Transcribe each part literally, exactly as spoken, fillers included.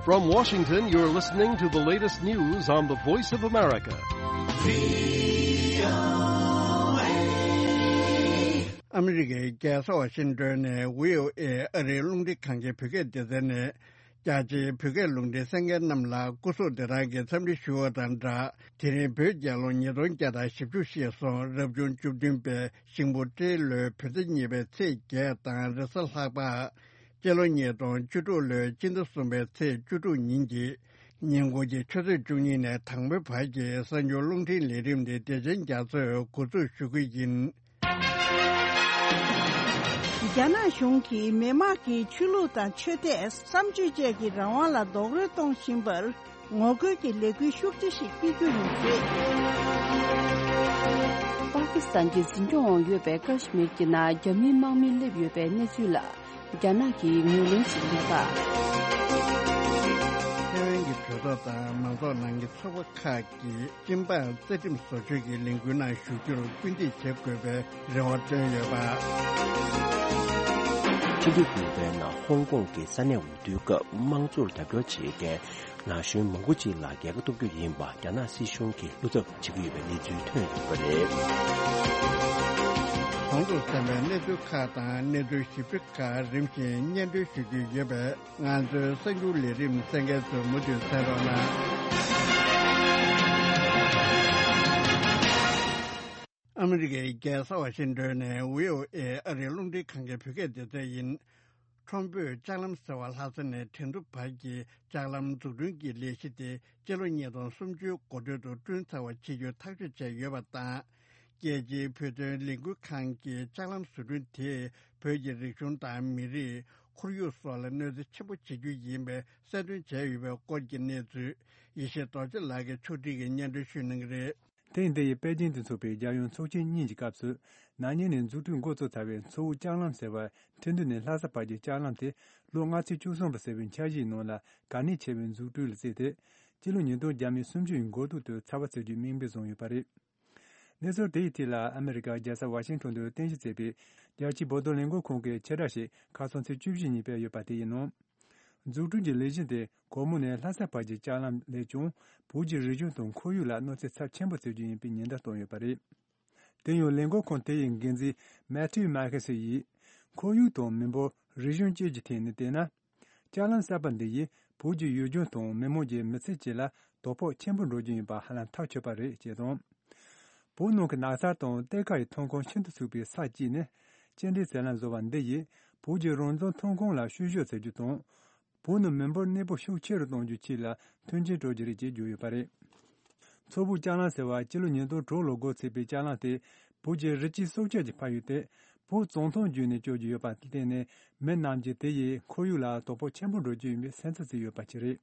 From Washington, you're listening to the latest news on the Voice of America. ཨ་མི་རི་ཀའི་རྒྱལ་ས་ཝ་ཤིང་ཏོན་ནས་བྷི་ཨོ་ཨེ་ཨ་རིའི་རླུང་འཕྲིན་ཁང་གི་བོད་སྐད་སྡེ་ཚན་ནས། རྒྱ་ཆེའི་བོད་སྐད་རླུང་འཕྲིན་གསན་མཁན་རྣམས་ལ་སྐུ་གཟུགས་བདེ་ཐང་གི་འཚམས་འདྲི་ཞུ་བ་དང་སྦྲགས། དེ་རིང་བོད་རྒྱལ་ལོ་ཉིས་སྟོང་བརྒྱ་དང་བཞི་བཅུ་ཞེས་སོགས་རབ་བྱུང་བཅུ་བདུན་པའི་ཤིང་ཕོ་སྤྲེལ་ལོའི་བོད་ཟླ་གཉིས་པའི་ཚེས་བརྒྱད་དང་རེས་གཟའ་ལྷག་པ། སྤྱི་ལོ་ཉིས་སྟོང་བཅུ་དྲུག་ལོའི་སྤྱི་ཟླ་གསུམ་པའི་ཚེས་བཅུ་དྲུག་ཉིན་གྱི་ཉིན་གུང་གི་ཆུ་ཚོད་བཅུ་གཉིས་ནས་དང་པོའི་བར་གྱི་གསར་འགྱུར་རླུང་འཕྲིན་ལས་རིམ་དེ་བདེ་ཆེན་རྒྱ་མཚོས་འགོ་འཛུགས་ཞུ་གི་ཡིན། རྒྱ་ནག་གཞུང་གིས་མི་དམངས་ཀྱི་ཆོས་ལུགས་དང་ཆོས་དད། བསམ་སྤྱོད་བཅས་ཀྱི་རང་དབང་ལ་རྡོག་རོལ་གཏོང་བཞིན་པར། ངོ་རྒོལ་གྱི་ལས་འགུལ་ཤུགས་ཆེ་ཞིག་སྤེལ་རྒྱུ་ཡིན་ཞེས། པ་ཀི་སི་ཐན་གྱི་འཛིན་སྐྱོང་འོག་ཡོད་པའི་ཀ་ཤི་མིར་གྱི་ནང་རྒྱ་མིའི་དམག་མི་སླེབས་ཡོད་པའི་གནས་ཚུལ་ལ། རྒྱ་ནག་གིས་ངོས་ལེན་བྱེད་ཀྱི་མེད་པ། ཐའེ་ཝན་གྱི་གྲོས་ཚོགས་དང་མང་ཚོགས་ནང་གི་ཚོགས་པ་ཁག་གིས་སྤྱི་འབངས་རྩ་ཁྲིམས་བཟོ་བཅོས་ཀྱི་ལས་འགུལ་ནང་ཞུགས་རྒྱུར་སྐུལ་འདེད་བྱེད་དགོས་པའི་རེ་བ་བཏོན་ཡོད་པ། ཕྱི་ཟླ་དགུ་པའི་ནང་ཧོང་ཀོང་གི་ས་གནས་འོས་བསྡུའི་སྐབས་དམངས་གཙོར་རྒྱབ་སྐྱོར་བྱེད་མཁན་ན་གཞོན་མང་པོ་ཅིག་ལ་རྒྱལ་ཁ་ཐོབ་རྒྱུ་ཡིན་པ་རྒྱ་ནག་སྲིད་གཞུང་གིས་བློ་འཚབ་བྱེད་ཀྱི་ཡོད་པའི་གནས་ཚུལ་ཐོན་ཡོད་པ་རེད། གོང་དུ་གསན་པའི་གནས་ཚུལ་ཁག་དང་གནས་ཚུལ་ཞིབ་ཕྲ་ཁག་རིམ་བཞིན་སྙན་སྒྲོན་ཞུ་རྒྱུ་ཡོད་པས། ང་ཚོའི་གསར་འགྱུར་ལས་རིམ་གསན་མཁན་ཚོས་མུ་མཐུད་གསན་རོགས་གནང་། ཨ་མི་རི་ཀའི་རྒྱལ་ས་ཝ་ཤིང་ཏོན་ནས་བྷི་ཨོ་ཨེ་ཨ་རིའི་རླུང་འཕྲིན་ཁང་གི་བོད་སྐད་སྡེ་ཚན་ཡིན། ཁྲོམ་བོད་ལྕགས་ལམ་ཟེར་བ་ལྷ་ས་ནས་ཁྲེང་ཏུའུ་བར་གྱི་ལྕགས་ལམ་འཛུགས་སྐྲུན་གྱི་ལས་གཞི་དེ་སྤྱི་ལོ་ཉིས་སྟོང་སུམ་ཅུའི་འགོ་སྟོད་དུ་བསྐྲུན་ཚར་བ་བྱེད་རྒྱུའི་ཐག་གཅོད་བྱས་ཡོད་པ་དང་། རྒྱལ་སྤྱིའི་བོད་དོན་ལས་འགུལ་ཁང་གིས་ལྕགས་ལམ་བཟོ་སྐྲུན་དེས་བོད་ཀྱི་རིག་གཞུང་དང་མི་རིགས། ཁོར་ཡུག་སོགས་ལ་གནོད་འཚེ་ཆེན་པོ་བྱེད་རྒྱུ་ཡིན་པའི་གསལ་སྟོན་བྱས་ཡོད་པའི་སྐོར་གྱི་གནས་ཚུལ། ཡེ་ཤེས་རྡོ་རྗེ་ལགས་ཀྱིས་ཕྱོགས་སྒྲིག་གིས་སྙན་སྒྲོན་ཞུ་གནང་གི་རེད། ཐེངས་འདི་ཡི་པེ་ཅིང་དུ་འཚོགས་པའི་རྒྱལ་ཡོངས་ཚོགས་ཆེན་གཉིས་ཀྱི་སྐབས་སུ། ན་ནིང་ནས་འཛུགས་སྐྲུན་འགོ་བཙུགས་ཚར་བའི་མཚོ་བོད་ལྕགས་ལམ་ཟེར་བ། ཁྲེང་ཏུའུ་ནས་ལྷ་ས་བར་གྱི་ལྕགས་ལམ་དེ་ལོ་ལྔ་ཚན་བཅུ་གསུམ་པ་ཟེར་བའི་འཆར་གཞིའི་ནང་ལ་གལ་གནད་ཆེ་བའི་འཛུགས་སྐྲུན་ལ་བརྩིས་ཏེ། སྤྱི་ལོ་ཉིས་སྟོང་བརྒྱ་མེད་སུམ་ཅུ་ཡི་འགོ་ཐོག་ཏུ་ཚར་བ་བརྩི་རྒྱུའི་དམིགས་འབེན་བཟུང་ཡོད་པ་རེད། གནས་ཚུལ་དེའི་ཐད་ལ་ཨ་མེ་རི་ཀ་རྒྱལ་ས་ཝ་ཤིང་ཊོན་དུ་རྟེན་གཞི་བྱས་པའི་རྒྱལ་སྤྱིའི་བོད་དོན་ལས་འགུལ་ཁང་གི་ཕྱིར་བསྒྲགས་ཤིག་ཁ་སང་ཚེས་བཅུ་བཞི་ཉིན་སྤེལ་ཡོད་པ་དེ་ཡིན་ནོ། འཛུགས་སྐྲུན་གྱི་ལས་གཞི་དེ་སྒོར་མོ་ནས་ལྷ་ས་བར་གྱི་ལྕགས་ལམ་ལས་ཀྱང་བོད་ཀྱི་རིག་གཞུང་དང་ཁོར་ཡུག་ལ་གནོད་འཚེ་ཚབས་ཆེན་པོ་བྱེད་རྒྱུ་ཡིན་པའི་ཉེན་བརྡ་བཏང་ཡོད་པ་རེད། དེ་ཡང་ལས་འགུལ་ཁང་དེ་ཡི་འགན་འཛིན་མེ་ཐིའུ་མཱ་ཁེ་སི་ཡིས་ཁོར་ཡུག་དང་མི་འབོར་རིག་གཞུང་བཅས་ཀྱི་ཐད་ནས་བལྟས་ན། ལྕགས་ལམ་གསར་པ་འདི་ཡིས་བོད་ཀྱི་ཡུལ་ལྗོངས་དང་མི་དམངས་ཀྱི་མི་ཚེ་བཅས་ལ་དོ་ཕོག་ཆེན་པོ་འགྲོ་རྒྱུ་ཡིན་པ་ཧ་ལམ་ཐག་ཆོད་པ་རེད་ཅེས་དང་། བོད་ནང་གི་ནགས་ཚལ་དང་གཏེར་ཁ་ཡི་ཐོན་ཁུངས་ཤིན་ཏུ་ཚུགས་པའི་ས་གཅིག་ནས་སྐྱེལ་འདྲེན་ཟེར་ལམ་བཟོ་བ་འདི་ཡིས་བོད་ཀྱི་རང་བཙན་ཐོན་ཁུངས་ལ་བཤུ་གཞོག་བྱེད་རྒྱུ་དང་། བོད་ནང་མི་འབོར་གནས་སྤོ་ཤུགས་ཆེ་རུ་གཏོང་རྒྱུའི་ཆེད་ལ་མཐུན་རྐྱེན་སྤྲོད་རྒྱུ་རེད་ཅེས་བརྗོད་ཡོད་པ་རེད། མཚོ་བོད་ལྕགས་ལམ་ཟེར་བ་སྤྱི་ལོ་ཉིས་སྟོང་དྲུག་ལོར་འགོ་ཚུགས་པའི་ལྕགས་ལམ་དེ་བོད་ཀྱི་རི་སྐྱེས་སྲོག་ཆགས་ཀྱི་ཕན་ཡོན་དེ་བོད་བཙོན་ཐང་བརྒྱུད་ནས་སྐྱོར་གྱི་ཡོད་པ་བརྟེན་ནས་མི་རྣམས་ཀྱིས་དེ་ཡིས་ཁོར་ཡུག་ལ་དོ་ཕོག་ཆེན་པོ་འགྲོ་རྒྱུ་ཡིན་པའི་སེམས་འཚབ་བྱེད་ཡོད་པ་ཅིག་རེད།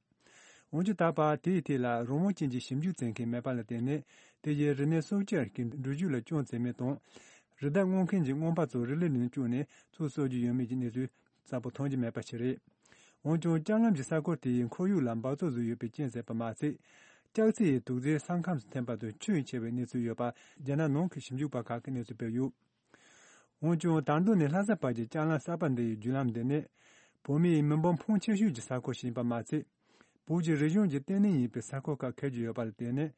འོན་ཀྱང་ད་བར་དེའི་ཐད་ལ་རང་དབང་ཅན་གྱི་ཞིབ་འཇུག་བྱེད་མཁན་མེད་པ་ལ་བརྟེན་ནས་དེ་ཡིས་རིག་གནས་སྲོག་ཆགས་ཀྱི་འགྲུལ་བཞུད་ལ་སྐྱོན་བཙལ་མིན་དང་། རི་དྭགས་རྔོན་མཁན་གྱི་རྔོན་པ་ཚོ་རི་ལི་ནང་བཅུག་ནས་ཚུར་གསོ་རྒྱུ་ཡོད་མེད་ཀྱི་གནས་ཚུལ་གསལ་པོ་མཐོང་རྒྱུ་མེད་པ་ཞིག་རེད། འོན་ཀྱང་ལྕགས་ལམ་གྱི་ས་ཁུལ་དེ་ཡི་ཁོར་ཡུག་ལ་འབག་བཙོག་བཟོས་ཡོད་པའི་རྐྱེན་ཟེར་བ་མ་ཚད། ལྕགས་རྩི་ཡི་དུག་རྫས་ས་ཁམས་སུ་ཐོན་པ་དང་ཁྱོན་ཡངས་ཆེ་བའི་གནས་ཚུལ་ཡོད་པ་རྒྱ་ནག་ནང་གི་ཞིབ་འཇུག་པ་ཁག་གིས་གནས་ཚུལ་སྤེལ་ཡོད། འོན་ཀྱང་དར་མདོ་ནས་ལྷ་ས་བར་གྱི་ལྕགས་ལམ་གསར་པ་འདི་ཡི་བརྒྱུད་ལམ་འདི་ནི། བོད་མིའི་མི་འབོར་ཕོན་ཆེ་ཤོས་ཀྱི་ས་ཁུལ་ཞིག་ཡིན་པ་མ་ཚད། བོད་ཀྱི་རིག་གཞུང་གི་ལྟེ་གནས་ཡིན་པའི་ས་ཁུལ་ཁག་འཁེལ་རྒྱུ་ཡོད་པ་ལ་བརྟེན་ནས།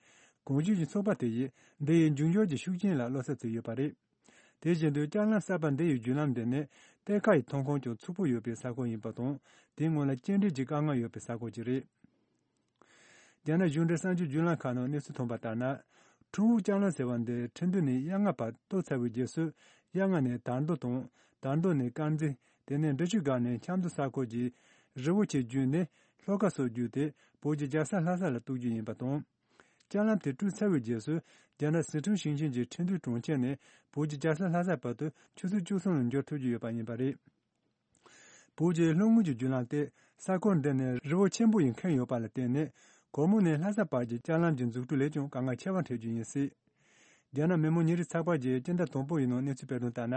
གོང་ཞུས་ཀྱི་ཚོགས་པ་དེ་ཡིས་འདི་ཡི་འབྱུང་འགྱུར་གྱི་ཤུགས་རྐྱེན་ལ་བློ་འཚབ་བྱས་ཡོད་པ་རེད། དེ་བཞིན་དུ་ལྕགས་ལམ་གསར་པ་འདི་ཡི་བརྒྱུད་ལམ་འདི་ནི་གཏེར་ཁ་ཡི་ཐོན་ཁུངས་ཀྱང་ཕྱུག་པོ་ཡོད་པའི་ས་ཁུལ་ཡིན་པ་དང་། དེའི་སྔོན་ལ་སྐྱེལ་འདྲེན་གྱི་དཀའ་ངལ་ཡོད་པའི་ས་ཁུལ་ཅིག་རེད། རྒྱ་ནག་གཞུང་འབྲེལ་གསར་འགྱུར་བརྒྱུད་ལམ་ཁག་ནང་གནས་ཚུལ་ཐོན་པ་ལྟར་ན། ཁྲོན་བོ་ལྕགས་ལམ་ཟེར་བ་འདི་ཁྲིན་ཏུའུ་ནས་གཡག་རྔ་བར་གཏོར་ཚར་བའི་རྗེས་སུ། གཡག་རྔ་ནས་དར་མདོ་དང་། དར་མདོ་ནས་དཀར་མཛེས། དེ་ནས་འབྲི་ཆུ་སྒང་ནས་ཆབ་མདོ་ས་ཁུལ་གྱི་རི་བོ་ཆེ་བརྒྱུད་ནས་ལྷོ་ཁ་སོགས་བརྒྱུད་དེ་བོད་ཀྱི་རྒྱལ་ས་ལྷ་ས་ལ་གཏོར་རྒྱུ་ཡིན་པ་དང་། ལྕགས་ལམ་དེ་བསྐྲུན་ཚར་བའི་རྗེས་སུ་རྒྱ་ནག་སི་ཁྲོན་ཞིང་ཆེན་གྱི་ཁྲིན་ཏུའུ་གྲོང་ཁྱེར་ནས་བོད་ཀྱི་རྒྱལ་ས་ལྷ་ས་བར་དུ་ཆུ་ཚོད་བཅུ་གསུམ་ལ་འབྱོར་ཐུབ་རྒྱུ་ཡོད་པ་ཡིན་པ་རེད། བོད་ཀྱི་ལྷོ་ངོས་ཀྱི་བརྒྱུད་ལམ་དེ་ས་ཁུལ་འདི་ནས་རི་བོ་ཆེན་པོ་ཡིས་ཁེངས་ཡོད་པ་ལ་བརྟེན་ནས་སྒོར་མོ་ནས་ལྷ་ས་བར་གྱི་ལྕགས་ལམ་གྱི་འཛུགས་སྐྲུན་ལས་ཀྱང་དཀའ་ངལ་ཆེ་བ་འཕྲད་རྒྱུ་ཡིན་སྲིད། རྒྱ་ནག་མི་དམངས་ཉིན་རེའི་ཚགས་པར་གྱིས་སྤྱི་ཟླ་དང་པོ་ཡི་ནང་གནས་ཚུལ་སྤེལ་དོན་ལྟར་ན།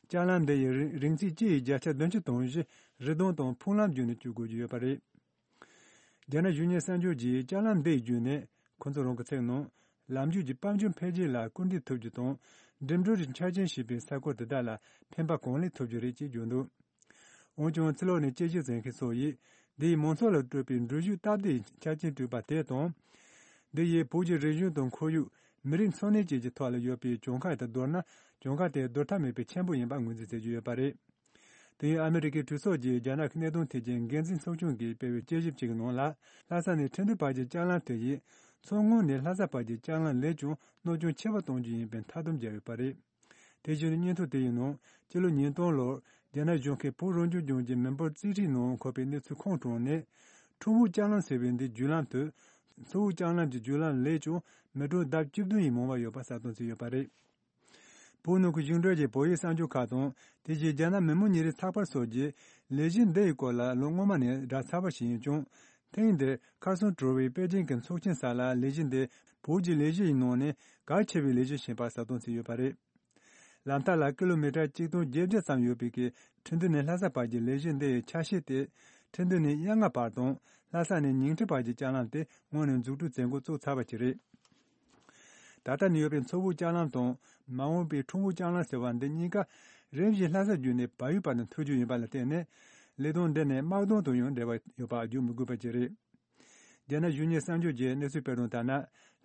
ལྕགས་ལམ་འདི་ཡི་རིང་ཚད་སྤྱི་ཡི་བརྒྱ་ཆ་བདུན་ཅུ་དོན་བཞི་རི་དོང་དང་ཕུག་ལམ་བརྒྱུད་ནས་བསྐྱོད་དགོས་ཀྱི་ཡོད་པ་རེད། རྒྱ་ནག་གཞུང་གཉེར་གསར་འགྱུར་གྱིས་ལྕགས་ལམ་འདི་ཡི་བརྒྱུད་ནས་ཁོ་ཚོ་རང་གི་ཚིག་ནང་ལམ་རྒྱུད་ཀྱི་དཔལ་འབྱོར་འཕེལ་རྒྱས་ལ་སྐུལ་འདེད་ཐུབ་རྒྱུ་དང་འགྲིམ་འགྲུལ་གྱི་ཆ་རྐྱེན་ཞེས་པའི་ས་ཁུལ་དེ་དག་ལ་ཕན་པ་གང་ལེགས་ཐོབ་རྒྱུ་རེད་ཅེས་བརྗོད་འདུག་འོན་ཀྱང་ཕྱི་ལོགས་ནས་དཔྱད་ཞིབ་མཛད་མཁན་ཚོ་ཡིས་ འདི་ཡིས་མང་ཚོགས་ལ་སྤྲོད་པའི་འགྲུལ་བཞུད་སྟབས་བདེ་ཡི་ཆ་རྐྱེན་བསྐྲུན་པ་དེ་དང་། འདི་ཡིས་བོད་ཀྱི་རིག་གཞུང་དང་ཁོར་ཡུག་མི་རིགས་འཚོ་གནས་བཅས་ཀྱི་ཐོག་ལ་ཡོད་པའི་གྱོང་ཁ་དེ་བསྡུར་ན། གྱོང་ཁ་དེ་བསྡུར་ཐབས་མེད་པའི་ཆེན་པོ་ཡིན་པ་ངོས་འཛིན་བྱེད་ཀྱི་ཡོད་པ་རེད། དེ་ཡང་ཨ་མི་རི་ཀའི་གྲོས་ཚོགས་ཀྱི་རྒྱ་ནག་གི་གནད་དོན་ཐད་ཀྱི་འགན་འཛིན་ཚོགས་ཆུང་གིས་སྤེལ་བའི་དཔྱད་ཞིབ་ཅིག་གི་ནང་ལ། ལྷ་ས་ནས་ཁྲིན་ཏུའུ་བར་གྱི་ལྕགས་ལམ་དེ་ཡིས་མཚོ་སྔོན་ནས་ལྷ་ས་བར་གྱི་ལྕགས་ལམ་ལས་ཀྱང་གནོད་སྐྱོན་ཆེ་བ་གཏོང་རྒྱུ་ཡིན་པའི་མཐའ་སྡོམ་བརྒྱབ་ཡོད་པ་རེད། དེ་བཞིན་སྙན་ཐོ་དེ་ཡི་ནང་། སྤྱི་ལོ་ཉིས་སྟོང་ལོར་རྒྱ་ནག་གཞུང་གིས་བོད་རང་སྐྱོང་ལྗོངས་ཀྱི་མི་འབོར་རྩིས་ཁྲའི་ནང་འཁོད་པའི་གནས་ཚུལ་ཁུངས་དྲངས་ནས། ཁྲོ་བོ་ལྕགས་ལམ་ཟེར་བའི་འདིའི་བརྒྱུད་ལམ་དུ། མཚོ་བོད་ལྕགས་ལམ་གྱི་བརྒྱུད་ལམ་ལས་ཀྱང་མི་གྲངས་ལྡབ་བཅུ་བདུན་ཡིས་མང་བ་ཡོད་པ་གསལ་སྟོན་བྱས་ཡོད་པ་རེད། བོད་ནང་གི་བཞུགས་འབྲེལ་གྱི་བོད་ཡིག་གསར་འགྱུར་ཁག་དང་། དེ་བཞིན་རྒྱ་ནག་མི་མང་ཉིན་རེའི་ཚགས་པར་སོགས་ཀྱིས་ལས་གཞི་འདི་ཡི་སྐོར་ལ་ལོ་སྔོན་མ་ནས་བསྒྲགས་ཚར་བ་ཞིག་ཡིན་ཀྱང་། ཐེངས་འདིར་ཁར་སོང་གྲོལ་བའི་པེ་ཅིང་གི་ཚོགས་ཆེན་སར་ལ་ལས་གཞི་འདི་བོད་ཀྱི་ལས་གཞི་ཡི་ནང་ནས་གལ་ཆེ་བའི་ལས་གཞི་ཞིག་ཡིན་པ་གསལ་སྟོན་བྱས་ཡོད་པ་རེད། ལམ་ཐག་ལ་ཀི་ལོ་མི་ཊར་གཅིག་སྟོང་བརྒྱད་བརྒྱ་ཙམ་ཡོད་པའི་གི་ཁྲིན་ཏུའུ་ནས་ལྷ་ས་བར་གྱི་ལས་གཞི་འདི་ཡི་ཆ་ཤས་དེ། ཁྲིན་ཏུའུ་ནས་གཡག་རྔ་བར་དང་། ལྷ་ས་ནས་ཉིང་ཁྲི་བར་གྱི་ལྕགས་ལམ་དེ་སྔོན་ནས་འཛུགས་སྐྲུན་མཛད་འགོ་བཙུགས་ཚར་བ་ཞིག་རེད། ད་ལྟ་ནས་ཡོད་པའི་མཚོ་བོད་ལྕགས་ལམ་དང་། མ་འོངས་པའི་ཁྲོ་བོ་ལྕགས་ལམ་ཟེར་བ་འདི་གཉིས་ཀ་རིམ་བཞིན་ལྷ་ས་བརྒྱུད་ནས་བལ་ཡུལ་བར་དུ་མཐུད་རྒྱུ་ཡིན་པ་ལ་བརྟེན་ནས། ལས་དོན་འདི་ནི་དམག་དོན་དང་ཡང་འབྲེལ་བ་ཡོད་པ་བརྗོད་མི་དགོས་པ་ཅིག་རེད། རྒྱ་ནག་གཞུང་གཉེར་གསར་འགྱུར་གྱིས་གནས་ཚུལ་སྤེལ་དོན་ལྟར་ན།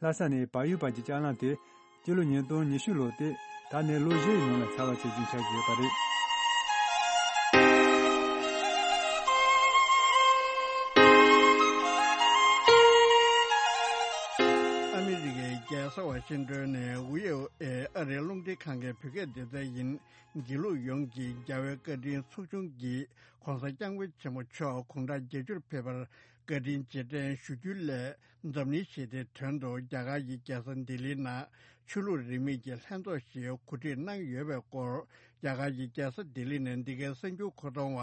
ལྷ་ས་ནས་བལ་ཡུལ་བར་གྱི་ལྕགས་ལམ་དེ་སྤྱི་ལོ་ཉིས་སྟོང་ཉི་ཤུ་ལོ་སྟེ། ད་ནས་ལོ་བཞི་ཡི་ནང་ལ་ཚར་བ་བྱེད་རྒྱུ་ཆགས་ཀྱི་ཡོད་པ་རེད། ཨ་མི་རི་ཀའི་རྒྱལ་ས་ཝ་ཤིང་ཏོན་ནས་ཝི་ཨོ་ཨེ་ཨ་རིའི་རླུང་འཕྲིན་ཁང་གི་བོད་སྐད་སྡེ་ཚན་ཡིན། དགེ་ལུགས་ཡོངས་ཀྱི་རྒྱལ་བའི་བཀའ་དྲིན་ཚོགས་ཆུང་གིས་༧གོང་ས་༧སྐྱབས་མགོན་ཆེན་པོ་མཆོག་དགུང་གྲངས་བརྒྱད་ཅུར་ཕེབས་པར་བཀའ་དྲིན་རྗེས་དྲན་ཞུ་རྒྱུའི་སླད། འཛམ་གླིང་ཞི་བདེའི་དོན་དུ་རྒྱ་གར་གྱི་རྒྱལ་ས་ལྡི་ལིའི་ནང་ཆོས་ལུགས་རིས་མེད་ཀྱི་ལྷན་ཚོགས་ཤིག་གོ་སྒྲིག་གནང་ཡོད་པའི་སྐོར། རྒྱ་གར་གྱི་རྒྱལ་ས་ལྡི་ལི་ནས་འདི་གའི་གསར་འགྱུར་མཁོ་གཏོང་བ་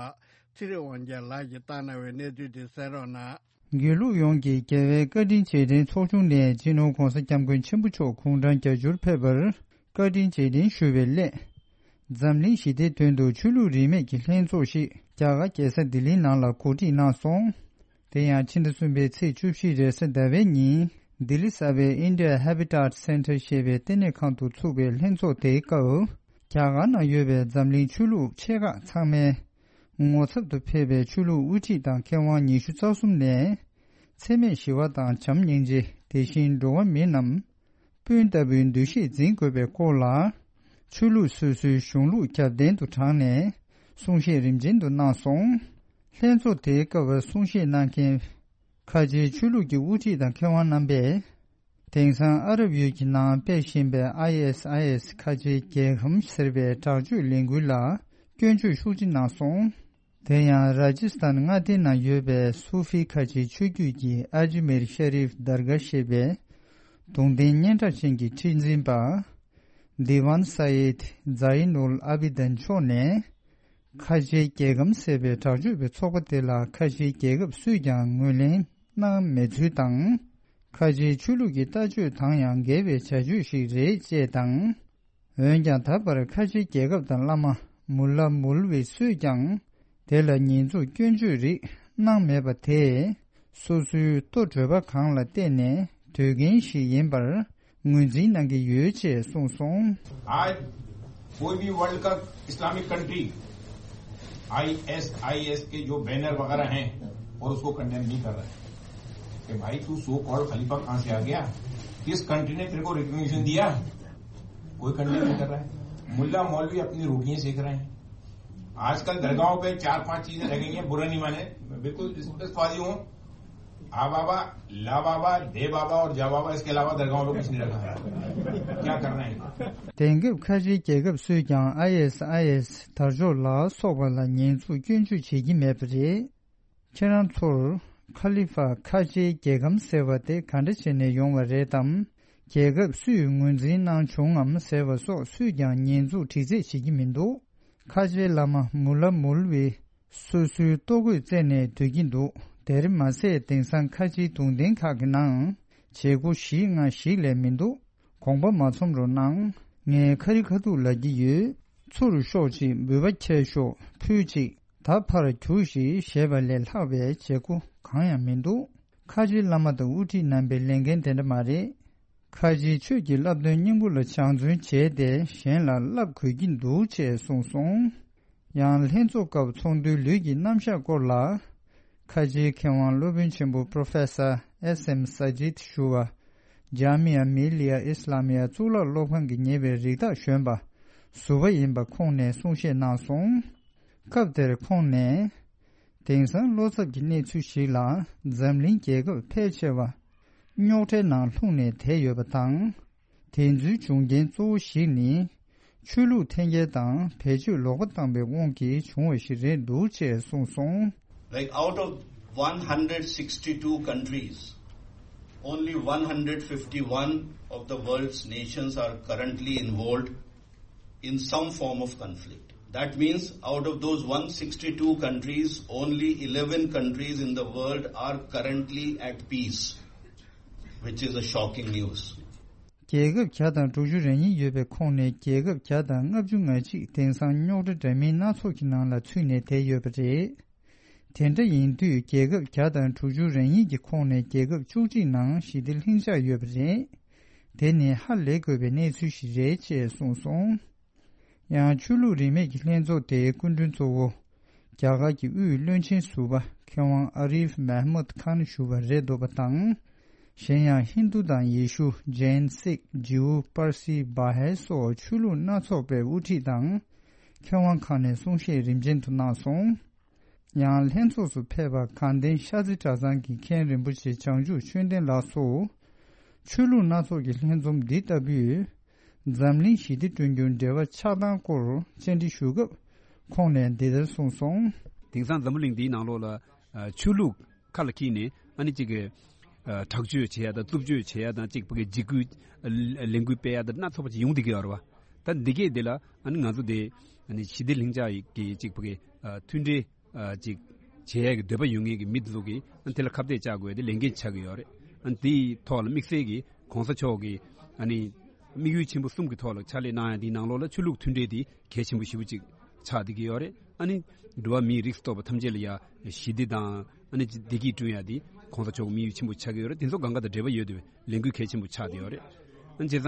ཚེ་རིང་དབང་རྒྱལ་ལགས་ཀྱིས་བཏང་གནང་བའི་གནས་ཚུལ་འདི་གསན་རོགས་གནང་། དགེ་ལུགས་ཡོངས་ཀྱི་རྒྱལ་བའི་བཀའ་དྲིན་རྗེས་དྲན་ཚོགས་ཆུང་ནས་སྤྱི་ནོར་༧གོང་ས་༧སྐྱབས་མགོན་ཆེན་པོ་མཆོག་དགུང་གྲངས་བརྒྱད་ཅུར་ཕེབས་པར་བཀའ་དྲིན་རྗེས་དྲན་ཞུ་བའི་སླད། འཛམ་གླིང་ཞི་བདེའི་དོན་དུ་ཆོས་ལུགས་རིས་མེད་ཀྱི་ལྷན་ཚོགས་ཤིག་རྒྱ་གར་རྒྱལ་ས་ལྡི་ལིའི་ནང་ལ་གོ་སྒྲིག་གནང་སོང་། དེ་ཡང་ཕྱི་ཟླ་གསུམ་པའི་ཚེས་བཅུ་བཞི་རེས་གཟའ་ཟླ་བའི་ཉིན་ལྡི་ལི་གསར་པའི་India Habitat Center ཞེས་པའི་ལྟེ་གནས་ཁང་དུ་ཚུགས་པའི་ལྷན་ཚོགས་དེའི་སྐབས། རྒྱ་གར་ནང་ཡོད་པའི་འཛམ་གླིང་ཆོས་ལུགས་ཆེ་ཁག་ཚང་མའི་ངོ་ཚབ་ཏུ་ཕེབས་པའི་ཆོས་ལུགས་དབུ་ཁྲིད་དང་མཁས་དབང་ཉི་ཤུ་རྩ་གསུམ་ནས། འཚེ་མེད་ཞི་བ་དང་བྱམས་སྙིང་རྗེ། དེ་བཞིན་འགྲོ་བ་མི་རྣམས་སྤུན་ལྟ་བུའི་འདུ་ཤེས་འཛིན་དགོས་པའི་སྐོར་ལ། ཆོས་ལུགས་སོ་སོའི་གཞུང་ལུགས་རྒྱབ་རྟེན་དུ་དྲངས་ནས་གསུང་བཤད་རིམ་ཅན་དུ་གནང་སོང་། ལྷན་ཚོགས་དེའི་སྐབས་གསུང་བཤད་གནང་མཁན་ཁ་ཆེའི་ཆོས་ལུགས་ཀྱི་དབུ་ཁྲིད་དང་མཁས་དབང་རྣམ་པས། དེང་སང་ཨ་རབ་ཡུལ་གྱི་ནང་སྤེལ་བཞིན་པའི་ཨའི་ཨེས་ཨའི་ཨེས་ཁ་ཆེའི་རྒྱལ་ཁམས་ཟེར་བའི་དྲག་སྤྱོད་ལས་འགུལ་ལ་སྐྱོན་བརྗོད་ཤུགས་ཆེ་གནང་སོང་། དེ་ཡང་ར་ཇི་སི་ཐན་མངའ་སྡེའི་ནང་ཡོད་པའི་སུ་ཧྥི་ཁ་ཆེའི་ཆོས་བརྒྱུད་ཀྱི་ཨ་ཇི་མིར་ཤ་རིབ་དར་གྷ་ཞེས་པའི་གདུང་རྟེན་སྙན་གྲགས་ཅན་གྱི་ཁྲི་འཛིན་པ། དི་ཝན་ས་ཡིད་ཛ་ཡིན་ཨུལ་ཨ་བི་དན་མཆོག་ནས། ཁ་ཆེའི་རྒྱལ་ཁམས་ཟེར་བའི་དྲག་སྤྱོད་པའི་ཚོགས་པ་དེ་ལ་ཁ་ཆེའི་རྒྱལ་ཁབ་སུས་ཀྱང་ངོས་ལེན་གནང་མེད་ཚུལ་དང་། ཁ་ཆེའི་ཆོས་ལུགས་ཀྱི་ལྟ་སྤྱོད་དང་ཡང་འགལ་བའི་བྱ་སྤྱོད་ཞིག་རེད་ཅེས་དང་། འོན་ཀྱང་ད་བར་ཁ་ཆེའི་རྒྱལ་ཁབ་དང་བླ་མ་མུ་ལ་མུལ་བི་སུས་ཀྱང་དེ་ལ་ཉེས་འཛུགས་སྐྱོན་བརྗོད་རིགས་གནང་མེད་པ་དེས། སོ་སོའི་ལྟོ་གྲོད་པ་གང་ལ་བལྟས་ནས་སྡོད་མཁན་ཞིག་ཡིན་པར་ངོས་འཛིན་གནང་གི་ཡོད་ཅེས་གསུངས་སོང་། आज कोई भी वर्ल्ड का Islamic country ISIS के जो बैनर वगैरह हैं और उसको कंडेम नहीं कर रहा है कि भाई तू सो कॉल्ड खलीफा कहाँ से आ गया, किस कंट्री ने तेरे को रिकग्निशन दिया? कोई कंडेम नहीं कर रहा है। मुल्ला मौलवी अपनी रोटियां सेक रहे हैं। आजकल दरगाहों पे चार पांच चीजें रह गई हैं, बुरा नहीं माने, बिल्कुल स्पष्टवादी हूँ। आ बाबा, ला बाबा, दे बाबा और जा बाबा, इसके अलावा दरगाहों पे कुछ नहीं रखा है। क्या करना है इनको? དེང་སྐབས་ཁ་ཆེའི་རྒྱལ་ཁབ་སུས་ཀྱང་ཨའི་ཨེས་ཨའི་ཨེས་དར་ལྕོག་ལ་སོགས་པ་ལ་ཉེས་འཛུགས་སྐྱོན་བརྗོད་བྱེད་ཀྱི་མེད་པ་རེད། ཁྱེད་རང་ཚོར་ཁ་ལི་ཧྥ་ཁ་ཆེའི་རྒྱལ་ཁམས་ཟེར་བ་དེ་ག་འདྲ་བྱས་ནས་ཡོང་བ་རེད་དམ། རྒྱལ་ཁབ་སུས་ངོས་འཛིན་གནང་བྱུང་ངམ་ཟེར་བ་སོགས་སུས་ཀྱང་ཉེས་འཛུགས་དྲི་རྩད་བྱེད་ཀྱི་མི་འདུག་ཁ་ཆེའི་བླ་མ་མུ་ལ་མུལ་བི་སོ་སོའི་ལྟོ་གོས་བཙལ་ནས་སྡོད་ཀྱིན་འདུག་དེར་མ་ཟད་དེང་སང་ཁ་ཆེའི་གདུང་རྟེན་ཁག་གི་ནང་བྱེད་སྒོ་བཞི་ལྔ་ཞིག་ལས་མི་འདུག་དགོངས་པ་མ་ཚོམ་རོགས་གནང་། ངས་ཁ་རི་ཁ་ཐུག་ལབ་ཀྱི་ཡོད། ཚུར་ཤོག་ཅིག་འབུལ་བ་ཁྱེར་ཤོག་ཕུལ་ཅིག་ད་ཕར་རྒྱུགས་ཤིག་ཞེས་པ་ལས་ལྷག་པའི་བྱེད་སྒོ་གང་ཡང་མི་འདུག་ཁ་ཆེའི་བླ་མ་དང་དབུ་ཁྲིད་རྣམ་པའི་ལས་འགན་དེ་འདྲ་མ་རེད། ཁ་ཆེའི་ཆོས་ཀྱི་བསླབ་སྟོན་སྙིང་པོ་ལ་སྦྱང་བརྩོན་བྱས་ཏེ་གཞན་ལ་བསླབ་དགོས་ཀྱི་འདུག་ཅེས་གསུངས་སོང་། ཡང་ལྷན་ཚོགས་སྐབས་ཚོགས་འདུའི་ལུས་ཀྱི་རྣམ་གཞག་སྐོར་ལ། ཁ་ཆེའི་མཁས་དབང་སློབ་དཔོན་ཆེན་པོ་Professor S M Sajid ཞུ་བ། ཇཱ་མི་ཡ་མི་ལི་ཡ་ཨིསི་ལ་མི་ཡ་གཙུག་ལག་སློབ་ཁང་གིས་ཉེ་བའི་རིགས་བདག་གཞོན་པ་ཟུར་པ་ཡིན་པ་ཁོང་ནས་གསུང་བཤད་གནང་སོང་། སྐབས་དེར་ཁོང་ནས། དེང་སང་བློ་འཚབ་ཀྱི་གནས་ཚུལ་ཞིག་ལ་འཛམ་གླིང་རྒྱལ་ཁབ་ཕལ་ཆེ་བ་རྙོག་དྲའི་ནང་ལྷུང་ནས་བསྡད་ཡོད་པ་དང་། དེ་ཚོའི་འབྱུང་རྐྱེན་གཙོ་བོ་ཞིག་ནི། ཆོས་ལུགས་འཐེན་འཁྱེར་དང་བེད་སྤྱོད་ལོག་པ་བཏང་པའི་དབང་གིས་བྱུང་བ་ཞིག་རེད་འདུག་ཅེས་གསུངས་སོང་། Like, out of one hundred sixty-two countries, only one hundred fifty-one of the world's nations are currently involved in some form of conflict. That means, out of those one sixty-two countries, only eleven countries in the world are currently at peace, which is a shocking news. རྒྱལ་ཁབ་བརྒྱ་དང་དྲུག་ཅུ་རེ་གཉིས་ཡོད་པའི་ཁོངས་ནས་རྒྱལ་ཁབ་བརྒྱ་དང་ལྔ་བཅུ་ང་གཅིག་དེང་སང་རྙོག་དྲ་འདྲ་མིན་སྣ་ཚོགས་ཀྱི་ནང་ལ་ཚུད་ནས་བསྡད་ཡོད་པ་རེད། དེ་འདྲ་ཡིན་དུས་རྒྱལ་ཁབ་བརྒྱ་དང་དྲུག་ཅུ་རེ་གཉིས་ཀྱི་ཁོངས་ནས་རྒྱལ་ཁབ་བཅུ་གཅིག་ནང་ཞི་བདེ་ལྷིང་འཇགས་ཡོད་པ་རེད། དེ་ནི་ཧ་ལས་དགོས་པའི་གནས་ཚུལ་ཞིག་རེད་ཅེས་གསུངས་སོང་། ཡང་ཆོས་ལུགས་རིས་མེད་ཀྱི་ལྷན་ཚོགས་དེའི་སྐུ་མགྲོན་གཙོ་བོ། རྒྱ་གར་གྱི་དབུས་བློན་ཆེན་ཟུར་པ་མཁས་དབང་ཨ་རིབ་མེ་མུད་ཁཱན་ཞུ་བ་རེད་འདུག་པ་དང་། གཞན་ཡང་ཧིན་རྡུ་དང་ཡེ་ཤུ། ཇེན། སིག་ཇིའུ། པར་སི། བ་ཧེ་སོགས་ཆོས་ལུགས་སྣ་ཚོགས་པའི་དབུ་ཁྲིད་དང་། མཁས་དབང་ཁག་ནས་གསུང་བཤད་རིམ་ཅན་དུ་གནང་སོང་། ཡང་ལྷན་ཚོགས་སུ་ཕེབས་པ་དགའ་ལྡན་ཤར་རྩེ་གྲྭ་ཚང་གི་མཁན་རིན་པོ་ཆེ་བྱང་ཆུབ་ཆོས་ལྡན་ལགས་སུ། ཆོས་ལུགས་སྣ་ཚོགས་ཀྱི་ལྷན་འཛོམས་འདི་ལྟ་བུས། འཛམ་གླིང་ཞི་བདེ་བསྐྲུན་རྒྱུར་འབྲེལ་བ་ཆགས་སྟངས་སྐོར་བཅར་འདྲི་ཞུ་སྐབས། ཁོང་ནས་འདི་ལྟར་གསུངས་སོང་། དེང་སང་འཛམ་བུ་གླིང་འདིའི་ནང་ལོགས་ལ། ཨ། ཆོས་ལུགས་ཁ་ལ་འཁྱེར་ནས་ཨ་ནི་གཅིག་གི། ཨ། དྲག་སྤྱོད་བྱེད་ཡ་དང་རྩུབ་སྤྱོད་བྱེད་ཡ་དང་གཅིག་ཕ་གི་འཇིགས་སྐུལ། ཨ། ལས་འགུལ་སྤེལ་ཡ་དང་སྣ་ཚོགས་པ་ཅིག་ཡོང་བསྡད་ཀྱི་ཡོད་རེད་བ། ད་འདི་གས་འདི་ལ་ཨ་ནི་ང་ཚོ་དེ་ཨ་ནི་ཞི་བདེ་ལྷིང་འཇགས་ཀྱི་གཅིག་ཕ་གི། ཨ། མཐུན་འབྲེལ། ཨ། ཅིག་བྱེད་ཡ་གི་འདོད་པ་ཡོད་མཁན་གྱི་མི་དེ་ཚོ་གིས་ཨ་ནི་དེ་ལ་ཁ་གཏད་བཅག་དགོས་ཏེ་ལས་འགན་ཆགས་ཀྱི་ཡོད་རེད། ཨ་ནི་དེའི་ཐོག་ལ་དམིགས་བསལ་གྱི་གོང་ས་མཆོག་གིས་ཨ་ནི་དམིགས་ཡུལ་ཆེན་པོ་གསུམ་གྱི་ཐོག་ལ་ཕྱག་ལས་གནང་ཡ་དེའི་ནང་ལོགས་ལ་ཆོས་ལུགས་མཐུན་འབྲེལ་དེ་གལ་ཆེན་པོ་ཞེ་པོ་ཅིག་ཆགས་བསྡད་ཀྱི་ཡོད་རེད། ཨ་ནི་འགྲོ་བ་མིའི་རིགས་སུ་གཏོགས་པ་ཐམས་ཅད་ལ་ཡ་ཞི་བདེ་དང་ཨ་ནི་བདེ་སྐྱིད་བསྐྲུན་ཡ་དེ་གོང་ས་མཆོག་གི་དམིགས་ཡུལ་ཆེན་པོ་ཆགས་ཀྱི་ཡོད་རེད། དེ་ཚོ་གང་ག་དང་འབྲེལ་བ་ཡོད་བསྡད་པའི་ལས་འགུལ་གལ་ཆེན་པོ་ཆགས་བསྡད་ཡོད་རེད། ཨ་ནི་བྱས་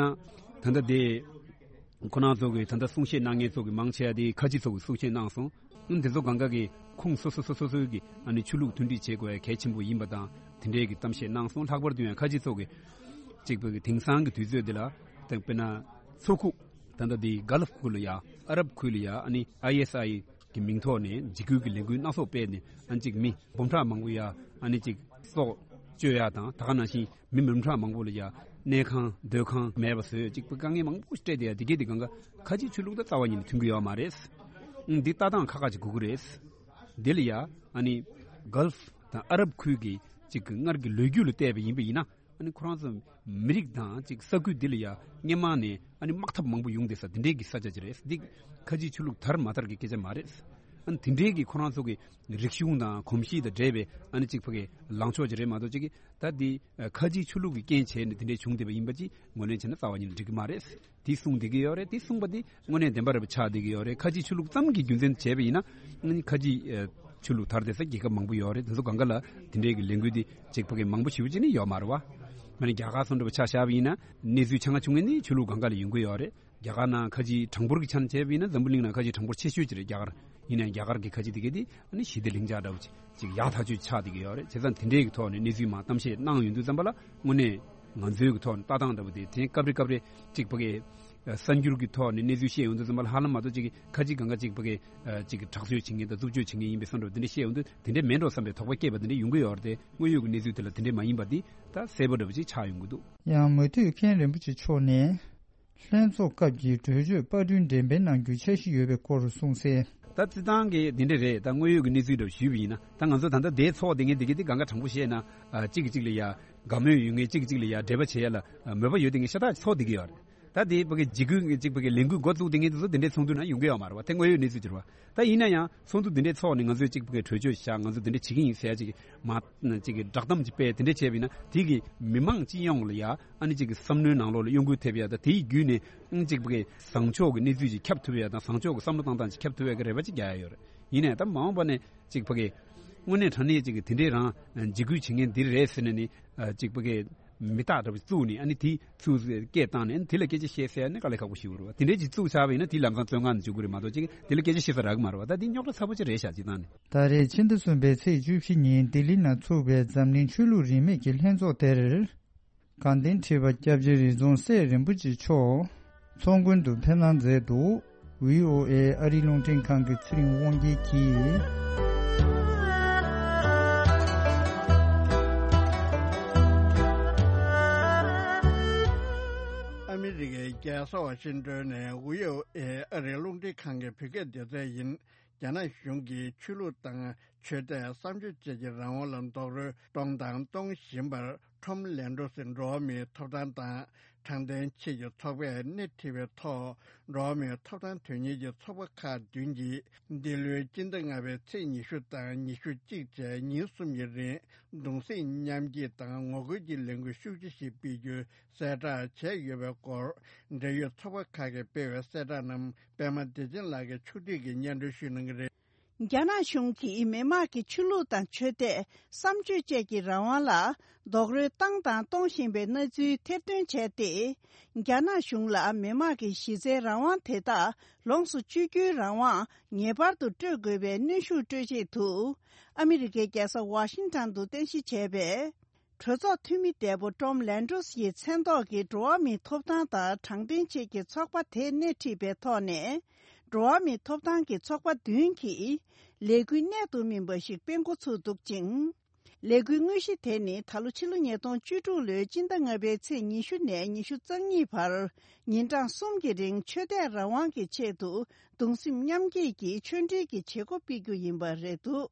ཙང་ད་ལྟ་དེ། ཁོ་རང་ཚོ་གིས་ད་ལྟ་གསུང་བཤད་གནང་མཁན་ཚོ་གི་མང་ཆེ་བ་དེ་ཁ་ཆེ་ཚོ་གིས་གསུང་བཤད་གནང་སོང་། ཨ་ནི་དེ་ཚོ་གང་ག་གི་ཁོངས་སོ་སོ་སོ་སོ་སོའི་གི་ཨ་ནི་ཆོས་ལུགས་མཐུན་སྒྲིལ་བྱེད་དགོས་ཡ་གལ་ཆེན་པོ་ཡིན་པ་དང་དེ་འདྲའི་གི་གཏམ་བཤད་གནང་སོང་། ལྷག་པར་དུ་ཡང་ཁ་ཆེ་ཚོ་གིས་གཅིག་པ་གི་དེང་སང་གི་དུས་ཚོད་འདི་ལ་ད་དཔེར་ན་མཚོ་ཁུག་ད་ལྟ་དེ་གྷལ་ཕ་ཁུལ་ལ་ཡ་ཨ་རབ་ཁུལ་ལ་ཡ་ཨ་ནི་ཨའི་ཨེས་ཨའི་གི་མིང་ཐོག་ནས་འཇིགས་སྐུལ་གྱི་ལས་འགུལ་སྣ་ཚོགས་སྤེལ་ནས་ཨ་ནི་གཅིག་མི་འབུམ་ཕྲག་མང་པོ་ཡ་ཨ་ནི་གཅིག་སྲོག་གཅོད་ཡ་དང་ད་ག་ནང་བཞིན་མི་འབུམ་ཕྲག་མང་པོ་ལ་ཡ་གནས་ཁང་སྡོད་ཁང་མེད་པ་བཟོས་གཅིག་པུ་དཀའ་ངལ་མང་པོ་སྤྲད་དེ་ཡ་དེ་གས་དེ་གང་ག་ཁ་ཆེའི་ཆོས་ལུགས་དང་རྩ་བ་ཉིད་ནས་མཐུན་གྱི་ཡོད་མ་རེད། ཨང་འདི་ལྟ་སྟངས་ཁག་ཁག་ཅིག་དགོས་ཀྱི་རེད། འདི་ལ་ཡ་ཨ་ནི་གྷལ་ཕ་དང་ཨ་རབ་ཁུལ་གྱི་གཅིག་གི་སྔར་གྱི་ལོ་རྒྱུས་ལ་བལྟས་པ་ཡིན་པ་ཡིན་ན། ཨ་ནི་ཁོ་རང་ཚོ་མི་རིགས་དང་ཅིག་ས་ཁུལ་འདི་ལ་ཡ་སྔོན་མ་ནས་ཨ་ནི་དམག་འཐབ་མང་པོ་ཡོང་བསྡད་ས་འདི་འདྲའི་གི་ས་ཆ་ཅིག་རེད། འདི་ཁ་ཆེའི་ཆོས་ལུགས་དར་མ་དར་གི་སྐད་ཆ་མ་རེད། ཨ་ནི་དེ་འདྲའི་གི་ཁོ་རང་ཚོ་གི་རིག་གཞུང་དང་གོམས་གཤིས་དང་འདྲེས་པའི་ཨ་ནི་ཅིག་ཕ་གི་ལངས་ཕྱོགས་ཅིག་རེད་མ་གཏོགས་ཅིག་གི་ད་འདི་ཁ་ཆེའི་ཆོས་ལུགས་ཀྱི་རྐྱེན་བྱས་ནས་དེ་འདྲའི་བྱུང་བསྡད་པ་ཡིན་པ་ཅིག་ངོས་ལེན་བྱས་ན་རྩ་བ་ཉིད་ནས་འགྲིག་གི་མ་རེད། དེ་གསུངས་བསྡད་ཀྱི་ཡོད་རེད། དེ་གསུངས་པ་དེ་དངོས་གནས་བདེན་པ་རེད་པ་ཆགས་བསྡད་ཀྱི་ཡོད་རེད། ཁ་ཆེའི་ཆོས་ལུགས་ཙམ་གྱི་རྒྱུ་མཚན་བྱས་པ་ཡིན་ན་ཨ་ནི་ཁ་ཆེའི་ཨ་ཆོས་ལུགས་དར་བསྡད་ས་རྒྱལ་ཁབ་མང་པོ་ཡོད་རེད། དེ་ཚོ་སྒང་ག་ལ་དེ་འདྲའི་གི་ལས་འགུལ་དེ་ཅིག་ཕ་གི་མང་པོ་ཞེ་པོ་ཅིག་ནི་ཡོད་མ་རེད་བ། ཨ་ནི་རྒྱ་གར་སོགས་འདྲ་པོ་ཆ་བཞག་པ་ཡིན་ན་གནས་ཚུལ་ཆ་ཚང་བྱུང་མཁན་ནི་ཆོས་ལུགས་སྒང་ག་ལ་ཡོང་གི་ཡོད་རེད། རྒྱ་གར་ནང་ཁ་ཆེའི་གྲངས་འབོར་གྱི་ཆ་ནས་བྱས་པ་ཡིན་ན་འཛམ་བུ་གླིང་ནང་ཁ་ཆེའི་གྲངས་འབོར་ཆེ་ཤོས་ཅིག་རེད་རྒྱ་གར། ཡིན་ནའང་རྒྱ་གར་གྱི་ཁ་ཆེ་དེ་གས་དེ་ཨ་ནི་ཞི་བདེ་ལྷིང་འཇགས་འདྲ་བོ་ཅིག་ཅིག་ཡག་ཐག་ཆོད་ཆགས་བསྡད་ཀྱི་ཡོད་རེད། བྱས་ཙང་དེ་འདྲའི་གི་ཐོག་ནས་གནས་ཚུལ་མར་གཏམ་བཤད་གནང་ཡོང་དུས་ཙམ་པ་ལ་དངོས་གནས་ང་ཚོའི་གི་ཐོག་ནས་ལྟ་སྟངས་འདྲ་བོ་དེ་དེ་སྐབས་རེ་སྐབས་རེ་ཅིག་ཕ་གི་གསར་འགྱུར་གྱི་ཐོག་ནས་གནས་ཚུལ་བཤད་ཡོང་དུས་ཙམ་པ་ལ་ཧ་ལམ་མ་གཏོགས་ཅིག་གི་ཁ་ཅིག་གང་ག་ཅིག་ཕ་གི་ཅིག་གི་དྲག་སྤྱོད་བྱེད་མཁན་དང་རྩུབ་སྤྱོད་བྱེད་མཁན་ཡིན་པའི་བཟོ་འདྲ་བོ་དེ་འདྲ་བཤད་ཡོང་དུས་དེ་འདྲ་མིན་འགྲོ་བསམ་པའི་དོགས་པ་སྐྱེས་པ་དེ་འདྲ་ཡོང་གི་ཡོད་རེད་དེ། དངོས་ཡོད་ཀྱི་གནས་ཚུལ་དེ་ལ་དེ་འདྲ་མ་ཡིན་པ་འདི་ད་གསལ་པོ་འདྲ་བོ་ཅིག་ཆགས་ཡོང་གི་འདུག། ཡང་མུ་མཐུད་མཁན་རིན་པོ་ཆེ་མཆོག་ནས། ལྷན་ཚོགས་སྐབས་ཀྱི་གྲོས་ཆོད་པར་སྐྲུན་འགྲེམས་སྤེལ་གནང་རྒྱུའི་འཆར་གཞི་ཡོད་པའི་སྐོར་གསུངས་གསལ། ད་སྤྱིར་བཏང་གི་འདི་འདྲ་རེད། ད་དངོས་ཡོད་ཀྱི་གནས་ཚུལ་འདྲ་ཞུས་པ་ཡིན་ན་ད་ང་ཚོ་ད་ལྟ་དེའི་ཚོགས་དེ་ངས་འདི་གི་འདི་གང་ག་དྲང་པོ་བཤད་ན་ཨ་གཅིག་གིས་གཅིག་ལ་ཡ་དགའ་མོས་ཡོད་མཁན་གཅིག་གིས་གཅིག་ལ་ཡ་འབྲེལ་བ་བྱེད་ཡ་ལ་ཨ་མོས་པ་ཡོད་བསྡད་མཁན་ཤ་སྟག་ཚོགས་བསྡད་ཀྱི་ཡོད་རེད། ད་དེ་ཕ་གི་འཇིགས་སྐུལ་གཅིག་ཕ་གི་ལས་འགུལ་འགོ་བཙུགས་བསྡད་མཁན་དེ་ཚོ་འདི་འདྲའི་ཚོགས་འདུ་ནང་ཡོང་གི་ཡོད་མ་རེད་བ། དེ་དངོས་ཡོད་གནས་ཚུལ་ཅིག་རེད་བ། ད་ཡིན་ན་ཡང་ཚོགས་འདུ་འདི་འདྲའི་ཚོགས་ནས་ང་ཚོས་གཅིག་ཕ་གི་གྲོས་ཆོད་བཞག་ང་ཚོ་འདི་འདྲ་བྱེད་ཀྱི་ཡིན་ཟེར་ཡ་ཅིག་མ་ཅིག་གི་བསྒྲགས་གཏམ་ཅིག་སྤེལ་དེ་འདྲ་བྱས་པ་ཡིན་ན་དེ་གི་མི་མང་སྤྱི་ཡོངས་ལ་ཡ་ཨ་ནི་ཅིག་གི་བསམ་བློའི་ནང་ལོགས་ལ་གཡོ་འགུལ་ཐེབས་ཡ་དང་དེའི་བརྒྱུད་ནས་ཨ་ནི་ཅིག་ཕ་གི་བཟང་ཕྱོགས་ཀྱི་གནས་ཚུལ་ཅིག་ཁྱབ་ཐུབ་ཡ་དང་བཟང་ཕྱོགས་ཀྱི་བསམ་བློ་བཏང་སྟངས་ཅིག་ཁྱབ་ཐུབ་ཡ་གི་རེ་བ་ཅིག་རྒྱག་ཡ་ཡོད་རེད། ཡིན་ནའི་ད་མ་འོངས་པ་ནས་ཅིག་ཕ་གི་དངོས་གནས་དྲང་གནས་ཅིག་གི་དེ་འདྲའི་རང་འཇིགས་སྐུལ་བྱེད་མཁན་འདི་རེད་ཟེར་ནས་ནི་ཅིག་ཕ་གི་ མི་རྟག་འདྲ་པོ་བཙུགས་ནས་ཨ་ནི་དེ་ཚུར་སྐད་བཏང་ནས་ཨ་ནི་དེ་ལ་སྐད་ཆ་བཤད་ཟེར་ནས་དཀའ་ལས་ཁག་པོ་ཞིག་རེད་བ། དེ་འདྲའི་ཅིག་བཙུགས་ཚར་བ་ཡིན་ན་དེ་ལམ་སང་བཙོན་ཁང་ནང་འཇུག་གི་རེད་མ་གཏོགས་ཅིག་དེ་ལ་སྐད་ཆ་བཤད་ས་རག་གི་མ་རེད་བ། ད་དེ་རྙོག་དྲ་ཚ་པོ་ཅིག་རེད་ཤག་ཅིག་བཏང་ནས། ད་རེས་ཕྱི་ཟླ་གསུམ་པའི་ཚེས་བཅུ་བཞི་ཉིན་ལྡི་ལི་ནང་ཚུགས་པའི་འཛམ་གླིང་ཆོས་ལུགས་རིས་མེད་ཀྱི་ལྷན་ཚོགས་དེར། དགའ་ལྡན་ཁྲི་པ་སྐྱབས་རྗེ་རི་རྫོང་སྲས་རིན་པོ་ཆེ་མཆོག་ཚོགས་མགོན་དུ་ཕེབས་གནང་མཛད་འདུག། བྷི་ཨོ་ཨེ་ཨ་རིའི་རླུང་འཕྲིན་ཁང་གི་ཚེ་རིང་དབང་རྒྱལ་གྱིས། ཨ་མི་རི་ཀའི་རྒྱལ་ས་ཝ་ཤིང་ཏོན་ནས་བྷི་ཨོ་ཨེ་ཨ་རིའི་རླུང་འཕྲིན་ཁང་གི་བོད་སྐད་སྡེ་ཚན་ཡིན། རྒྱ་ནག་གཞུང་གིས་ཆོས་ལུགས་དང་ཆོས་དད་བསམ་སྤྱོད་བཅས་ཀྱི་རང་དབང་ལ་རྡོག་རོལ་གཏོང་དང་གཏོང་བཞིན་པར། ཁྲོམ་ལན་ཀྲོ་སི་འགྲོ་བ་མིའི་ཐོབ་ཐང་དང་དྲང་བདེན་ཆེད་ཀྱི་ཚོགས་པས་སྣེ་ཁྲིད་པའི་ཐོག་འགྲོ་བ་མིའི་ཐོབ་ཐང་དོན་གཉེར་གྱི་ཚོགས་པ་ཁག་བདུན་གྱིས་འདི་ལོའི་སྤྱི་ཟླ་ལྔ་པའི་ཚེས་ཉི་ཤུ་དང་ཉི་ཤུ་གཅིག་བཅས་ཉིན་གསུམ་གྱི་རིང་གདུང་སེམས་མཉམ་སྐྱེད་དང་ངོ་རྒོལ་གྱི་ལས་འགུལ་ཤུགས་ཆེ་ཞིག་སྤེལ་རྒྱུའི་གསལ་བསྒྲགས་བྱས་ཡོད་པའི་སྐོར། འབྲེལ་ཡོད་ཚོགས་པ་ཁག་གིས་སྤེལ་བའི་གསལ་བསྒྲགས་རྣམས་པད་མ་བདེ་ཆེན་ལགས་ཀྱིས་ཕྱོགས་སྒྲིག་གིས་སྙན་སྒྲོན་ཞུ་གནང་གི་རེད། རྒྱ་ནག་གཞུང་གིས་མི་དམངས་ཀྱི་ཆོས་ལུགས་དང་ཆོས་དད། བསམ་སྤྱོད་བཅས་ཀྱི་རང་དབང་ལ་རྡོག་རོལ་བཏང་དང་གཏོང་བཞིན་པའི་གནས་ཚུལ་ཐེར་འདོན་བྱས་ཏེ། རྒྱ་ནག་གཞུང་ལ་མི་དམངས་ཀྱི་གཞི་རྩའི་རང་དབང་དེ་དག་ལོངས་སུ་སྤྱོད་རྒྱུའི་རང་དབང་ངེས་པར་དུ་སྤྲོད་དགོས་པའི་གནོན་ཤུགས་སྤྲོད་ཆེད་དུ། ཨ་མི་རི་ཀའི་རྒྱལ་ས་ཝ་ཤིང་ཊོན་དུ་རྟེན་གཞི་བྱས་པའི། གྲོས་ཚོགས་འཐུས་མི་འདས་པོ་ཀྲོམ་ལན་ཀྲོས་ཡི་མཚན་ཐོག་གི་འགྲོ་བ་མིའི་ཐོབ་ཐང་དང་དྲང་བདེན་ཆེད་ཀྱི་ཚོགས་པ་དེ་སྣེ་ཁྲིད་པའི་ཐོག་ནས། འགྲོ་བ་མིའི་ཐོབ་ཐང་གི་ཚོགས་པ་བདུན་གྱིས་ལས་འགུལ་གནད་དུ་སྨིན་པ་ཞིག་སྤེལ་འགོ་ཚུགས་འདུག་ཅིང་། ལས་འགུལ་དངོས་གཞི་དེ་ནི་ད་ལོ་ཕྱི་ལོ་ཉིས་སྟོང་བཅུ་དྲུག་ལོའི་སྤྱི་ཟླ་ལྔ་པའི་ཚེས་ཉི་ཤུ་ནས་ཉི་ཤུ་རྩ་གཉིས་བར་ཉིན་གྲངས་གསུམ་གྱི་རིང་ཆོས་དད་རང་དབང་གི་ཆེད་དུ་གདུང་སེམས་མཉམ་སྐྱེད་ཀྱི་ཆོས་འབྲེལ་གྱི་བྱེད་སྒོ་སྤེལ་རྒྱུ་ཡིན་པ་རེད་འདུག།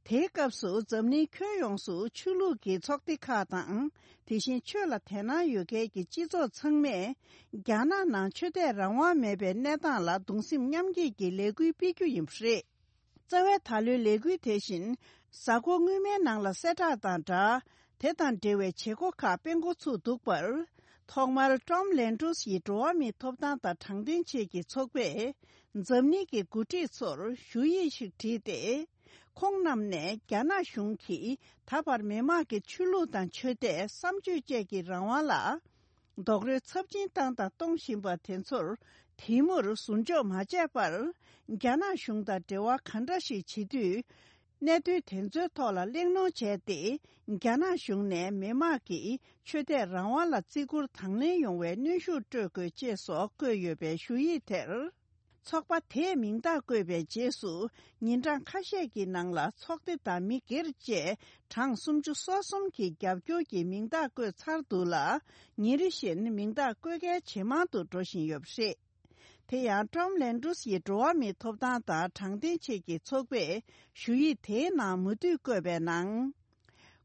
དེའི་སྐབས་སུ་འཛམ་གླིང་ཁྱོན་ཡོངས་སུ་ཆོས་ལུགས་ཀྱི་ཚོགས་སྡེ་ཁག་དང་། དེ་བཞིན་ཆོས་ལ་དད་སྣང་ཡོད་མཁན་གྱི་སྤྱི་ཚོགས་ཚང་མས་རྒྱ་ནག་ནང་ཆོས་དད་རང་དབང་མེད་པའི་གནས་སྟངས་ལ་གདུང་སེམས་མཉམ་སྐྱེད་ཀྱི་ལས་འགུལ་སྤེལ་རྒྱུ་ཡིན་པ་རེད། རྩ་བའི་ད་ལོའི་ལས་འགུལ་དེ་བཞིན་གཟའ་འཁོར་སྔོན་མའི་ནང་ལ་གསལ་བསྒྲགས་དང་སྦྲགས། དེ་དང་འབྲེལ་བའི་བྱེད་སྒོ་ཁག་སྤེལ་འགོ་ཚུགས་འདུག་པར། ཐོག་མར་ཀྲོམ་ལན་ཀྲོས་ཡིས་འགྲོ་བ་མིའི་ཐོབ་ཐང་དང་དྲང་བདེན་ཆེད་ཀྱི་ཚོགས་པས་འཛམ་གླིང་གི་འགོ་ཁྲིད་ཚོར་ཞུ་ཡིག་ཞིག་བྲིས་ཏེ། ཁོང་རྣམས་ནས་རྒྱ་ནག་གཞུང་གིས་ད་བར་མི་དམངས་ཀྱི་ཆོས་ལུགས་དང་ཆོས་དད་བསམ་སྤྱོད་བཅས་ཀྱི་རང་དབང་ལ་རྡོག་རོལ་ཚབས་ཆེན་བཏང་དང་གཏོང་བཞིན་པ་དེ་ཚོར་དེ་མུར་ཟུར་འཇོག་མ་བྱས་པར། རྒྱ་ནག་གཞུང་དང་འབྲེལ་བ་ག་འདྲ་ཞིག་བྱེད་དུས། གནད་དོན་དེ་ཚོའི་ཐོག་ལ་གླེང་སློང་བྱས་ཏེ། རྒྱ་ནག་གཞུང་ནས་མི་དམངས་ཀྱི་ཆོས་དད་རང་དབང་ལ་བརྩི་བཀུར་དང་ལེན་ཡོང་བའི་གནོན་ཤུགས་སྤྲོད་དགོས་ཅེས་སོགས་བཀོད་ཡོད་པའི་ཞུ་ཡིག་དེར། ཚོགས་པ་དེས་མིང་རྟགས་བཀོད་པའི་རྗེས་སུ། ཉིན་གྲངས་ཁ་ཤས་ཀྱི་ནང་ལ་ཚོགས་སྡེ་དང་མི་སྒེར་བཅས་གྲངས་སུམ་ཅུ་སོ་གསུམ་གྱིས་རྒྱབ་སྐྱོར་གྱི་མིང་རྟགས་བཀོད་ཚར་འདུག་ལ། ཉིན་རེ་བཞིན་མིང་རྟགས་བཀོད་གལ་ཇེ་མང་དུ་འགྲོ་བཞིན་ཡོད་པ་རེད། དེ་ཡང་ཀྲོམ་ལན་ཀྲོས་ཡི་འགྲོ་བ་མིའི་ཐོབ་ཐང་དང་དྲང་བདེན་ཆེད་ཀྱི་ཚོགས་པས་ཞུ་ཡིག་དེའི་ནང་མུ་མཐུད་བཀོད་པའི་ནང་།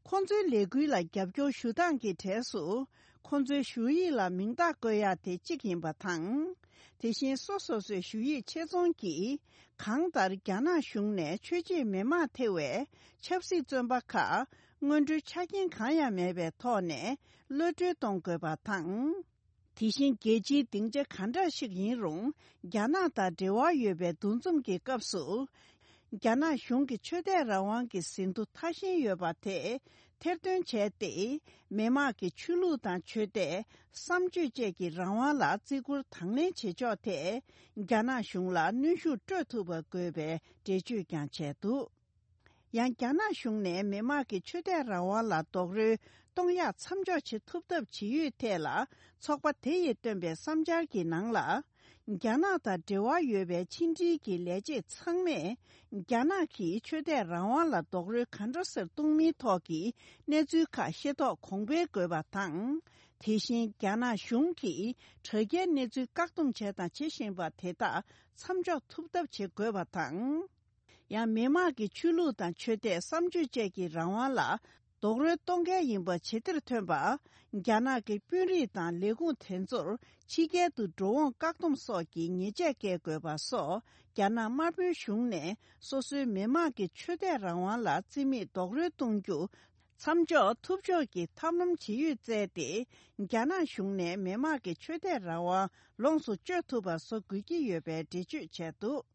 ཁོང་ཚོའི་ལས་འགུལ་ལ་རྒྱབ་སྐྱོར་ཞུ་སྟངས་ཀྱི་གྲས་སུ། ཁོང་ཚོའི་ཞུ་ཡིག་ལ་མིང་རྟགས་བཀོད་ཡག་དེ་གཅིག་ཡིན་པ་དང་། དེ་བཞིན་སོ་སོ་སོའི་ཞུ་ཡིག་ཆེད་རྫོང་གིས། གང་ལྟར་རྒྱ་ནག་གཞུང་ནས་ཆོས་བྱེད་མི་མང་ཐེ་བའི་ཆབ་སྲིད་བཙོན་པ་ཁག་སྔོན་འགྲོའི་ཆ་རྐྱེན་གང་ཡང་མེད་པའི་ཐོག་ནས་གློད་གྲོལ་གཏོང་དགོས་པ་དང་། དེ་བཞིན་རྒྱལ་སྤྱིའི་སྡིངས་ཆ་ག་འདྲ་ཞིག་ཡིན་རུང་། རྒྱ་ནག་དང་འབྲེལ་བ་ཡོད་པའི་འདུ་འཛོམས་ཀྱི་སྐབས་སུ། རྒྱ་ནག་གཞུང་གི་ཆོས་དད་རང་དབང་གི་ཟིན་ཐོ་ཐ་ཞན་ཡོད་པ་དེ་ཐེར་འདོན་བྱས་ཏེ། མི་དམངས་ཀྱི་ཆོས་ལུགས་དང་ཆོས་དད། བསམ་སྤྱོད་བཅས་ཀྱི་རང་དབང་ལ་བརྩི་བཀུར་དང་ལེན་བྱེད་ཕྱོགས་ཐད། རྒྱ་ནག་གཞུང་ལ་གནོན་ཤུགས་སྤྲོད་ཐུབ་པ་དགོས་པའི་འགྲེལ་བརྗོད་ཀྱང་བྱས་འདུག། ཡང་རྒྱ་ནག་གཞུང་ནས་མི་དམངས་ཀྱི་ཆོས་དད་རང་དབང་ལ་རྡོག་རོལ་གཏོང་ཡག་མཚམས་འཇོག་བྱེད་ཐུབ་ཐབས་ཇི་ཡོད་ཐད་ལ། ཚོགས་པ་དེ་ཡིས་བཏོན་པའི་བསམ་འཆར་གྱི་ནང་ལ། རྒྱ་ནག་དང་འབྲེལ་བ་ཡོད་པའི་ཕྱི་འབྲེལ་གྱི་ལས་བྱེད་ཚང་མས། རྒྱ་ནག་གིས་ཆོས་དད་རང་དབང་ལ་རྡོག་རོལ་ག་འདྲ་སེ་གཏོང་མིན་ཐོག་གི་གནས་ཚུལ་ཁག་ཤེས་རྟོགས་གོང་འཕེལ་དགོས་པ་དང་། དེ་བཞིན་རྒྱ་ནག་གཞུང་གིས་དྲ་རྒྱའི་གནས་ཚུལ་བཀག་སྡོམ་བྱས་དང་བྱེད་བཞིན་པ་དེ་དག་མཚམས་འཇོག་ཐུབ་ཐབས་བྱེད་དགོས་པ་དང་། ཡང་མི་དམངས་ཀྱི་ཆོས་ལུགས་དང་ཆོས་དད་བསམ་སྤྱོད་བཅས་ཀྱི་རང་དབང་ལ་རྡོག་རོལ་གཏོང་གལ་ཡིན་པ་ཇེ་ཆེར་ཐོན་པ། རྒྱ་ནག་གི་དཔོན་རིགས་དང་ལས་ཁུངས་དེ་ཚོར་ཕྱི་རྒྱལ་དུ་འགྲོ་འོང་བཀག་སྡོམ་སོགས་ཀྱི་ཉེས་ཆད་བཀལ་དགོས་པ་སོགས། རྒྱ་ནག་དམར་པོའི་གཞུང་ནས་སོ་སོའི་མི་དམངས་ཀྱི་ཆོས་དད་རང་དབང་ལ་རྩིས་མེད་རྡོག་རོལ་གཏོང་རྒྱུ་མཚམས་འཇོག་ཐུབ་ཕྱོགས་ཀྱི་ཐབས་ལམ་ཇི་ཡོད་བཙལ་ཏེ། རྒྱ་ནག་གཞུང་ནས་མི་དམངས་ཀྱི་ཆོས་དད་རང་དབང་ལོངས་སུ་སྤྱོད་ཐུབ་པ་བཟོ་དགོས་ཀྱི་ཡོད་པའི་འགྲེལ་བརྗོད་བྱས་འདུག།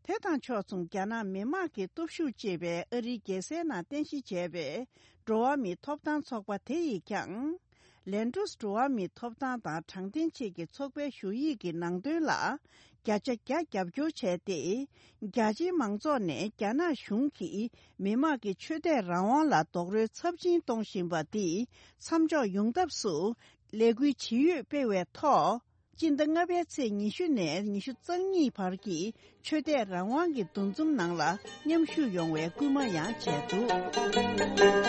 དེ་དང་ཕྱོགས་མཚུངས། རྒྱ་ནག་མི་དམངས་ཀྱི་སྟོབས་ཤུགས་ཅེས་པའི་ཨ་རིའི་རྒྱལ་སའི་ནང་རྟེན་གཞི་བྱས་པའི་འགྲོ་བ་མིའི་ཐོབ་ཐང་ཚོགས་པ་དེ་ཡིས་ཀྱང་། ལན་ཀྲུས་འགྲོ་བ་མིའི་ཐོབ་ཐང་དང་དྲང་བདེན་ཆེད་ཀྱི་ཚོགས་པའི་ཞུ་ཡིག་གི་ནང་དོན་ལ་བརྒྱ་ཆ་བརྒྱ་རྒྱབ་སྐྱོར་བྱས་ཏེ། རྒྱ་ཆེའི་མང་ཚོགས་ནས་རྒྱ་ནག་གཞུང་གིས་མི་དམངས་ཀྱི་ཆོས་དད་རང་དབང་ལ་རྡོག་རོལ་ཚབས་ཆེན་གཏོང་བཞིན་པ་འདི་མཚམས་འཇོག་ཡོང་ཐབས་སུ་ལས་འགུལ་ཇི་ཡོད་སྤེལ་བའི་ཐོག་སྤྱི་ཟླ་ལྔ་པའི་ཚེས་ཉི་ཤུ་ནས་ཉི་ཤུ་རྩ་གཉིས་བར་གྱི་ཆོས་དད་རང་དབང་གི་འདུ་འཛོམས་ནང་ལ་མཉམ་ཞུགས་ཡོང་བའི་སྐུལ་མ་ཡང་བྱས་འདུག།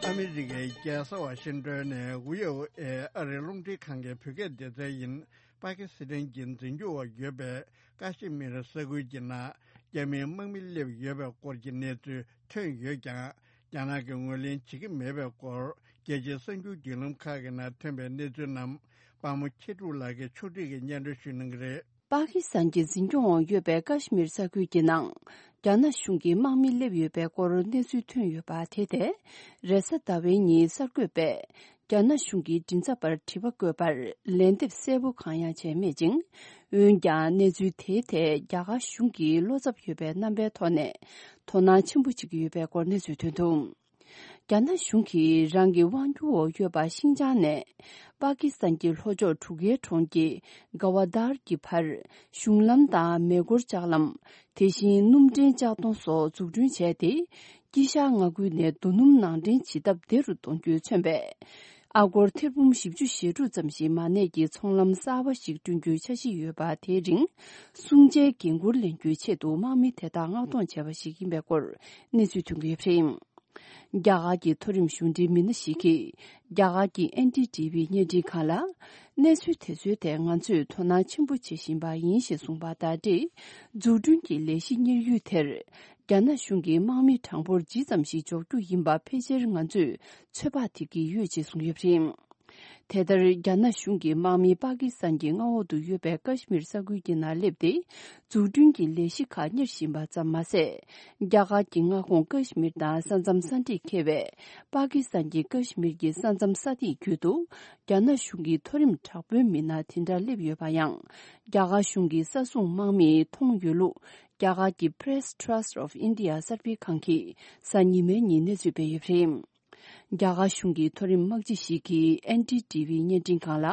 ཨ་མི་རི་ཀའི་རྒྱལ་ས་ཝ་ཤིང་ཏོན་ནས་ཝི་ཨོ་ཨེ་ཨ་རིའི་རླུང་འཕྲིན་ཁང་གི་བོད་སྐད་སྡེ་ཚན་ཡིན། པ་ཀི་སི་ཐན་གྱི་འཛིན་སྐྱོང་འོག་ཡོད་པའི་ཀ་ཤི་མིར་ས་ཁུལ་གྱི་ནང་རྒྱ་མིའི་དམག་མི་སླེབས་ཡོད་པའི་སྐོར་གྱི་གནས་ཚུལ་ཐོན་ཡོད་ཀྱང་། རྒྱ་ནག་གིས་ངོས་ལེན་བྱེད་ཀྱི་མེད་པའི་སྐོར་རྒྱལ་སྤྱིའི་གསར་འགྱུར་བརྒྱུད་ལམ་ཁག་གི་ནང་ཐོན་པའི་གནས་ཚུལ་རྣམས་དཔའ་མོ་མཁྱེན་གྲུབ་ལགས་ཀྱིས་ཕྱོགས་སྒྲིག་གིས་སྙན་སྒྲོན་ཞུ་གནང་གི་རེད། པ་ཀི་སི་ཐན་གྱི་འཛིན་སྐྱོང་འོག་ཡོད་པའི་ཀ་ཤི་མིར་ས་ཁུལ་གྱི་ནང་རྒྱ་ནག་གཞུང་གི་དམག་མི་སླེབས་ཡོད་པའི་སྐོར་གནས་ཚུལ་ཐོན་ཡོད་པ་དེ་ཐད། རེས་གཟའ་ཟླ་བའི་ཉིན་གསར་འགོད་པས་རྒྱ་ནག་གཞུང་གི་མགྲིན་ཚབ་པར་དྲི་བ་བཀོད་པར་ལན་འདེབས་གསལ་པོ་གང་ཡང་བྱས་མེད་ཅིང་། འོན་ཀྱང་གནས་ཚུལ་དེའི་ཐད་རྒྱ་གར་གཞུང་གིས་བློ་འཚབ་ཡོད་པའི་རྣམ་པའི་ཐོག་ནས་དོ་སྣང་ཆེན་པོ་བྱེད་ཀྱི་ཡོད་པའི་སྐོར་གནས་ཚུལ་ཐོན་འདུག། རྒྱ་ནག་གཞུང་གིས་རང་གི་དབང་སྒྱུར་འོག་ཡོད་པ་ཤིན་ཅང་ནས་པ་ཀི་སི་ཐན་གྱི་ལྷོ་ཕྱོགས་གྲུ་ཁའི་གྲོང་ཁྱེར་ག་ཝ་དར་གྱི་བར་གཞུང་ལམ་དང་མེ་འཁོར་ལྕགས་ལམ། དེ་བཞིན་སྣུམ་འདྲེན་ལྕགས་མདོང་སོགས་འཛུགས་སྐྲུན་བྱས་ཏེ། དཀྱིལ་ཤར་མངའ་ཁུལ་ནས་རྡོ་སྣུམ་ནང་འདྲེན་བྱེད་ཐབས་བདེ་རུ་གཏོང་རྒྱུས་མཚོན་པའི་ཨ་སྒོར་ཐེར་འབུམ་བཞི་བཅུ་ཞེ་དྲུག་ཙམ་ཞིག་མ་གནས་ཀྱི་ཚོང་ལམ་གསར་པ་ཞིག་བསྐྲུན་རྒྱུའི་འཆར་གཞི་ཡོད་པ། དེའི་རིང་སྲུང་བྱའི་འགན་འཁུར་ལེན་རྒྱུའི་ཆེད་དུ་དམག་མི་དེ་དག་མངགས་གཏོང་བྱས་པ་ཞིག་ཡིན་པའི་སྐོར་གནས་ཚུལ་ཐོན་གྱི་ཡོད་པ་རེད། རྒྱ་གར་གྱི་མཐོ་རིམ་གཞུང་འབྲེལ་མི་སྣ་ཞིག་གིས་རྒྱ་གར་གྱི་ཨེན་ཌི་ཊི་ཝི་བརྙན་འཕྲིན་ཁང་ལ། གནས་ཚུལ་དེ་ཚོའི་ཐད་ང་ཚོས་དོ་སྣང་ཆེན་པོ་བྱེད་བཞིན་པ་ཡིན་ཞེས་གསུངས་པ་དང་འབྲེལ། འཛུགས་སྐྲུན་གྱི་ལས་གཞི་གཉེར་ཡུལ་དེར་རྒྱ་ནག་གཞུང་གིས་དམག་མི་གྲངས་འབོར་ཇི་ཙམ་ཞིག་འཇོག་རྒྱུ་ཡིན་པ་ཕལ་ཆེར་ང་ཚོས་ཚོད་དཔག་བྱེད་ཀྱི་ཡོད་ཅེས་གསུངས་ཡོད་པ་རེད། དེ་ལྟར་རྒྱ་ནག་གཞུང་གིས་དམག་མི་པ་ཀི་སི་ཐན་གྱི་མངའ་འོག་ཏུ་ཡོད་པའི་ཀ་ཤི་མིར་ས་ཁུལ་གྱི་ནང་སླེབས་ཏེ། འཛུགས་སྐྲུན་གྱི་ལས་གཞི་ཁག་གཉེར་བཞིན་པ་ཙམ་མ་ཟད། རྒྱ་གར་གྱི་མངའ་ཁོངས་ཀ་ཤི་མིར་དང་ས་མཚམས་ས་འདྲེས་འཁེལ་བའི་པ་ཀི་སི་ཐན་གྱི་ཀ་ཤི་མིར་གྱི་ས་མཚམས་ས་ཐིག་བརྒྱུད་དུ། རྒྱ་ནག་གཞུང་གི་མཐོ་རིམ་དྲག་པོའི་མི་སྣ་དེ་འདྲ་སླེབས་ཡོད་པ་ཡང་། རྒྱ་གར་གཞུང་གི་ས་སྲུང་དམག་མིས་མཐོང་ཡོད་ལུགས། རྒྱ་གར་གྱི་Press Trust of India གསར་སྤེལ་ཁང་གིས་གཟའ་ཉི་མའི་ཉིན་གནས་ཚུལ་སྤེལ་ཡོད་པ་རེད། རྒྱ་གར་གཞུང་གི་མཐོ་རིམ་དམག་སྤྱི་ཞིག་གིས་ཨེན་ཌི་ཊི་ཝི་བརྙན་འཕྲིན་ཁང་ལ།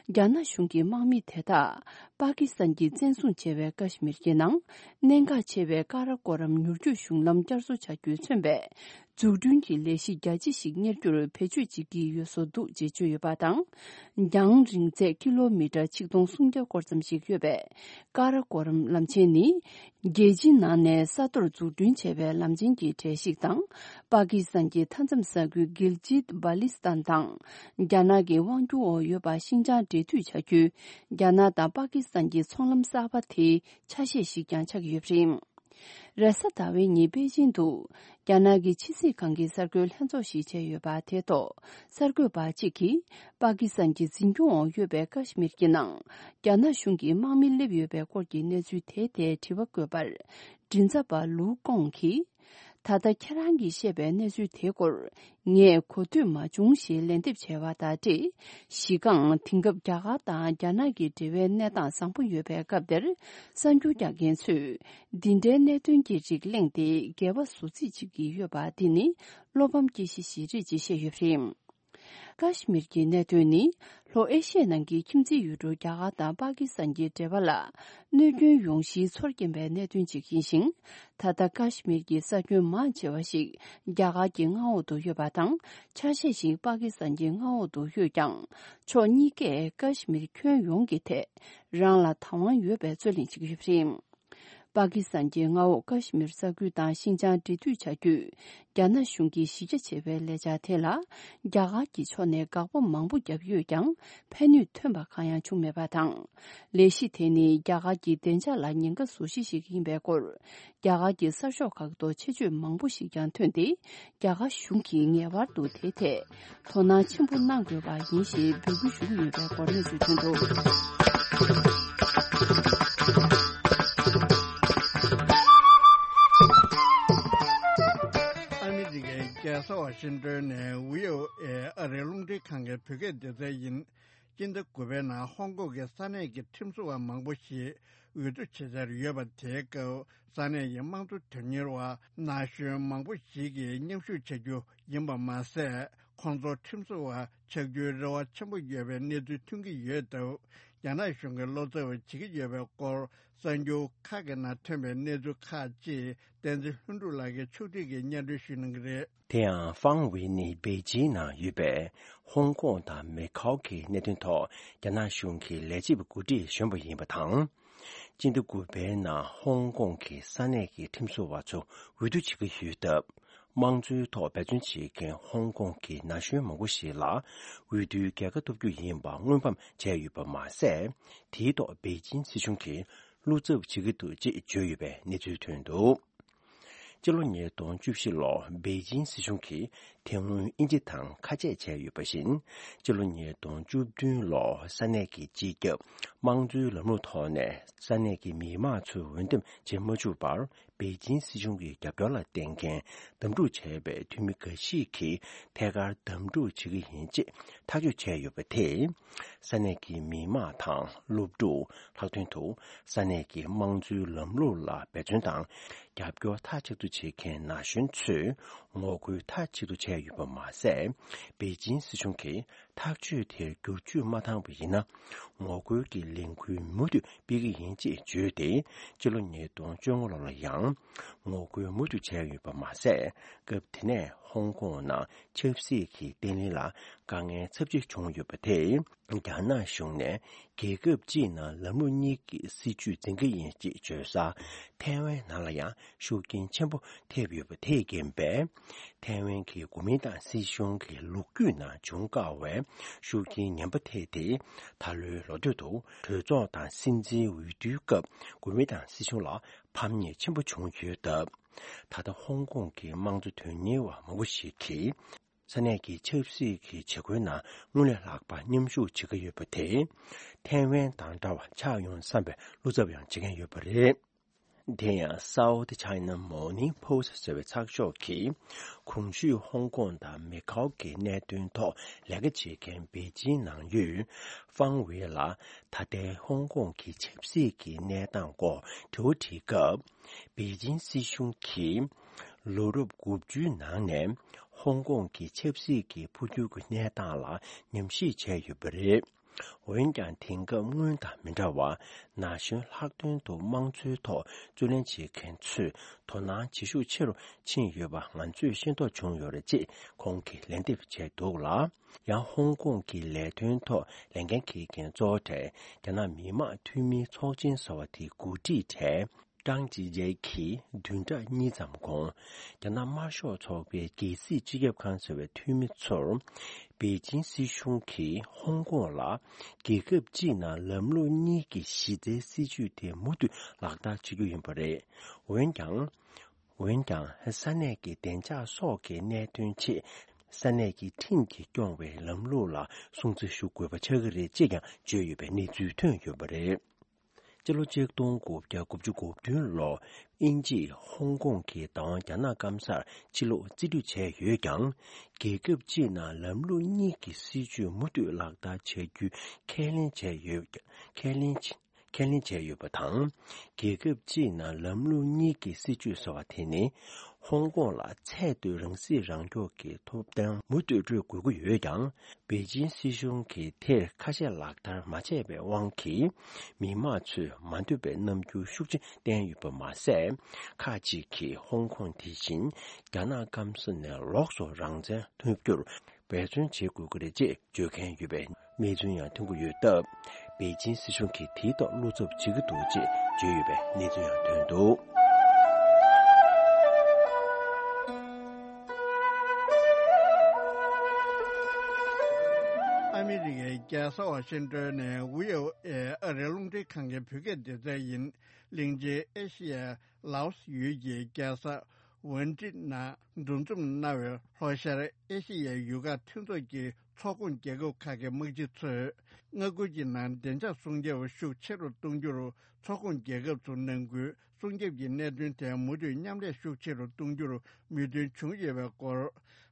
རྒྱ་ནག་གཞུང་གི་དམག་མི་དེ་དག་པ་ཀི་སི་ཐན་གྱིས་བཙན་བཟུང་བྱས་པའི་ཀ་ཤི་མིར་གྱི་ནང་གནད་འགག་ཆེ་བའི་ཀ་ར་ཀོ་རམ་མྱུར་སྐྱོད་གཞུང་ལམ་བསྐྱར་གསོ་བྱ་རྒྱུས་མཚོན་པའི་འཛུགས་སྐྲུན་གྱི་ལས་གཞི་རྒྱ་ཆེ་ཞིག་གཉེར་རྒྱུར་བེད་སྤྱོད་བྱེད་ཀྱི་ཡོད་བཟོ་འདུག་ཅེས་བརྗོད་ཡོད་པ་དང་། རྒྱང་རིང་ཚད་ཀི་ལོ་མི་ཊར་ཆིག་སྟོང་སུམ་བརྒྱ་སྐོར་ཙམ་ཞིག་ཡོད་པའི་ཀ་ར་ཀོ་རམ་ལམ་ཆེན་ནི། རྒྱལ་སྤྱིའི་ནང་ནས་ས་མཐོར་འཛུགས་སྐྲུན་བྱས་པའི་ལམ་ཆེན་གྱི་གྲས་ཤིག་དང་། པ་ཀི་སི་ཐན་གྱི་མཐའ་མཚམས་ས་ཁུལ་གིལ་ཇིད་བྷ་ལི་སི་ཐན་དང་། རྒྱ་ནག་གི་དབང་སྒྱུར་འོག་ཡོད་པ་ཤིན་ཅང་འབྲེལ་མཐུད་བྱ་རྒྱུའི་རྒྱ་ནག་དང་པ་ཀི་སི་ཐན་གྱི་ཚོང་ལམ་གསར་པ་དེའི་ཆ་ཤས་ཤིག་ཀྱང་ཆགས་ཀྱི་ཡོད་པ་རེད། རེས་གཟའ་ཟླ་བའི་ཉིན་པེ་ཅིང་དུ། རྒྱ་ནག་གི་ཕྱི་སྲིད་ཁང་གི་གསར་འགོད་ལྷན་ཚོགས་ཤིག་བྱས་ཡོད་པ་དེ་ཐོག་གསར་འགོད་པ་གཅིག་གིས། པ་ཀི་སི་ཐན་གྱི་འཛིན་སྐྱོང་འོག་ཡོད་པའི་ཀ་ཤི་མིར་གྱི་ནང་། རྒྱ་ནག་གཞུང་གིས་དམག་མི་སླེབས་ཡོད་པའི་སྐོར་གྱི་གནས་ཚུལ་དེའི་ཐད་དྲི་བ་བཀོད་པར། མགྲིན་ཚབ་པ་ལུའུ་ཀོང་གིས། ད་ལྟ་ཁྱེད་རང་གིས་བཤད་པའི་གནས་ཚུལ་དེའི་སྐོར། ངས་གོ་ཐོས་མ་བྱུང་ཞེས་ལན་འདེབས་བྱས་པ་དང་འབྲེལ། གཞི་རྐང་དེང་སྐབས་རྒྱ་གར་དང་རྒྱ་ནག་གི་འབྲེལ་བའི་གནས་སྟངས་བཟང་པོ་ཡོད་པའི་སྐབས་དེར། གསར་འགྱུར་རྒྱག་མཁན་ཚོས། འདི་འདྲའི་གནད་དོན་གྱི་རིགས་གླེང་སྟེ་འགལ་བ་བཟོ་རྩིས་བྱེད་ཀྱི་ཡོད་པ་འདི་ནི་བློ་ཕམ་སྐྱེ་གཞི་ཞིག་རེད་ཅེས་བཤད་ཡོད་པ་རེད། ཀ་ཤི་མིར་གྱི་གནད་དོན་ནི་ལྷོ་ཨེ་ཤི་ཡའི་ནང་གི་ཁྱིམ་མཚེས་ཡུལ་གྲུ་རྒྱ་གར་དང་པ་ཀི་སི་ཐན་གྱི་འབྲེལ་བ་ལ་གནོད་སྐྱོན་ཡོང་གཞིའི་ཚོར་སྐྱེན་པའི་གནད་དོན་ཅིག་ཡིན་ཞིང་། ད་ལྟ་ཀ་ཤི་མིར་གྱི་ས་ཁྱོན་མང་ཆེ་བ་ཞིག་རྒྱ་གར་གྱི་མངའ་འོག་ཏུ་ཡོད་པ་དང་། ཆ་ཤས་ཤིག་པ་ཀི་སི་ཐན་གྱི་མངའ་འོག་ཏུ་ཡོད་ཀྱང་། ཕྱོགས་གཉིས་ཀས་ཀ་ཤི་མིར་ཁྱོན་ཡོངས་ཀྱི་ཐད་རང་ལ་བདག་དབང་ཡོད་པའི་རྩོད་གླེང་བྱེད་ཀྱི་ཡོད་པ་རེད། པ་ཀི་སི་ཐན་གྱི་མངའ་འོག་ཀ་ཤི་མིར་ས་ཁུལ་དང་ཤིན་ཅང་འབྲེལ་མཐུད་བྱ་རྒྱུས། རྒྱ་ནག་གཞུང་གིས་གཞི་རྒྱ་ཆེ་བའི་ལས་འཆར་དེ་ལ། རྒྱ་གར་གྱི་ཕྱོགས་ནས་དགག་པ་མང་པོ་བརྒྱབ་ཡོད་ཀྱང་། ཕན་ནུས་ཐོན་པ་གང་ཡང་བྱུང་མེད་པ་དང་། ལས་གཞི་དེ་ནི་རྒྱ་གར་གྱི་བདེ་འཇགས་ལ་ཉེན་ཁ་བཟོ་གཞི་ཞིག་ཡིན་པའི་སྐོར། རྒྱ་གར་གྱི་གསར་ཤོག་ཁག་ཏུ་ཆེད་བརྗོད་མང་པོ་ཞིག་ཀྱང་ཐོན་ཏེ། རྒྱ་གར་གཞུང་གིས་ངེས་པར་དུ་དེའི་ཐད་དོ་སྣང་ཆེན་པོ་གནང་དགོས་པ་ཡིན་ཞེས་འབོད་སྐུལ་ཞུ་གི་ཡོད་པའི་སྐོར་གནས་ཚུལ་ཐོན་འདུག། ཨ་མི་རི་ཀའི་རྒྱལ་ས་ཝ་ཤིང་ཏོན་ནས་ཝི་ཨོ་ཨེ་ཨ་རིའི་རླུང་འཕྲིན། ཁང་གི་བོད་སྐད་སྡེ་ཚན་ཡིན། སྤྱི་ཟླ་དགུ་པའི་ནང་ཧོང་ཀོང་གི་ས་གནས་ཀྱི་ཁྲིམས་བཟོ་བ་མང་པོ་ཞིག་འོས་བསྡུ་བྱེད་འཆར་ཡོད་པ་དེའི་སྐབས། ས་གནས་ཀྱི་དམངས་གཙོ་དོན་གཉེར་བ་ན་གཞོན་མང་པོ་ཞིག་གིས་མཉམ་ཞུགས་བྱ་རྒྱུ་ཡིན་པ་མ་ཟད། ཁོང་ཚོ་ཁྲིམས་བཟོ་བ་ཆགས་རྒྱུའི་རེ་བ་ཆེན་པོ་ཡོད་པའི་གནས་ཚུལ་ཐོན་གྱི་ཡོད་སྟབས། རྒྱ་ནག་གཞུང་གིས་བློ་འཚབ་བྱེད་ཀྱི་ཡོད་པའི་སྐོར། གསར་འགྱུར་ཁག་གི་ནང་ཐོན་པའི་གནས་ཚུལ་ཁག་ཅིག་བསྟན་འཛིན་ལྷུན་གྲུབ་ལགས་ཀྱིས་ཕྱོགས་སྒྲིག་གིས་སྙན་སྒྲོན་ཞུ་གནང་གི་རེད། དེ་ཡང་ཧྥང་ཝེ་ནི་པེ་ཅིང་ནང་ཡོད་པའི་ཧོང་ཀོང་དང་མེ་ཁའོ་གི་གནད་དོན་ཐོག་རྒྱ་ནག་གཞུང་གི་ལས་བྱེད་པ་འགོ་ཁྲིད་གཞོན་པ་ཡིན་པ་དང་། སྤྱི་ཟླ་དགུ་པའི་ནང་ཧོང་ཀོང་གི་ས་གནས་ཀྱི་ཁྲིམས་བཟོ་བ་ཚོ་འོས་བསྡུ་བྱེད་ཀྱི་ཡོད་སྟབས། དམངས་གཙོའི་ཐོག་འབད་བརྩོན་བྱེད་མཁན་ཧོང་ཀོང་གི་ན་གཞོན་མང་པོ་ཞིག་ལ་འོས་བསྡུའི་རྒྱལ་ཁ་ཐོབ་རྒྱུ་ཡིན་པ་དངོས་ཕམ་བྱས་ཡོད་པ་མ་ཟད། དེའི་ཐོག་པེ་ཅིང་སྲིད་གཞུང་གིས་བློ་འཚབ་བྱེད་ཀྱི་འདུག་ཅེས་བརྗོད་ཡོད་པའི་གནས་ཚུལ་ཐོན་འདུག་སྤྱི་ལོ་ཉིས་སྟོང་བཅུ་བཞི་ལོར་པེ་ཅིང་སྲིད་གཞུང་གིས་དེ་སྔོན་དབྱིན་ཇི་དང་ཁ་ཆད་བྱས་ཡོད་པ་བཞིན། སྤྱི་ལོ་ཉིས་སྟོང་བཅུ་བདུན་ལོར་ས་གནས་ཀྱི་སྤྱི་ཁྱབ་དམངས་གཙོའི་ལམ་ལུགས་ཐོག་ནས་ས་གནས་ཀྱི་མི་མང་ཚོས་འོས་འདེམས་བྱེད་མ་བཅུག་པར། པེ་ཅིང་སྲིད་གཞུང་གི་རྒྱབ་སྐྱོར་ལ་བརྟེན་མཁན་འདེམས་སྒྲུག་བྱས་པའི་འཐུས་མི་འགའ་ཞིག་གིས་ཐད་ཀར་འདེམས་སྒྲུག་བྱེད་ཀྱི་ཡིན་ཅེས་ཐག་གཅོད་བྱས་ཡོད་པ་དེས། ས་གནས་ཀྱི་མི་མང་དང་སློབ་ཕྲུག་ལྷག་དོན་དུ་ས་གནས་ཀྱི་དམངས་གཙོའི་ལམ་ལུགས་ལ་འབད་བརྩོན་དང་རྒྱབ་སྐྱོར་མཐའ་གཅིག་ཏུ་བྱེད་མཁན་ན་གཞོན་ཚོས་ངོ་རྒོལ་མཐའ་གཅིག་ཏུ་བྱས་ཡོད་པ་མ་ཟད། པེ་ཅིང་སྲིད་གཞུང་གིས་ཐག་གཅོད་དེར་བསྒྱུར་བཅོས་མ་བཏང་བ་ཡིན་ན། ངོ་རྒོལ་གྱི་ལས་འགུལ་མུ་མཐུད་སྤེལ་གྱི་ཡིན་ཅེས་བརྗོད་དེ། སྤྱི་ལོ་ཉིས་སྟོང་བཅོ་ལྔ་ལོ་ལ་ཡང་ངོ་རྒོལ་མུ་མཐུད་བྱས་ཡོད་པ་མ་ཟད། སྐབས་དེ་ནས་ཧོང་ཀོང་ནང་ཆབ་སྲིད་ཀྱི་བརྟན་ལྷིང་ལ་དཀའ་ངལ་ཚབས་ཆེ་བྱུང་ཡོད་པ་དེས། རྒྱ་ནག་གཞུང་ནས་རྒྱལ་ཁབ་སྤྱིའི་ནང་ལམ་ལུགས་གཉིས་ཀྱི་སྲིད་བྱུས་འཛིན་གྱི་ཡིན་ཅེས་བརྗོད་ས་ཐའེ་ཝན་ནང་ལ་ཡང་ཤུགས་རྐྱེན་ཆེན་པོ་ཐེབས་ཡོད་པ་དེས་རྐྱེན་པས། ཐའེ་ཝན་གྱི་གོ་མིན་ཏང་སྲིད་གཞུང་གི་ལོ་རྒྱུས་ནང་བྱུང་དཀའ་བའི་ཤུགས་རྐྱེན་ངན་པ་ཐེབས་ཏེ། ད་ལོའི་ལོ་སྟོད་དུ་གྲོས་ཚོགས་དང་སྲིད་འཛིན་འོས་བསྡུའི་སྐབས་གོ་མིན་ཏང་སྲིད་གཞུང་ལ་ཕམ་ཉེས་ཆེན་པོ་བྱུང་ཡོད་སྟབས། ད་ལྟ་ཧོང་ཀོང་གི་དམངས་གཙོ་དོན་གཉེར་བ་མང་པོ་ཞིག་གིས། ས་གནས་ཀྱི་ཆབ་སྲིད་ཀྱི་བྱེད་སྒོའི་ནང་སྔོན་ལས་ལྷག་པ་མཉམ་ཞུགས་བྱེད་ཀྱི་ཡོད་པ་དེས། ཐའེ་ཝན་དང་འདྲ་བ་ཆགས་ཡོང་བསམ་པའི་བློ་འཚབ་ཡང་བྱེད་མཁན་ཡོད་པ་རེད། དེ་ཡང་South China Morning Post ཟེར་བའི་ཚགས་ཤོག་གིས། གོང་ཞུས་ཧོང་ཀོང་དང་མེ་ཁའོ་གི་གནད་དོན་ཐོག་ལས་ཀ་བྱེད་མཁན་པེ་ཅིང་ནང་ཡོད་ཧྥང་ཝེ་ལ་ད་ལྟའི་ཧོང་ཀོང་གི་ཆབ་སྲིད་ཀྱི་གནས་སྟངས་སྐོར་དྲི་བ་དྲིས་སྐབས། པེ་ཅིང་སྲིད་གཞུང་གིས་ལོ་རབས་དགུ་བཅུའི་ནང་ནས་ཧོང་ཀོང་གི་ཆབ་སྲིད་ཀྱི་འཕོ་འགྱུར་གྱི་གནས་སྟངས་ལ་ཉམས་ཞིབ་བྱས་ཡོད་པ་རེད། འོན་ཀྱང་། དེང་སྐབས་སྔོན་དང་མི་འདྲ་བར་ན་གཞོན་ལྷག་དོན་དུ་དམངས་གཙོའི་ཐོག་རྩོད་ལེན་བྱེད་མཁན་ཚོས་དོ་སྣང་བྱེད་ཤུགས་ཆེ་རུ་ཕྱིན་ཡོད་པ་ང་ཚོས་ཤེས་རྟོགས་བྱུང་ཡོད་རེད་ཅེས་ཁོང་གིས་ལན་འདེབས་བྱས་འདུག་ལ། ཡང་ཧོང་ཀོང་གི་ལས་དོན་ཐོག་ལས་འགན་འཁྱེར་མཁན་གཙོ་བོ་གྲས་རྒྱ་ནག་མི་དམངས་འཐུས་མིའི་ཚོགས་ཆེན་ཟེར་བ་དེའི་འགོ་ཁྲིད་གྲས། ཀྲང་ཅི་ཅེ་གིས་བདུན་ཕྲག་གཉིས་ཙམ་གོང་། རྒྱ་ནག་དམར་ཤོག་ཚོགས་པའི་རྒྱལ་སྲིད་སྤྱི་ཁྱབ་ཁང་ཟེར་བའི་འཐུས་མི་ཚོར། པེ་ཅིང་སྲིད་གཞུང་གིས་ཧོང་ཀོང་ལ་རྒྱལ་ཁབ་སྤྱིའི་ནང་ལམ་ལུགས་གཉིས་ཀྱི་གཞི་རྩའི་སྲིད་བྱུས་དེ་མུ་མཐུད་ལག་བསྟར་བྱེད་རྒྱུ་ཡིན་པ་རེད། འོན་ཀྱང་། འོན་ཀྱང་། ས་གནས་ཀྱི་བདེ་འཇགས་སོགས་ཀྱི་གནད་དོན་ཆེད། ས་གནས་ཀྱི་ཁྲིམས་ཀྱིས་སྐྱོང་བའི་ལམ་ལུགས་ལ་སྲུང་བརྩི་ཞུ་དགོས་པ་ཆགས་ཀྱི་རེད་ཅེས་ཀྱང་བརྗོད་ཡོད་པའི་གནས་ཚུལ་ཐོན་ཡོད་པ་རེད། སྤྱི་ལོ་ཆིག་སྟོང་དགུ་བརྒྱ་དགུ་བཅུ་གོ་བདུན་ལོར་དབྱིན་ཇིས་ཧོང་ཀོང་གི་བདག་དབང་རྒྱ་ནག་སྐམ་སར་ཕྱིར་སློག་རྩིས་སྤྲོད་བྱས་ཡོད་ཀྱང་། རྒྱལ་ཁབ་སྤྱིའི་ནང་ལམ་ལུགས་གཉིས་ཀྱི་སྲིད་བྱུས་མུ་མཐུད་ལག་བསྟར་བྱ་རྒྱུའི་ཁས་ལེན་བྱས་ཡོད། ཁས་ལེན། ཁས་ལེན་བྱས་ཡོད་པ་དང་། རྒྱལ་ཁབ་སྤྱིའི་ནང་ལམ་ལུགས་གཉིས་ཀྱི་སྲིད་བྱུས་ཟེར་བ་དེ་ནི། ཧོང་ཀོང་ལ་ཚད་མཐོའི་རང་སྲིད་རང་སྐྱོང་གི་ཐོབ་ཐང་མུ་མཐུད་སྤྲོད་དགོས་ཀྱི་ཡོད་ཀྱང་། པེ་ཅིང་སྲིད་གཞུང་གིས་དེར་ཁ་ཞེ་ལག་བསྟར་མ་བྱས་པའི་དབང་གིས། མི་དམངས་ཚོས་མ་འདོད་པའི་རྣམ་འགྱུར་ཤུགས་ཆེན་བསྟན་ཡོད་པ་མ་ཟད། ཁག་ཅིག་གིས་ཧོང་ཀོང་དེ་བཞིན་རྒྱ་ནག་སྐམ་ས་ནས་ལོགས་སུ་རང་བཙན་ཐོབ་རྒྱུར་འབད་བརྩོན་བྱེད་དགོས་ཀྱི་རེད་ཅེས་བརྗོད་མཁན་ཡོད་པའི་གནས་ཚུལ་ཡང་ཐོན་གྱི་ཡོད་སྟབས། པེ་ཅིང་སྲིད་གཞུང་གིས་དེའི་ཐོག་བློ་འཚབ་བྱེད་ཀྱི་འདུག་ཅེས་བརྗོད་ཡོད་པའི་གནས་ཚུལ་ཡང་ཐོན་འདུག། ཨ་མི་རི་ཀའི་རྒྱལ་ས་ཝ་ཤིང་ཏོན་ནས་ཝི་ཨོ་ཨེ་ཨ་རིའི་རླུང་འཕྲིན་ཁང་གི་བོད་སྐད་སྡེ་ཚན་ཡིན། གླིང་ཆེན་ཨེ་ཤི་ཡ་ལའོ་སི་ཡུལ་གྱི་རྒྱལ་ས་ཝན་ཀྲི་ནང་འདུ་འཛོམས་གནང་བའི་ལྷོ་ཤར་ཨེ་ཤི་ཡའི་ཡུལ་ཁག་མཐུན་ཚོགས་ཀྱི་ཚོགས་ཁོངས་རྒྱལ་ཁབ་ཁག་གི་དམག་སྤྱི་ཚོས་མངའ་ཁུལ་གྱི་ནང་བདེ་འཇགས་སྲུང་སྐྱོབ་ཤུགས་ཆེ་རུ་གཏོང་རྒྱུར་ཚོགས་ཁོངས་རྒྱལ་ཁབ་ཚོར་ནན་སྐུལ། སྲུང་སྐྱོབ་ཀྱི་གནད་དོན་དེ་མུ་མཐུད་མཉམ་ལས་ཤུགས་ཆེ་རུ་གཏོང་རྒྱུར་མོས་མཐུན་བྱུང་ཡོད་པའི་སྐོར།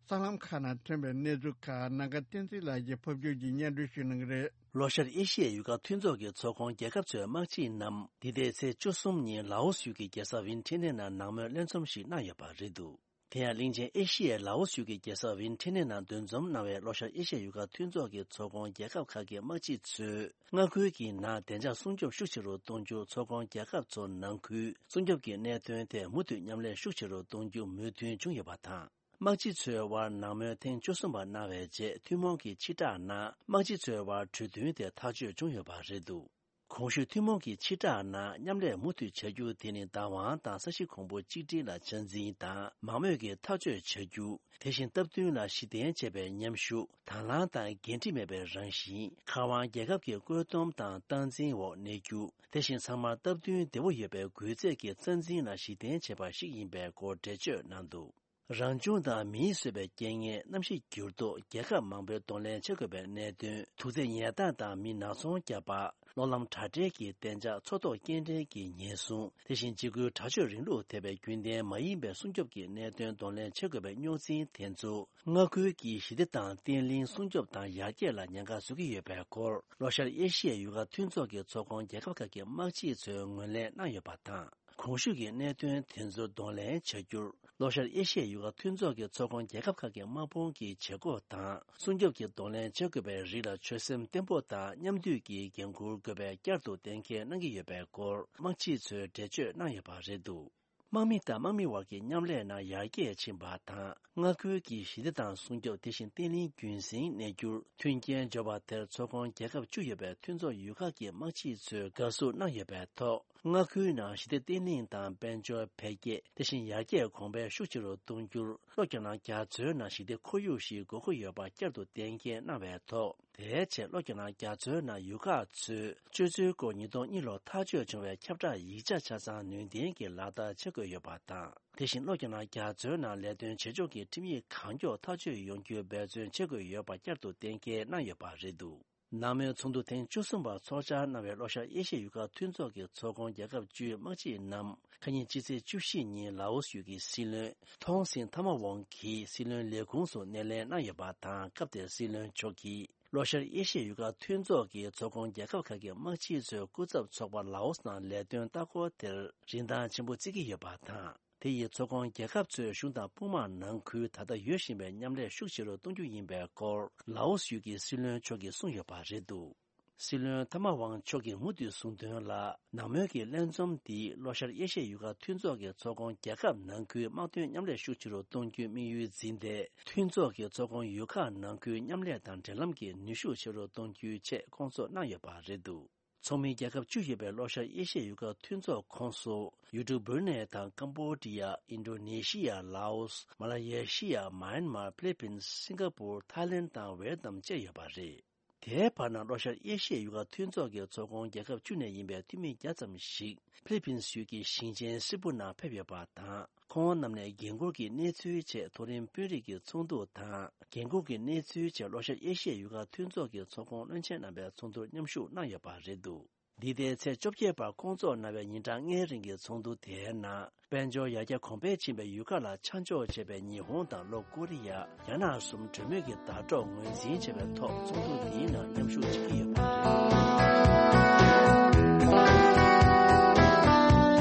གསར་ལམ་ཁག་ནང་ཐོན་པའི་གནས་ཚུལ་ཁག་ནམ་མཁའ་བསྟན་འཛིན་ལགས་ཀྱིས་ཕབ་སྒྱུར་གྱིས་སྙན་སྒྲོན་ཞུ་གནང་གི་རེད། ལྷོ་ཤར་ཨེ་ཤི་ཡའི་ཡུལ་ཁག་མཐུན་ཚོགས་ཀྱི་ཚོགས་ཁོངས་རྒྱལ་ཁབ་ཚོའི་དམག་སྤྱི་རྣམས་འདི་ཟླའི་ཚེས་བཅུ་གསུམ་ཉིན་ལའོ་སི་ཡུལ་གྱི་རྒྱལ་ས་ཝིན་ཁྲེ་ནན་ནང་ནང་མོལ་ལྷན་འཛོམས་ཤིག་གནང་ཡོད་པ་རེད་འདུག་དེ་ཡང་གླིང་ཆེན་ཨེ་ཤི་ཡའི་ལའོ་སི་ཡུལ་གྱི་རྒྱལ་ས་ཝིན་ཁྲེ་ནན་ནང་འདུ་འཛོམས་གནང་བའི་ལྷོ་ཤར་ཨེ་ཤི་ཡའི་ཡུལ་ཁག་མཐུན་ཚོགས་ཀྱི་ཚོགས་ཁོངས་རྒྱལ་ཁབ་ཁག་གི་དམག་སྤྱི་ཚོས་མངའ་ཁུལ་གྱི་ནང་བདེ་འཇགས་སྲུང་སྐྱོབ་ཤུགས་ཆེ་རུ་གཏོང་རྒྱུ། ཚོགས་ཁོངས་རྒྱལ་ཁབ་ཚོ་ནང་ཁུལ་སྲུང་སྐྱོབ་ཀྱི་གནད་དོན་ཐད་མུ་མཐུད་མཉམ་ལས་ཤུགས་ཆེ་རུ་གཏོང་རྒྱུ་མོས་མཐུན་བྱུང་ཡོད་པ་དང་། དམག་སྤྱི་ཚོའི་དབར་ནང་མོལ་ཐེངས་བཅུ་གསུམ་པ་གནང་བའི་རྗེས་ཐུན་མོང་གི་ཕྱིར་བསྒྲགས་ནང་དམག་སྤྱི་ཚོའི་དབར་གྲོས་མཐུན་དེ་ཐག་གཅོད་བྱུང་ཡོད་པ་རེད་འདུག་གོང་ཞུས་ཐུན་མོང་གི་ཕྱིར་བསྒྲགས་ནང་མཉམ་ལས་མུ་མཐུད་བྱ་རྒྱུ་དེ་ནི་བདག་དབང་དང་ས་གཞི་གོང་བུ་གཅིག་སྒྲིལ་ལ་ཆ་འཛིན་དང་མང་མོས་ཀྱིས་ཐག་གཅོད་བྱ་རྒྱུ། དེ་བཞིན་སྟབས་བསྟུན་ལ་གཞི་རྟེན་བྱས་པའི་མཉམ་ཞུགས། དང་བླངས་དང་འགན་འཁྲི་མེད་པའི་རང་བཞིན། མཁར་དབང་རྒྱལ་ཁབ་ཀྱི་བཀོད་འདོམས་དང་སྟངས་འཛིན་འོག་གནས་རྒྱུ། དེ་བཞིན་ཚང་མར་སྟབས་བསྟུན་བདེ་བོ་ཡོད་པའི་སྒུལ་རྩལ་གྱི་རྩ་འཛིན་ལ་གཞི་རྟེན་བྱས་པ་ཞིག་ཡིན་པའི་སྐོར་འགྲེལ་བརྗོད་གནང་འདུག་རང་བྱུང་དང་མིས་བཟོས་པའི་རྐྱེན་ངན། གནམ་གཤིས་འགྱུར་ལྡོག་རྒྱལ་ཁབ་མང་པོའི་གདོང་ལེན་བྱེད་དགོས་པའི་གནད་དོན། དུག་རྫས་ཉལ་ཐང་དང་མི་ནག་ཚོང་རྒྱག་པ། གློག་ལམ་དྲ་སྦྲེལ་གྱི་བདེ་འཇགས། མཚོ་ཐོག་སྐྱེལ་འདྲེན་གྱི་ཉེན་སྲུང་། དེ་བཞིན་འཇིགས་སྐུལ་དྲག་སྤྱོད་རིང་ལུགས་ཐེ་བའི་རྒྱུན་ལྡན་མ་ཡིན་པའི་སྲུང་སྐྱོབ་ཀྱི་གནད་དོན་གདོང་ལེན་བྱེད་དགོས་པའི་རྙོག་འཛིང་དེ་ཚོ་མངའ་ཁུལ་གྱི་ཞི་བདེ་དང་བརྟན་ལྷིང་སྲུང་སྐྱོབ་དང་ཡར་རྒྱས་ལ་ཉེན་ཁ་བཟོ་གི་ཡོད་པའི་སྐོར་ལྷོ་ཤར་ཨེ་ཤི་ཡའི་ཡུལ་ཁག་མཐུན་ཚོགས་ཀྱི་ཚོགས་ཁོངས་རྒྱལ་ཁབ་ཁག་གི་དམག་སྤྱི་ཚོས་ངོས་ལེན་གནང་ཡོད་པ་དང་། གོང་ཞུས་ཀྱི་གནད་དོན་དེ་ཚོ་གདོང་ལེན་བྱ་རྒྱུར་ལྷོ་ཤར་ཨེ་ཤི་ཡའི་ཡུལ་ཁག་མཐུན་ཚོགས་ཀྱི་ཚོགས་ཁོངས་རྒྱལ་ཁབ་ཁག་གི་དམག་དཔུང་གི་བྱེད་སྒོ་དང་སྲུང་སྐྱོབ་ཀྱི་གདོང་ལེན་བྱེད་དགོས་པའི་རིགས་ལ་ཆོད་སེམས་བརྟན་པོ་དང་མཉམ་མཐུད་ཀྱིས་འགན་འཁུར་དགོས་པའི་བསྐྱར་དུ་གཏན་འཁེལ་གནང་གི་ཡོད་པའི་སྐོར་དམག་སྤྱི་ཚོས་འགྲེལ་བརྗོད་གནང་ཡོད་པ་རེད་འདུག་དམག་མི་དང་དམག་མི་བར་གྱི་མཉམ་ལས་ནང་ཡར་རྒྱས་ཕྱིན་པ་དང་། མངའ་ཁུལ་གྱི་ཞི་བདེ་དང་སྲུང་སྐྱོབ། དེ་བཞིན་བརྟན་ལྷིང་རྒྱུན་སྲིང་གནས་རྒྱུར་མཐུན་རྐྱེན་སྦྱོར་བ་དེར་ཚོགས་ཁོངས་རྒྱལ་ཁབ་བཅུ་ཡོད་པའི་མཐུན་ཚོགས་ཡུལ་ཁག་གི་དམག་སྤྱི་ཚོས་དགའ་བསུ་གནང་ཡོད་པའི་ཐོག་མངའ་ཁུལ་ནང་ཞི་བདེ་བརྟན་ལྷིང་དང་དཔལ་འབྱོར་འཕེལ་རྒྱས། དེ་བཞིན་ཡར་རྒྱས་གོང་འཕེལ་ཤུགས་ཆེ་རུ་གཏོང་རྒྱུར་ལྷོ་རྒྱ་ནག་རྒྱ་མཚོའི་ནང་ཞི་བདེ་ཁོར་ཡུག་ཞིག་དགོས་མཁོ་ཡོད་པ་བསྐྱར་དུ་གཏན་འཁེལ་གནང་བའི་ཐོག་དེའི་ཆེད་ལྷོ་རྒྱ་ནག་རྒྱ་མཚོའི་ནང་ཡུལ་ཁག་ཚོས་སྤྱོད་ཚུལ་སྐོར་ཉིས་སྟོང་གཉིས་ལོར་ཐག་གཅོད་བྱུང་བའི་ཁྱབ་བསྒྲགས་ཡིག་ཆ་ཆ་ཚང་ནུས་ལྡན་གྱིས་ལག་བསྟར་བྱེད་དགོས་ཡོད་པ་དང་། དེ་བཞིན་ལྷོ་རྒྱ་ནག་རྒྱ་མཚོའི་ནང་ལས་དོན་བྱེད་ཕྱོགས་ཀྱི་ཁྲིམས་ཡིག་གང་མགྱོགས་ཐག་གཅོད་ཡོང་རྒྱུའི་འབད་བརྩོན་བྱེད་དགོས་ཡོད་པ་བསྐྱར་དུ་གཏན་འཁེལ་གནང་ཡོད་པ་རེད་འདུག་ནང་མོལ་ཚོགས་འདུ་ཐེངས་བཅུ་གསུམ་པ་ཚོགས་བཅར་གནང་བའི་ལྷོ་ཤར་ཨེ་ཤི་ཡའི་ཡུལ་ཁག་མཐུན་ཚོགས་ཀྱི་ཚོགས་ཁོངས་རྒྱལ་ཁབ་བཅུའི་དམག་སྤྱི་རྣམས་ཁ་ཉིན་སྤྱི་ཚེས་བཅུ་བཞི་ཉིན་ལའོ་སི་ཡུལ་གྱི་སྲིད་བློན་ཐོང་སིན་ཐ་མ་ཝང་གིས་སྲིད་བློན་ལས་ཁུངས་སུ་སྣེ་ལེན་གནང་ཡོད་པ་དང་། སྐབས་དེར་སྲིད་བློན་མཆོག་གིས་ལྷོ་ཤར་ཨེ་ཤི་ཡའི་ཡུལ་ཁག་མཐུན་ཚོགས་ཀྱི་ཚོགས་ཁོངས་རྒྱལ་ཁབ་ཁག་གི་དམག་སྤྱི་ཚོའི་སྐུ་ཚབ་ཚོགས་པ་ལའོ་སི་ནང་ལས་དོན་ལྟ་སྐོར་དེར་རིན་ཐང་ཆེན་པོ་བརྩི་གི་ཡོད་པ་དང་། དེ་ཡིས་ཚོགས་ཁོངས་རྒྱལ་ཁབ་ཚོའི་གཞུང་དང་དཔུང་དམག་ནང་ཁུལ་ད་ལྟ་ཡོད་བཞིན་པའི་མཉམ་ལས་ཤུགས་ཆེ་རུ་གཏོང་རྒྱུ་ཡིན་པའི་སྐོར་ལའོ་སི་ཡུལ་གྱི་སྲིད་བློན་མཆོག་གིས་གསུངས་ཡོད་པ་རེད་འདུག་སྲིད་བློན་ཐ་མ་ཝང་མཆོག་གིས་མུ་མཐུད་གསུངས་དོན་ལ། ནང་མོལ་གྱི་ལྷན་འཛོམས་འདིས་ལྷོ་ཤར་ཨེ་ཤི་ཡའི་ཡུལ་ཁག་མཐུན་ཚོགས་ཀྱི་ཚོགས་ཁོངས་རྒྱལ་ཁབ་ནང་ཁུལ་དམག་དོན་མཉམ་ལས་ཤུགས་ཆེ་རུ་གཏོང་རྒྱུའི་དམིགས་ཡུལ་འཛིན་ཏེ། མཐུན་ཚོགས་ཀྱི་ཚོགས་ཁོངས་ཡུལ་ཁག་ནང་ཁུལ་མཉམ་ལས་དང་འབྲེལ་ལམ་གྱི་ནུས་ཤུགས་ཆེ་རུ་གཏོང་རྒྱུའི་ཆེད་བསྐོང་ཚོགས་གནང་ཡོད་པ་རེད་འདུག་ཚོགས་མི་རྒྱལ་ཁབ་བཅུ་ཡོད་པའི་ལྷོ་ཤར་ཨེ་ཤི་ཡའི་ཡུལ་ཁག་མཐུན་ཚོགས་ཁོངས་སུ་ཡུལ་གྲུ་སྦུར་ནེ་དང་ཀམ་བོ་ཌི་ཡ། ཨིན་ཌོ་ནེ་ཤི་ཡ། ལའོ་སི། མ་ལ་ཡེ་ཤི་ཡ། མཱ་ཡན་མར། ཕི་ལི་པིན། སིང་ག་པུར། ཐའི་ལེན་དང་ཝེ་ཏི་ནམ་བཅས་ཡོད་པ་རེད། དེའི་བར་ན་ལྷོ་ཤར་ཨེ་ཤི་ཡའི་ཡུལ་ཁག་མཐུན་ཚོགས་ཀྱི་ཚོགས་ཁོངས་རྒྱལ་ཁབ་བཅུ་ནས་ཡིན་པའི་འཐུས་མི་བརྒྱ་ཙམ་ཞིག་ཕི་ལི་པིན་ཡུལ་གྱི་ཞིང་ཆེན་སི་པུ་ནང་ཕེབས་ཡོད་པ་དང་། ཁོང་རྣམས་ནས་འགན་འཁུར་གྱི་གནས་ཚུལ་ཆེད་མཐོ་རིམ་དཔོན་རིགས་ཀྱི་ཚོགས་འདུ་དང་། འགན་འཁུར་གྱི་གནས་ཚུལ་ཆེད་ལྷོ་ཤར་ཨེ་ཤི་ཡའི་ཡུལ་ཁག་མཐུན་ཚོགས་ཀྱི་ཚོགས་ཁོངས་བློན་ཆེན་རྣམ་པའི་ཚོགས་འདུར་མཉམ་ཞུགས་གནང་ཡོད་པ་རེད་འདུག་འདི་ཟླའི་ཚེས་བཅོ་བརྒྱད་བར་བསྐོང་ཚོགས་གནང་བའི་ཉིན་གྲངས་ལྔའི་རིང་གི་ཚོགས་འདུ་དེའི་ནང་། དཔལ་འབྱོར་ཡར་རྒྱས་གོང་འཕེལ་ཕྱིན་པའི་ཡུལ་ཁག་ལ་ཆ་འཇོག་བྱས་པའི་ཉི་ཧོང་དང་ལྷོ་ཀོ་རི་ཡ། རྒྱ་ནག་གསུམ་གྲོས་མོལ་གྱི་ཟླ་གྲོགས་ངོས་འཛིན་བྱས་པའི་ཐོག་ཚོགས་འདུ་འདིའི་ནང་མཉམ་ཞུགས་བྱེད་ཀྱི་ཡོད་པ་རེད།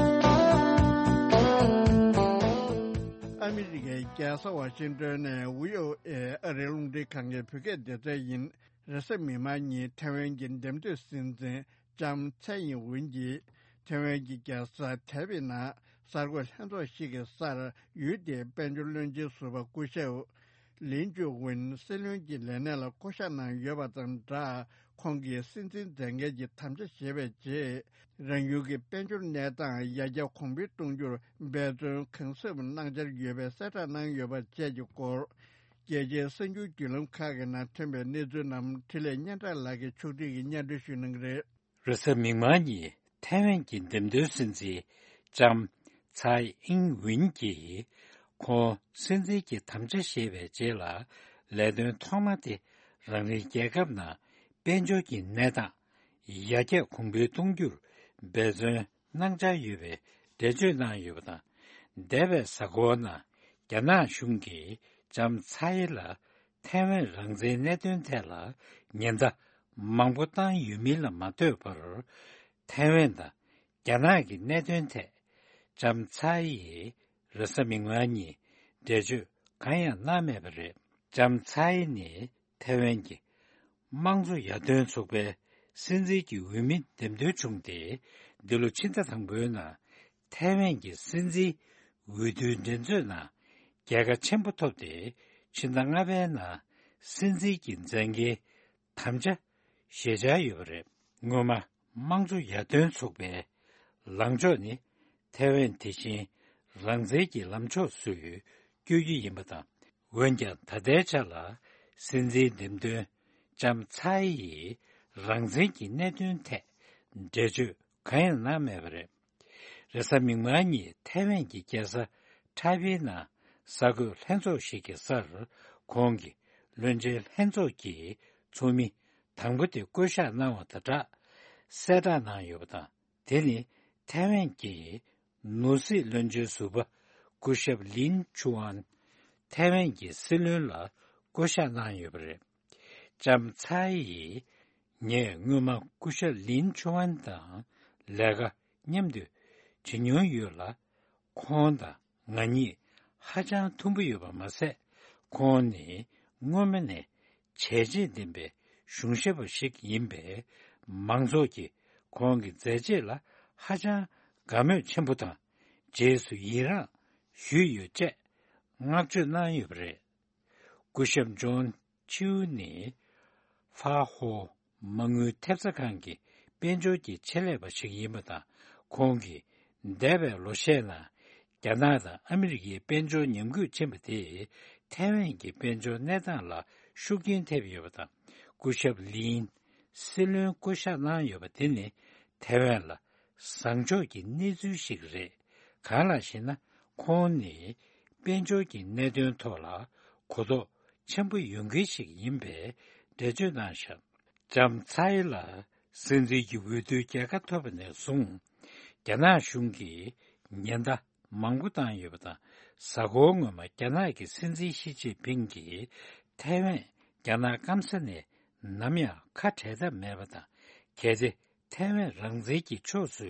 ཨ་མི་རི་ཀའི་རྒྱལ་ས་ཝ་ཤིང་ཏོན་ནས་བྷི་ཨོ་ཨེ་ཨ་རིའི་རླུང་འཕྲིན་ཁང་གི་བོད་སྐད་སྡེ་ཚན་ཡིན། རེས་གཟའ་མིག་དམར་ཉིན་ཐེ་ཝན་གྱི་འདེམས་ཐོན་སྲིད་འཛིན་ལྕམ་ཚའེ་ཡིན་ཝུན་གྱིས་ཐེ་ཝན་གྱི་རྒྱལ་ས་ཐའེ་པེ་ནང་གསར་འགོད་ལྷན་ཚོགས་ཤིག་གི་སར་ཡུལ་དེའི་དཔལ་འབྱོར་བློན་ཆེན་ཟུར་པ་སྐུ་ཞབས་ལིན་ཅུ་ཝུན་སྲིད་བློན་གྱི་ལས་གནས་ལ་བསྐོ་གཞག་གནང་ཡོད་པ་དང་སྦྲགས། ཁོང་གིས་སྲིད་འཛིན་མཛད་འགན་གྱི་དམ་བཅའ་བཞེས་པའི་རྗེས། རང་ཡུལ་གྱི་དཔལ་འབྱོར་གནས་སྟངས་ཡར་རྒྱས་གོང་འཕེལ་གཏོང་རྒྱུར་འབད་བརྩོན་གང་ཟབ་གནང་འཆར་ཡོད་པའི་གསལ་བསྒྲགས་གནང་ཡོད་པ་བཅས་ཀྱི་སྐོར། རྒྱལ་སྤྱིའི་གསར་འགྱུར་བརྒྱུད་ལམ་ཁག་གི་ནང་ཐོན་པའི་གནས་ཚུལ་རྣམས་འཕྲིན་ལས་སྙན་གྲགས་ལགས་ཀྱིས་ཕྱོགས་སྒྲིག་གིས་སྙན་སྒྲོན་ཞུ་གནང་གི་རེད། རེས་གཟའ་མིག་དམར་ཉིན་ཐའེ་ཝན་གྱི་འདེམས་ཐོན་སྲིད་འཛིན་ལྕམ་ཚའེ་ཨིན་ཝིན་གྱིས་ཁོང་སྲིད་འཛིན་གྱི་དམ་བཅའ་བཞེས་པའི་རྗེས་ལ་ལས་དོན་ཐོག་མ་དེ་རང་རེའི་རྒྱལ་ཁབ་ནང་དཔལ་འབྱོར་གྱི་གནས་སྟངས་ཡར་རྒྱས་གོང་འཕེལ་གཏོང་རྒྱུར་འབད་བརྩོན་གནང་འཆར་ཡོད་པའི་ འགྲེལ་བརྗོད་གནང་ཡོད་པ་དང་། འདས་པའི་གཟའ་འཁོར་ནང་རྒྱ་ནག་གཞུང་གིས་ལྕམ་ཚའེ་ལ་ཐའེ་ཝན་རང་བཙན་གནད་དོན་ཐད་ལ་ཉེན་བརྡ་མང་པོ་བཏང་ཡོད་མིན་ལ་མ་ལྟོས་པར། ཐའེ་ཝན་དང་རྒྱ་ནག་གི་གནད་དོན་ཐད་ལྕམ་ཚའེ་ཡིས་རེས་གཟའ་མིག་དམར་ཉིན་འགྲེལ་བརྗོད་གང་ཡང་གནང་མེད་པ་རེད། ལྕམ་ཚའེ་ནི་ཐའེ་ཝན་གྱི་དམངས་གཙོ་ཡར་ཐོན་ཚོགས་པའི་སྲིད་འཛིན་གྱི་འོས་མི་འདེམས་ཐོན་བྱུང་སྟེ། འདི་ལོ་ཕྱི་ཟླ་དང་པོའི་ནང་ཐའེ་ཝན་གྱི་སྲིད་འཛིན་འོས་བསྡུའི་འགྲན་རྩོད་ནང་རྒྱལ་ཁ་ཆེན་པོ་ཐོབ་སྟེ། ཕྱི་ཟླ་ལྔ་པའི་ནང་སྲིད་འཛིན་གྱི་མཛད་འགན་དམ་བཅའ་བཞེས་འཆར་ཡོད་པ་རེད། སྔོན་མ་དམངས་གཙོ་ཡར་ཐོན་ཚོགས་པའི་ལངས་ཕྱོགས་ནི་ཐའེ་ཝན་དེ་བཞིན་རང་བཙན་གྱི་ལམ་ཕྱོགས་སུ་བསྐྱོད་རྒྱུ་ཡིན་པ་དང་། འོན་ཀྱང་ད་ལྟའི་ཆ་ལ་སྲིད་འཛིན་འདེམས་ཐོན་ལྕམ་ཚའེ་ཡིས་རང་བཙན་གྱི་གནད་དོན་ཐད་འགྲེལ་བརྗོད་གང་ཡང་གནང་མེད་པ་རེད། རེས་གཟའ་མིག་དམར་ཉིན་ཐའེ་ཝན་གྱི་རྒྱལ་ས་ཁྲའེ་པེ་ནང་གསར་འགོད་ལྷན་ཚོགས་ཤིག་གི་སར་ཁོང་གིས་བློན་ཆེན་ལྷན་ཚོགས་ཀྱི་ཚོགས་མི་དང་པོ་དེ་བསྐོ་གཞག་གནང་བ་དང་སྦྲགས་གསལ་བསྒྲགས་གནང་ཡོད་པ་དང་། དེ་ནི་ཐའེ་ཝན་གྱི་ནོར་སྲིད་བློན་ཆེན་ཟུར་པ་སྐུ་ཞབས་ལིན་ཆུ་ཨན། ཐའེ་ཝན་གྱི་སྲིད་བློན་ལ་བསྐོ་གཞག་གནང་ཡོད་པ་རེད། ལྕམ་ཚའེ་ཡིས། ངས་སྔོན་མ་སྐུ་ཞབས་ལིན་ཆུ་ཨན་དང་ལས་ཀ་མཉམ་དུ་བྱེད་མྱོང་ཡོད་ལ། ཁོང་དང་ང་གཉིས་ཧ་ཅང་མཐུན་པོ་ཡོད་པ་མ་ཟད། ཁོང་ནི་སྔོན་མ་ནས་བྱས་རྗེས་ལྡན་པའི་གཞུང་ཞབས་པ་ཞིག་ཡིན་པས། མང་ཚོགས་ཀྱིས་ཁོང་གི་མཛད་རྗེས་ལ་ཧ་ཅང་དགའ་མོས་ཆེན་པོ་དང་། རྗེས་སུ་ཡི་རངས་ཞུས་ཡོད་ཅེས་བསྔགས་བརྗོད་གནང་ཡོད་པ་རེད། སྐུ་ཞབས་ཇོན་ཆིའུ་ནི་ཧྥ་ཧོ་མ་དངུལ་ཐེབས་རྩ་ཁང་གི་དཔལ་འབྱོར་གྱི་ཆེད་ལས་པ་ཞིག་ཡིན་པ་དང་། ཁོང་གིས་འདས་པའི་ལོ་ཤས་ནང་རྒྱ་ནག་དང་ཨ་མི་རི་ཀའི་དཔལ་འབྱོར་ཉམས་རྒུད་ཕྱིན་པ་དེས་ཐའེ་ཝན་གྱི་དཔལ་འབྱོར་གནས་སྟངས་ལ་ཤུགས་རྐྱེན་ཐེབས་ཡོད་པ་དང་། སྐུ་ཞབས་ལིན་སྲིད་བློན་བསྐོ་གཞག་གནང་ཡོད་པ་དེ་ནི་ཐའེ་ཝན་ལ་བཟང་ཕྱོགས་ཀྱི་གནས་ཚུལ་ཞིག་རེད། གང་ལགས་ཤེ་ན། ཁོང་ནི་དཔལ་འབྱོར་གྱི་གནད་དོན་ཐོག་ལ་གོ་རྟོགས་ཆེན་པོ་ཡོད་མཁན་ཞིག་ཡིན་པའི་འགྲེལ་བརྗོད་གནང་བཞག་ལྕམ་ཚའེ་ལ་སྲིད་འཛིན་གྱི་འོས་བསྡུའི་རྒྱལ་ཁ་ཐོབ་པ་ནས་བཟུང་། རྒྱ་ནག་གཞུང་གིས་ཉེན་བརྡ་མང་པོ་བཏང་ཡོད་པ་དང་། གཟའ་འཁོར་སྔོན་མ་རྒྱ་ནག་གི་སྲིད་འཛིན་ཞི་ཅིན་ཕིང་གིས་ཐའེ་ཝན་རྒྱ་ནག་སྐམ་ས་ནས་ནམ་ཡང་ཁ་བྲལ་ཐབས་མེད་པ་དང་། གལ་ཏེ་ཐའེ་ཝན་རང་བཙན་གྱི་ཕྱོགས་སུ་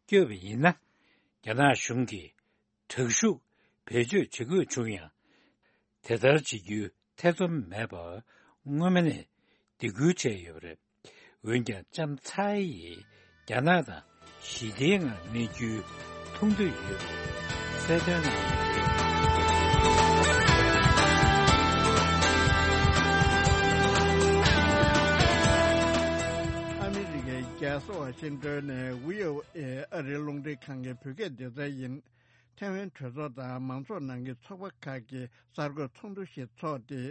བསྐྱོད་པ་ཡིན་ན། རྒྱ་ནག་གཞུང་གིས་དྲག་ཤུགས་བེད་སྤྱོད་བྱེད་དགོས་བྱུང་ཡང་། དེ་ལྟར་བྱེད་རྒྱུའི་ཐེ་ཚོམ་མེད་པར་སྔོན་མ་ནས་སྡིགས་སྐུལ་བྱས་ཡོད་པ་རེད། འོན་ཀྱང་ལྕམ་ཚའེ་ཡིས་རྒྱ་ནག་དང་ཞི་བདེའི་ངང་གནས་རྒྱུའི་ཐུགས་འདོད་ཡོད་པ་གསལ་སྟོན་གནང་ཡོད་པ་རེད། ཨ་མི་རི་ཀའི་རྒྱལ་ས་ཝ་ཤིང་ཏོན་ནས་བྷི་ཨོ་ཨེ་ཨ་རིའི་རླུང་འཕྲིན་ཁང་གི་བོད་སྐད་སྡེ་ཚན་ཡིན། ཐའེ་ཝན་གྲོས་ཚོགས་དང་མང་ཚོགས་ནང་གི་ཚོགས་པ་ཁག་གི་གསར་འགོད་ཚོགས་འདུ་ཞིག་འཚོགས་ཏེ།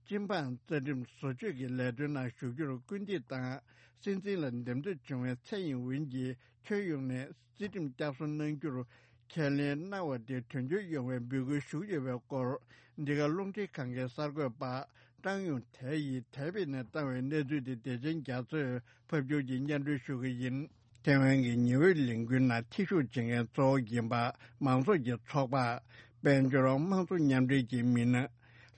སྤྱི་འབངས་རྩ་ཁྲིམས་བཟོ་བཅོས་ཀྱི་ལས་དོན་ནང་ཞུགས་རྒྱུར་སྐུལ་འདེད་དང་། སྲིད་འཛིན་ལ་འདེམས་ཐོན་བྱུང་བའི་ཚེ་ཡིན་ཝིན་གྱིས་ཁྱོན་ཡོངས་ནས་རྩིས་ཁྲིམས་བསྐྱར་གསོ་གནང་རྒྱུར་ཁས་ལེན་གནང་བ་དེ་དོན་འཁྱོལ་ཡོང་བའི་འབོད་སྐུལ་ཞུས་ཡོད་པའི་སྐོར། འདི་ག་རླུང་འཕྲིན་ཁང་གི་གསར་འགོད་པ་ཀྲང་ཡུང་ཐའེ་ཡིས་ཐའེ་པེ་ནས་བཏང་བའི་གནས་ཚུལ་དེ་བདེ་ཆེན་རྒྱ་མཚོས་ཕབ་སྒྱུར་གྱིས་སྙན་སྒྲོན་ཞུ་གི་ཡིན། ཐའེ་ཝན་གྱི་ཉི་འོད་ལས་འགུལ་ནང་ཐེ་ཞུགས་བྱེད་མཁན་གཙོ་བོ་ཡིན་པ་མང་ཚོགས་ཀྱི་ཚོགས་པ། དཔལ་འབྱོར་དམངས་གཙོ་མཉམ་འབྲེལ་གྱི་མི་སྣ།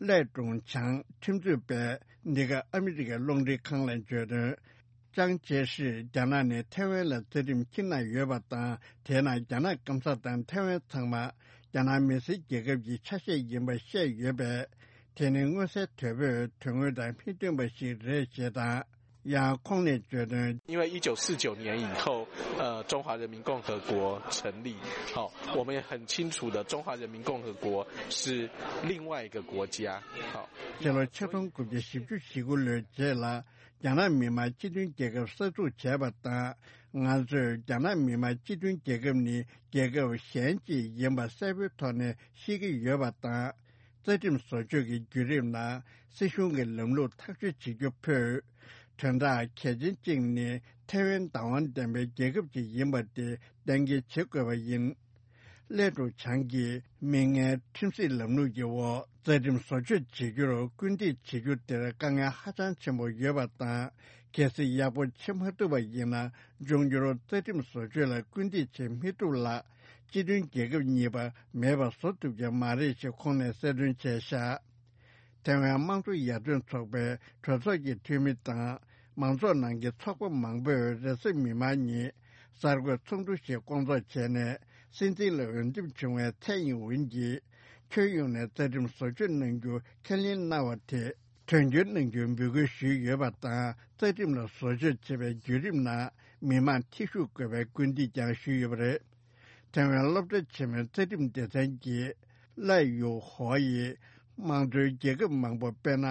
ལས་ཀྲུང་ཆང་ཁྲིམས་རྩོད་པས་འདི་ག་ཨ་མི་རི་ཀའི་རླུང་འཕྲིན་ཁང་ལ་བརྗོད་དོན། ཅང་ཅེ་ཧྲིས་རྒྱ་ནག་ནས་ཐའེ་ཝན་ལ་རྩ་ཁྲིམས་འཁྱེར་གནང་ཡོད་པ་དང་། དེས་ན་རྒྱ་ནག་སྐམ་ས་དང་ཐའེ་ཝན་ཚང་མ་རྒྱ་ནག་མི་སེར་རྒྱལ་ཁབ་ཀྱི་ཆ་ཤས་ཡིན་པ་བཤད་ཡོད་པས། དེ་ནི་མངོན་གསལ་དོད་པོས་དོན་དངོས་དང་མི་མཐུན་པ་ཞིག་རེད་ཞེས་དང་། ཡང་ཁོང་ནས་བརྗོད་དོན། 因为一九四九年以后，呃，中华人民共和国成立，好，我们也很清楚的，中华人民共和国是另外一个国家，好。 ཕྱི་ལོ་ཆིག་སྟོང་དགུ་བརྒྱ་བཞི་བཅུ་ཞེ་དགུ་ལོའི་རྗེས་ལ་རྒྱ་ནག་མི་དམངས་སྤྱི་མཐུན་རྒྱལ་ཁབ་གསར་འཛུགས་བྱས་པ་དང་། ང་ཚོས་རྒྱ་ནག་མི་དམངས་སྤྱི་མཐུན་རྒྱལ་ཁབ་ནི་རྒྱལ་ཁབ་གཞན་ཅིག་ཡིན་པ་གསལ་པོའི་ཐོག་ནས་ཤེས་ཀྱི་ཡོད་པ་དང་། རྩ་ཁྲིམས་བཟོ་བཅོས་ཀྱི་བརྒྱུད་རིམ་ནང་སྲིད་གཞུང་གི་ལམ་ལུགས་ཐག་གཅོད་བྱེད་རྒྱུ་ཕུད། དོན་དག་གལ་ཆེན་གཅིག་ནི་ཐའེ་ཝན་བདག་དབང་ལྡན་པའི་རྒྱལ་ཁབ་ཅིག་ཡིན་པ་དེ་གཏན་འཁེལ་བྱེད་དགོས་པ་ཡིན། ལས་ཀྲུང་ཆང་གིས་མིག་སྔའི་ཁྲིམས་སྲིད་ལམ་ལུགས་ཀྱི་འོག་རྩ་ཁྲིམས་བཟོ་བཅོས་བྱེད་རྒྱུར་སྐུལ་འདེད་བྱེད་རྒྱུ་དེར་དཀའ་ངལ་ཧ་ཅང་ཆེན་པོ་ཡོད་པ་དང་། གལ་སྲིད་ཡག་པོ་བྱེད་མ་ཐུབ་པ་ཡིན་ན། འབྱུང་འགྱུར་རྩ་ཁྲིམས་བཟོ་བཅོས་ལ་སྐུལ་འདེད་བྱེད་མི་ཐུབ་ལ། སྤྱི་མཐུན་རྒྱལ་ཁབ་གཉིས་པ་མེད་པ་བཟོ་ཐུབ་ཀྱི་མ་རེད་ཞེས་ཁོང་ནས་གསལ་སྟོན་བྱས་བཞག་ཐེ་ཝན་དམངས་གཙོ་ཡར་ཐོན་ཚོགས་པའི་གྲོས་ཚོགས་ཀྱི་འཐུས་མི་དང་མང་ཚོགས་ནང་གི་ཚོགས་པ་མང་པོས་རེས་གཟའ་མིག་དམར་ཉིན་གསར་འགོད་ཚོགས་འདུ་ཞིག་བསྐོང་ཚོགས་བྱས་ནས། སྲིད་འཛིན་ལ་འོས་འདེམས་བྱུང་བའི་ཚའེ་ཡིན་ཝིན་གྱིས་ཁྱོན་ཡོངས་ནས་རྩ་ཁྲིམས་བཟོ་བཅོས་གནང་རྒྱུ་ཁས་ལེན་གནང་བ་དེ་དོན་འཁྱོལ་གནང་རྒྱུའི་འབོད་སྐུལ་ཞུས་ཡོད་པ་དང་། རྩ་ཁྲིམས་ལ་བཟོ་བཅོས་བྱེད་པའི་བརྒྱུད་རིམ་ནང་མི་མང་ཐེ་ཞུགས་དགོས་པའི་སྐུལ་འདེད་ཀྱང་ཞུས་ཡོད་པ་རེད། ཐེ་ཝན་སློབ་གྲྭ་ཆེན་མོའི་རྩ་ཁྲིམས་སྡེ་ཚན་གྱི་ལའེ་ཡུ་ཧོ་ཡིས་དམངས་གཙོའི་རྒྱལ་ཁབ་མང་པོ་དཔེར་ན་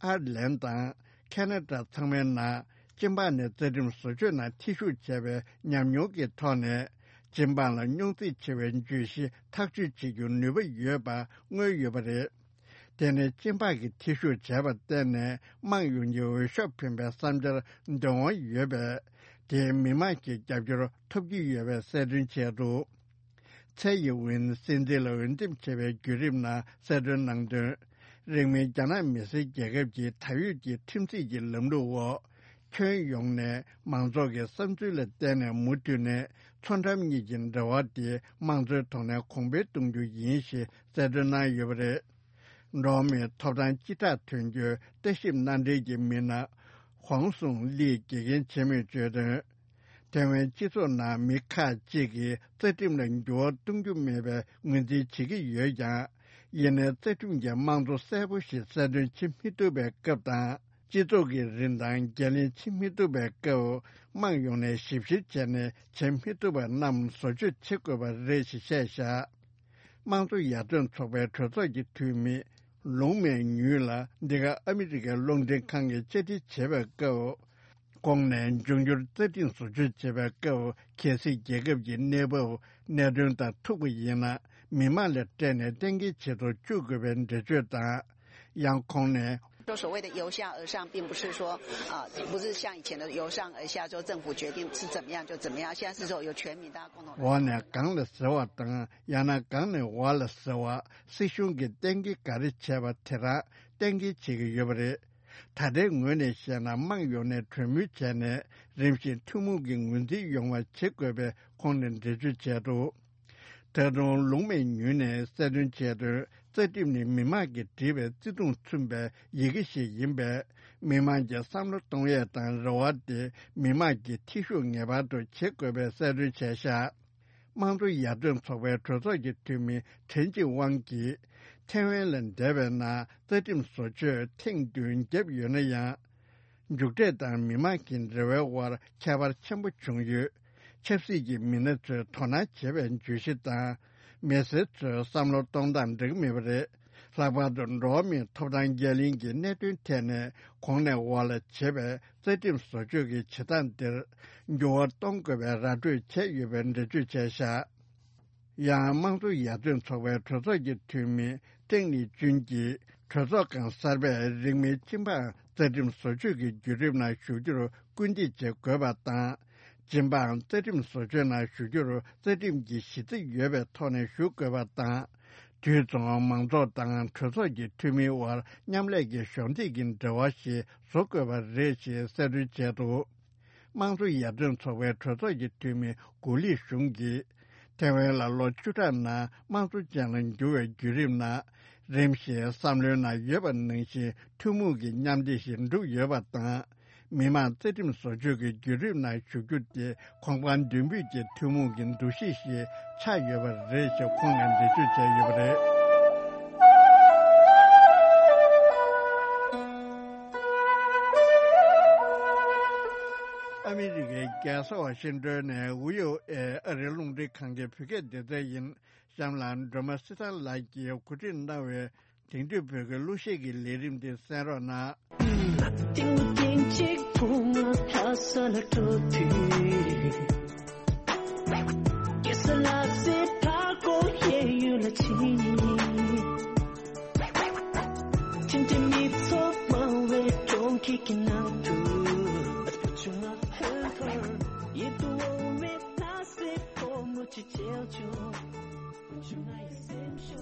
ཨར་ལན་དང་ཁེ་ན་ཌ་ཚང་མའི་ནང་སྤྱི་འབངས་ནས་རྩ་ཁྲིམས་བཟོ་བཅོས་ནང་ཐེ་ཞུགས་བྱས་པའི་ཉམས་མྱོང་གི་ཐོག་ནས་སྤྱི་འབངས་ལ་རྙོག་འཛིང་ཆེ་བའི་བརྗོད་གཞི་ཐག་གཅོད་བྱེད་རྒྱུར་ནུས་པ་ཡོད་པ་མངོན་ཡོད་པ་རེད། དེ་ནི་སྤྱི་འབངས་ཀྱིས་ཐེ་ཞུགས་བྱས་པར་བརྟེན་ནས་དམངས་ཡོངས་ཀྱི་འོས་ཤོག་འཕེན་པའི་བསམ་འཆར་འདོན་དབང་ཡོད་པས། དེས་མི་མང་གི་རྒྱབ་སྐྱོར་ཐོབ་ཀྱི་ཡོད་པའི་གསལ་སྟོན་བྱས་འདུག་ཚའེ་ཡིན་ཝིན་སྲིད་འཛིན་ལ་འོས་འདེམས་བྱས་པའི་བརྒྱུད་རིམ་ནང་གསལ་སྟོན་གནང་དོན། རིང་མིན་རྒྱ་ནག་མི་སེར་རྒྱལ་ཁབ་ཀྱི་ད་ཡོད་ཀྱི་ཁྲིམས་སྲིད་ཀྱི་ལམ་ལུགས་འོག་ཁྱོན་ཡོངས་ནས་མང་ཚོགས་ཀྱི་བསམ་ཚུལ་ལ་བརྟེན་ནས་མུ་མཐུད་ནས་མཚོ་འགྲམ་གཉིས་ཀྱི་འབྲེལ་བ་དེ་དམངས་གཙོའི་ཐོག་ནས་གོང་འཕེལ་གཏོང་རྒྱུ་ཡིན་ཞེས་གསལ་སྟོན་གནང་ཡོད་པ་རེད། འགྲོ་བ་མིའི་ཐོབ་ཐང་སྤྱི་བསྒྲགས་དོན་གཅོད་ལྟ་ཞིབ་མནའ་འབྲེལ་གྱི་མི་སྣ་ཧོང་སུང་ལིས་དགེ་རྒན་ཆེན་མོས་བརྗོད་དོན། ཐེ་ཝན་སྤྱི་ཚོགས་ནང་མི་ཁག་ཅིག་གིས་རྩ་ཁྲིམས་ལ་འགྱུར་བ་གཏོང་རྒྱུ་མེད་པའི་ངོས་འཛིན་བྱེད་ཀྱི་ཡོད་ཀྱང་། ཡིན་ནའི་རྩ་ཁྲིམས་ཀྱི་དམངས་གཙོ་གསལ་པོ་ཞིག་གསལ་སྟོན་བྱེད་མི་ཐུབ་པའི་སྐབས་དང་། སྤྱི་ཚོགས་ཀྱི་རིན་ཐང་འགན་ལེན་བྱེད་མི་ཐུབ་པའི་སྐབས། དམངས་ཡོངས་ནས་ཞིབ་བཤེར་བྱས་ནས་བྱེད་མི་ཐུབ་པ་རྣམས་བཟོ་བཅོས་བྱེད་དགོས་པ་རེད་ཞེས་བཤད་བཞག་དམངས་གཙོ་ཡར་ཐོན་ཚོགས་པའི་གྲོས་ཚོགས་ཀྱི་འཐུས་མི་ལུང་མེ་ཉུས་ལ་འདི་ག་ཨ་མི་རི་ཀའི་རླུང་འཕྲིན་ཁང་གིས་བཅར་འདྲི་བྱེད་པའི་སྐབས། གོང་ནས་འབྱུང་འགྱུར་རྩ་ཁྲིམས་བཟོ་བཅོས་བྱེད་པའི་སྐབས། གལ་སྲིད་རྒྱལ་ཁབ་ཀྱི་གནས་བབ་གནད་དོན་དང་ཐུག་པ་ཡིན་ན། མི་མང་ལ་སྤྲད་ནས་གཏན་འཁེལ་བྱེད་དུ་བཅུག་དགོས་པའི་འགྲེལ་བརྗོད་དང་། ཡང་ཁོང་ནས། 说所谓的由下而上，并不是说，呃，不是像以前的由上而下，说政府决定是怎么样就怎么样，现在是说由全民大家共同来。 འོག་ནས་གང་ལ་ཟེར་བ་དང་། ཡང་ན་གང་ནས་འོག་ལ་ཟེར་བ། སྲིད་གཞུང་གིས་གཏན་འཁེལ་ག་རེ་བྱས་པ་དེ་རང་གཏན་འཁེལ་བྱེད་ཀྱི་ཡོད་པ་རེད། ད་ལྟའི་ངོས་ནས་བཤད་ན། དམངས་ཡོངས་ནས་གྲོས་མོལ་བྱས་ནས། རིམ་བཞིན་ཐུན་མོང་གི་ངོས་འཛིན་ཡོང་བ་བྱེད་དགོས་པའི་ཁོང་ནས་འགྲེལ་བརྗོད་བྱས་འདུག་ད་དུང་ལུང་མེ་ཉུས་ནས་གསལ་སྟོན་བྱས་དོན། རྩ་ཁྲིམས་ནི་མི་དམངས་ཀྱིས་བྲིས་པའི་བརྩེ་དུང་མཚོན་པའི་ཡི་གེ་ཞིག་ཡིན་པས། མི་དམངས་ཀྱི་བསམ་བློ་གཏོང་ཡས་དང་རེ་བ་དེ་མི་དམངས་ཀྱིས་ཐེ་ཞུགས་ངེས་པར་དུ་བྱེད་དགོས་པའི་གསལ་སྟོན་བྱས་བཞག་དམངས་གཙོ་ཡར་ཐོན་ཚོགས་པའི་གྲོས་ཚོགས་ཀྱི་འཐུས་མི་ཁྲེན་ཅི་ཝང་གིས། ཐེ་ཝན་ལ་འདས་པའི་ནང་རྩ་ཁྲིམས་བཟོ་བཅོས་ཐེངས་བདུན་བརྒྱབ་ཡོད་ན་ཡང་། མཇུག་འབྲས་དང་མི་དམངས་ཀྱི་འབྲེལ་བའི་དབར་ཁྱད་པར་ཆེན་པོ་བྱུང་ཡོད། ཆབ་སྲིད་ཀྱི་མི་སྣ་ཚོས་དོ་སྣང་བྱེད་པའི་བརྗོད་གཞི་དང་། མི་སེར་ཚོའི་བསམ་བློ་གཏོང་སྟངས་འགྲིག་མེད་པ་རེད། ལྷག་པར་དུ་འགྲོ་བ་མིའི་ཐོབ་ཐང་འགན་ལེན་གྱི་གནད་དོན་ཐད་ནས་གོང་ནས་འོག་ལ་བྱེད་པའི་རྩ་ཁྲིམས་བཟོ་བཅོས་ཀྱི་བྱེད་སྟངས་འདིར་འགྱུར་བ་གཏོང་དགོས་པའི་ར་སྤྲོད་བྱས་ཡོད་པའི་འགྲེལ་བརྗོད་བྱས་བཞག་ཡང་དམངས་གཙོ་ཡར་ཐོན་ཚོགས་པའི་གྲོས་ཚོགས་ཀྱི་འཐུས་མི་ཀྲེང་ལི་ཅུན་གྱིས། གྲོས་ཚོགས་ཁང་གསར་པས་རིང་མིན་སྤྱི་འབངས་རྩ་ཁྲིམས་བཟོ་བཅོས་ཀྱི་བརྒྱུད་རིམ་ནང་ཞུགས་རྒྱུར་སྐུལ་འདེད་བྱེད་དགོས་པ་དང་། སྤྱི་འབངས་རྩ་ཁྲིམས་བཟོ་བཅོས་ནང་ཞུགས་རྒྱུར་རྩ་ཁྲིམས་ཀྱི་གཞི་རྩ་ཡོད་པའི་ཐོག་ནས་ཞུགས་དགོས་པ་དང་། དུས་མཚུངས་མང་ཚོགས་དང་གྲོས་ཚོགས་ཀྱི་འཐུས་མིའི་དབར་མཉམ་ལས་ཀྱི་གཞོགས་འདེགས་ཀྱི་འབྲེལ་བ་ཞིག་བཟོ་དགོས་པ་རེད་ཅེས་གསལ་སྟོན་བྱས་འདུག་དམངས་གཙོ་ཡར་ཐོན་ཚོགས་པའི་གྲོས་ཚོགས་ཀྱི་འཐུས་མི་གུ་ལི་ཞུང་གིས། ཐེ་ཝན་ལ་ལོ་བཅུ་ཕྲག་ནང་དམངས་གཙོ་ཅན་ལ་འགྱུར་བའི་བརྒྱུད་རིམ་ནང་། རིམ་བཞིན་བསམ་བློའི་ནང་ཡོད་པ་ནང་བཞིན་ཐུན་མོང་གི་མཉམ་བདེ་ཞིག་འགྲུབ་ཡོད་པ་དང་། མི་དམངས་རྩ་ཁྲིམས་བཟོ་བཅོས་ཀྱི་བརྒྱུད་རིམ་ནང་ཞུགས་རྒྱུ་དེ་གོང་འཕང་མདུན་སྤོས་ཀྱི་ཐུན་མོང་གི་འདུ་ཤེས་ཤིག་ཆགས་ཡོད་པ་རེད་ཅེས་ཁོང་ནས་འགྲེལ་བརྗོད་བྱས་ཡོད་པ་རེད། ཨ་མི་རི་ཀའི་རྒྱལ་ས་ཝ་ཤིང་ཏོན་ནས་ཝི་ཨོ་ཨེ་ཨ་རིའི་རླུང་འཕྲིན་ཁང་གི་བོད་སྐད་སྡེ་ཚན་ཡིན། གཤམ་ལ་སྒྲོལ་མ་བསེ་ཚང་ལགས་ཀྱིས་གོ་སྒྲིག་གནང་བའི་དེང་དུས་བོད་ཀྱི་གླུ་གཞས་ཀྱི་ལས་རིམ་དེ་གསན་རོགས་གནང་། ཏིང་ཏིང་གཅིག་བུ་ང་ལྷ་ས་ལ་འགྲོ་དུས། ཀེ་ས་ལ་སེ་ཕ་གོ་ཡེ་ཡུལ་ལ་ཕྱིན། ཁྱིམ་གྱི་མི་ཚོགས་མང་བའི་གྲོང་ཁྱེར་གྱི་ནང་དུ།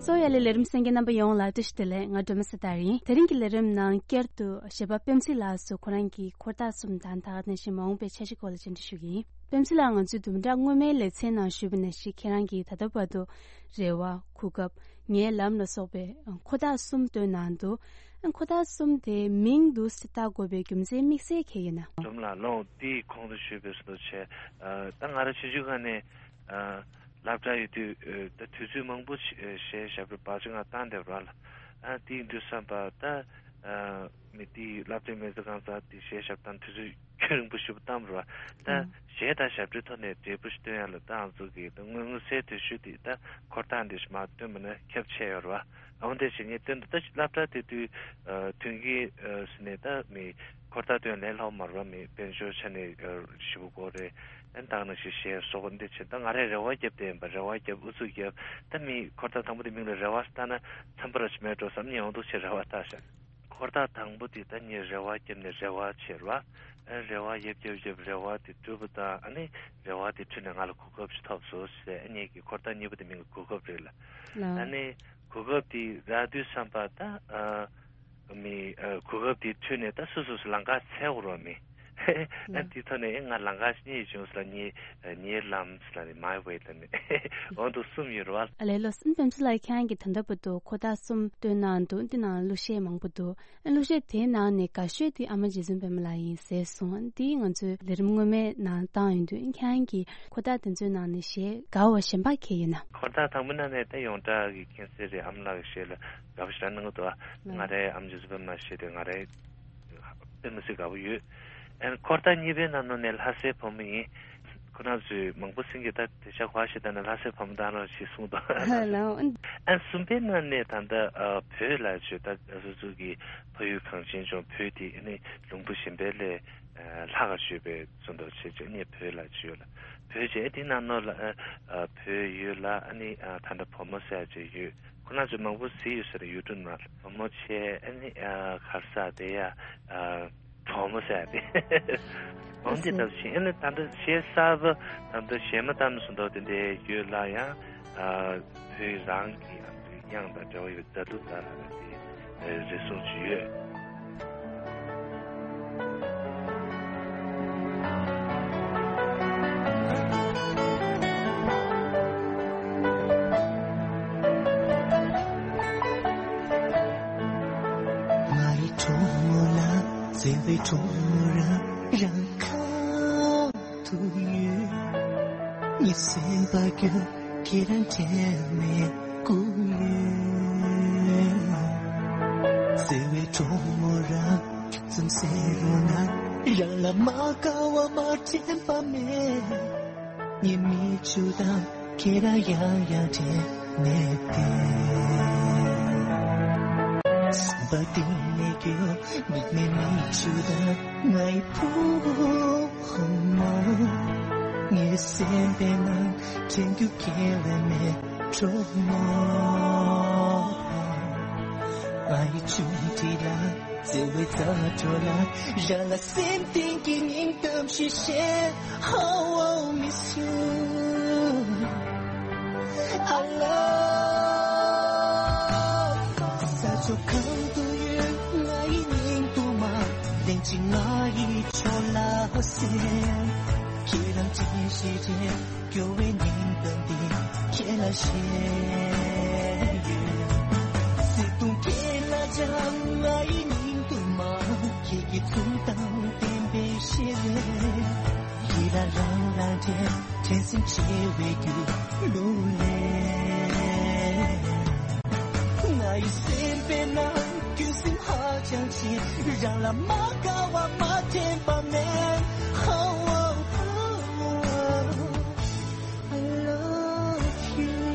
གསོ་ཡ་ལས་ལས་རིམ་གསན་མཁན་རྣམ་པ་ཡོངས་ལ་བཀྲ་ཤིས་བདེ་ལེགས། ང་སྒྲོལ་མ་སེ་ཐར་ཡིན། དེ་རིང་གི་ལས་རིམ་ནང་བསྐྱར་དུ་གཞས་པ་པད་ཚལ་ལགས་སུ་ཁོ་རང་གི་འཁོར་ཐག་གསུམ་དང་ད་ག་ནང་བཞིན་མ་འོངས་པའི་འཆར་གཞི་སྐོར་ལ་བཅར་འདྲི་ཞུ་གི་ཡིན། པདྨ་སྲིད་ལགས། ང་ཚོས་བདུན་ཕྲག་སྔོན་མའི་ལེ་ཚན་ནང་ཞུས་པ་ནང་བཞིན། ཁྱེད་རང་གིས་ད་ལྟ་བར་དུ་རེ་བ། གོ་སྐབས། ངའི་ལམ་ལ་སོགས་པའི་འཁོར་ཐག་གསུམ་བཏོན་གནང་འདུག་འཁོར་ཐག་གསུམ་དེའི་མིང་འདི་བཏགས་དགོས་པའི་རྒྱུ་མཚན་དམིགས་བསལ་གང་ཡིན་ན། འཛོམས་ལགས། ལོངས་དེའི་གོང་དུ་ཞུས་པའི་བཟོ་འདྲ་བྱས། ད་ང་རང་ཆུང་ཆུང་སྒང་ནས་སློབ་གྲྭ་ཡོད་དུས་ད་དུས་ཚོད་མང་པོ་གཞས་ཞབས་བྲོ་བར་ཆད་ང་བཏང་བསྡད་པ་ར་ལ། དེའི་དུས་བསམ་པ་ད་མི་དེའི་སློབ་གྲྭའི་མི་ཚོ་གང་ཟག་དེ་གཞས་ཞབས་བཏང་དུས་ཚོད་ཁྱོན་རིང་པོ་ཞེ་པོ་བཏང་བ་རེད་བ། ད་གཞས་དང་ཞབས་བྲོའི་ཐོག་ནས་འབྲས་བུ་ཞིག་སྟོན་ཡ་ལ་ད་ང་ཚོ་གི་ད་དངོས་མངོན་གསལ་དོད་ཤོས་དེ་ད་འཁོར་ཐག་འདི་ཞིག་མར་བཏོན་པ་ན་ཁྱབ་ཆེ་ཡོད་རེད་བ། འོན་ཏེ་བྱས་ངས་བཏོན་འདུག་ད་སློབ་གྲྭ་དེ་དུས་མཐུན་རྐྱེན་ཟེར་ནས་ད་མི་འཁོར་ཐག་བཏོན་ལས་སླ་པོ་མ་རེད་བ། མི་དཔལ་འབྱོར་ཆ་ནས་ཞེ་པོ་དགོས་རེད། ཨན་ད་ག་ནང་བཞིན་གཞས་སོགས་པ་འདི་བྱས། ད་ང་རས་རེ་བ་བརྒྱབ་བསྡད་ཡིན་པ། རེ་བ་བརྒྱབ། ཨུ་ཚུགས་བརྒྱབ། ད་མི་འཁོར་ཐག་དང་པོ་དེ་མིང་ལ་རེ་བ་བཏགས་ན་འཚམ་པོ་ར་ཅིག་མེད་འགྲོ་བསམ་ནས་འོང་འདུག་བྱས་རེ་བ་བཏགས་ཤག་འཁོར་ཐག་དང་པོ་དེ་ད་ངས་རེ་བ་བརྒྱབ་ནས་རེ་བ་བྱས་ར། ཨ་རེ་བ་བརྒྱབ་བརྒྱབ་བརྒྱབ་རེ་བ་དེ་གྲུབ་པ་དང་། ཨ་ནི་རེ་བ་དེ་ཁྲོད་ནས་ང་ལ་གོ་སྐབས་ཤིག་ཐོབ་སོང་ཟེར། ཨ་ངེད་ཀྱི་འཁོར་ཐག་གཉིས་པ་དེ་མིང་གི་གོ་སྐབས་རེད་ལ། ལགས། ཨ་ནི་གོ་སྐབས་དེ་རག་དུས་བསམ་པ་ད་ཨ་མི་ཨ་གོ་སྐབས་དེ་ཁྲོད་ནས་ད་སོ་སོ་སོ་ལམ་ཁ་འཚོལ་དགོས་རེད་བ། མི་ཨ་ལགས། དེ་ཐོག་ནས་ཨེ་ང་ལམ་ཁ་གཉིས་བྱུང་ཟེར་ལ། ངའི་ངའི་ལམ་ཟེར་ལ་ནི་མའི་ཝེ་ལ་ནི་འོ་འདུག་གསུམ་ཡོད་རེད་བ། ཨ་ལས། ལགས་སོ། པདྨ་སྲིད་ལགས། ཁྱེད་རང་གིས་ད་ལྟ་བར་དུ་འཁོར་ཐག་གསུམ་བཏོན་གནང་འདུག་འདི་ནང་གླུ་གཞས་མང་པོ་འདུག་གླུ་གཞས་དེའི་ནང་ནས་དགའ་ཤོས་དེ་ཨ་མ་རྗེ་བཙུན་པད་མ་ལགས་ཡིན་ཟེར་སོང་། འདི་ང་ཚོའི་ལས་རིམ་སྔོན་མའི་ནང་བཏང་ཡོང་དུས། ཁྱེད་རང་གིས་འཁོར་ཐག་དེ་ཚོའི་ནང་ནས་གཞས་དགའ་བ་གཞན་པ་གང་ཡིན་ན། འཁོར་ཐག་དང་པོའི་ནང་ནས་ད་ཡོངས་གྲགས་ཀྱི་མཁྱེན་གསལ་རེད། ཨ་མ་ལགས་ཀྱི་གཞས་ལ་དགའ་པོ་ཞེ་དྲག་གནང་གི་འདུག་ང་རའི་ཨ་མ་རྗེ་བཙུན་པད་མ་གཞས་དེ་ང་རའི་དཔེ་མི་སྲིད་དགའ་པོ་ཡོད། ཨན་འཁོར་ཐག་གཉིས་པའི་ནང་ནང་ནས་ལྷ་སའི་བུ་མོ་ཡིན། ཁོ་རང་ཚོས་མང་པོ་སེང་གེ་ད་དེ་ཤ་གོ་ཞེ་ད་ན་ལྷ་སའི་བུ་མོ་ད་རང་ཞིག་གསུངས་དང་། ལའོ། ཨན་གསུམ་པའི་ནང་ནས་ད་ལྟ་ཨ་བོད་ལ་བྱོས། ད་སོ་སོ་གི་ཕ་ཡུལ་གངས་ཅན་ལྗོངས་བོད་དེ་ཨ་ནི་ལུང་པ་གཞན་པའི་ལས་ལྷག་ག་བྱོས་པའི་ཚོ་འདུ་བྱེད་ཅེས་ནས་བོད་ལ་བྱོས་ལ། བོད་ཅེས་དེ་ནང་ནོ་ལ་ཨ་བོད་ཡོད་ལ། ཨ་ནི་ཨ་ད་ལྟ་བུ་མོ་ཟེར་ཅེས་ཡོད། ཁོ་རང་ཚོ་མང་པོ་གཟིགས་ཡོད་ས་རེད། ཡུ་ཊུབ་ནང་ལ། བུ་མོ་ཆེ། ཨ་ནི་ཨ་གར་ས་དེ་ཡ་ཨ་གྲོགས་མོ་ཟེར་ཏེ། འོན་ཏེ་ད་གཞན་ནི་ད་ལྟ་གཞས་གསར་པ་ད་ལྟ་གཞས་མ་བཏང་ནས་སུ་འདུག་དེ་འདྲའི་ཡོད་ལ་ཡང་ཨ་བོད་རང་གི་ཨ་དབྱངས་དང་འབྲེལ་བ་ཡོད། མཛའ་གདུང་དང་དེ་རེ་ཟུང་ཅིག་ཡོད། ང་ཡི་གྲོགས་མོ་ལ། བརྩེ་བའི་གྲོགས་མོ་རང་རང་ཁ་ཐུག་ཡོད། ངའི་སེམས་པ་རྒྱུད་ཁྱེད་རང་དྲན་ནས་སྒུག་ཡོད། བརྩེ་བའི་གྲོགས་མོ་རང་ཙམ་ཟེར་རོ་ན། རང་ལ་མ་དགའ་བ་མ་དྲན་པ་མེད། ངའི་མིག་ཆུ་དང་ཁྱེད་རང་ཡང་ཡང་དྲན་ནས་བསྡད། སེམས་པ་གཏིང་ནས་སྐྱོ། མིག་ནས་མིག་ཆུ་དང་ང་ཡི་བུ་མོ། ངའི་སེམས་པའི་ནང་དྲན་རྒྱུ་ཁྱེད་ལས་མེད་གྲོགས་མོ། ང་ཡི་ཆུང་དྲི་ལ། བརྩེ་བའི་རྩ་བྲོ་ལ། རང་ལ་སེམས་གཏིང་གི་སྙིང་གཏམ་ཞིག་བཤད། How I miss you. I love. ས་ཕྱོགས་གང་དུ་ཡོད། ང་ཡི་སྙིང་དུ་མ། ལན་གཅིག་ང་ཡི་ཕྱོགས་ལ་གསན། ཁྱེད་རང་ཅི་ཞིག་དྲན། སྐྱོ་བའི་སྙིང་གཏམ་འདི་ཁྱེད་ལ་བཤད་ཡོད། བརྩེ་དུང་ཁྱེད་ལ་སྦྱང་། ང་ཡི་སྙིང་དུ་མ། ཁྱེད་ཀྱི་ཐུགས་དང་ལྡན་པའི་ཞལ་རས། ཡིད་ལ་རང་ལ་དྲན། དྲན་སེམས་བྱེ་བའི་རྒྱུད་ལུང་ལས། ང་ཡི་སེམས་པའི་ནང་རྒྱུན་སེམས་ཧ་ཅང་ཆེ། རང་ལ་མ་དགའ་བ་མ་དྲན་པ་མེད། How I love you.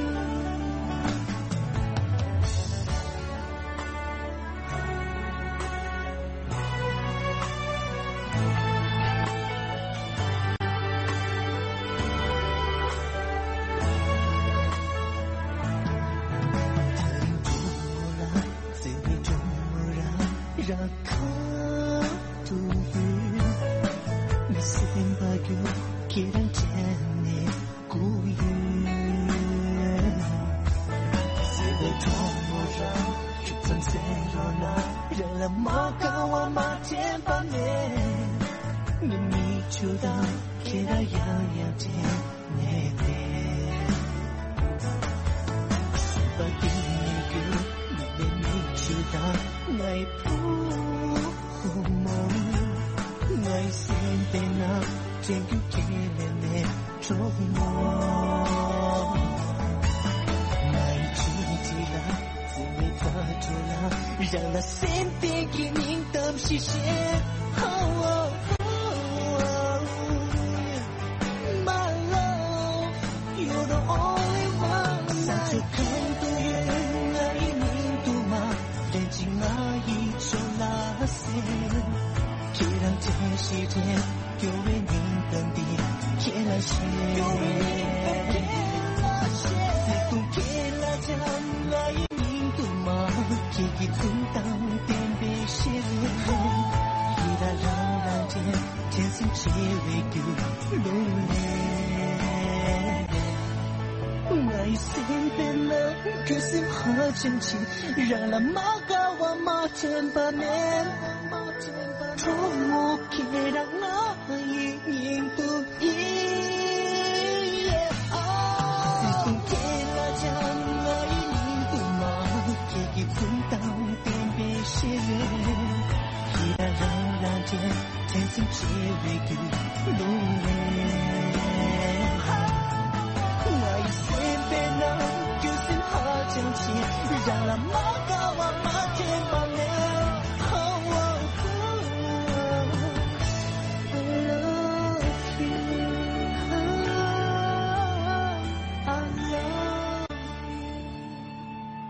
ཆུ་དང་ཁྱེད་རང་ཡང་ཡང་དྲན་ནས་བསྡད། སེམས་པ་གཏིང་ནས་སྐྱོ་བའི་མིག་ཆུ་དང་ངའི་བུ་མོ། ངའི་སེམས་པའི་ནང་དྲན་རྒྱུ་ཁས་ལེན་ནས་གྲོགས་མོ། ངའི་ཆུང་དུས་ལ་བརྩེ་བའི་ཁ་དྲོ་ལ་རང་ལ་སེམས་པའི་གི་སྙིང་གཏམ་ཞིག་བཤད། My love, you're the only one. ས་ཆ་གང་དུ་ཡོད་ང་ཡི་མིང་དུ་མ། དྲན་ཅིག་ང་ཡི་ཕྱོགས་ལ་གསལ། ཁྱེད་རང་དྲན་ཞེས་དྲན། སྐྱོ་བའི་སྙིང་གཏམ་འདི་ཁྱེད་ལ་བཤད། སྐྱོ་བའི་སྙིང་གཏམ་ཁྱེད་ལ་བཤད། བརྩེ་དུང་ཁྱེད་ལ་སྦྱང་། ང་ཡི་མིང་དུ་མ། ཁྱེད་ཀྱི་འཛུམ་མདངས་བསྟན་པའི་ཤེས་རིག་ཡིད་ལ་རང་རང་དྲན། དྲན་སེམས་བརྗེ་བའི་རྒྱུ་རླུང་ལས། ང་ཡི་སེམས་པའི་ནང་ཁྱོད་སེམས་ཧ་ཅང་ཆེ། རང་ལ་མ་དགའ་བ་མ་དྲན་པ་མེད། གྲོགས་མོ་ཁྱེད་རང་ང་ཡི་སྙིང་དུ་ཡིན། བརྩེ་དུང་ཁྱེད་ལ་སྦྱང་། ང་ཡི་སྙིང་དུ་མ། ཁྱེད་ཀྱི་འཛུམ་མདངས་བསྟན་པའི་ཤེས་རིག་ཡིད་ལ་རང་རང་དྲན། དྲན་སེམས་བརྗེ་བའི་རྒྱུ་རླུང་ལས། ང་ཡི་སེམས་པའི་ནང་ཁྱོད་སེམས་ཧ་ཅང་ཆེ། རང་ལ་མ་དགའ་བ་མ་དྲན་པ་མེད། Oh, oh, oh, I love you. I love you.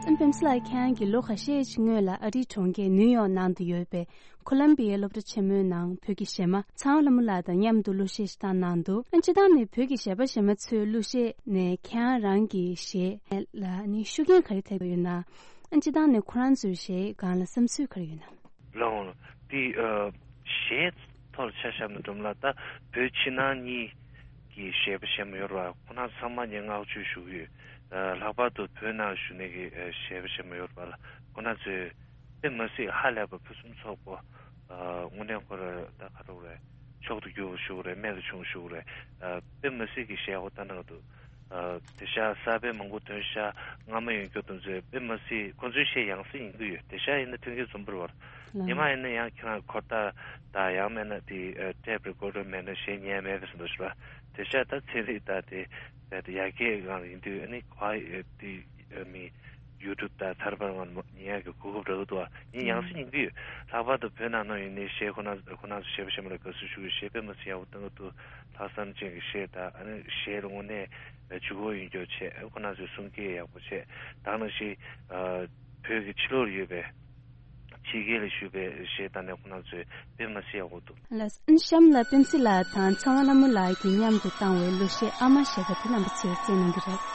ཨན་པེམ་སི་ལགས་ཁྱེད་རང་གིས་ལོ་ཁ་ཤས་ཤིག་སྔོན་ལ་ཨ་རིའི་གྲོང་ཁྱེར་ནིའུ་ཡོག་ནང་དུ་ཡོད་པའི་ཁོ་ལམ་བི་ཡའི་སློབ་གྲྭ་ཆེན་མོའི་ནང་བོད་ཀྱི་གཞས་མ་ཚངས་དབང་ལྷ་མོ་ལགས་དང་མཉམ་དུ་གླུ་གཞས་ཤིག་བཏང་གནང་འདུག་ཨ་ནི་སྤྱིར་བཏང་ནས་བོད་ཀྱི་གཞས་པ་གཞས་མ་ཚོའི་གླུ་གཞས་ནས་ཁྱེད་རང་གི་གཞས་ལ་ནི་ཤུགས་རྐྱེན་ག་རེ་ཐེབས་ཡོད་ན། ཨ་ནི་སྤྱིར་བཏང་ནས་ཁོ་རང་ཚོའི་གཞས་སྒང་ལ་བསམ་ཚུལ་ག་རེ་ཡོད་ན། ལགས་འོང་། འདི་ཨ་གཞས་ཐོག་ལ་ཆ་བཞག་ན་འགྲོ་མ་ལ་ད་བོད་ཕྱི་ནང་གཉིས་ཀྱི་གཞས་པ་གཞས་མ་ཡོད་རེད་པ། ཁོང་རྣམ་ཚང་མ་ངས་བསྔགས་བརྗོད་ཞུ་གི་ཡོད། ཨ་ལྷག་པར་དུ་བོད་ནང་བཞུགས་མཁན་གྱི་ཨ་གཞས་པ་གཞས་མ་ཡོད་རེད་པ་ལ་ཁོང་རྣམ་ཚོས་དཔེ་མ་སྲིད་ཧ་ལས་པ་ཕུན་སུམ་ཚོགས་པོ། ཨ་དངོས་གནས་ཁོ་ར་ད་ག་རེ་རེད། མཆོག་ཏུ་གྱུར་པ་ཞུ་གི་རེད། རྨད་དུ་བྱུང་ཞུ་གི་རེད། ཨ་དཔེ་མ་སྲིད་ཀྱི་གཞས་ཁོ་ལྟ་ན་འདུག་ཨ་དེང་སང་གསར་པའི་མང་པོ་ཐོན་ཤག་སྔ་མ་ཡོད་མཁན་དེ་ཚོས་དཔེ་མ་སྲིད་ཁོ་ཚོའི་གཞས་ཡང་སེ་ཡིན་གྱི་ཡོད། དེང་སང་ཡིན་ན་ཐོན་གྱི་བཟོ་འདྲ་རེད་པ། ལགས། ཉི་མ་ཡིན་ན་ཡང་ཁྱེད་རང་འཁོར་ཐག་དང་ཡང་མིན་ན་དེ་ཨ་ཊེབ་རི་ཀོར་ཌར་མེད་ན་གཞས་ཉན་མེད་པའི་བཟོ་འདྲ་ཞིག་རེད་པ། དེང་སང་ད་ཚན་རིག་དང་དེ་དེ་ཡར་རྒྱས་སྒང་ལ་ཡིན་དུས་ཨ་ནི་ག་ཨ་དེ་ཨ་མི་ཡུ་ཊུབ་དང་ཐར་པར་ང་ཉན་ཡག་གི་གོ་སྐབས་རག་གི་འདུག་ཨ་ནི་ཡང་སེ་ཡིན་གྱི་ཡོད། ལྷག་པར་དུ་བོད་ནང་ན་ཡིན་ནའི་གཞས་ཁོ་ན་ཁོ་ན་ཚོ་གཞས་པ་གཞས་མ་ལ་དགའ་བསུ་ཞུ་གི་ཡོད། གཞས་དཔེ་མ་སྲིད་ཡག་པོ་བཏང་གི་འདུག་ལྷག་བསམ་ཅན་གྱི་གཞས་དང་ཨ་ནི་གཞས་ལ་དངོས་གནས་ལྗིད་ཁོག་ཡོད་མཁན་བྱས། ཁོ་ན་ཚོས་གསུང་སྐད་ཡག་པོ་བྱས། ད་ནང་བཞིན་ཨ་བོད་ཀྱི་ཕྱི་ལོགས་ལ་ཡོད་པའི་ཕྱི་རྒྱལ་ལ་བཞུགས་པའི་གཞས་དང་ནས་ཁོ་ན་ཚོས་དཔེ་མ་སྲིད་ཡག་པོ་འདུག་ལགས། གཤམ་ལ་པེམ་སི་ལགས་དང་ཚངས་དབང་ལྷ་མོ་ལགས་ཀྱིས་མཉམ་དུ་བཏང་བའི་གླུ་གཞས་ཨ་མ་ཞེས་པ་དེ་རྣམ་པ་ཚོས་གསན་གནང་གི་རེད།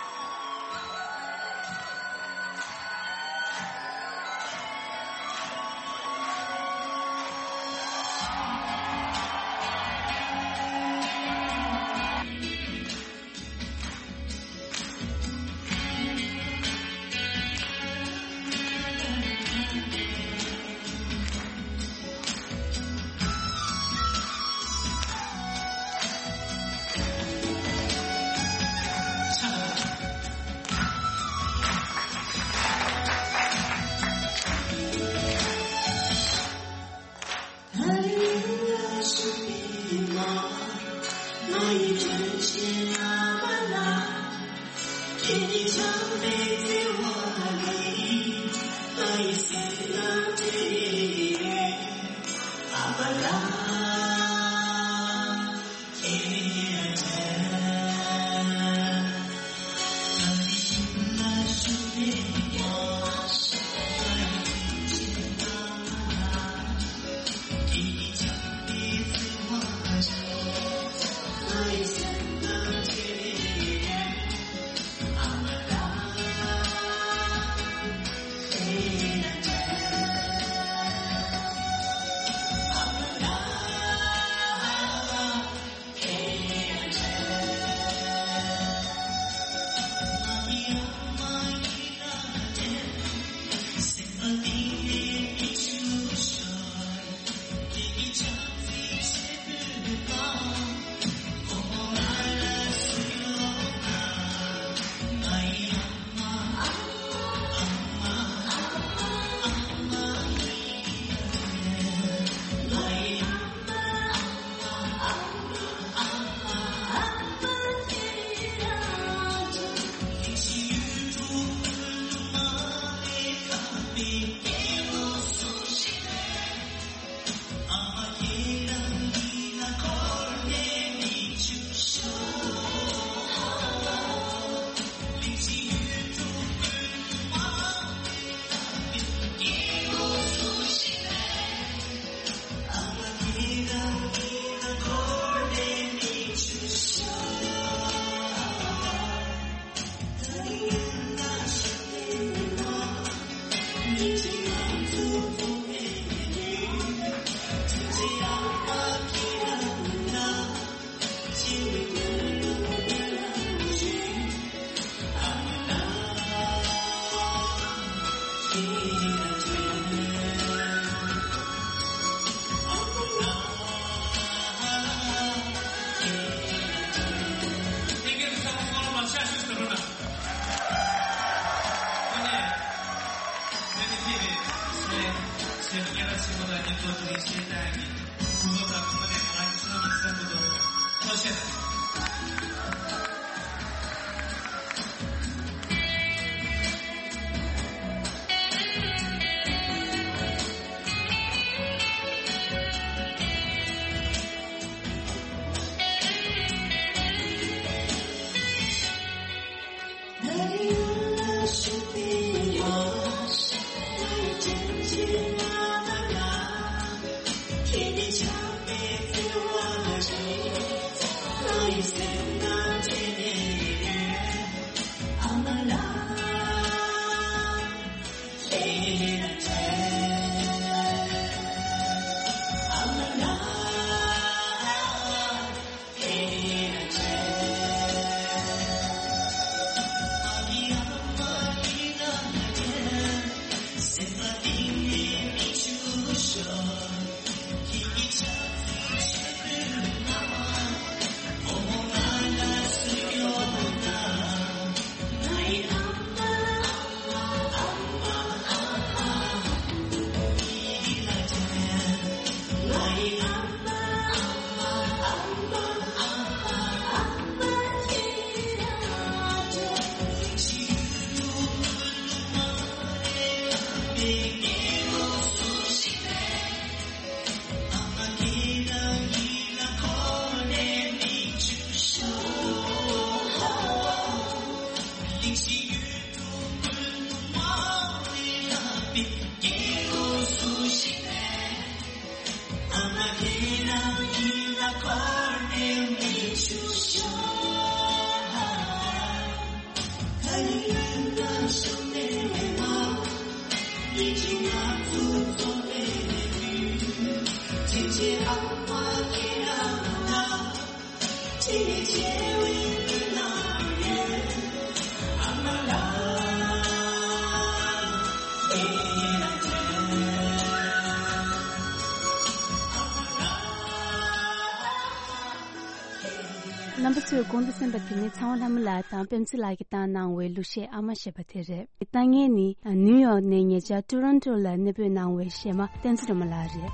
རྣམ་པ་ཚོས་གོང་དུ་གསན་པ་དེ་ནི་ཚེ་དབང་ལྷ་མོ་ལགས་དང་པད་ཚེ་ལགས་ཀྱིས་བཏང་གནང་བའི་གླུ་གཞས་ཨ་མ་ཞེས་པ་དེ་རེད། བཏང་མཁན་ནི་ནིའུ་ཡོག་ནས་ཉེ་ཆར་ཊོ་རོན་ཊོ་ལ་གནས་སྤོས་གནང་བའི་གཞས་མ་བསྟན་འཛིན་སྒྲོལ་མ་ལགས་རེད།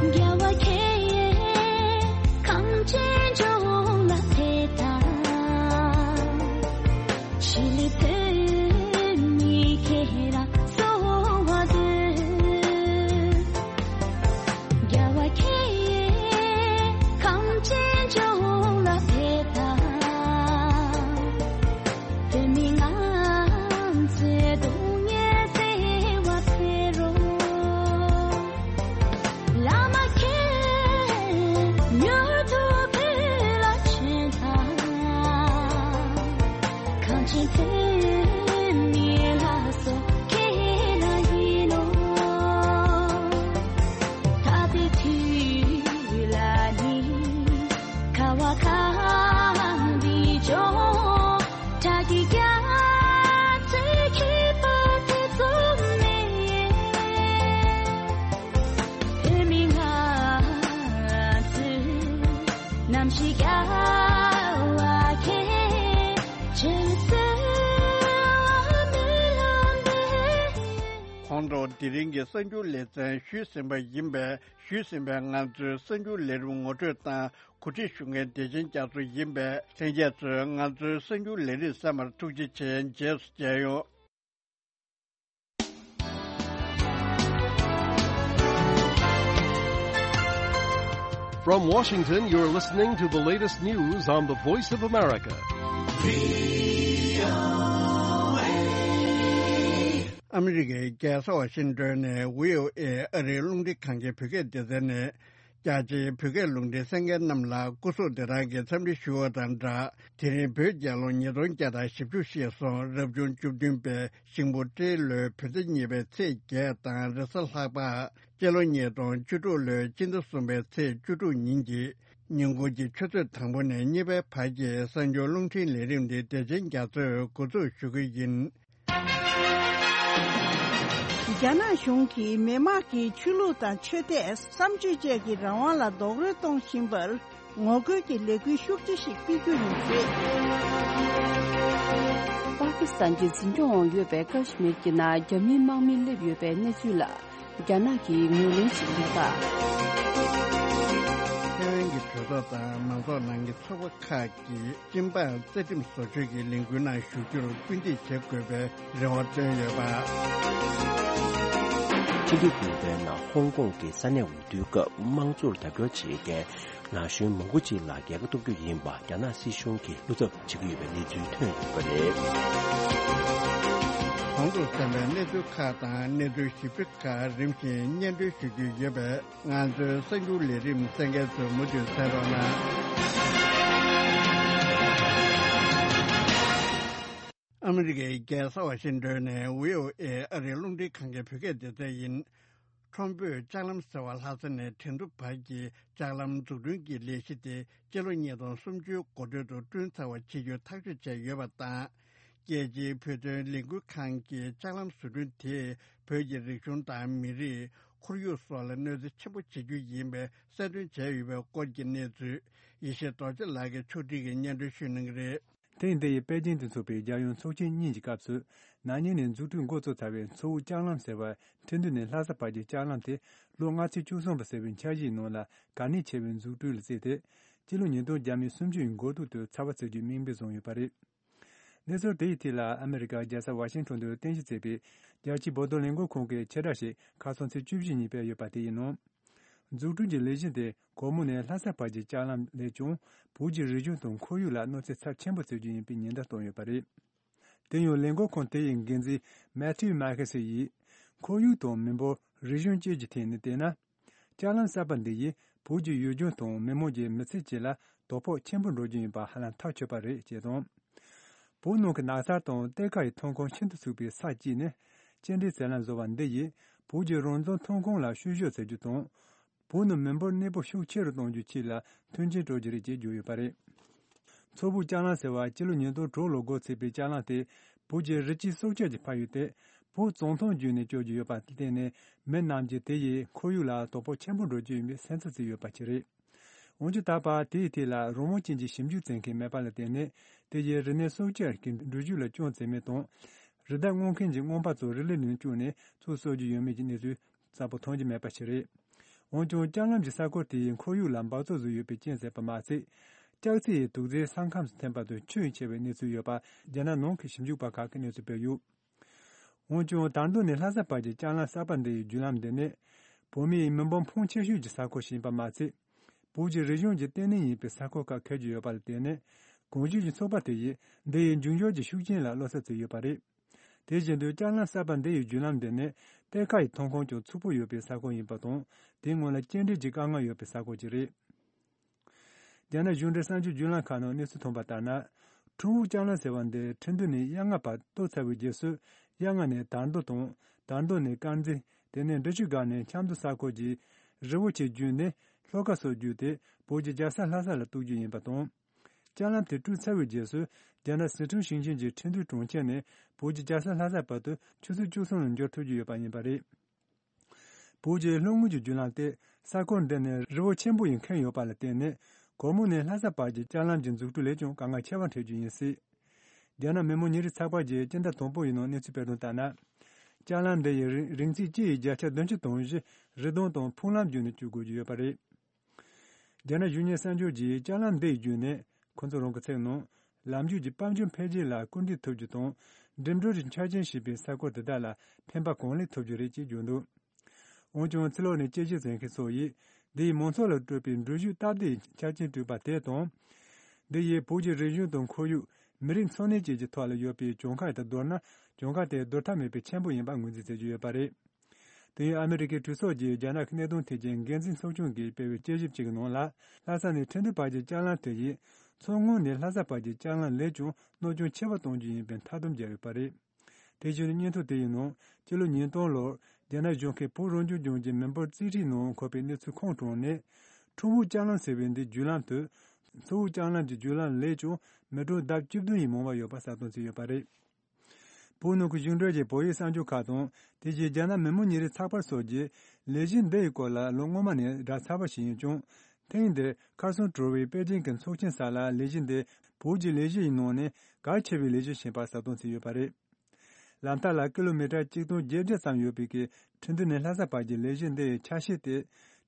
རྒྱལ་བ་ཁྱེད་གངས་ཅན་ལྗོངས་ལ་ཕེབས་དང་། ཞི་ལི་བོད་མི་ཁྱེད་རང་གསོལ་བ་འདེབས། རྒྱལ་བ་ཁྱེད་གངས་ཅན་ལྗོངས་ལ་ཕེབས་དང་། བོད་མི་ང་ཚོའི་སྡུག་བསྔལ་སེལ་བར་ཕེབས་རོགས། བླ་མ་ཁྱེད་མྱུར་དུ་བོད་ལ་བྱོན་དང་། གངས་ཅན་བོད་མིའི་ལྷ་སྲས་ཁྱེད་རང་ཡིན་ནོ། ད་ལྟའི་དུས་ལ་ནི་ཁ་བ་གངས་རིའི་ལྗོངས། བྲག་གི་རྒྱ་མཚོའི་ཁྱད་པར་ཐེ་ཚོམ་མེད། བོད་མི་ང་ཚོའི་རྣམ་ཤེས་རྒྱལ་བ་ཁྱེད་ཆེད་གསོལ་བ་སྨོན་ལམ་འདེབས། ཁོང་ཚོ་དེ་རིང་གི་གསར་འགྱུར་ལེ་ཚན་ཞུས་ཟིན་པ་ཡིན་པས། ཞུས་ཟིན་པའི་ང་ཚོའི་གསར་འགྱུར་ལས་རིམ་ངོ་སྤྲོད་དང་གོ་སྒྲིག་ཞུ་མཁན་བདེ་ཆེན་རྒྱ་མཚོ་ཡིན་པས། ལྷན་རྒྱས་ཚོས་ང་ཚོའི་གསར་འགྱུར་ལས་རིམ་གསན་པར་ཐུགས་རྗེ་ཆེ། རྗེས་སུ་མཇལ་ཡོང་། From Washington, you're listening to the latest news on the Voice of America. ཨ་མི་རི་ཀའི་རྒྱལ་ས་ཝ་ཤིང་ཏོན་ནས་བྷི་ཨོ་ཨེ་ཨ་རིའི་རླུང་འཕྲིན་ཁང་གི་བོད་སྐད་སྡེ་ཚན་ནས། རྒྱ་ཆེའི་བོད་སྐད་རླུང་འཕྲིན་གསན་མཁན་རྣམས་ལ་སྐུ་གཟུགས་བདེ་ཐང་གི་འཚམས་འདྲི་ཞུ་བ་དང་སྦྲགས། དེ་རིང་བོད་རྒྱལ་ལོ་ཉིས་སྟོང་བརྒྱ་དང་བཞི་བཅུ་ཞེས་སོ། རབ་བྱུང་བཅུ་བདུན་པའི་ཤིང་ཕོ་སྤྲེལ་ལོའི་བོད་ཟླ་གཉིས་པའི་ཚེས་བརྒྱད་དང་རེས་གཟའ་ལྷག་པ། སྤྱི་ལོ་ཉིས་སྟོང་བཅུ་དྲུག་ལོའི་སྤྱི་ཟླ་གསུམ་པའི་ཚེས་བཅུ་དྲུག་ཉིན་གྱི་ཉིན་གུང་གི་ཆུ་ཚོད་དང་པོ་ནས་གཉིས་པའི་བར་གྱི་གསར་འགྱུར་རླུང་འཕྲིན་ལས་རིམ་འདི་བདེ་ཆེན་རྒྱ་མཚོས་འགོ་འཛུགས་ཞུ་གི་ཡིན། རྒྱ་ནག་གཞུང་གིས་མི་དམངས་ཀྱི་ཆོས་ལུགས་དང་ཆོས་དད། བསམ་སྤྱོད་བཅས་ཀྱི་རང་དབང་ལ་རྡོག་རོལ་གཏོང་བཞིན་པར་ངོ་རྒོལ་གྱི་ལས་འགུལ་ཤུགས་ཆེ་ཞིག་སྤེལ་རྒྱུ་ཡིན་ཟེར། པ་ཀི་སི་ཐན་གྱི་འཛིན་སྐྱོང་འོག་ཡོད་པའི་ཀ་ཤི་མིར་གྱི་ནང་རྒྱ་མིའི་དམག་མི་སླེབས་ཡོད་པའི་གནས་ཚུལ་ལ། རྒྱ་ནག་གིས་ངོས་ལེན་བྱེད་ཀྱི་མེད་པ། ཐའེ་ཝན་གྱི་གྲོས་ཚོགས་དང་མང་ཚོགས་ནང་གི་ཚོགས་པ་ཁག་གིས་སྤྱི་འབངས་རྩ་ཁྲིམས་བཟོ་བཅོས་ཀྱི་ལས་འགུལ་ནང་ཞུགས་རྒྱུར་སྐུལ་འདེད་བྱེད་དགོས་པའི་རེ་བ་བཏོན་ཡོད་པ། ཕྱི་ཟླ་དགུ་པའི་ནང་ཧོང་ཀོང་གི་ས་གནས་འོས་བསྡུའི་སྐབས་དམངས་གཙོར་རྒྱབ་སྐྱོར་བྱེད་མཁན་ན་གཞོན་མང་པོ་ཅིག་ལ་རྒྱལ་ཁ་ཐོབ་རྒྱུ་ཡིན་པ་རྒྱ་ནག་སྲིད་གཞུང་གིས་བློ་འཚབ་བྱེད་ཀྱི་ཡོད་པའི་གནས་ཚུལ་ཐོན་ཡོད་པ་རེད། གོང་དུ་གསན་པའི་གནས་ཚུལ་ཁག་དང་གནས་ཚུལ་ཞིབ་ཕྲ་ཁག་རིམ་བཞིན་སྙན་སྒྲོན་ཞུ་རྒྱུ་ཡོད་པས། ང་ཚོའི་གསར་འགྱུར་ལས་རིམ་གསན་མཁན་ཚོས་མུ་མཐུད་གསན་རོགས་གནང་། ཨ་མི་རི་ཀའི་རྒྱལ་ས་ཝ་ཤིང་ཏོན་ནས་བྷི་ཨོ་ཨེ་ཨ་རིའི་རླུང་འཕྲིན་ཁང་གི་བོད་སྐད་སྡེ་ཚན་ཡིན། ཁྲོམ་བུའི་ལྕགས་ལམ་ཟེར་བ་ལྷ་ས་ནས་ཁྲེང་ཏུའུ་བར་གྱི་ལྕགས་ལམ་འཛུགས་སྐྲུན་གྱི་ལས་གཞི་དེ་སྤྱི་ལོ་ཉིས་སྟོང་སུམ་ཅུ་འགོ་སྟོད་དུ་བསྐྲུན་ཚར་བ་བྱེད་རྒྱུ་ཐག་གཅོད་བྱས་ཡོད་པ་དང་། རྒྱལ་སྤྱིའི་བོད་དོན་ལས་འགུལ་ཁང་གིས་ལྕགས་ལམ་བཟོ་སྐྲུན་དེས་བོད་ཀྱི་རིག་གཞུང་དང་མི་རིགས། ཁོར་ཡུག་སོགས་ལ་གནོད་འཚེ་ཆེན་པོ་བྱེད་རྒྱུ་ཡིན་པའི་གསལ་སྟོན་བྱས་ཡོད་པའི་སྐོར་གྱི་གནས་ཚུལ། ཡེ་ཤེས་རྡོ་རྗེ་ལགས་ཀྱིས་ཕྱོགས་སྒྲིག་གིས་སྙན་སྒྲོན་ཞུ་གནང་གི་རེད། ཐེངས་འདི་ཡི་པེ་ཅིང་དུ་འཚོགས་པའི་རྒྱལ་ཡོངས་ཚོགས་ཆེན་གཉིས་ཀྱི་སྐབས་སུ། ན་ནིང་ནས་འཛུགས་སྐྲུན་འགོ་བཙུགས་ཚར་བའི་མཚོ་དབུས་ལྕགས་ལམ་ཟེར་བ་ཁྲེང་ཏུའུ་ནས་ལྷ་ས་བར་གྱི་ལྕགས་ལམ་དེ་ལོ་ལྔ་ཚན་བཅུ་གསུམ་པ་ཟེར་བའི་འཆར་གཞིའི་ནང་ལ་གལ་གནད་ཆེ་བའི་འཛུགས་སྐྲུན་ལ་བརྩིས་ཏེ། སྤྱི་ལོ་ཉིས་སྟོང་བརྒྱ་མེད་སུམ་ཅུ་ཡི་འགོ་སྟོད་དུ་ཚར་བ་བརྩི་རྒྱུའི་དམིགས་འབེན་བཟུང་ཡོད་པ་རེད། གནས་ཚུལ་དེ་ཡི་ཐད་ལ་ཨ་མི་རི་ཀ་རྒྱལ་ས་ཝ་ཤིང་ཊོན་དུ་རྟེན་གཞི་བྱས་པའི་རྒྱལ་སྤྱིའི་བོད་དོན་ལས་འགུལ་ཁང་གི་ཕྱིར་བསྒྲགས་ཤིག་ཁ་སང་ཚེས་བཅུ་བཞི་ཉིན་སྤེལ་ཡོད་པ་དེ་ཡིན་ནོ། འཛུགས་སྐྲུན་གྱི་ལས་གཞི་དེ་གོར་མོ་ནས་ལྷ་ས་བར་གྱི་ལྕགས་ལམ་ལས་ཀྱང་བོད་ཀྱི་རིག་གཞུང་དང་ཁོར་ཡུག་ལ་གནོད་འཚེ་ཚབས་ཆེན་པོ་བྱེད་རྒྱུ་ཡིན་པའི་ཉེན་བརྡ་བཏང་ཡོད་པ་རེད། དེ་ཡང་ལས་འགུལ་ཁང་དེ་ཡི་འགན་འཛིན་མེ་ཐིའུ་མཱ་ཁེ་སི་ཡིས། ཁོར་ཡུག་དང་མི་འབོར་རིག་གཞུང་བཅས་ཀྱི་ཐད་ནས་བལྟས་ན། ལྕགས་ལམ་གསར་པ་འདི་ཡིས་བོད་ཀྱི་ཡུལ་ལྗོངས་དང་མི་དམངས་ཀྱི་མི་ཚེ་བཅས་ལ་དོ་ཕོག་ཆེན་པོ་འགྲོ་རྒྱུ་ཡིན་པ་ཧ་ལམ་ཐག་ཆོད་པ་རེད་ཅེས་དང་། བོད་ནང་གི་ནགས་ཚལ་དང་གཏེར་ཁ་ཡི་ཐོན་ཁུངས་ཤིན་ཏུ་ཚུགས་པའི་ས་གཅིག་ནས་སྐྱེལ་འདྲེན་ཟེར་ལམ་བཟོ་བ་འདི་ཡིས་བོད་ཀྱི་རང་བཙན་ཐོན་ཁུངས་ལ་བཤུ་གཞོག་བྱེད་རྒྱུ་དང་། བོད་ནང་མི་འབོར་གནས་སྤོ་ཤུགས་ཆེ་རུ་གཏོང་རྒྱུའི་ཆེད་ལ་མཐུན་རྐྱེན་སྤྲོད་རྒྱུ་རེད་ཅེས་བརྗོད་ཡོད་པ་རེད། མཚོ་བོད་ལྕགས་ལམ་ཟེར་བ་སྤྱི་ལོ་ཉིས་སྟོང་དྲུག་ལོར་འགོ་ཚུགས་པའི་ལྕགས་ལམ་དེ་བོད་ཀྱི་རི་སྐྱེས་སྲོག་ཆགས་ཀྱི་ཕན་ཡོན་དེ་བོད་བཙོན་ཐང་བརྒྱུད་ནས་སྐྱོར་རྒྱུ་ཡོད་པ་ལ་བརྟེན་ནས་མི་རྣམས་ཀྱིས་དེ་ཡིས་ཁོར་ཡུག་ལ་དོ་ཕོག་ཆེན་པོ་འགྲོ་རྒྱུ་ཡིན་པའི་སེམས་འཚབ་བྱས་ཡོད་པ་ཞིག་རེད། འོན་ཀྱང་ད་བར་དེའི་ཐད་ལ་རང་དབང་ཅན་གྱི་ཞིབ་འཇུག་བྱེད་མཁན་མེད་པ་ལ་བརྟེན་ནས་དེ་ཡིས་རིག་གནས་སྲོག་ཆགས་ཀྱི་འགྲུལ་བཞུད་ལ་སྐྱོན་བྱེད་མིན་དང་། རི་དྭགས་རྔོན་མཁན་གྱི་རྔོན་པ་ཚོ་རི་ལི་ནང་བཅུག་ནས་ཚུར་གསོ་རྒྱུ་ཡོད་མེད་ཀྱི་གནས་ཚུལ་གསལ་པོ་མཐོང་རྒྱུ་མེད་པ་ཞིག་རེད། འོན་ཀྱང་ལྕགས་ལམ་གྱི་ས་ཁུལ་དེ་ཡི་ཁོར་ཡུག་ལ་འབག་བཙོག་བཟོས་ཡོད་པའི་རྐྱེན་ཟེར་བ་མ་ཟད། ལྕགས་རྩི་ཡི་དུག་རྫས་ས་ཁམས་སུ་ཐོན་པ་དང་ཁྱོན་ཡངས་ཆེ་བའི་གནས་ཚུལ་ཡོད་པ་རྒྱ་ནག་ནང་གི་ཞིབ་འཇུག་པ་ཁག་གིས་གནས་ཚུལ་སྤེལ་ཡོད། འོན་ཀྱང་དར་མདོ་ནས་ལྷ་ས་བར་གྱི་ལྕགས་ལམ་གསར་པ་འདི་ཡི་བརྒྱུད་ལམ་འདི་ནི། བོད་མིའི་མི་འབོར་ཕོན་ཆེ་ཤོས་ཀྱི་ས་ཁུལ་ཞིག་ཡིན་པ་མ་ཟད། བོད་ཀྱི་རིག་གཞུང་གི་ལྟེ་གནས་ཡིན་པའི་ས་ཁུལ་ཁག་འཁེལ་རྒྱུ་ཡོད་པ་ལ་བརྟེན་ནས། གོང་ཞུས་ཀྱི་ཚོགས་པ་དེ་ཡིས་འདི་ཡི་འབྱུང་འགྱུར་གྱི་ཤུགས་རྐྱེན་ལ་བློ་འཚབ་བྱས་ཡོད་པ་རེད། དེ་བཞིན་དུ་ལྕགས་ལམ་གསར་པ་འདི་ཡི་བརྒྱུད་ལམ་འདི་ནི་གཏེར་ཁ་ཡི་ཐོན་ཁུངས་ཀྱང་ཕྱུག་པོ་ཡོད་པའི་ས་ཁུལ་ཡིན་པ་དང་། དེའི་སྔོན་ལ་སྐྱེལ་འདྲེན་གྱི་དཀའ་ངལ་ཡོད་པའི་ས་ཁུལ་ཅིག་རེད། རྒྱ་ནག་གཞུང་འབྲེལ་གསར་འགྱུར་བརྒྱུད་ལམ་ཁག་ནང་གནས་ཚུལ་ཐོན་པ་ལྟར་ན། ཁྲུང་ཝུའུ་ལྕགས་ལམ་ཟེར་བ་འདི་ཁྲིན་ཏུའུ་ནས་གཡག་རྔ་བར་གཏོར་ཚར་བའི་རྗེས་སུ། གཡག་རྔ་ནས་དར་མདོ་དང་། དར་མདོ་ནས་དཀར་མཛེས། དེ་ནས་འབྲི་ཆུ་བརྒལ་ནས་ཆབ་མདོ་ས་ཁུལ་གྱི་རི་བོ་ཆེ་བརྒྱུད་ནས་ལྷོ་ཁ་སོགས་བརྒྱུད་དེ་བོད་ཀྱི་རྒྱལ་ས་ལྷ་ས་ལ་གཏོགས་རྒྱུ་ཡིན་པ་དང་། ལྕགས་ལམ་དེ་བསྐྲུན་ཚར་བའི་རྗེས་སུ་རྒྱ་ནག་ཟི་ཁྲོན་ཞིང་ཆེན་གྱི་ཁྲིན་ཏུའུ་གྲོང་ཁྱེར་ནས་བོད་ཀྱི་རྒྱལ་ས་ལྷ་ས་བར་དུ་ཆུ་ཚོད་བཅུ་གསུམ་ལ་འབྱོར་ཐུབ་རྒྱུ་ཡོད་པ་ཡིན་པ་རེད། བོད་ཀྱི་ལྷོ་ངོས་ཀྱི་བརྒྱུད་ལམ་དེ་ས་ཁུལ་འདི་ནས་རི་བོ་ཆེན་པོ་ཡིས་ཁེངས་ཡོད་པ་ལ་བརྟེན་ནས། གོར་མོ་ནས་ལྷ་ས་བར་གྱི་ལྕགས་ལམ་གྱི་འཛུགས་སྐྲུན་ལས་ཀྱང་དཀའ་ངལ་ཆེ་བ་འཕྲད་རྒྱུ་ཡིན་སྲིད། རྒྱ་ནག་མི་དམངས་ཉིན་རེའི་ཚགས་པར་གྱིས་སྤྱི་ཟླ་དང་པོ་ཡི་ནང་གནས་ཚུལ་སྤེལ་དོན་ལྟར་ན། ལྕགས་ལམ་འདི་ཡི་རིང་རིང་ཚད་སྤྱི་ཡི་བརྒྱ་ཆ་བདུན་ཅུ་དོན་བཞི་རི་ལྡུམ་དང་ཕུག་ལམ་བརྒྱུད་ནས་བསྐྱོད་དགོས་ཀྱི་ཡོད་པ་རེད། རྒྱ་ནག་གཞུང་གཉེར་གསར་འགྱུར་གྱིས་ལྕགས་ལམ་འདི་ཡི་བརྒྱུད་ནས་ཁོ་ཚོ་རང་གི་ཚིག་ནང་། ལམ་རྒྱུད་ཀྱི་དཔལ་འབྱོར་འཕེལ་རྒྱས་ལ་སྐུལ་འདེད་ཐུབ་རྒྱུ་དང་། འགྲིམ་འགྲུལ་གྱི་ཆ་རྐྱེན་ཞེས་པའི་ས་ཁུལ་དེ་དག་ལ་ཕན་པ་གང་ལེགས་ཐོབ་རྒྱུ་རེད་ཅེས་བརྗོད་འདུག་འོན་ཀྱང་ཕྱི་ལོགས་ནས་དཔྱད་ཞིབ་མཛད་མཁན་ཚོ་ཡིས་འདི་ཡིས་མང་ཚོགས་ལ་སྤྲོད་པའི་འགྲུལ་བཞུད་སྟབས་བདེའི་ཆ་རྐྱེན་སྤྲད་པ་དེ་དང་། འདི་ཡིས་བོད་ཀྱི་རིག་གཞུང་དང་ཁོར་ཡུག་མི་རིགས་འཚོ་གནས་བཅས་ཀྱི་ཐོག་ལ་ཡོད་པའི་གྱོང་ཁ་དང་བསྡུར་ན་གྱོང་ཁ་དེ་བསྡུར་ཐབས་མེད་པའི་ཆེན་པོ་ཡིན་པ་ངོས་འཛིན་བྱེད་ཀྱི་ཡོད་པ་རེད། དེ་ཡང་ཨ་མི་རི་ཀའི་གྲོས་ཚོགས་ཀྱིས་རྒྱ་ནག་གི་གནད་དོན་ཐད་ཀྱི་འགན་འཛིན་ཚོགས་ཆུང་གིས་སྤེལ་བའི་དཔྱད་ཞིབ་ཅིག་གི་ནང་ལ། ལྷ་ས་ནས་ཁྲིན་ཏུའུ་བར་གྱི་ལྕགས་ལམ་དེ་ཡིས་མཚོ་སྔོན་ནས་ལྷ་ས་བར་གྱི་ལྕགས་ལམ་ལས་ཀྱང་གནོད་སྐྱོན་ཆེ་བ་གཏོང་རྒྱུ་ཡིན་པའི་མཐའ་སྡོམ་བརྒྱབ་ཡོད་པ་རེད། དེ་བཞིན་སྙན་ཐོ་དེ་ཡི་ནང་སྤྱི་ལོ་ཉིས་སྟོང་ལོར་རྒྱ་ནག་གཞུང་གིས་བོད་རང་སྐྱོང་ལྗོངས་ཀྱི་མི་འབོར་རྩིས་ཁྲའི་ནང་འཁོད་པའི་གནས་ཚུལ་ཁུངས་དྲངས་ནས། ཁྲུང་ཝུའུ་ལྕགས་ལམ་ཟེར་བའི་འདིའི་བརྒྱུད་ལམ་དུ་མཚོ་བོད་ལྕགས་ལམ་གྱི་བརྒྱུད་ལམ་ལས་ཀྱང་མི་གྲངས་ལྡབ་བཅུ་བདུན་ཡིས་མང་བ་ཡོད་པ་གསལ་སྟོན་བྱས་ཡོད་པ་རེད། བོད་ནང་གི་གཞུང་འབྲེལ་གྱི་བོད་ཡིག་གསར་འགྱུར་ཁག་དང་དེ་བཞིན་རྒྱ་ནག་མི་དམངས་ཉིན་རེའི་ཚགས་པར་སོགས་ཀྱིས་ལས་གཞི་འདི་ཡི་སྐོར་ལ་ལོ་སྔོན་མ་ནས་བསྒྲགས་ཚར་བ་ཞིག་ཡིན་ཀྱང་། ཐེངས་འདིར་ཁར་སོང་གྲོལ་བའི་པེ་ཅིང་གི་ཚོགས་ཆེན་གསར་ལ་ལས་གཞི་འདི་བོད་ཀྱི་ལས་གཞི་ཡི་ནང་ནས་གལ་ཆེ་བའི་ལས་གཞི་ཞིག་ཡིན་པ་གསལ་སྟོན་བྱས་ཡོད་པ་རེད། ལམ་ཐག་ལ་ཀི་ལོ་མི་ཊར་གཅིག་སྟོང་བརྒྱད་བརྒྱ་ཙམ་ཡོད་པའི་གི་ཁྲིན་ཏུའུ་ནས་ལྷ་ས་བར་གྱི་ལས་གཞི་འདི་ཡི་ཆ་ཤས་དེ།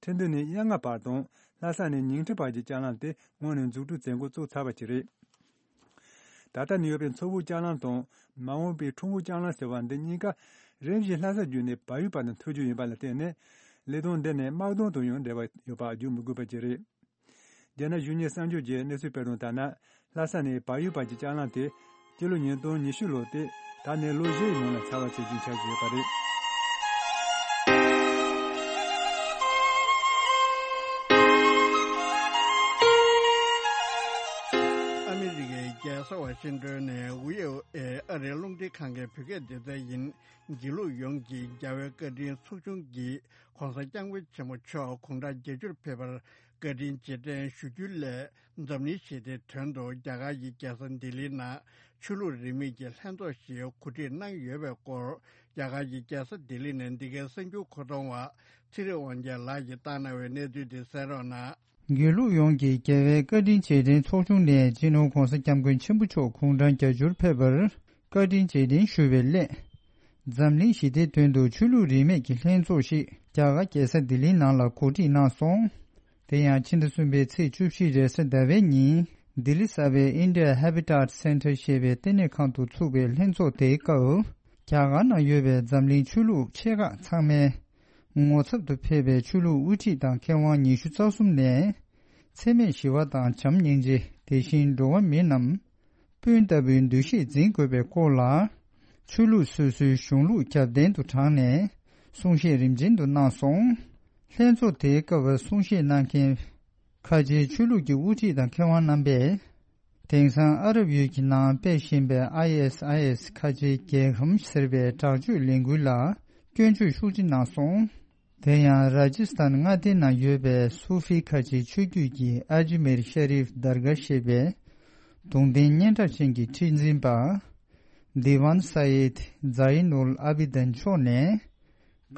ཁྲིན་ཏུའུ་ནས་གཡག་རྔ་བར་དང་ལྷ་ས་ནས་ཉིང་ཁྲི་བར་གྱི་ལྕགས་ལམ་དེ་སྔོན་ནས་འཛུགས་སྐྲུན་མཛད་འགོ་བཙུགས་ཚར་བ་ཞིག་རེད། ད་ལྟ་ནས་ཡོད་པའི་མཚོ་བོད་ལྕགས་ལམ་དང་མ་འོངས་པའི་ཁྲུང་བོད་ལྕགས་ལམ་ཟེར་བ་འདི་གཉིས་ཀ་རིམ་བཞིན་ལྷ་ས་བརྒྱུད་ནས་བལ་ཡུལ་བར་དུ་མཐུད་རྒྱུ་ཡིན་པ་ལ་བརྟེན་ནས། ལས་དོན་འདི་ནི་དམག་དོན་དང་ཡང་འབྲེལ་བ་ཡོད་པ་བརྗོད་མི་དགོས་པ་ཅིག་རེད། རྒྱ་ནག་གཞུང་གཉེར་གསར་འགྱུར་གྱིས་གནས་ཚུལ་སྤེལ་དོན་ལྟར་ན། ལྷ་ས་ནས་བལ་ཡུལ་བར་གྱི་ལྕགས་ལམ་དེ་སྤྱི་ལོ་ཉིས་སྟོང་ཉི་ཤུ་ལོ་སྟེ། ད་ནས་ལོ་བཞིའི་ནང་ལ་ཚགས་པར་བྱེད་རྒྱུའི་འཆར་གཞི་ཡོད་པ་རེད། ཨ་མི་རི་ཀའི་རྒྱལ་ས་ཝ་ཤིང་ཏོན་ནས་ཝི་ཨོ་ཨེ་ཨ་རིའི་རླུང་འཕྲིན་ཁང་གི་བོད་སྐད་སྡེ་ཚན་ཡིན། དགེ་ལུགས་ཡོངས་ཀྱི་རྒྱལ་བའི་བཀའ་དྲིན་ཚོགས་ཆུང་གིས་༧གོང་ས་༧སྐྱབས་མགོན་ཆེན་པོ་མཆོག་དགུང་གྲངས་བརྒྱད་ཅུར་ཕེབས་པར་བཀའ་དྲིན་རྗེས་དྲན་ཞུ་རྒྱུའི་སླད། འཛམ་གླིང་ཞི་བདེའི་དོན་དུ་རྒྱ་གར་གྱི་རྒྱལ་ས་ལྡི་ལིའི་ནང་ཆོས་ལུགས་རིས་མེད་ཀྱི་ལྷན་ཚོགས་ཤིག་གོ་སྒྲིག་གནང་ཡོད་པའི་སྐོར། རྒྱ་གར་གྱི་རྒྱལ་ས་ལྡི་ལི་ནས་འདི་གའི་གསར་འགྱུར་མཁོ་གཏོང་བ་ཚེ་རིང་དབང་རྒྱལ་ལགས་ཀྱིས་བཏང་གནང་བའི་གནས་ཚུལ་དེ་གསན་རོགས་གནང་། དགེ་ལུགས་ཡོངས་ཀྱི་རྒྱལ་བའི་བཀའ་དྲིན་རྗེས་དྲན་ཚོགས་ཆུང་ནས་སྤྱི་ནོར་༧གོང་ས་༧སྐྱབས་མགོན་ཆེན་པོ་མཆོག་དགུང་གྲངས་བརྒྱད་ཅུར་ཕེབས་པར་བཀའ་དྲིན་རྗེས་དྲན་ཞུ་བའི་སླད། འཛམ་གླིང་ཞི་བདེའི་དོན་དུ་ཆོས་ལུགས་རིས་མེད་ཀྱི་ལྷན་ཚོགས་ཤིག་རྒྱ་གར་རྒྱལ་ས་ལྡི་ལིའི་ནང་ལ་གོ་སྒྲིག་གནང་སོང་། དེ་ཡང་ཕྱི་ཟླ་གསུམ་པའི་ཚེས་བཅུ་བཞི་རེས་གཟའ་ཟླ་བའི་ཉིན་ལྡི་ལི་གསར་པའི་India Habitat Centre ཞེས་པའི་ལྟེ་གནས་ཁང་དུ་ཚུགས་པའི་ལྷན་ཚོགས་དེའི་སྐབས། རྒྱ་གར་ནང་ཡོད་པའི་འཛམ་གླིང་ཆོས་ལུགས་ཆེ་ཁག་ཚང་མའི་ངོ་ཚབ་ཏུ་ཕེབས་པའི་ཆོས་ལུགས་དབུ་ཁྲིད་དང་མཁས་དབང་ཉི་ཤུ་རྩ་གསུམ་ནས། འཚེ་མེད་ཞི་བ་དང་བྱམས་སྙིང་རྗེ། དེ་བཞིན་འགྲོ་བ་མི་རྣམས་སྤུན་ལྟ་བུའི་འདུ་ཤེས་འཛིན་དགོས་པའི་སྐོར་ལ། ཆོས་ལུགས་སོ་སོའི་གཞུང་ལུགས་རྒྱབ་རྟེན་དུ་དྲངས་ནས་གསུང་བཤད་རིམ་བྱོན་དུ་གནང་སོང་། ལྷན་ཚོགས་དེའི་སྐབས་གསུང་བཤད་གནང་མཁན་ཁ་ཆེའི་ཆོས་ལུགས་ཀྱི་དབུ་ཁྲིད་དང་མཁས་དབང་རྣམ་པས། དེང་སང་ཨ་རབ་ཡུལ་གྱི་ནང་སྤེལ་བཞིན་པའི་ཨའི་ཨེས་ཨའི་ཨེས་ཁ་ཆེའི་རྒྱལ་ཁམས་ཟེར་བའི་དྲག་སྤྱོད་ལས་འགུལ་ལ་སྐྱོན་བརྗོད་ཤུགས་ཆེ་གནང་སོང་། དེ་ཡང་ར་ཇི་སི་ཐན་མངའ་སྡེའི་ནང་ཡོད་པའི་སུ་ཧྥི་ཁ་ཆེའི་ཆོས་བརྒྱུད་ཀྱི་ཨ་ཇི་མེར་ཤ་རིབ་དར་ག་ཞེས་པའི་གདུང་རྟེན་སྙན་གྲགས་ཅན་གྱི་ཁྲི་འཛིན་པ་དི་ཝན་ས་ཡེད་ཛ་ཡི་ནུལ་ཨ་བི་དན་མཆོག་ནས།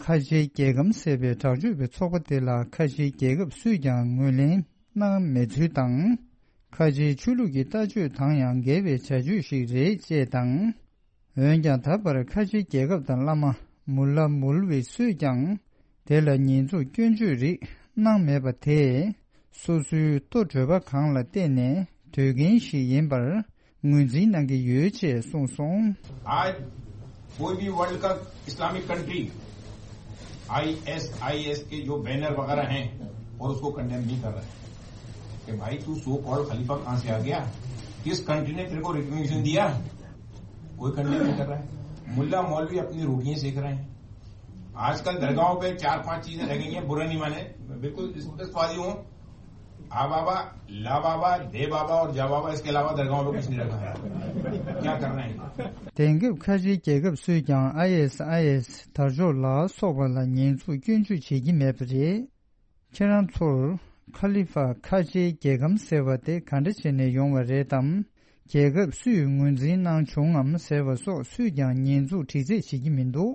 ཁ་ཆེའི་རྒྱལ་ཁམས་ཟེར་བའི་དྲག་སྤྱོད་པའི་ཚོགས་པ་དེ་ལ་ཁ་ཆེའི་རྒྱལ་ཁབ་སུས་ཀྱང་ངོས་ལེན་གནང་མེད་ཚུལ་དང་། ཁ་ཆེའི་ཆོས་ལུགས་ཀྱི་ལྟ་སྤྱོད་དང་ཡང་འགལ་བའི་བྱ་སྤྱོད་ཞིག་རེད་ཅེས་དང་། འོན་ཀྱང་ད་བར་ཁ་ཆེའི་རྒྱལ་ཁབ་དང་བླ་མ་མུ་ལ་མུལ་བི་སུས་ཀྱང་དེ་ལ་ཉེས་འཛུགས་སྐྱོན་བརྗོད་རིགས་གནང་མེད་པ་དེས། སོ་སོའི་ལྟོ་གྲོད་པ་གང་ལ་བལྟས་ནས་སྡོད་མཁན་ཞིག་ཡིན་པར་ངོས་འཛིན་གནང་གི་ཡོད་ཅེས་གསུངས་སོང་། आज कोई भी वर्ल्ड का Islamic country ISIS के जो बैनर वगैरह हैं और उसको कंडेम नहीं कर रहा है कि भाई तू सो कॉल्ड खलीफा कहाँ से आ गया, किस कंट्री ने तेरे को रिकग्निशन दिया, कोई कंडेम नहीं कर रहा है। मुल्ला मौलवी अपनी रोटियां सेक रहे हैं। आजकल दरगाहों पे चार पांच चीजें रह गई हैं, बुरा नहीं माने, बिल्कुल रिस्पेक्ट वाली हूँ। आ बाबा, ला बाबा, दे बाबा और जा बाबा, इसके अलावा दरगाहों पे कुछ नहीं रखा है। क्या करना है? དེང་སྐབས་ཁ་ཆེའི་རྒྱལ་ཁབ་སུས་ཀྱང་ཨའི་ཨེས་ཨའི་ཨེས་དར་ལྕོག་ལ་སོགས་པ་ལ་ཉེས་འཛུགས་སྐྱོན་བརྗོད་བྱེད་ཀྱི་མེད་པ་རེད། ཁྱེད་རང་ཚོར་ཁ་ལི་ཧྥ་ཁ་ཆེའི་རྒྱལ་ཁམས་ཟེར་བ་དེ་ག་འདྲ་བྱས་ནས་ཡོང་བ་རེད་དམ། རྒྱལ་ཁབ་སུས་ངོས་འཛིན་གནང་བྱུང་ངམ་ཟེར་བ་སོགས་སུས་ཀྱང་ཉེས་འཛུགས་དྲི་རྩད་བྱེད་ཀྱི་མི་འདུག་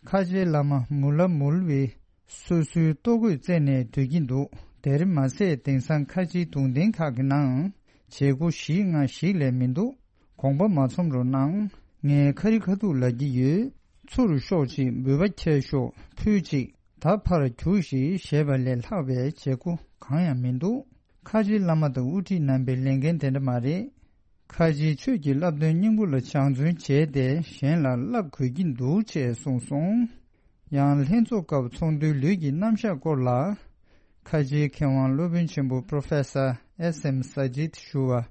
ཁ་ཆེའི་བླ་མ་མུ་ལ་མུལ་བི་སོ་སོའི་ལྟོ་གོས་བཙལ་ནས་སྡོད་ཀྱིན་འདུག་དེར་མ་ཟད་དེང་སང་ཁ་ཆེའི་གདུང་རྟེན་ཁག་གི་ནང་བྱེད་སྒོ་ཞིག་སྔ་ཞིག་ལས་མི་འདུག་དགོངས་པ་མ་ཚོམ་རོགས་གནང་། ངས་ཁ་རི་ཁ་ཐུག་ལབ་ཀྱི་ཡོད། ཚུར་ཤོག་ཅིག་འབུལ་བ་འཁྱེར་ཤོག་ཕུལ་ཅིག་ད་ཕར་རྒྱུགས་ཤིག་ཞེས་པ་ལས་ལྷག་པའི་བྱེད་སྒོ་གང་ཡང་མི་འདུག་ཁ་ཆེའི་བླ་མ་དང་དབུ་ཁྲིད་རྣམ་པའི་ལས་འགན་དེ་འདྲ་མ་རེད། ཁ་ཆེའི་ཆོས་ཀྱི་བསླབ་སྟོན་སྙིང་པོ་ལ་སྦྱང་བརྩོན་བྱས་ཏེ་གཞན་ལ་བསླབ་དགོས་ཀྱི་འདུག་ཅེས་གསུངས་སོང་། ཡང་ལྷན་ཚོགས་སྐབས་ཚོགས་འདུའི་ལུས་ཀྱི་རྣམ་གཞག་སྐོར་ལ། ཁ་ཆེའི་མཁས་དབང་སློབ་དཔོན་ཆེན་པོ་Professor S M Sajid ཞུ་བ།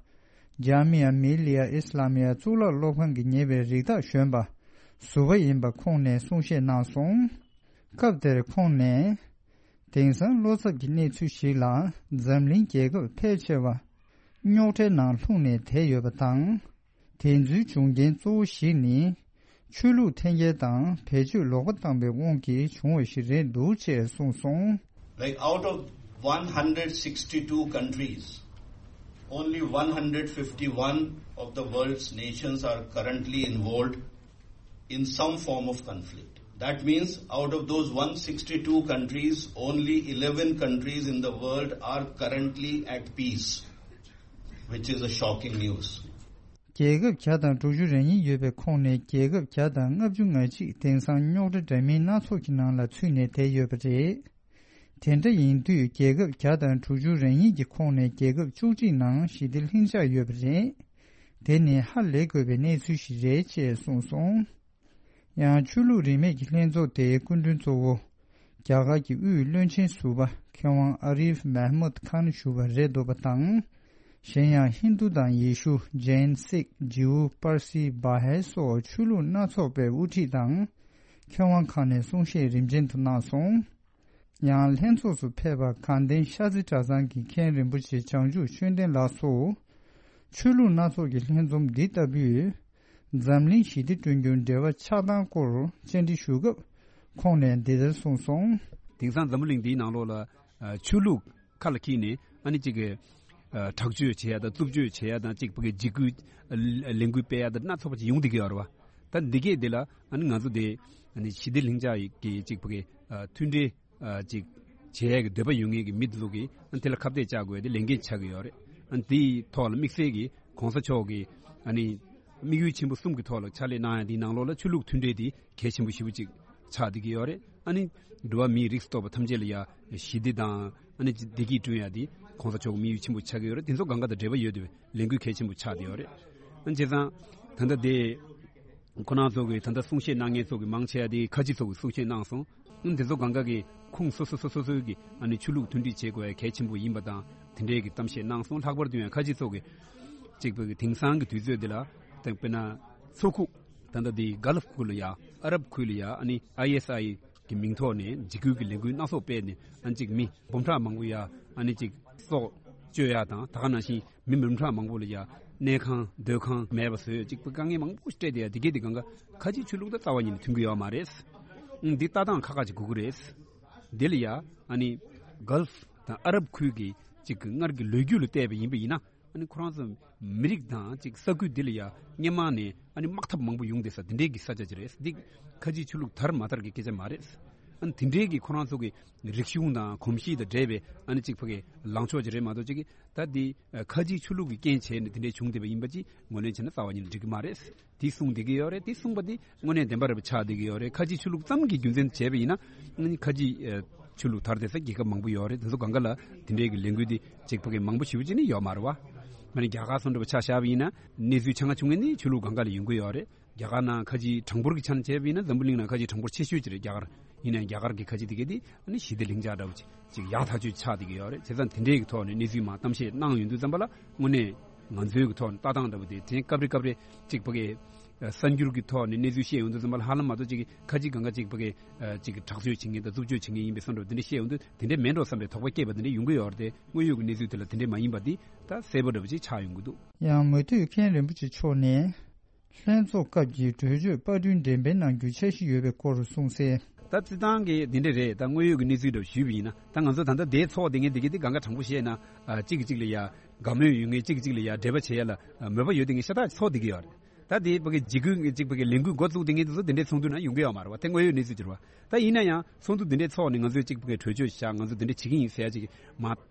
ཇཱ་མི་ཡ་མི་ལི་ཡ་ཨིས་ལ་མི་ཡ་གཙུག་ལག་སློབ་ཁང་གིས་ཉེས་པའི་རིགས་བདག་གཞོན་པ་ཟུར་པ་ཡིན་པ་ཁོང་ནས་གསུང་བཤད་གནང་སོང་། སྐབས་དེར་ཁོང་ནས། དེང་སང་བློ་འཚབ་ཀྱི་གནས་ཚུལ་ཞིག་ལ་འཛམ་གླིང་རྒྱལ་ཁབ་ཕལ་ཆེ་བ་རྙོག་དྲའི་ནང་ལྷུང་ནས་བསྡད་ཡོད་པ་དང་། དེ་ཚོའི་འབྱུང་རྐྱེན་གཙོ་བོ་ཞིག་ནི། ཆོས་ལུགས་འཐེན་འཁྱེར་དང་བེད་སྤྱོད་ལོག་པ་བཏང་པའི་དབང་གིས་བྱུང་བ་ཞིག་རེད་འདུག་ཅེས་གསུངས་སོང་། Like, out of one hundred sixty-two countries, only one hundred fifty-one of the world's nations are currently involved in some form of conflict. That means, out of those one sixty-two countries, only eleven countries in the world are currently at peace, which is a shocking news. རྒྱལ་ཁབ་བརྒྱ་དང་དྲུག་ཅུ་རེ་གཉིས་ཡོད་པའི་ཁོངས་ནས་རྒྱལ་ཁབ་བརྒྱ་དང་ལྔ་བཅུ་ང་གཅིག་དེང་སང་རྙོག་དྲ་འདྲ་མིན་སྣ་ཚོགས་ཀྱི་ནང་ལ་ཚུད་ནས་བསྡད་ཡོད་པ་རེད། དེ་འདྲ་ཡིན་དུས་རྒྱལ་ཁབ་བརྒྱ་དང་དྲུག་ཅུ་རེ་གཉིས་ཀྱི་ཁོངས་ནས་རྒྱལ་ཁབ་བཅུ་གཅིག་ནང་ཞི་བདེ་ལྷིང་འཇགས་ཡོད་པ་རེད། དེ་ནི་ཧ་ལས་དགོས་པའི་གནས་ཚུལ་ཞིག་རེད་ཅེས་གསུངས་སོང་། ཡང་ཆོས་ལུགས་རིས་མེད་ཀྱི་ལྷན་ཚོགས་དེའི་སྐུ་མགྲོན་གཙོ་བོ། རྒྱ་གར་གྱི་དབུས་བློན་ཆེན་ཟུར་པ་མཁས་དབང་ཨ་རིབ་མེ་མུད་ཁཱན་ཞུ་བ་རེད་འདུག་པ་དང་། གཞན་ཡང་ཧིན་རྡུ་དང་ཡེ་ཤུ། ཇེན། སིག། ཇིའུ། པར་སི། བ་ཧའི་སོགས་ཆོས་ལུགས་སྣ་ཚོགས་པའི་དབུ་ཁྲིད་དང་། མཁས་དབང་ཁག་ནས་གསུང་བཤད་རིམ་ཅན་དུ་གནང་སོང་། ཡང་ལྷན་ཚོགས་སུ་ཕེབས་པ་དགའ་ལྡན་ཤར་རྩེ་གྲྭ་ཚང་གི་མཁན་རིན་པོ་ཆེ་བྱང་ཆུབ་ཆོས་ལྡན་ལགས་སུ། ཆོས་ལུགས་སྣ་ཚོགས་ཀྱི་ལྷན་འཛོམས་འདི་ལྟ་བུས། འཛམ་གླིང་ཞི་བདེ་བསྐྲུན་རྒྱུར་འབྲེལ་བ་ཆགས་སྟངས་སྐོར་བཅར་འདྲི་ཞུ་སྐབས་ཁོང་ནས་འདི་ལྟར་གསུངས་སོང་། དེང་སང་འཛམ་བུ་གླིང་འདིའི་ནང་ལོགས་ལ་ཆོས་ལུགས་ཁ་ལ་འཁྱེར་ནས་ཨ་ནི་གཅིག་གི་དྲག་སྤྱོད་བྱེད་ཡ་དང་རྩུབ་སྤྱོད་བྱེད་ཡ་དང་གཅིག་ཕ་གི་འཇིགས་སྐུལ་ལས་འགུལ་སྤེལ་ཡ་དང་སྣ་ཚོགས་པ་ཅིག་ཡོང་བསྡད་ཀྱི་ཡོད་རེད་བ། ད་འདི་གས་འདི་ལ་ཨ་ནི་ང་ཚོ་དེ་ཨ་ནི་ཞི་བདེ་ལྷིང་འཇགས་ཀྱི་གཅིག་ཕ་གི་མཐུན་སྒྲིལ་ཅིག་བྱེད་ཡས་ཀྱི་འདོད་པ་ཡོད་མཁན་གྱི་མི་དེ་ཚོ་གིས་ཨ་དེ་ལ་ཁ་གཏད་བཅག་དགོས་ཏེ་ལས་འགན་ཆགས་ཀྱི་ཡོད་རེད། ཨ་དེའི་ཐོག་ལ་དམིགས་བསལ་གྱི་གོང་ས་མཆོག་གིས་ཨ་ནི་དམིགས་ཡུལ་ཆེན་པོ་གསུམ་གྱི་ཐོག་ལ་ཕྱག་ལས་གནང་ཡ་དེའི་ནང་ལོགས་ལ་ཆོས་ལུགས་མཐུན་འབྲེལ་དེ་གལ་ཆེན་པོ་ཞེ་པོ་ཅིག་ཆགས་བསྡད་ཀྱི་ཡོད་རེད། ཨ་ནི་འགྲོ་བ་མིའི་རིགས་སུ་གཏོགས་པ་ཐམས་ཅད་ལ་ཡ་ཞི་བདེ་དང་ཨ་ནི་བདེ་སྐྱིད་བསྐྲུན་ཡ་དེ་གོང་ས་མཆོག་གི་དམིགས་ཡུལ་ཆེན་པོ་ཆགས་ཀྱི་ཡོད་རེད། དེ་ཚོ་གང་ག་དང་འབྲེལ་བ་ཡོད་དེ་བས། ལས་འགུལ་གལ་ཆེན་པོ་ཆགས་བསྡད་ཡོད་རེད། ཨ་བྱས་ཙང་ད་ལྟ་དེ་ཁོ་རང་ཚོ་གི་ད་ལྟ་གསུང་བཤད་གནང་མཁན་ཚོ་གི་མང་ཆེ་བ་དེ་ཁ་ཆེ་ཚོ་གི་གསུང་བཤད་གནང་སོང་། ཨ་དེ་ཚོ་གང་ག་གི་ཁོངས་སོ་སོ་སོ་སོ་སོའི་གི་ཨ་ནི་ཆོས་ལུགས་མཐུན་སྒྲིལ་བྱེད་དགོས་ཡ་གལ་ཆེན་པོ་ཡིན་པ་དང་དེ་འདྲའི་གི་གཏམ་བཤད་གནང་སོང་། ལྷག་པར་དུ་ཡང་ཁ་ཆེ་ཚོ་གི་གཅིག་པ་གི་དེང་སང་གི་དུས་ཚོད་འདི་ལ་ད་དཔེར་ན་མཚོ་ཁུག་ད་ལྟ་དེ་གྷ་ལབ་ཁུལ་ལ་ཡ་ཨ་རབ་ཁུལ་ལ་ཡ་ཨ་ནི་ཨའི་ཨེས་ཨའི་གི་མིང་ཐོག་ནས་འཇིགས་སྐུལ་གྱི་ལས་འགུལ་སྣ་ཚོགས་སྤེལ་ནས་ཨ་ནི་གཅིག་མི་འབུམ་ཕྲག་མང་པོ་ཡ་ཨ་ནི་གཅིག་སྲོག་གཅོད་ཡ་དང་ད་ག་ནང་བཞིན་མི་འབུམ་ཕྲག་མང་པོ་ལ་ཡ་གནས་ཁང་སྡོད་ཁང་མེད་པ་བཟོས་གཅིག་པུ་དཀའ་ངལ་མང་པོ་སྤྲད་དེ་ཡ་དེ་གས་དེ་གང་ག་ཁ་ཆེའི་ཆོས་ལུགས་དང་རྩ་བ་ཉིད་ནས་མཐུན་གྱི་ཡོད་མ་རེད། ཨང་འདི་ལྟ་སྟངས་ཁག་ཁག་ཅིག་དགོས་ཀྱི་རེད། འདི་ལ་ཡ་ཨ་ནི་གྷལ་ཕ་དང་ཨ་རབ་ཁུལ་གྱི་གཅིག་གི་སྔར་གྱི་ལོ་རྒྱུས་ལ་བལྟས་པ་ཡིན་པ་ཡིན་ན། ཨ་ནི་ཁོ་རང་ཚོ་མི་རིགས་དང་ཅིག་ས་ཁུལ་འདི་ལ་ཡ་སྔོན་མ་ནས་ཨ་ནི་དམག་འཐབ་མང་པོ་ཡོང་བསྡད་ས་འདི་འདྲའི་གི་ས་ཆ་ཅིག་རེད། འདི་ཁ་ཆེའི་ཆོས་ལུགས་དར་མ་དར་གི་སྐད་ཆ་མ་རེད། ཨ་ནི་དེ་འདྲའི་གི་ཁོ་རང་ཚོ་གི་རིག་གཞུང་དང་གོམས་གཤིས་དང་འདྲེས་པའི་ཨ་ནི་ཅིག་ཕ་གི་ལངས་ཕྱོགས་ཅིག་རེད་མ་གཏོགས་ཅིག་གི་ད་འདི་ཁ་ཆེའི་ཆོས་ལུགས་ཀྱི་རྐྱེན་བྱས་ནས་དེ་འདྲའི་བྱུང་བསྡད་པ་ཡིན་པ་ཅིག་ངོས་ལེན་བྱས་ན་རྩ་བ་ཉིད་ནས་འགྲིག་གི་མ་རེད། དེ་གསུངས་བསྡད་ཀྱི་ཡོད་རེད། དེ་གསུངས་པ་དེ་དངོས་གནས་བདེན་པ་རེད་པ་ཆགས་བསྡད་ཀྱི་ཡོད་རེད། ཁ་ཆེའི་ཆོས་ལུགས་ཙམ་གྱི་རྒྱུ་མཚན་བྱས་པ་ཡིན་ན་ཨ་ནི་ཁ་ཆེའི་ཆོས་ལུགས་དར་བསྡད་ས་རྒྱལ་ཁབ་མང་པོ་ཡོད་རེད། དེ་ཚོ་གང་ག་ལ་དེ་འདྲའི་གི་ལས་འགུལ་དེ་གཅིག་ཕ་གི་མང་པོ་ཞེ་པོ་ཅིག་ནི་ཡོད་མ་རེད་པ། ཨ་ནི་རྒྱ་གར་སོགས་འདྲ་པོ་ཆ་བཞག་པ་ཡིན་ན་གནས་ཚུལ་ཆ་ཚང་བྱུང་མཁན་ནི་ཆོས་ལུགས་གང་ག་ལ་ཡོང་གི་ཡོད་རེད། རྒྱ་གར་ནང་ཁ་ཆེའི་གྲངས་འབོར་གྱི་ཆ་ནས་བྱས་པ་ཡིན་ན་འཛམ་བུ་གླིང་ནང་ཁ་ཆེའི་གྲངས་འབོར་ཆེ་ཤོས་ཅིག་རེད་རྒྱ་གར། ཡིན་ནའང་རྒྱ་གར་གྱི་ཁ་ཆེ་དེ་གས་དེ་ཨ་ནི་ཞི་བདེ་ལྷིང་འཇགས་འདྲ་པོ་ཅིག་ཅིག་ཡག་ཐག་ཆོད་ཆགས་བསྡད་ཀྱི་ཡོད་རེད། བྱས་ཙང་དེ་འདྲའི་གི་ཐོག་ནས་གནས་ཚུལ་མར་གཏམ་བཤད་གནང་ཡོང་དུས་ཙམ་པ་ལ་དངོས་གནས་ང་ཚོའི་གི་ཐོག་ནས་ལྟ་སྟངས་འདྲ་པོ་དེ་དེ་སྐབས་རེ་སྐབས་རེ་ཅིག་ཕ་གི་གསར་འགྱུར་གྱི་ཐོག་ནས་གནས་ཚུལ་བཤད་ཡོང་དུས་ཙམ་པ་ལ་ཧ་ལམ་མ་གཏོགས་ཅིག་གི་ཁ་ཆེ་གང་ག་ཅིག་ཕ་གི་ཅིག་གི་དྲག་སྤྱོད་བྱེད་མཁན་དང་རྩུབ་སྤྱོད་བྱེད་མཁན་ཡིན་པའི་བསམ་འདྲ་པོ་དེ་འདྲ་བཤད་ཡོང་དུས་དེ་འདྲ་མིན་འགྲོ་བསམ་པའི་དོགས་པ་སྐྱེས་པ་དེ་འདྲ་ཡོང་གི་ཡོད་རེད་དེ། དངོས་ཡོད་ཀྱི་གནས་ཚུལ་དེ་ལ་དེ་འདྲ་མ་ཡིན་པ་དེ་ད་གསལ་པོ་འདྲ་པོ་ཅིག་ཆགས་ཡོང་གི་འདུག་ཡང་མུ་མཐུད་མཁན་རིན་པོ་ཆེ་མཆོག་ནས། ལྷན་ཚོགས་སྐབས་ཀྱི་གྲོས་ཆོད་པར་སྐྲུན་འགྲེམས་སྤེལ་གནང་རྒྱུའི་འཆར་གཞི་ཡོད་པའི་སྐོར་གསུངས་གསལ། ད་སྤྱིར་བཏང་གི་འདི་འདྲ་རེད། ད་དངོས་ཡོད་ཀྱི་གནས་ཚུལ་འདྲ་ཞུས་པ་ཡིན་ན་ད་ང་ཚོ་ད་ལྟ་དེའི་ཚོགས་དེ་ངས་འདི་གི་དེ་གང་ག་དྲང་པོ་བཤད་ན་ཨ་གཅིག་གིས་གཅིག་ལ་ཡ་དགའ་མོས་ཡོད་མཁན་གཅིག་གིས་གཅིག་ལ་ཡ་འབྲེལ་བ་བྱེད་ཡ་ལ་ཨ་མོས་པ་ཡོད་དེ་ངས་ཤ་སྟག་ཚོགས་བསྡད་ཀྱི་ཡོད་རེད། ད་དེ་ཕ་གི་འཇིགས་སྐུལ་གཅིག་ཕ་གི་ལས་འགུལ་འགོ་བཙུགས་དེ་ངས་དེ་ཚོ་དེ་འདྲའི་ཚོགས་འདུ་ན་ཡོང་གི་ཡོད་མ་རེད་བ། དེ་དངོས་ཡོད་གནས་ཚུལ་ཅིག་རེད་བ། ད་ཡིན་ན་ཡང་ཚོགས་འདུ་དེ་འདྲའི་ཚོགས་ནས་ང་ཚོས་གཅིག་ཕ་གི་གྲོས་ཆོད་བཞག་ང་ཚོ་དེ་འདྲ་བྱེད་ཀྱི་ཡིན་ཟེར་ཡ་ཅིག་མ་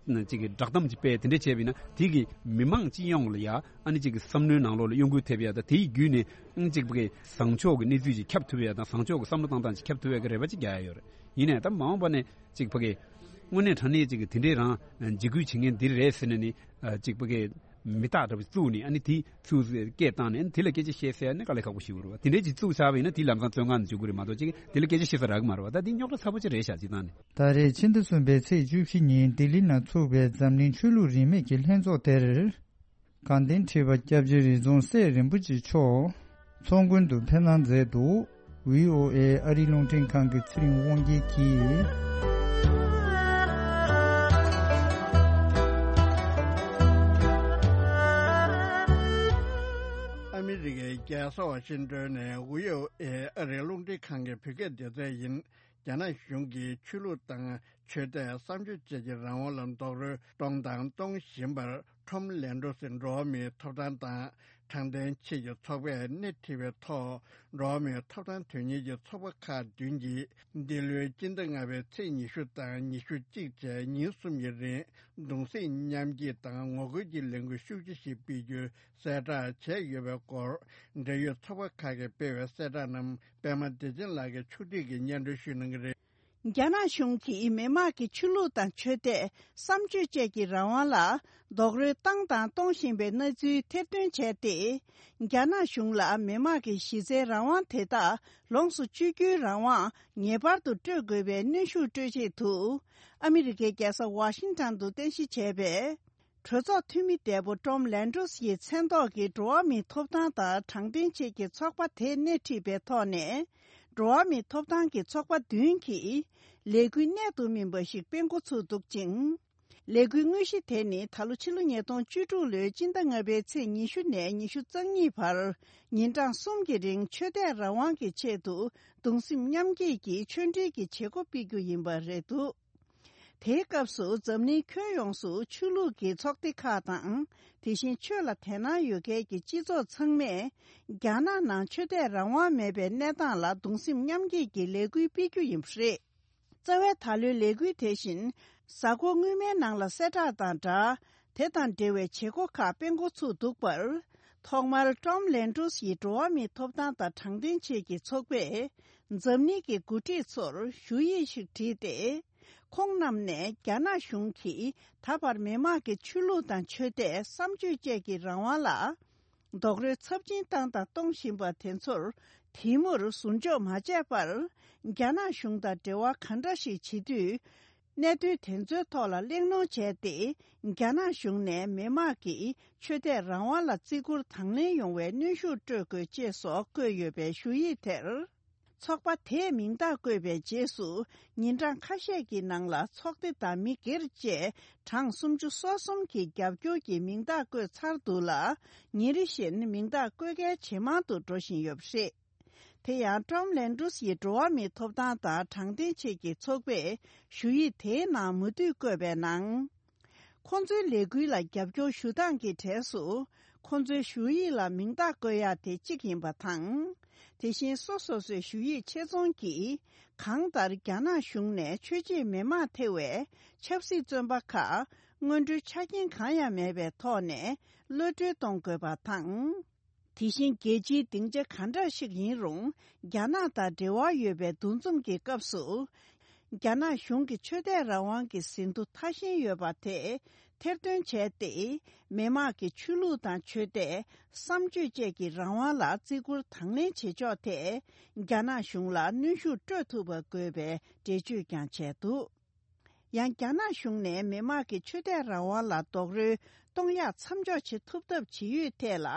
ཅིག་གི་བསྒྲགས་གཏམ་ཅིག་སྤེལ་དེ་འདྲ་བྱས་པ་ཡིན་ན་དེ་གི་མི་མང་སྤྱི་ཡོངས་ལ་ཡ་ཨ་ནི་ཅིག་གི་བསམ་བློའི་ནང་ལོགས་ལ་གཡོ་འགུལ་ཐེབས་ཡ་ད་དེའི་བརྒྱུད་ནས་ཨ་ནི་ཅིག་པ་གི་བཟང་ཕྱོགས་ཀྱི་གནས་ཚུལ་ཅིག་ཁྱབ་ཐུབ་ཡ་དང་བཟང་ཕྱོགས་ཀྱི་བསམ་བློ་བཏང་སྟངས་ཅིག་ཁྱབ་ཐུབ་ཡ་གི་རེ་བ་ཅིག་རྒྱག་ཡ་ཡོད་རེད། ཡིན་ནའི་ད་མ་འོངས་པ་ནས་ཅིག་པ་གི་དངོས་གནས་དྲང་གནས་ཅིག་གི་དེ་འདྲའི་རང་འཇིགས་སྐུལ་བྱེད་མཁན་འདི་རེད་ཟེར་ནས་ནི་ཅིག་པ་གི་མི་རྟག་འདྲ་པོ་བཙུགས་ནས་ཨ་ནི་དེ་ཚུར་སྐད་བཏང་ནས་ཨ་ནི་དེ་ལ་སྐད་ཆ་བཤད་ཟེར་ཡ་ནི་དཀའ་ལས་ཁག་པོ་ཞིག་རེད་བ། དེ་འདྲའི་ཅིག་བཙུགས་ཚར་བ་ཡིན་ན་དེ་ལམ་སང་བཙོན་ཁང་ནས་འཇུག་གི་རེད་མ་གཏོགས་ཅིག་དེ་ལ་སྐད་ཆ་བཤད་ས་རག་གི་མ་རེད་བ། ད་དེ་རྙོག་དྲ་ཚ་པོ་ཅིག་རེད་ཤག་སྤྱིར་བཏང་ནས། ད་རེས་ཕྱི་ཟླ་གསུམ་པའི་ཚེས་བཅུ་བཞི་ཉིན་ལྡི་ལི་ནང་ཚུགས་པའི་འཛམ་གླིང་ཆོས་ལུགས་རིས་མེད་ཀྱི་ལྷན་ཚོགས་དེར། དགའ་ལྡན་ཁྲི་པ་སྐྱབས་རྗེ་རི་རྫོང་སྲས་རིན་པོ་ཆེ་མཆོག་ཚོགས་མགོན་དུ་ཕེབས་གནང་མཛད་འདུག། བྷི་ཨོ་ཨེ་ཨ་རིའི་རླུང་འཕྲིན་ཁང་གི་ཚེ་རིང་དབང་རྒྱལ་གྱིས། ཨ་མི་རི་ཀའི་རྒྱལ་ས་ཝ་ཤིང་ཏོན་ནས་བྷི་ཨོ་ཨེ་ཨ་རིའི་རླུང་འཕྲིན་ཁང་གི་བོད་སྐད་སྡེ་ཚན་ཡིན། རྒྱ་ནག་གཞུང་གིས་ཆོས་ལུགས་དང་ཆོས་དད་བསམ་སྤྱོད་བཅས་ཀྱི་རང་དབང་ལ་རྡོག་རོལ་གཏོང་དང་གཏོང་བཞིན་པར་ཁྲོམ་ལན་ཀྲོ་སི་འགྲོ་བ་མིའི་ཐོབ་ཐང་དང་དྲང་བདེན་ཆེད་ཀྱི་ཚོགས་པས་སྣེ་ཁྲིད་པའི་ཐོག་འགྲོ་བ་མིའི་ཐོབ་ཐང་དོན་གཉེར་གྱི་ཚོགས་པ་ཁག་བདུན་གྱིས་འདི་ལོའི་སྤྱི་ཟླ་ལྔ་པའི་ཚེས་ཉི་ཤུ་དང་ཉི་ཤུ་གཅིག་བཅས་ཉིན་གསུམ་གྱི་རིང་གདུང་སེམས་མཉམ་སྐྱེད་དང་ངོ་རྒོལ་གྱི་ལས་འགུལ་ཤུགས་ཆེ་ཞིག་སྤེལ་རྒྱུའི་གསལ་བསྒྲགས་བྱས་ཡོད་པའི་སྐོར་འབྲེལ་ཡོད་ཚོགས་པ་ཁག་གིས་སྤེལ་བའི་གསལ་བསྒྲགས་རྣམས་པད་མ་བདེ་ཆེན་ལགས་ཀྱིས་ཕྱོགས་སྒྲིག་གིས་སྙན་སྒྲོན་ཞུ་གནང་གི་རེད། རྒྱ་ནག་གཞུང་གིས་མི་དམངས་ཀྱི་ཆོས་ལུགས་དང་ཆོས་དད། བསམ་སྤྱོད་བཅས་ཀྱི་རང་དབང་ལ་རྡོག་རོལ་བཏང་དང་གཏོང་བཞིན་པའི་གནས་ཚུལ་ཐེར་འདོན་བྱས་ཏེ། རྒྱ་ནག་གཞུང་ལ་མི་དམངས་ཀྱི་གཞི་རྩའི་རང་དབང་དེ་དག་ལོངས་སུ་སྤྱོད་རྒྱུའི་རང་དབང་ངེས་པར་དུ་སྤྲོད་དགོས་པའི་གནོན་ཤུགས་སྤྲོད་ཆེད་དུ། ཨ་མི་རི་ཀའི་རྒྱལ་ས་ཝ་ཤིང་ཊོན་དུ་རྟེན་གཞི་བྱས་པའི། གྲོས་ཚོགས་འཐུས་མི་འདས་པོ་ཀྲོམ་ལན་ཌོས་ཡི་མཚན་ཐོག་གི་འགྲོ་བ་མིའི་ཐོབ་ཐང་དང་དྲང་བདེན་ཆེད་ཀྱི་ཚོགས་པ་དེ་སྣེ་ཁྲིད་པའི་ཐོག་ནས། འགྲོ་བ་མིའི་ཐོབ་ཐང་གི་ཚོགས་པ་བདུན་གྱིས་ལས་འགུལ་གནད་དུ་སྨིན་པ་ཞིག་སྤེལ་འགོ་ཚུགས་འདུག་ཅིང་། ལས་འགུལ་དངོས་གཞི་དེ་ནི་ད་ལོ་ཕྱི་ལོ་ཉིས་སྟོང་བཅུ་དྲུག་ལོའི་སྤྱི་ཟླ་ལྔ་པའི་ཚེས་ཉི་ཤུ་ནས་ཉི་ཤུ་རྩ་གཉིས་བར་ཉིན་གྲངས་གསུམ་གྱི་རིང་ཆོས་དད་རང་དབང་གི་ཆེད་དུ་གདུང་སེམས་མཉམ་སྐྱེད་ཀྱི་ཆོས་འབྲེལ་གྱི་བྱེད་སྒོ་སྤེལ་རྒྱུ་ཡིན་པ་རེད་འདུག་དེའི་སྐབས་སུ་འཛམ་གླིང་ཁྱོན་ཡོངས་སུ་ཆོས་ལུགས་ཀྱི་ཚོགས་སྡེ་ཁག་དང་། དེ་བཞིན་ཆོས་ལ་དད་སྣང་ཡོད་མཁན་གྱི་སྤྱི་ཚོགས་ཚང་མས་རྒྱ་ནག་ནང་ཆོས་དད་རང་དབང་མེད་པའི་གནས་སྟངས་ལ་གདུང་སེམས་མཉམ་སྐྱེད་ཀྱི་ལས་འགུལ་སྤེལ་རྒྱུ་ཡིན་པ་རེད། རྩ་བའི་ད་ལོའི་ལས་འགུལ་དེ་བཞིན་གཟའ་འཁོར་སྔོན་མའི་ནང་ལ་གསལ་བསྒྲགས་དང་སྦྲགས། དེ་དང་འབྲེལ་བའི་བྱེད་སྒོ་ཁག་སྤེལ་འགོ་ཚུགས་འདུག་པར། ཐོག་མར་ཀྲོམ་ལན་ཌོས་ཡི་འགྲོ་བ་མིའི་ཐོབ་ཐང་དང་དྲང་བདེན་ཆེད་ཀྱི་ཚོགས་པས། འཛམ་གླིང་གི་འགོ་ཁྲིད་ཚོར་ཞུ་ཡིག་ཞིག་བྲིས་ཏེ། ཁོང་རྣམས་ནས་རྒྱ་ནག་གཞུང་གིས་ད་བར་མི་དམངས་ཀྱི་ཆོས་ལུགས་དང་ཆོས་དད་བསམ་སྤྱོད་བཅས་ཀྱི་རང་དབང་ལ། རྡོག་རོལ་ཚབས་ཆེན་བཏང་དང་གཏོང་བཞིན་པ་དེ་ཚོར་དེ་མུར་ཟུར་འཇོག་མ་བྱས་པར། རྒྱ་ནག་གཞུང་དང་འབྲེལ་བ་ག་འདྲ་ཞིག་བྱེད་དུས། གནད་དོན་དེ་ཚོའི་ཐོག་ལ་གླེང་སློང་བྱས་ཏེ། རྒྱ་ནག་གཞུང་ནས་མི་དམངས་ཀྱི་ཆོས་དད་རང་དབང་ལ་བརྩི་བཀུར་དང་ལེན་ཡོང་བའི་གནོན་ཤུགས་སྤྲོད་དགོས་ཅེས་སོགས་བཀོད་ཡོད་པའི་ཞུ་ཡིག་དེར། ཚོགས་པ་དེས་མིང་རྟགས་བཀོད་པའི་རྗེས་སུ། ཉིན་གྲངས་ཁ་ཤས་ཀྱི་ནང་ལ་ཚོགས་སྡེ་དང་མི་སྒེར་བཅས་གྲངས་སུམ་ཅུ་སོ་གསུམ་གྱིས་རྒྱབ་སྐྱོར་གྱི་མིང་རྟགས་བཀོད་ཚར་འདུག་ལ། ཉིན་རེ་བཞིན་མིང་རྟགས་བཀོད་མཁན་ཇེ་མང་དུ་འགྲོ་བཞིན་ཡོད་པ་རེད། དེ་ཡང་ཀྲོམ་ལན་ཌོས་ཡི་འགྲོ་བ་མིའི་ཐོབ་ཐང་དང་དྲང་བདེན་ཆེད་ཀྱི་ཚོགས་པས་ཞུ་ཡིག་དེའི་ནང་མུ་མཐུད་བཀོད་པའི་ནང་། ཁོང་ཚོའི་ལས་འགུལ་ལ་རྒྱབ་སྐྱོར་ཞུ་སྟངས་ཀྱི་གྲས་སུ། ཁོང་ཚོའི་ཞུ་ཡིག་ལ་མིང་རྟགས་བཀོད་ཡག་དེ་གཅིག་ཡིན་པ་དང་། དེ་བཞིན་སོ་སོ་སོའི་ཞུ་ཡིག་ཆེད་རྫོང་གིས། གང་ལྟར་རྒྱ་ནག་གཞུང་ནས་ཆོས་བྱེད་མི་མང་ཐེ་བའི་ཆབ་སྲིད་བཙོན་པ་ཁག་སྔོན་འགྲོའི་ཆ་རྐྱེན་གང་ཡང་མེད་པའི་ཐོག་ནས་གློད་གྲོལ་གཏོང་དགོས་པ་དང་། དེ་བཞིན་རྒྱལ་སྤྱིའི་སྡིངས་ཆ་ག་འདྲ་ཞིག་ཡིན་རུང་། རྒྱ་ནག་དང་འབྲེལ་བ་ཡོད་པའི་འདུ་འཛོམས་ཀྱི་སྐབས་སུ། རྒྱ་ནག་གཞུང་གི་ཆོས་དད་རང་དབང་གི་ཟིན་ཐོ་ཐ་ཞན་ཡོད་པ་དེ་ཐེར་འདོན་བྱས་ཏེ། མི་དམངས་ཀྱི་ཆོས་ལུགས་དང་ཆོས་དད། བསམ་སྤྱོད་བཅས་ཀྱི་རང་དབང་ལ་བརྩི་བཀུར་དང་ལེན་བྱེད་ཕྱོགས་ཐད། རྒྱ་ནག་གཞུང་ལ་གནོན་ཤུགས་སྤྲོད་ཐུབ་པ་དགོས་པའི་འགྲེལ་བརྗོད་ཀྱང་བྱས་འདུག་ཡང་རྒྱ་ནག་གཞུང་ནས་མི་དམངས་ཀྱི་ཆོས་དད་རང་དབང་ལ་རྡོག་རོལ་གཏོང་ཡག་མཚམས་འཇོག་བྱེད་ཐུབ་ཐབས་བྱེད་ཡུལ་ཐད་ལ།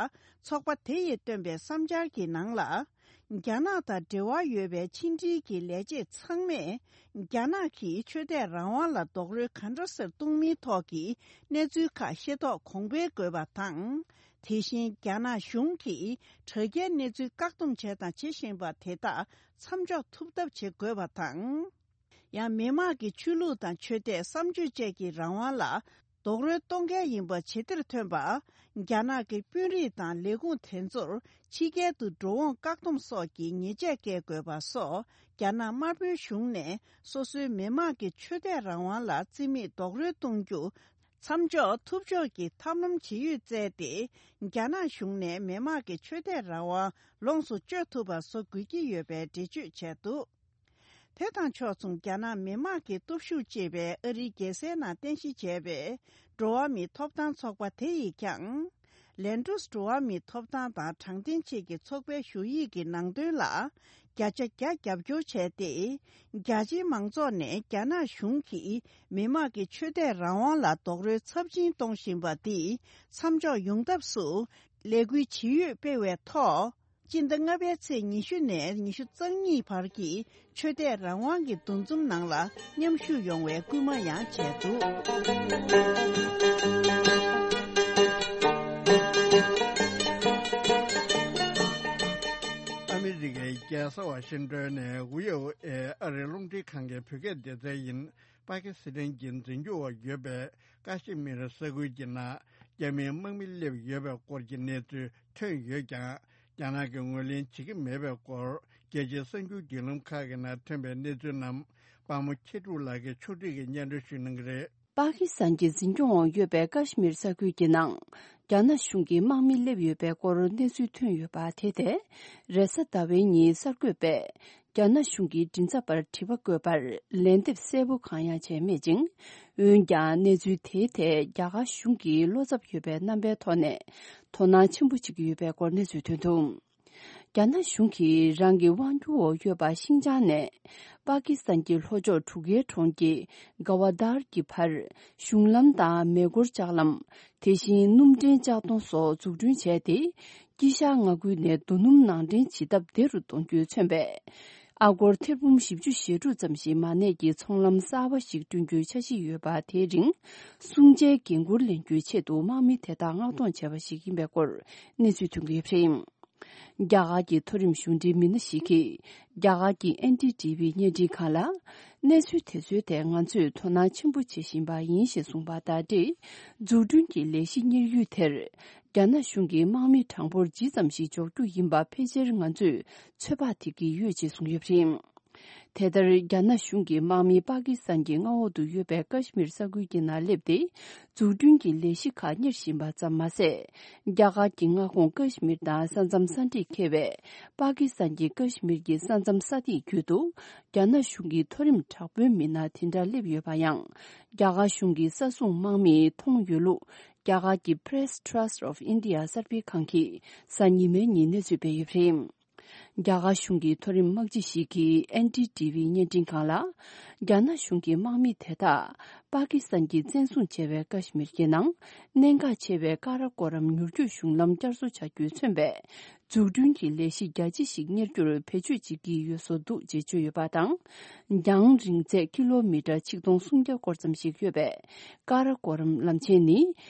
ཚོགས་པ་དེ་ཡིས་བཏོན་པའི་བསམ་འཆར་གྱི་ནང་ལ། རྒྱ་ནག་དང་འབྲེལ་བ་ཡོད་པའི་ཕྱི་འབྲེལ་གྱི་ལས་བྱེད་ཚང་མས། རྒྱ་ནག་གིས་ཆོས་དད་རང་དབང་ལ་རྡོག་རོལ་ག་འདྲ་སེ་གཏོང་མིན་ཐོག་གི་གནས་ཚུལ་ཁག་ཤེས་རྟོགས་གོང་འཕེལ་དགོས་པ་དང་། དེ་བཞིན་རྒྱ་ནག་གཞུང་གིས་དྲ་རྒྱའི་གནས་ཚུལ་བཀག་སྡོམ་བྱས་དང་བྱེད་བཞིན་པ་དེ་དག་མཚམས་འཇོག་ཐུབ་ཐབས་བྱེད་དགོས་པ་དང་། ཡང་མི་དམངས་ཀྱི་ཆོས་ལུགས་དང་ཆོས་དད་བསམ་སྤྱོད་བཅས་ཀྱི་རང་དབང་ལ་རྡོག་རོལ་གཏོང་མཁན་ཡིན་པ་ཇེ་ཆེར་ཐོན་པ། རྒྱ་ནག་གི་དཔོན་རིགས་དང་ལས་ཁུངས་དེ་ཚོར་ཕྱི་རྒྱལ་དུ་འགྲོ་འོང་བཀག་སྡོམ་སོགས་ཀྱི་ཉེས་ཆད་བཀལ་དགོས་པ་སོགས། རྒྱ་ནག་དམར་པོའི་གཞུང་ནས་སོ་སོའི་མི་དམངས་ཀྱི་ཆོས་དད་རང་དབང་ལ་བརྩི་མེད་རྡོག་རོལ་གཏོང་རྒྱུ་མཚམས་འཇོག་ཐུབ་ཕྱོགས་ཀྱི་ཐབས་ལམ་ཇི་ཡོད་བཙལ་ཏེ། རྒྱ་ནག་གཞུང་ནས་མི་དམངས་ཀྱི་ཆོས་དད་རང་དབང་ལོངས་སུ་སྤྱོད་ཐུབ་པ་བཟོ་དགོས་ཀྱི་ཡོད་པའི་འགྲེལ་བརྗོད་བྱས་འདུག་དེ་དང་ཕྱོགས་མཚུངས། རྒྱ་ནག་མི་དམངས་ཀྱི་སྟོབས་ཤུགས་ཅེས་པའི་ཨ་རིའི་རྒྱལ་སའི་ནང་རྟེན་གཞི་བྱས་པའི་འགྲོ་བ་མིའི་ཐོབ་ཐང་ཚོགས་པ་དེ་ཡིས་ཀྱང་། ལན་ཀྲུས་འགྲོ་བ་མིའི་ཐོབ་ཐང་དང་དྲང་བདེན་ཆེད་ཀྱི་ཚོགས་པའི་ཞུ་ཡིག་གི་ནང་དོན་ལ་བརྒྱ་ཆ་བརྒྱ་རྒྱབ་སྐྱོར་བྱས་ཏེ། རྒྱ་ཆེའི་མང་ཚོགས་ནས་རྒྱ་ནག་གཞུང་གིས་མི་དམངས་ཀྱི་ཆོས་དད་རང་དབང་ལ་རྡོག་རོལ་ཚབས་ཆེན་གཏོང་བཞིན་པ་འདི་མཚམས་འཇོག་ཡོང་ཐབས་སུ་ལས་འགུལ་ཇི་ཡོད་སྤེལ་བའི་ཐོག་སྤྱི་ཟླ་ལྔ་པའི་ཚེས་ཉི་ཤུ་ནས་ཉི་ཤུ་རྩ་གཉིས་བར་གྱི་ཆོས་དད་རང་དབང་གི་འདུ་འཛོམས་ནང་ལ་མཉམ་ཞུགས་ཡོང་བའི་སྐུལ་མ་ཡང་བྱས་འདུག་ཨ་མི་རི་ཀའི་རྒྱལ་ས་ཝ་ཤིང་ཏོན་ནས་ཝི་ཨོ་ཨེ་ཨ་རིའི་རླུང་འཕྲིན་ཁང་གི་བོད་སྐད་སྡེ་ཚན་ཡིན། པ་ཀི་སི་ཐན་གྱི་འཛིན་སྐྱོང་འོག་ཡོད་པའི་ཀ་ཤི་མིར་ས་ཁུལ་གྱི་ནང་རྒྱ་མིའི་དམག་མི་སླེབས་ཡོད་པའི་སྐོར་གྱི་གནས་ཚུལ་ཐོན་ཡོད་ཀྱང་། རྒྱ་ནག་གིས་ངོས་ལེན་བྱེད་ཀྱི་མེད་པའི་སྐོར། རྒྱལ་སྤྱིའི་གསར་འགྱུར་བརྒྱུད་ལམ་ཁག་གི་ནང་ཐོན་པའི་གནས་ཚུལ་རྣམས། པདྨ་མཁས་གྲུབ་ལགས་ཀྱིས་ཕྱོགས་སྒྲིག་གིས་སྙན་སྒྲོན་ཞུ་གནང་གི་རེད། པ་ཀི་སི་ཐན་གྱི་འཛིན་སྐྱོང་འོག་ཡོད་པའི་ཀ་ཤི་མིར་ས་ཁུལ་གྱི་ནང་། རྒྱ་ནག་གཞུང་གི་དམག་མི་སླེབས་ཡོད་པའི་སྐོར་གནས་ཚུལ་ཐོན་ཡོད་པ་དེ་ཐད། རེས་གཟའ་ཟླ་བའི་ཉིན་གསར་འགོད་པས། རྒྱ་ནག་གཞུང་གི་མགྲིན་ཚབ་པར་དྲི་བ་བཀོད་པར་ལན་འདེབས་གསལ་པོ་གང་ཡང་བྱས་མེད་ཅིང་། འོན་ཀྱང་གནས་ཚུལ་དེའི་ཐད་རྒྱ་གར་གཞུང་གིས་བློ་འཚབ་ཡོད་པའི་རྣམ་པའི་ཐོག་ནས་དོ་སྣང་ཆེན་པོ་བྱེད་ཀྱི་ཡོད་པའི་སྐོར་གནས་ཚུལ་ཐོན་འདུག་རྒྱ་ནག་གཞུང་གིས་རང་གི་དབང་སྒྱུར་འོག་ཡོད་པ་ཤིན་ཅང་ནས་པ་ཀི་སི་ཐན་གྱི་ལྷོ་ཕྱོགས་གྲུ་ཁའི་གྲོང་ཁྱེར་ག་ཝ་དར་གྱི་བར་གཞུང་ལམ་དང་མེ་འཁོར་ལྕགས་ལམ། དེ་བཞིན་སྣུམ་འདྲེན་ལྕགས་མདོང་སོགས་འཛུགས་སྐྲུན་བྱས་ཏེ། དཀྱིལ་ཤར་མངའ་ཁུལ་ནས་རྡོ་སྣུམ་ནང་འདྲེན་བྱེད་ཐབས་བདེ་རུ་གཏོང་རྒྱུས་མཚོན་པའི་ཨ་སྒོར་ཐེར་འབུམ་བཞི་བཅུ་ཞེ་དྲུག་ཙམ་ཞིག་མ་གནས་ཀྱི་ཚོང་ལམ་གསར་པ་ཞིག་བསྐྲུན་རྒྱུའི་འཆར་གཞི་ཡོད་པ། དེའི་རིང་སྲུང་བྱའི་འགན་འཁུར་ལེན་རྒྱུའི་ཆེད་དུ་དམག་མི་དེ་དག་མངགས་གཏོང་བྱས་པ་ཞིག་ཡིན་པའི་སྐོར་གནས་ཚུལ་ཐོན་གྱི་ཡོད་པ་རེད། རྒྱ་གར་གྱི་མཐོ་རིམ་གཞུང་འབྲེལ་མི་སྣ་ཞིག་གིས་རྒྱ་གར་གྱི་ཨེན་ཌི་ཊི་ཝི་བརྙན་འཕྲིན་ཁང་ལ། གནས་ཚུལ་དེ་ཚོའི་ཐད་ང་ཚོས་དོ་སྣང་ཆེན་པོ་བྱེད་བཞིན་པ་ཡིན་ཞེས་གསུངས་པ་དང་འབྲེལ། འཛུགས་སྐྲུན་གྱི་ལས་གཞི་གཉེར་ཡུལ་དེར་རྒྱ་ནག་གཞུང་གིས་དམག་མི་གྲངས་འབོར་ཇི་ཙམ་ཞིག་འཇོག་རྒྱུ་ཡིན་པ་ཕལ་ཆེར་ང་ཚོས་ཚོད་དཔག་ཐེབས་ཀྱི་ཡོད་ཅེས་གསུངས་ཡོད་པ་རེད། དེ་ལྟར་རྒྱ་ནག་གཞུང་གིས་དམག་མི་པ་ཀི་སི་ཐན་གྱི་མངའ་འོག་ཏུ་ཡོད་པའི་ཀ་ཤི་མིར་ས་ཁུལ་གྱི་ནང་སླེབས་ཏེ། འཛུགས་སྐྲུན་གྱི་ལས་གཞི་ཁག་གཉེར་བཞིན་པ་ཙམ་མ་ཟད། རྒྱ་གར་གྱི་མངའ་ཁོངས་ཀ་ཤི་མིར་དང་ས་མཚམས་ས་འདྲེས་འཁེལ་བའི་པ་ཀི་སི་ཐན་གྱི་ཀ་ཤི་མིར་གྱི་ས་མཚམས་ས་ཐིག་བརྒྱུད་དུ། རྒྱ་ནག་གཞུང་གི་མཐོ་རིམ་དྲག་དཔོན་མི་སྣ་དེ་འདྲ་སླེབས་ཡོད་པ་ཡང་། རྒྱ་གར་གཞུང་གི་ས་སྲུང་དམག་མིས་མཐོང་ཡོད་ལུགས། རྒྱ་གར་གྱི་Press Trust of India གསར་སྤེལ་ཁང་གིས་གཟའ་ཉི་མའི་ཉིན་གནས་ཚུལ་སྤེལ་ཡོད་པ་རེད། རྒྱ་གར་གཞུང་གི་མཐོ་རིམ་དམག་སྤྱི་ཞིག་གིས་ཨེན་ཌི་ཊི་ཝི་བརྙན་འཕྲིན་ཁང་ལ། རྒྱ་ནག་གཞུང་གི་དམག་མི་དེ་དག་པ་ཀི་སི་ཐན་གྱིས་བཙན་བཟུང་བྱས་པའི་ཀ་ཤི་མིར་གྱི་ནང་གནད་འགག་ཆེ་བའི་ཀ་ར་ཀོ་རམ་མྱུར་སྐྱོད་གཞུང་ལམ་བསྐྱར་གསོ་བྱ་རྒྱུས་མཚོན་པའི་འཛུགས་སྐྲུན་གྱི་ལས་གཞི་རྒྱ་ཆེ་ཞིག་གཉེར་རྒྱུར་བེད་སྤྱོད་བྱེད་ཀྱི་ཡོད་བཟོ་འདུག་ཅེས་བརྗོད་ཡོད་པ་དང་། རྒྱང་རིང་ཚད་ཀི་ལོ་མི་ཊར་ཆིག་སྟོང་སུམ་བརྒྱ་སྐོར་ཙམ་ཞིག་ཡོད་པའི་ཀ་ར་ཀོ་རམ་ལམ་ཆེན་ནི།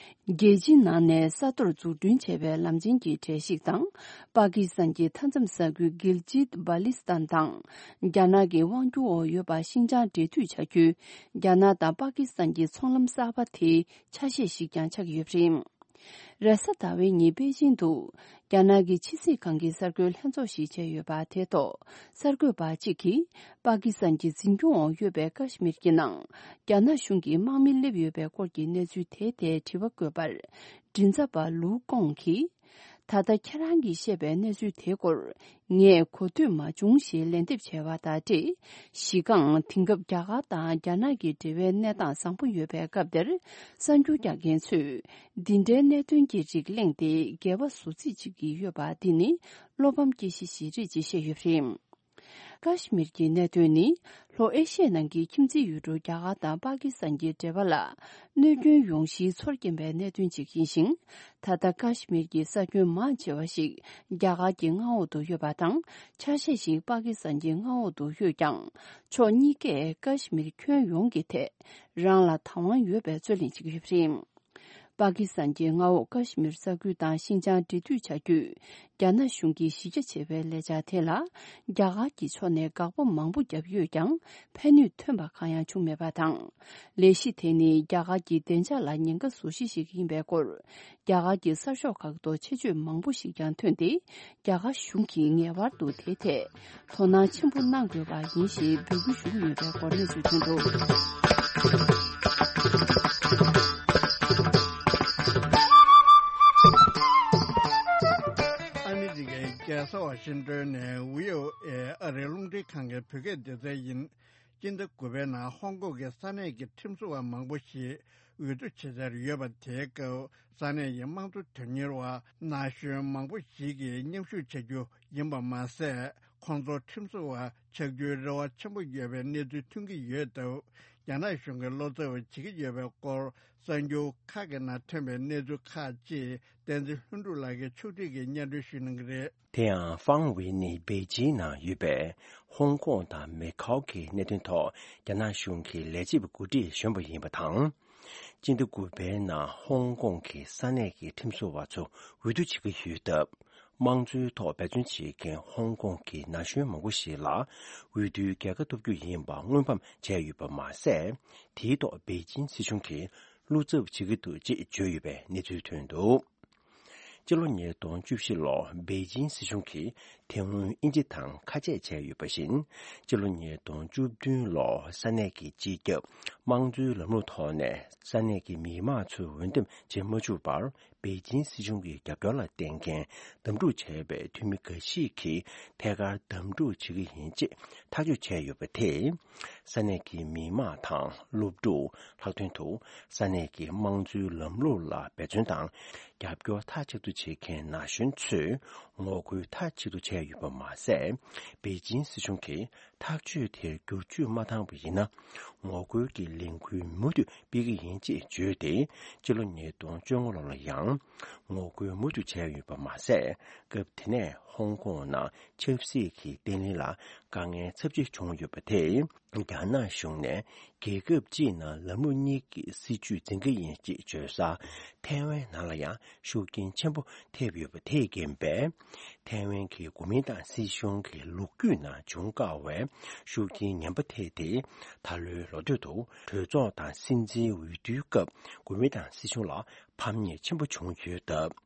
རྒྱལ་སྤྱིའི་ནང་ནས་ས་མཐོར་འཛུགས་སྐྲུན་བྱས་པའི་ལམ་ཆེན་གྱི་གྲས་ཤིག་དང་། པ་ཀི་སི་ཐན་གྱི་མཐའ་མཚམས་ས་ཁུལ་གིལ་ཇིད་བྷ་ལི་སི་ཐན་དང་། རྒྱ་ནག་གི་དབང་སྒྱུར་འོག་ཡོད་པ་ཤིན་ཅང་འབྲེལ་མཐུད་བྱ་རྒྱུའི་རྒྱ་ནག་དང་པ་ཀི་སི་ཐན་གྱི་ཚོང་ལམ་གསར་པ་དེའི་ཆ་ཤས་ཤིག་ཀྱང་ཆགས་ཀྱི་ཡོད་པ་རེད། རེས་གཟའ་ཟླ་བའི་ཉིན་པེ་ཅིང་དུ། རྒྱ་ནག་གི་ཕྱི་སྲིད་ཁང་གི་གསར་འགོད་ལྷན་ཚོགས་ཤིག་བྱས་ཡོད་པ་དེ་ཐོག་གསར་འགོད་པ་གཅིག་གིས། པ་ཀི་སི་ཐན་གྱི་འཛིན་སྐྱོང་འོག་ཡོད་པའི་ཀ་ཤི་མིར་གྱི་ནང་། རྒྱ་ནག་གཞུང་གི་དམག་མི་སླེབས་ཡོད་པའི་སྐོར་གྱི་གནས་ཚུལ་དེའི་ཐད་དྲི་བ་བཀོད་པར། མགྲིན་ཚབ་པ་ལུའུ་ཀོང་གིས། ད་ལྟ་ཁྱེད་རང་གིས་བཤད་པའི་གནས་ཚུལ་དེའི་སྐོར། ངས་གོ་ཐོས་མ་བྱུང་ཞེས་ལན་འདེབས་བྱས་པ་དང་འབྲེལ། གཞི་རྐང་དེང་སྐབས་རྒྱ་གར་དང་རྒྱ་ནག་གི་འབྲེལ་བའི་གནས་སྟངས་བཟང་པོ་ཡོད་པའི་སྐབས་དེར། གསར་འགྱུར་རྒྱག་མཁན་ཚོས། འདི་འདྲའི་གནད་དོན་གྱི་རིགས་གླེང་སྟེ་འགལ་བ་བཟོ་རྩིས་བྱེད་ཀྱི་ཡོད་པ་འདི་ནི་བློ་ཕམ་སྐྱེ་གཞི་ཞིག་རེད་ཅེས་བཤད་ཡོད་པ་རེད། ཀ་ཤི་མིར་གྱི་གནད་དོན་ནི་ལྷོ་ཨེ་ཤི་ཡའི་ནང་གི་ཁྱིམ་མཚེས་ཡུལ་གྲུ་རྒྱ་གར་དང་པ་ཀི་སི་ཐན་གྱི་འབྲེལ་བ་ལ་གནོད་སྐྱོན་ཡོང་གཞིའི་ཚོར་སྐྱེན་པའི་གནད་དོན་ཅིག་ཡིན་ཞིང་། ད་ལྟ་ཀ་ཤི་མིར་གྱི་ས་ཁྱོན་མང་ཆེ་བ་ཞིག་རྒྱ་གར་གྱི་མངའ་འོག་ཏུ་ཡོད་པ་དང་། ཆ་ཤས་ཤིག་པ་ཀི་སི་ཐན་གྱི་མངའ་འོག་ཏུ་ཡོད་ཀྱང་། ཕྱོགས་གཉིས་ཀས་ཀ་ཤི་མིར་ཁྱོན་ཡོངས་ཀྱི་ཐད་རང་ལ་བདག་དབང་ཡོད་པའི་རྩོད་གླེང་བྱེད་ཀྱི་ཡོད་པ་རེད། པ་ཀི་སི་ཐན་གྱི་མངའ་འོག་ཀ་ཤི་མིར་ས་ཁུལ་དང་ཤིན་ཅང་འབྲེལ་མཐུད་བྱ་རྒྱུས། རྒྱ་ནག་གཞུང་གིས་གཞི་རྒྱ་ཆེ་བའི་ལས་འཆར་དེ་ལ། རྒྱ་གར་གྱི་ཕྱོགས་ནས་དགག་པ་མང་པོ་བརྒྱབ་ཡོད་ཀྱང་། ཕན་ནུས་ཐོན་པ་གང་ཡང་བྱུང་མེད་པ་དང་། ལས་གཞི་དེ་ནི་རྒྱ་གར་གྱི་བདེ་འཇགས་ལ་ཉེན་ཁ་བཟོ་གཞི་ཞིག་ཡིན་པའི་སྐོར། རྒྱ་གར་གྱི་གསར་ཤོག་ཁག་ཏུ་ཆེ་བརྗོད་མང་པོ་ཞིག་ཀྱང་ཐོན་ཏེ། རྒྱ་གར་གཞུང་གིས་ངེས་པར་དུ་དེའི་ཐད། དོ་སྣང་ཆེན་པོ་གནང་དགོས་པ་ཡིན་ཞེས་འབོད་སྐུལ་ཞུ་གི་ཡོད་པའི་སྐོར་གནས་ཚུལ་ཐོན་འདུག། ཨ་མི་རི་ཀའི་རྒྱལ་ས་ཝ་ཤིང་ཏོན་ནས་བྷི་ཨོ་ཨེ་ཨ་རིའི་རླུང་འཕྲིན་ཁང་གི་བོད་སྐད་སྡེ་ཚན་ཡིན། སྤྱི་ཟླ་དགུ་པའི་ནང་ཧོང་ཀོང་གི་ས་གནས་ཀྱི་ཁྲིམས་བཟོ་བ་མང་པོ་ཞིག་འོས་བསྡུ་བྱེད་འཆར་ཡོད་པ་དེའི་སྐབས། ས་གནས་ཀྱི་དམངས་གཙོ་དོན་གཉེར་བ་ན་གཞོན་མང་པོ་ཞིག་གིས་མཉམ་ཞུགས་བྱ་རྒྱུ་ཡིན་པ་མ་ཟད། ཁོང་ཚོ་ཁྲིམས་བཟོ་བ་ཆགས་རྒྱུའི་རེ་བ་ཆེན་པོ་ཡོད་པའི་གནས་ཚུལ་ཐོན་གྱི་ཡོད་སྟབས། རྒྱ་ནག་གཞུང་གིས་བློ་འཚབ་བྱེད་ཀྱི་ཡོད་པའི་སྐོར། གསར་འགྱུར་ཁག་གི་ནང་ཐོན་པའི་གནས་ཚུལ་ཁག་ཅིག་བསྟན་འཛིན་ལྷུན་གྲུབ་ལགས་ཀྱིས་ཕྱོགས་སྒྲིག་གིས་སྙན་སྒྲོན་ཞུ་གནང་གི་རེད། དེ་ཡང་ཧྥང་ཝེ་ནི་པེ་ཅིང་ནང་ཡོད་པའི་ཧོང་ཀོང་དང་མེ་ཁའོ་གི་གནད་དོན་ཐོག་རྒྱ་ནག་གཞུང་གི་ལས་བྱེད་པ་འགོ་ཁྲིད་གཞོན་པ་ཡིན་པ་དང་། སྤྱི་ཟླ་དགུ་པའི་ནང་ཧོང་ཀོང་གི་ས་གནས་ཀྱི་ཁྲིམས་བཟོ་བ་ཚོ་འོས་བསྡུ་བྱེད་ཀྱི་ཡོད་སྟབས། དམངས་གཙོའི་ཐོག་འབད་བརྩོན་བྱེད་མཁན་ཧོང་ཀོང་གི་ན་གཞོན་མང་པོ་ཞིག་ལ་འོས་བསྡུའི་རྒྱལ་ཁ་ཐོབ་རྒྱུ་ཡིན་པ་སྔོན་ཕམ་བྱས་ཡོད་པ་མ་ཟད། དེའི་ཐོག་པེ་ཅིང་སྲིད་གཞུང་གིས་བློ་འཚབ་བྱེད་ཀྱི་འདུག་ཅེས་བརྗོད་ཡོད་པའི་གནས་ཚུལ་ཐོན་འདུག། སྤྱི་ལོ་ཉིས་སྟོང་བཅུ་བཞི་ལོར་པེ་ཅིང་སྲིད་གཞུང་གིས་དེ་སྔོན་དབྱིན་ཇི་དང་ཁ་ཆད་བྱས་ཡོད་པ་བཞིན། སྤྱི་ལོ་ཉིས་སྟོང་བཅུ་བདུན་ལོར་ས་གནས་ཀྱི་སྤྱི་ཁྱབ་དམངས་གཙོའི་ལམ་ལུགས་ཐོག་ནས་ས་གནས་ཀྱི་མི་མང་ཚོས་འོས་འདེམས་བྱེད་མ་བཅུག་པར། པེ་ཅིང་སྲིད་གཞུང་གི་རྒྱབ་སྐྱོར་ལ་བརྟེན་མཁན་འདེམས་སྒྲུག་བྱས་པའི་འཐུས་མི་འགའ་ཞིག་གིས་ཐད་ཀར་འདེམས་སྒྲུག་བྱེད་ཀྱི་ཡིན་ཅེས་ ཐག་གཅོད་བྱས་ཡོད་པ་དེས། ས་གནས་ཀྱི་མི་དམངས་དང་སློབ་ཕྲུག། ལྷག་དོན་དུ་ས་གནས་ཀྱི་དམངས་གཙོའི་ལམ་ལུགས་ལ་འབད་བརྩོན་དང་རྒྱབ་སྐྱོར་མཐའ་གཅིག་ཏུ་བྱེད་མཁན་ན་གཞོན་ཚོས་ངོ་རྒོལ་མཐའ་གཅིག་ཏུ་བྱས་ཡོད་པ་མ་ཟད། པེ་ཅིན་སྲིད་གཞུང་གིས་ཐག་གཅོད་དེར་བསྒྱུར་བཅོས་མ་བཏང་བ་ཡིན་ན། ངོ་རྒོལ་གྱི་ལས་འགུལ་མུ་མཐུད་སྤེལ་གྱི་ཡིན་ཅེས་བརྗོད་དེ། ཕྱི་ལོ་ཉིས་སྟོང་བཅོ་ལྔ་ལོ་ལ་ཡང་ངོ་རྒོལ་མུ་མཐུད་བྱས་ཡོད་པ་མ་ཟད། སྐབས་དེ་ནས་ཧོང་ཀོང་ནང་ཆབ་སྲིད་ཀྱི་བརྟན་ལྷིང་ལ་དཀའ་ངལ་ཚབས་ཆེ་བྱུང་ཡོད་པ་དེས། རྒྱ་ནག་གཞུང་ནས་རྒྱལ་ཁབ་གཅིག་ནང་ལམ་ལུགས་གཉིས་ཀྱི་སྲིད་བྱུས་འཛིན་གྱི་ཡིན་ཅེས་བརྗོད་ས་ཐའེ་ཝན་ནང་ལ་ཡང་ཤུགས་རྐྱེན་ཆེན་པོ་ཐེབས་ཡོད་པ་དེས་རྐྱེན་པས། ཐའེ་ཝན་གྱི་གོ་མིན་ཏང་སྲིད་གཞུང་གི་ལོ་རྒྱུས་ནང་བྱུང་དཀའ་བའི་ཤུགས་རྐྱེན་ངན་པ་ཐེབས་ཏེ། ད་ལོའི་ལོ་སྟོད་དུ་གྲོས་ཚོགས་དང་སྲིད་འཛིན་འོས་བསྡུའི་སྐབས་གོ་མིན་ཏང་སྲིད་གཞུང་ལ་ཕམ་ཉེས་ཆེན་པོ་བྱུང་ཡོད་སྟབས།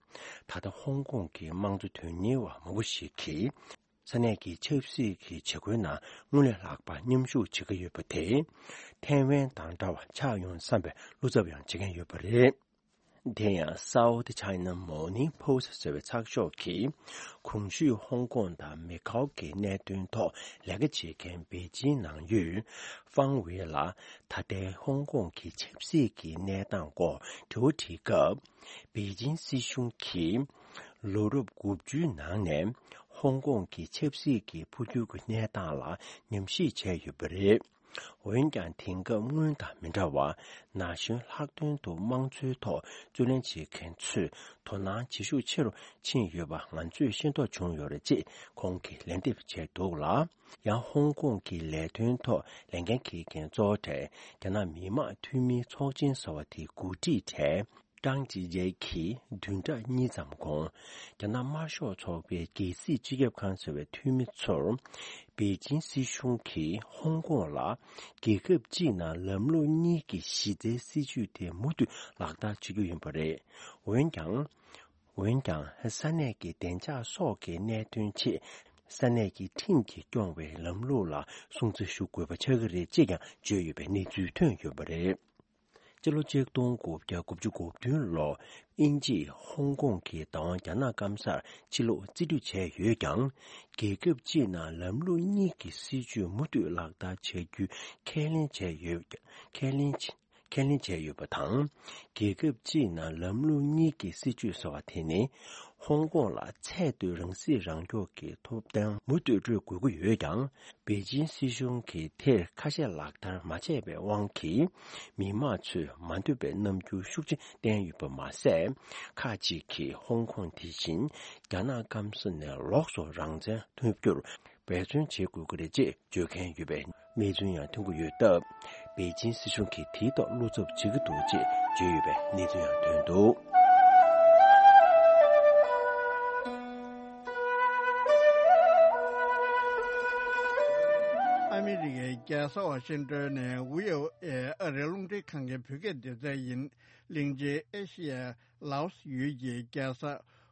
ད་ལྟ་ཧོང་ཀོང་གི་དམངས་གཙོ་དོན་གཉེར་བ་མང་པོ་ཞིག་གིས། ས་གནས་ཀྱི་ཆབ་སྲིད་ཀྱི་བྱེད་སྒོའི་ནང་སྔོན་ལས་ལྷག་པ་མཉམ་ཞུགས་བྱེད་ཀྱི་ཡོད་པ་དེས། ཐའེ་ཝན་དང་འདྲ་བ་ཆགས་ཡོང་བསམ་པའི་བློ་འཚབ་ཡང་བྱེད་མཁན་ཡོད་པ་རེད། དེ་ཡང་South China Morning Post ཟེར་བའི་ཚགས་ཤོག་གིས། གོང་ཞུས་ཧོང་ཀོང་དང་མེ་ཁའོ་གི་གནད་དོན་ཐོག་ལས་ཀ་བྱེད་མཁན་པེ་ཅིན་ནང་ཡོད་ཧྥང་ཝེ་ལ། ད་ལྟའི་ཧོང་ཀོང་གི་ཆབ་སྲིད་ཀྱི་གནས་སྟངས་སྐོར་དྲི་བ་དྲིས་སྐབས། པེ་ཅིན་སྲིད་གཞུང་གིས། ལོ་རབས་དགུ་བཅུའི་ནང་ནས་ཧོང་ཀོང་གི་ཆབ་སྲིད་ཀྱི་འཕོ་འགྱུར་གྱི་གནས་སྟངས་ལ་ཉམས་ཞིབ་བྱས་ཡོད་པ་རེད། འོན་ཀྱང་དེང་སྐབས་སྔོན་དང་མི་འདྲ་བར་ན་གཞོན་ལྷག་དོན་དུ་དམངས་གཙོའི་ཐོག་རྩོད་ལེན་བྱེད་མཁན་ཚོས་དོ་སྣང་བྱེད་ཤུགས་ཆེ་རུ་ཕྱིན་ཡོད་པ་ང་ཚོས་ཤེས་རྟོགས་བྱུང་ཡོད་རེད་ཅེས་ཁོང་གིས་ལན་འདེབས་བྱས་འདུག་ལ། ཡང་ཧོང་ཀོང་གི་ལས་དོན་ཐོག་ལས་འགན་འཁྱེར་མཁན་གཙོ་བོ་གྲས་རྒྱ་ནག་མི་དམངས་འཐུས་མིའི་ཚོགས་ཆེན་ཟེར་བ་དེའི་འགོ་ཁྲིད་གྲས། ཀྲང་ཅི་ཅེ་གིས་བདུན་ཕྲག་གཉིས་ཙམ་གོང་། རྒྱ་ནག་དམར་ཤོག་ཚོགས་པའི་རྒྱལ་སྲིད་སྤྱི་ཁྱབ་ཁང་ཟེར་བའི་འཐུས་མི་ཚོར། པེ་ཅིན་སྲིད་གཞུང་གིས་ཧོང་ཀོང་ལ། རྒྱལ་ཁབ་གཅིག་ནང་ལམ་ལུགས་གཉིས་ཀྱི་གཞི་རྩའི་སྲིད་བྱུས་དེ་མུ་མཐུད་ལག་བསྟར་བྱེད་རྒྱུ་ཡིན་པ་རེད། འོན་ཀྱང་། འོན་ཀྱང་། ས་གནས་ཀྱི་བདེ་འཇགས་སོགས་ཀྱི་གནད་དོན་ཆེད། ས་གནས་ཀྱི་ཁྲིམས་ཀྱིས་སྐྱོང་བའི་ལམ་ལུགས་ལ་སྲུང་བརྩི་ཞུ་དགོས་པ་ཆགས་ཀྱི་རེད་ཅེས་ཀྱང་བརྗོད་ཡོད་པའི་གནས་ཚུལ་ཐོན་ཡོད་པ་རེད། སྤྱི་ལོ་ཆིག་སྟོང་དགུ་བརྒྱ་དགུ་བཅུ་གོ་བདུན་ལོ། དབྱིན་ཇིས་ཧོང་ཀོང་གི་བདག་དབང་རྒྱ་ནག་སྐམ་སར་ཕྱིར་སློག་རྩིས་སྤྲོད་བྱས་ཡོད་ཀྱང་། རྒྱལ་ཁབ་གཅིག་ནང་ལམ་ལུགས་གཉིས་ཀྱི་སྲིད་བྱུས་མུ་མཐུད་ལག་བསྟར་བྱ་རྒྱུའི་ཁས་ལེན་བྱས་ཡོད། ཁས་ལེན། ཁས་ལེན་བྱས་ཡོད་པ་དང་། རྒྱལ་ཁབ་གཅིག་ནང་ལམ་ལུགས་གཉིས་ཀྱི་སྲིད་བྱུས་ཟེར་བ་དེ་ནི། ཧོང་ཀོང་ལ་ཚད་མཐོའི་རང་སྲིད་རང་སྐྱོང་གི་ཐོབ་ཐང་མུ་མཐུད་སྤྲོད་དགོས་ཀྱི་ཡོད་ཀྱང་། པེ་ཅིན་སྲིད་གཞུང་གིས་དེར་ཁ་ཞེ་ལག་བསྟར་མ་བྱས་པའི་དབང་གིས། མི་དམངས་ཚོས་མ་འདོད་པའི་རྣམ་འགྱུར་ཤུགས་ཆེ་བསྟན་ཡོད་པ་མ་ཟད། ཁག་ཅིག་གིས་ཧོང་ཀོང་དེ་བཞིན་རྒྱ་ནག་སྐམ་ས་ནས་ལོགས་སུ་རང་བཙན་ཐོབ་རྒྱུར་འབད་བརྩོན་བྱེད་དགོས་ཀྱི་རེད་ཅེས་བརྗོད་མཁན་ཡོད་པའི་གནས་ཚུལ་ཡང་ཐོན་གྱི་ཡོད་སྟབས། པེ་ཅིན་སྲིད་གཞུང་གིས་དེའི་ཐོག་བློ་འཚབ་བྱེད་ཀྱི་འདུག་ཅེས་བརྗོད་ཡོད་པའི་གནས་ཚུལ་ཡང་ཐོན་འདུག། ཨ་མི་རི་ཀའི་རྒྱལ་ས་ཝ་ཤིང་ཏོན་ནས་ཝི་ཨོ་ཨེ་ཨ་རིའི་རླུང་འཕྲིན་ཁང་གི་བོད་སྐད་སྡེ་ཚན་ཡིན། གླིང་ཆེན་ཨེ་ཤི་ཡའི་ལའོ་སི་ཡུལ་གྱི་རྒྱལ་ས་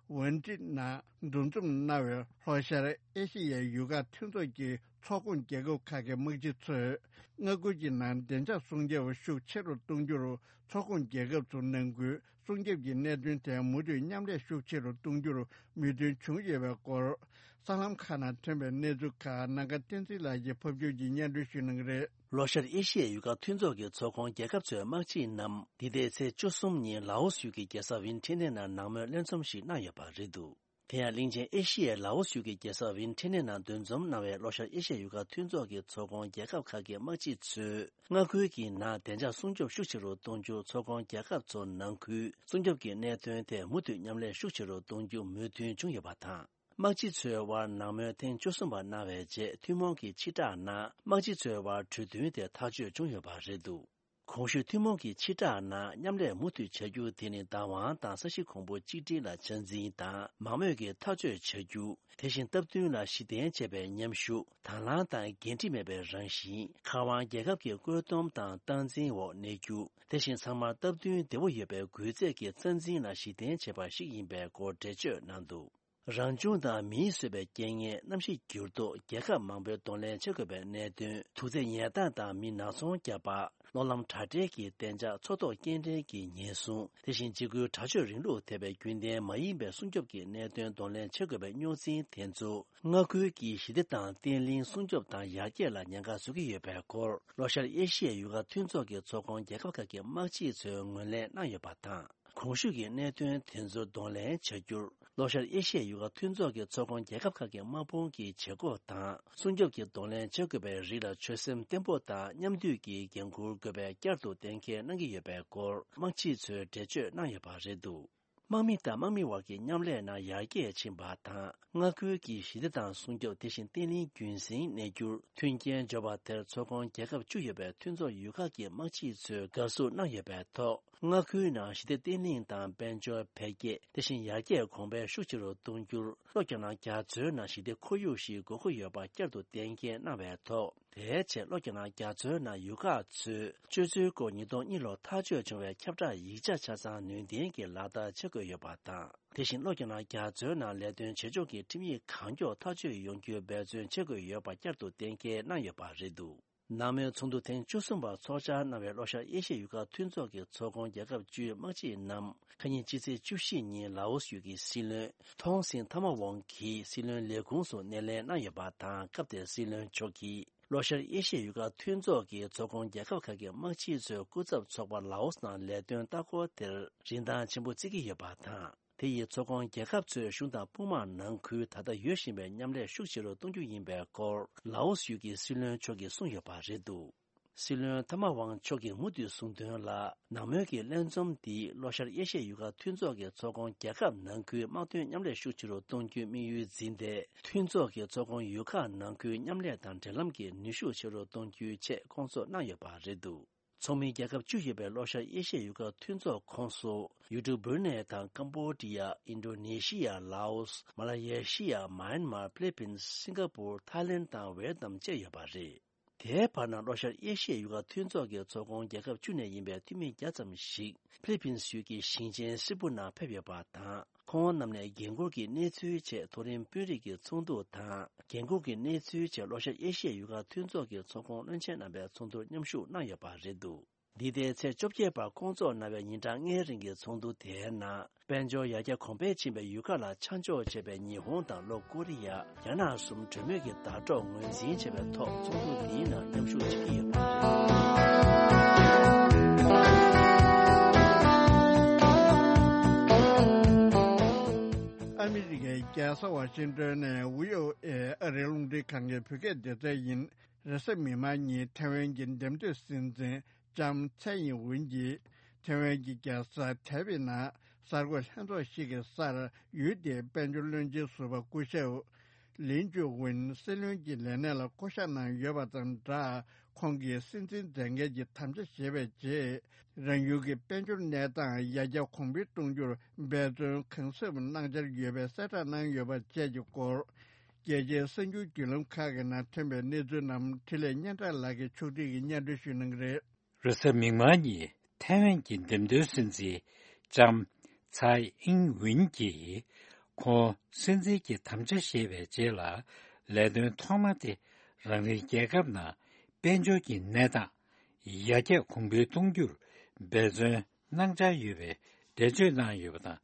ཝན་ཀྲི་ནང་འདུ་འཛོམས་གནང་བའི་ལྷོ་ཤར་ཨེ་ཤི་ཡའི་ཡུལ་ཁག་མཐུན་ཚོགས་ཀྱི་ཚོགས་ཁོངས་རྒྱལ་ཁབ་ཁག་གི་དམག་སྤྱི་ཚོས། མངའ་ཁུལ་གྱི་ནང་བདེ་འཇགས་སྲུང་སྐྱོབ་ཤུགས་ཆེ་རུ་གཏོང་རྒྱུར། ཚོགས་ཁོངས་རྒྱལ་ཁབ་ཚོ་ནང་ཁུལ་སྲུང་སྐྱོབ་ཀྱི་གནད་དོན་ཐད་མུ་མཐུད་མཉམ་ལས་ཤུགས་ཆེ་རུ་གཏོང་རྒྱུར་མོས་མཐུན་བྱུང་ཡོད་པའི་སྐོར། གསར་ལམ་ཁག་ནང་ཐོན་པའི་གནས་ཚུལ་ཁག་ནམ་མཁའ་བསྟན་འཛིན་ལགས་ཀྱིས་ཕབ་སྒྱུར་གྱིས་སྙན་སྒྲོན་ཞུ་གནང་གི་རེད། ལྷོ་ཤར་ཨེ་ཤི་ཡའི་ཡུལ་ཁག་མཐུན་ཚོགས་ཀྱི་ཚོགས་ཁོངས་རྒྱལ་ཁབ་ཚོའི་དམག་སྤྱི་རྣམས་འདི་ཟླའི་ཚེས་བཅུ་གསུམ་ཉིན་ལའོ་སི་ཡུལ་གྱི་རྒྱལ་ས་ཝིན་ཁྲེ་ནེ་ནང་ནང་མོལ་ལྷན་འཛོམས་ཤིག་གནང་ཡོད་པ་རེད་འདུག། དེ་ཡང་གླིང་ཆེན་ཨེ་ཤི་ཡའི་ལའོ་སི་ཡུལ་གྱི་རྒྱལ་ས་ཝིན་ཁྲེ་ནེ་ནང་འདུ་འཛོམས་གནང་བའི་ལྷོ་ཤར་ཨེ་ཤི་ཡའི་ཡུལ་ཁག་མཐུན་ཚོགས་ཀྱི་ཚོགས་ཁོངས་རྒྱལ་ཁབ་ཁག་གི་དམག་སྤྱི་ཚོས། མངའ་ཁུལ་གྱི་ནང་བདེ་འཇགས་སྲུང་སྐྱོབ་ཤུགས་ཆེ་རུ་གཏོང་རྒྱུ། ཚོགས་ཁོངས་རྒྱལ་ཁབ་ཚོ་ནང་ཁུལ་སྲུང་སྐྱོབ་ཀྱི་གནད་དོན་ཐད་མུ་མཐུད་མཉམ་ལས་ཤུགས་ཆེ་རུ་གཏོང་རྒྱུ་མོས་མཐུན་བྱུང་ཡོད་པ་དང་། དམག་སྤྱི་ཚོའི་དབར་ནང་མོལ་ཐེངས་བཅུ་གསུམ་པ་གནང་བའི་རྗེས། ཐུན་མོང་གི་ཕྱི་བསྒྲགས་ནང་། དམག་སྤྱི་ཚོའི་དབར་གྲོས་མཐུན་དེ་ཐག་གཅོད་བྱུང་ཡོད་པ་རེད་འདུག། གོང་ཞུས་ཐུན་མོང་གི་ཕྱི་བསྒྲགས་ནང་མཉམ་ལས་མུ་མཐུད་བྱ་རྒྱུ་དེ་ནི་བདག་དབང་དང་ས་གཞི་གོང་བུ་གཅིག་སྒྲིལ་ལ་ཆ་འཛིན་དང་མང་མོས་ཀྱི་ཐག་གཅོད་བྱ་རྒྱུ། དེ་བཞིན་སྟབས་བསྟུན་ལ་གཞི་རྟེན་བྱས་པའི་མཉམ་ཞུགས། དང་བླངས་དང་འགན་འཁྲི་མེད་པའི་རང་བཞིན། མཁར་དབང་རྒྱལ་ཁབ་ཀྱི་བཀོད་འདོམས་དང་སྟངས་འཛིན་འོག་གནས་རྒྱུ། དེ་བཞིན་ཚང་མར་སྟབས་བསྟུན་བདེ་བོ་ཡོད་པའི་སྒུལ་རྩལ་གྱི་རྩ་འཛིན་ལ་གཞི་རྟེན་བྱས་པ་ཞིག་ཡིན་པའི་སྐོར་འགྲེལ་བརྗོད་གནང་འདུག། རང་བྱུང་དང་མིས་བཟོས་པའི་རྐྱེན་ངན། གནམ་གཤིས་འགྱུར་ལྡོག། རྒྱལ་ཁབ་མང་པོས་གདོང་ལེན་བྱེད་དགོས་པའི་གནད་དོན། དུག་རྫས་ཉལ་ཐང་དང་མི་ནག་ཚོང་བརྒྱབ་པ། གློག་ལམ་དྲ་སྦྲེལ་གྱི་བདེ་འཇགས། མཚོ་ཐོག་སྐྱེལ་འདྲེན་གྱི་ཉེན་སྲུང་། དེ་བཞིན་འཇིགས་སྐུལ་དྲག་སྤྱོད་རིང་ལུགས་ཐེ་བའི་རྒྱུན་ལྡན་མ་ཡིན་པའི་སྲུང་སྐྱོབ་ཀྱི་གནད་དོན་གདོང་ལེན་བྱེད་དགོས་པའི་རྙོག་འཛིང་དེ་ཚོ། མངའ་ཁུལ་གྱི་ཞི་བདེ་དང་བརྟན་ལྷིང་སྲུང་སྐྱོབ་དང་ཡར་རྒྱས་ལ་ཉེན་ཁ་བཟོ་གི་ཡོད་པའི་སྐོར། ལྷོ་ཤར་ཨེ་ཤི་ཡའི་ཡུལ་ཁག་མཐུན་ཚོགས་ཀྱི་ཚོགས་ཁོངས་རྒྱལ་ཁབ་ཁག་གི་དམག་སྤྱི་ཚོས་ངོས་ལེན་གནང་ཡོད་པ་དང་། གོང་ཞུས་ཀྱི་གནད་དོན་དེ་ཚོ་གདོང་ལེན་བྱ་རྒྱུར། ལྷོ་ཤར་ཨེ་ཤི་ཡའི་ཡུལ་ཁག་མཐུན་ཚོགས་ཀྱི་ཚོགས་ཁོངས་རྒྱལ་ཁབ་ཁག་གི་དམག་དཔུང་གི་བྱེད་སྒོ་དང་། སྲུང་སྐྱོབ་ཀྱི་གདོང་ལེན་བྱེད་དགོས་པའི་རིགས་ལ་ཆོད་སེམས་བརྟན་པོ་དང་མཉམ་མཐུད་ཀྱིས་འགན་འཁུར་དགོས་པའི་བསྐྱར་དུ་གཏན་འཁེལ་གནང་གི་ཡོད་པའི་སྐོར། དམག་སྤྱི་ཚོས་འགྲེལ་བརྗོད་གནང་ཡོད་པ་རེད་འདུག་དམག་མི་དང་དམག་མི་བར་གྱི་མཉམ་ལས་ནང་ཡར་རྒྱས་ཕྱིན་པ་དང་། མངའ་ཁུལ་གྱི་ཞི་བདེ་དང་སྲུང་སྐྱོབ། དེ་བཞིན་བརྟན་ལྷིང་རྒྱུན་སྲིང་གནས་རྒྱུར་མཐུན་རྐྱེན་སྦྱོར་བ་དེར་ཚོགས་ཁོངས་རྒྱལ་ཁབ་བཅུ་ཡོད་པའི་མཐུན་ཚོགས་ཡུལ་ཁག་གི་དམག་སྤྱི་ཚོས་དགའ་བསུ་གནང་ཡོད་པའི་ཐོག་མངའ་ཁུལ་ནང་ཞི་བདེ་བརྟན་ལྷིང་དང་དཔལ་འབྱོར་འཕེལ་རྒྱས། དེ་བཞིན་ཡར་རྒྱས་གོང་འཕེལ་ཤུགས་ཆེ་རུ་གཏོང་རྒྱུར། ལྷོ་རྒྱ་ནག་རྒྱ་མཚོའི་ནང་ཞི་བདེ་ཁོར་ཡུག་ཞིག་དགོས་མཁོ་ཡོད་པ་བསྐྱར་དུ་གཏན་འཁེལ་གནང་བའི་ཐོག་དེའི་ཆེད་ལྷོ་རྒྱ་ནག་རྒྱ་མཚོའི་ནང་ཡུལ་ཁག་ཚོས་སྤྱོད་ཚུལ་སྐོར་ཉིས་སྟོང་གཉིས་ལོར་ཐག་གཅོད་བྱུང་བའི་ཁྱབ་བསྒྲགས་ཡིག་ཆ་ཆ་ཚང་ནུས་ལྡན་གྱིས་ལག་བསྟར་བྱེད་དགོས་ཡོད་པ་དང་། དེ་བཞིན་ལྷོ་རྒྱ་ནག་རྒྱ་མཚོའི་ནང་ལས་དོན་བྱེད་ཕྱོགས་ཀྱི་ཁྲིམས་ཡིག་གང་མགྱོགས་ཐག་གཅོད་ཡོང་རྒྱུའི་འབད་བརྩོན་བྱེད་དགོས་ཡོད་པ་བསྐྱར་དུ་གཏན་འཁེལ་གནང་ཡོད་པ་རེད་འདུག་ནང་མོལ་ཚོགས་འདུ་ཐེངས་བཅུ་གསུམ་པ་ཚོགས་བཅར་གནང་བའི་ལྷོ་ཤར་ཨེ་ཤི་ཡའི་ཡུལ་ཁག་མཐུན་ཚོགས་ཀྱི་ཚོགས་ཁོངས་རྒྱལ་ཁབ་བཅུའི་དམག་སྤྱི་རྣམས་ཁ་ཉིན་ཕྱི་ཚེས་བཅུ་བཞི་ཉིན་ལའོ་སི་ཡུལ་གྱི་སྲིད་བློན་ཐོང་སིན་ཐ་མ་ཝང་གིས་སྲིད་བློན་ལས་ཁུངས་སུ་སྣེ་ལེན་གནང་ཡོད་པ་དང་། སྐབས་དེར་སྲིད་བློན་མཆོག་གིས་ལྷོ་ཤར་ཨེ་ཤི་ཡའི་ཡུལ་ཁག་མཐུན་ཚོགས་ཀྱི་ཚོགས་ཁོངས་རྒྱལ་ཁབ་ཁག་གི་དམག་སྤྱི་ཚོའི་སྐུ་ཚབ་ཚོགས་པ་ལའོ་སི་ནང་ལས་དོན་ལྟ་སྐོར་དེར་རིན་ཐང་ཆེན་པོ་བརྩི་གི་ཡོད་པ་དང་། དེ་ཡིས་ཚོགས་ཁོངས་རྒྱལ་ཁབ་ཚོའི་གཞུང་དང་དཔུང་དམག་ནང་ཁུལ་ད་ལྟ་ཡོད་བཞིན་པའི་མཉམ་ལས་ཤུགས་ཆེ་རུ་གཏོང་རྒྱུ་ཡིན་པའི་སྐོར་ལའོ་སི་ཡུལ་གྱི་སྲིད་བློན་མཆོག་གིས་གསུངས་ཡོད་པ་རེད་འདུག་སྲིད་བློན་ཐ་མ་ཝང་མཆོག་གིས་མུ་མཐུད་གསུངས་དོན་ལ། ནང་མོལ་གྱི་ལྷན་འཛོམས་འདིས་ལྷོ་ཤར་ཨེ་ཤི་ཡའི་ཡུལ་ཁག་མཐུན་ཚོགས་ཀྱི་ཚོགས་ཁོངས་རྒྱལ་ཁབ་ནང་ཁུལ་དམག་དོན་མཉམ་ལས་ཤུགས་ཆེ་རུ་གཏོང་རྒྱུའི་དམིགས་ཡུལ་འཛིན་ཏེ། མཐུན་ཚོགས་ཀྱི་ཚོགས་ཁོངས་ཡུལ་ཁག་ནང་ཁུལ་མཉམ་ལས་དང་འབྲེལ་ལམ་གྱི་ནུས་ཤུགས་ཆེ་རུ་གཏོང་རྒྱུའི་ཆེད་བསྐོང་ཚོགས་གནང་ཡོད་པ་རེད་འདུག་ཚོགས་མི་རྒྱལ་ཁབ་བཅུ་ཡོད་པའི་ལྷོ་ཤར་ཨེ་ཤི་ཡའི་ཡུལ་ཁག་མཐུན་ཚོགས་ཁོངས་སུ་ཡུལ་གྲུ་བྷུ་རུ་ནེ་དང་ཀམ་བོ་ཌི་ཡ། ཨིན་ཌོ་ནེ་ཤི་ཡ། ལའོ་སི། མ་ལ་ཡེ་ཤི་ཡ། མཱ་ཡན་མར། ཕི་ལི་པིན། སིང་ག་པུར། ཐའི་ལེན་དང་ཝེ་ཏི་ནམ་བཅས་ཡོད་པ་རེད། དེའི་བར་ན་ལྷོ་ཤར་ཨེ་ཤི་ཡའི་ཡུལ་ཁག་མཐུན་ཚོགས་ཀྱི་ཚོགས་ཁོངས་རྒྱལ་ཁབ་བཅུ་ནས་ཡིན་པའི་འཐུས་མི་བརྒྱ་ཙམ་ཞིག་ཕི་ལི་པིན་ཡུལ་གྱི་ཞིང་ཆེན་སི་པུ་ནང་ཕེབས་ཡོད་པ་དང་། ཁོང་རྣམས་ནས་འགན་འཁུར་གྱི་གནས་ཚུལ་ཆེད་མཐོ་རིམ་དཔོན་རིགས་ཀྱི་ཚོགས་འདུ་དང་། འགན་འཁུར་གྱི་གནས་ཚུལ་ཆེད་ལྷོ་ཤར་ཨེ་ཤི་ཡའི་ཡུལ་ཁག་མཐུན་ཚོགས་ཀྱི་ཚོགས་ཁོངས་བློན་ཆེན་རྣམ་པའི་ཚོགས་འདུར་མཉམ་ཞུགས་གནང་ཡོད་པ་རེད་འདུག་འདི་ཟླའི་ཚེས་བཅོ་བརྒྱད་བར་བསྐོང་ཚོགས་གནང་བའི་ཉིན་གྲངས་ལྔའི་རིང་གི་ཚོགས་འདུ་དེའི་ནང་། དཔལ་འབྱོར་ཡར་རྒྱས་གོང་འཕེལ་ཕྱིན་པའི་ཡུལ་ཁག་ལ་ཆ་འཇོག་བྱས་པའི་ཉི་ཧོང་དང་ལྷོ་ཀོ་རི་ཡ། རྒྱ་ནག་གསུམ་གྲོས་མོལ་གྱི་ཟླ་གྲོགས་ངོས་འཛིན་བྱས་པའི་ཐོག་ཚོགས་འདུ་འདིའི་ནང་མཉམ་ཞུགས་བྱེད་ཀྱི་ཡོད་པ་རེད། ཨ་མི་རི་ཀའི་རྒྱལ་ས་ཝ་ཤིང་ཏོན་ནས་ཝི་ཨོ་ཨེ་ཨ་རིའི་རླུང་འཕྲིན་ཁང་གི་བོད་སྐད་སྡེ་ཚན་ཡིན། རེས་གཟའ་མིག་དམར་ཉིན་ཐེ་ཝན་གྱི་འདེམས་ཐོན་སྲིད་འཛིན་ལྕམ་ཚའེ་ཡིན་ཝུན་གྱིས་ཐེ་ཝན་གྱི་རྒྱལ་ས་ཐའེ་པེ་ནང་གསར་འགོད་ལྷན་ཚོགས་ཤིག་གི་སར་ཡུལ་དེའི་དཔལ་འབྱོར་བློན་ཆེན་ཟུར་པ་སྐུ་ཞབས་ལིན་ཅུ་ཝུན་སྲིད་བློན་གྱི་ལས་གནས་ལ་བསྐོ་གཞག་གནང་ཡོད་པ་དང་སྦྲགས། ཁོང་གིས་སྲིད་འཛིན་མཛད་འགན་གྱི་དམ་བཅའ་བཞེས་པའི་རྗེས། རང་ཡུལ་གྱི་དཔལ་འབྱོར་གནས་སྟངས་ཡར་རྒྱས་གོང་འཕེལ་གཏོང་རྒྱུར་འབད་བརྩོན་གང་ཟབ་གནང་འཆར་ཡོད་པའི་གསལ་བསྒྲགས་གནང་ཡོད་པ་བཅས་ཀྱི་སྐོར། རྒྱལ་སྤྱིའི་གསར་འགྱུར་བརྒྱུད་ལམ་ཁག་གི་ནང་ཐོན་པའི་གནས་ཚུལ་རྣམས་འཕྲིན་ལས་སྙན་གྲགས་ལགས་ཀྱིས་ཕྱོགས་སྒྲིག་གིས་སྙན་སྒྲོན་ཞུ་གནང་གི་རེད། རེས་གཟའ་མིག་དམར་ཉིན་ཐའེ་ཝན་གྱི་འདེམས་ཐོན་སྲིད་འཛིན་ལྕམ་ཚའེ་ཨིན་ཝིན་གྱིས་ཁོང་སྲིད་འཛིན་གྱི་དམ་བཅའ་བཞེས་པའི་རྗེས་ལ་ལས་དོན་ཐོག་མ་དེ་རང་རེའི་རྒྱལ་ཁབ་ནང་དཔལ་འབྱོར་གྱི་གནས་སྟངས་ཡར་རྒྱས་གོང་འཕེལ་གཏོང་རྒྱུར་འབད་བརྩོན་གནང་འཆར་ཡོད་པའི་འགྲེལ་བརྗོད་གནང་ཡོད་པ་དང་།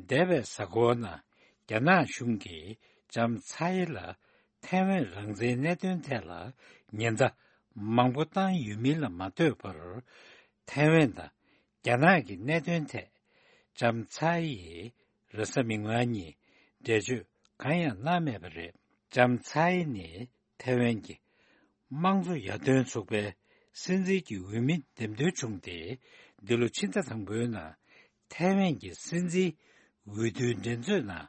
འདས་པའི་གཟའ་འཁོར་ནང་རྒྱ་ནག་གཞུང་གིས་ལྕམ་ཚའེ་ལ་ཐའེ་ཝན་རང་བཙན་གནད་དོན་ཐད་ལ་ཉེན་བརྡ་མང་པོ་བཏང་ཡོད་མིན་ལ་མ་ལྟོས་པར། ཐའེ་ཝན་དང་རྒྱ་ནག་གི་གནད་དོན་ཐད་ལྕམ་ཚའེ་ཡིས་རེས་གཟའ་མིག་དམར་ཉིན་འགྲེལ་བརྗོད་གང་ཡང་གནང་མེད་པ་རེད། ལྕམ་ཚའེ་ནི་ཐའེ་ཝན་གྱི་དམངས་གཙོ་ཡར་ཐོན་ཚོགས་པའི་སྲིད་འཛིན་གྱི་འོས་མི་འདེམས་ཐོན་བྱུང་སྟེ། འདི་ལོ་ཕྱི་ཟླ་དང་པོའི་ནང་ཐའེ་ཝན་གྱི་སྲིད་འཛིན་འོས་བསྡུའི་འགྲན་རྩོད་ནང་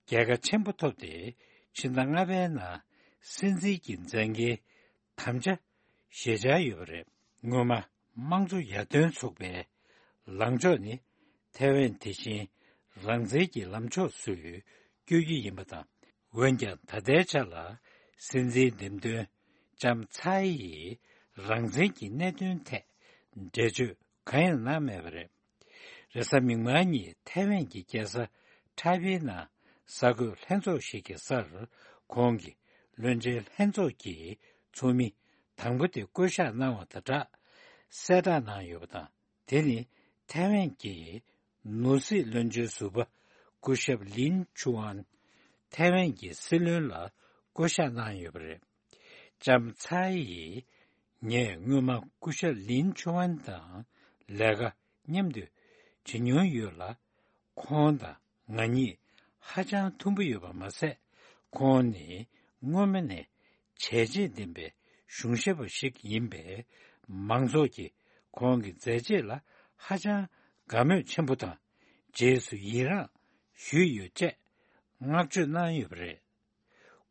རྒྱལ་ཁ་ཆེན་པོ་ཐོབ་སྟེ། ཕྱི་ཟླ་ལྔ་པའི་ནང་སྲིད་འཛིན་གྱི་མཛད་འགན་དམ་བཅའ་བཞེས་འཆར་ཡོད་པ་རེད། སྔོན་མ་དམངས་གཙོ་ཡར་ཐོན་ཚོགས་པའི་ལངས་ཕྱོགས་ནི་ཐའེ་ཝན་དེ་བཞིན་རང་བཙན་གྱི་ལམ་ཕྱོགས་སུ་བསྐྱོད་རྒྱུ་ཡིན་པ་དང་། འོན་ཀྱང་ད་ལྟའི་ཆ་ལ་སྲིད་འཛིན་འདེམས་ཐོན་ལྕམ་ཚའེ་ཡིས་རང་བཙན་གྱི་གནད་དོན་ཐད་འགྲེལ་བརྗོད་གང་ཡང་གནང་མེད་པ་རེད། རེས་གཟའ་མིག་དམར་ཉིན་ཐའེ་ཝན་གྱི་རྒྱལ་ས་ཁྲའེ་པེ་ནང་ གསར་འགོད་ལྷན་ཚོགས་ཤིག་གི་སར་ཁོང་གིས་བློན་ཆེན་ལྷན་ཚོགས་ཀྱི་ཚོགས་མི་དང་པོ་དེ་བསྐོ་གཞག་གནང་བ་དང་སྦྲགས་གསལ་བསྒྲགས་གནང་ཡོད་པ་དང་། དེ་ནི་ཐའེ་ཝན་གྱི་ནོར་སྲིད་བློན་ཆེན་ཟུར་པ་སྐུ་ཞབས་ལིན་ཆུ་ཨན་ཐའེ་ཝན་གྱི་སྲིད་བློན་ལ་བསྐོ་གཞག་གནང་ཡོད་པ་རེད། ལྕམ་ཚའེ་ཡིས་ངས་སྔོན་མ་སྐུ་ཞབས་ལིན་ཆུ་ཨན་དང་ལས་ཀ་མཉམ་དུ་བྱེད་མྱོང་ཡོད་ལ། ཁོང་དང་ང་གཉིས་ཧ་ཅང་མཐུན་པོ་ཡོད་པ་མ་ཟད། ཁོང་ནི་སྔོན་མ་ནས་བྱས་རྗེས་ལྡན་པའི་གཞུང་ཞབས་པ་ཞིག་ཡིན་པས། མང་ཚོགས་ཀྱིས་ཁོང་གི་མཛད་རྗེས་ལ་ཧ་ཅང་དགའ་མོས་ཆེན་པོ་དང་། རྗེས་སུ་ཡི་རངས་ཞུས་ཡོད་ཅེས་བསྔགས་བརྗོད་གནང་ཡོད་པ་རེད།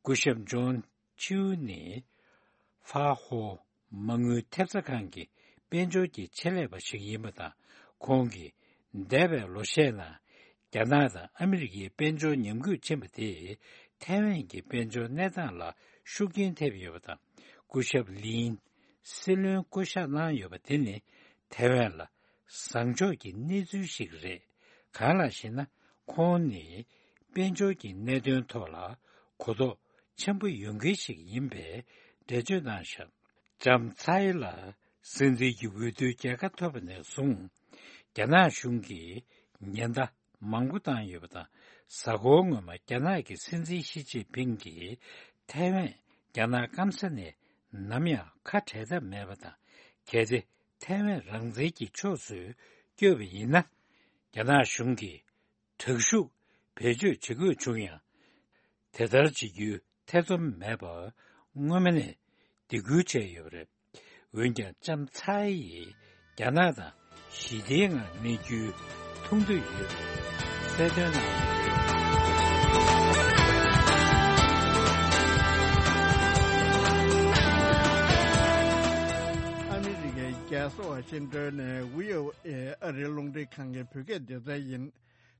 སྐུ་ཞབས་ཇོན་ཆིའུ་ནི་ཧྥ་ཧོ་མ་དངུལ་ཐེབས་རྩ་ཁང་གི་དཔལ་འབྱོར་གྱི་ཆེད་ལས་པ་ཞིག་ཡིན་པ་དང་། ཁོང་གིས་འདས་པའི་ལོ་ཤས་ནང་རྒྱ་ནག་དང་ཨ་མི་རི་ཀའི་དཔལ་འབྱོར་ཉམས་རྒུད་ཕྱིན་པ་དེས་ཐའེ་ཝན་གྱི་དཔལ་འབྱོར་གནས་སྟངས་ལ་ཤུགས་རྐྱེན་ཐེབས་ཡོད་པ་དང་། སྐུ་ཞབས་ལིན་སྲིད་བློན་བསྐོ་གཞག་གནང་ཡོད་པ་དེ་ནི་ཐའེ་ཝན་ལ་བཟང་ཕྱོགས་ཀྱི་གནས་ཚུལ་ཞིག་རེད། གང་ལགས་ཤེ་ན། ཁོང་ནི་དཔལ་འབྱོར་གྱི་གནད་དོན་ཐོག་ལ་གོ་རྟོགས་ཆེན་པོ་ཡོད་མཁན་ཞིག་ཡིན་པས་འགྲེལ་བརྗོད་གནང་ཤག་ལྕམ་ཚའེ་ལ་སྲིད་འཛིན་གྱི་འོས་བསྡུའི་རྒྱལ་ཁ་ཐོབ་པ་ནས་བཟུང་། རྒྱ་ནག་གཞུང་གིས་ཉེན་བརྡ་མང་པོ་བཏང་ཡོད་པ་དང་། གཟའ་འཁོར་སྔོན་མ་རྒྱ་ནག་གི་སྲིད་འཛིན་ཞི་ཅིན་ཕིང་གིས་ཐའེ་ཝན་རྒྱ་ནག་སྐམ་ས་ནས་ནམ་ཡང་ཁ་བྲལ་ཐབས་མེད་པ་དང་། གལ་ཏེ་ཐའེ་ཝན་རང་བཙན་གྱི་ཕྱོགས་སུ་བསྐྱོད་པ་ཡིན་ན། རྒྱ་ནག་གཞུང་གིས་དྲག་ཤུགས་བེད་སྤྱོད་བྱེད་དགོས་བྱུང་ཡང་། དེ་ལྟར་བྱེད་རྒྱུའི་ཐེ་ཚོམ་མེད་པར་སྔོན་མ་ནས་སྡིགས་སྐུལ་བྱས་ཡོད་པ་རེད། འོན་ཀྱང་ལྕམ་ཚའེ་ཡིས་རྒྱ་ནག་དང་ཞི་བདེའི་ངང་གནས་རྒྱུའི་ཐུགས་འདོད་ཡོད་པ་གསལ་སྟོན་གནང་ཡོད་པ་རེད། ཨ་མི་རི་ཀའི་རྒྱལ་ས་ཝ་ཤིང་ཏོན་ནས་བྷི་ཨོ་ཨེ་ཨ་རིའི་རླུང་འཕྲིན་ཁང་གི་བོད་སྐད་སྡེ་ཚན་ཡིན།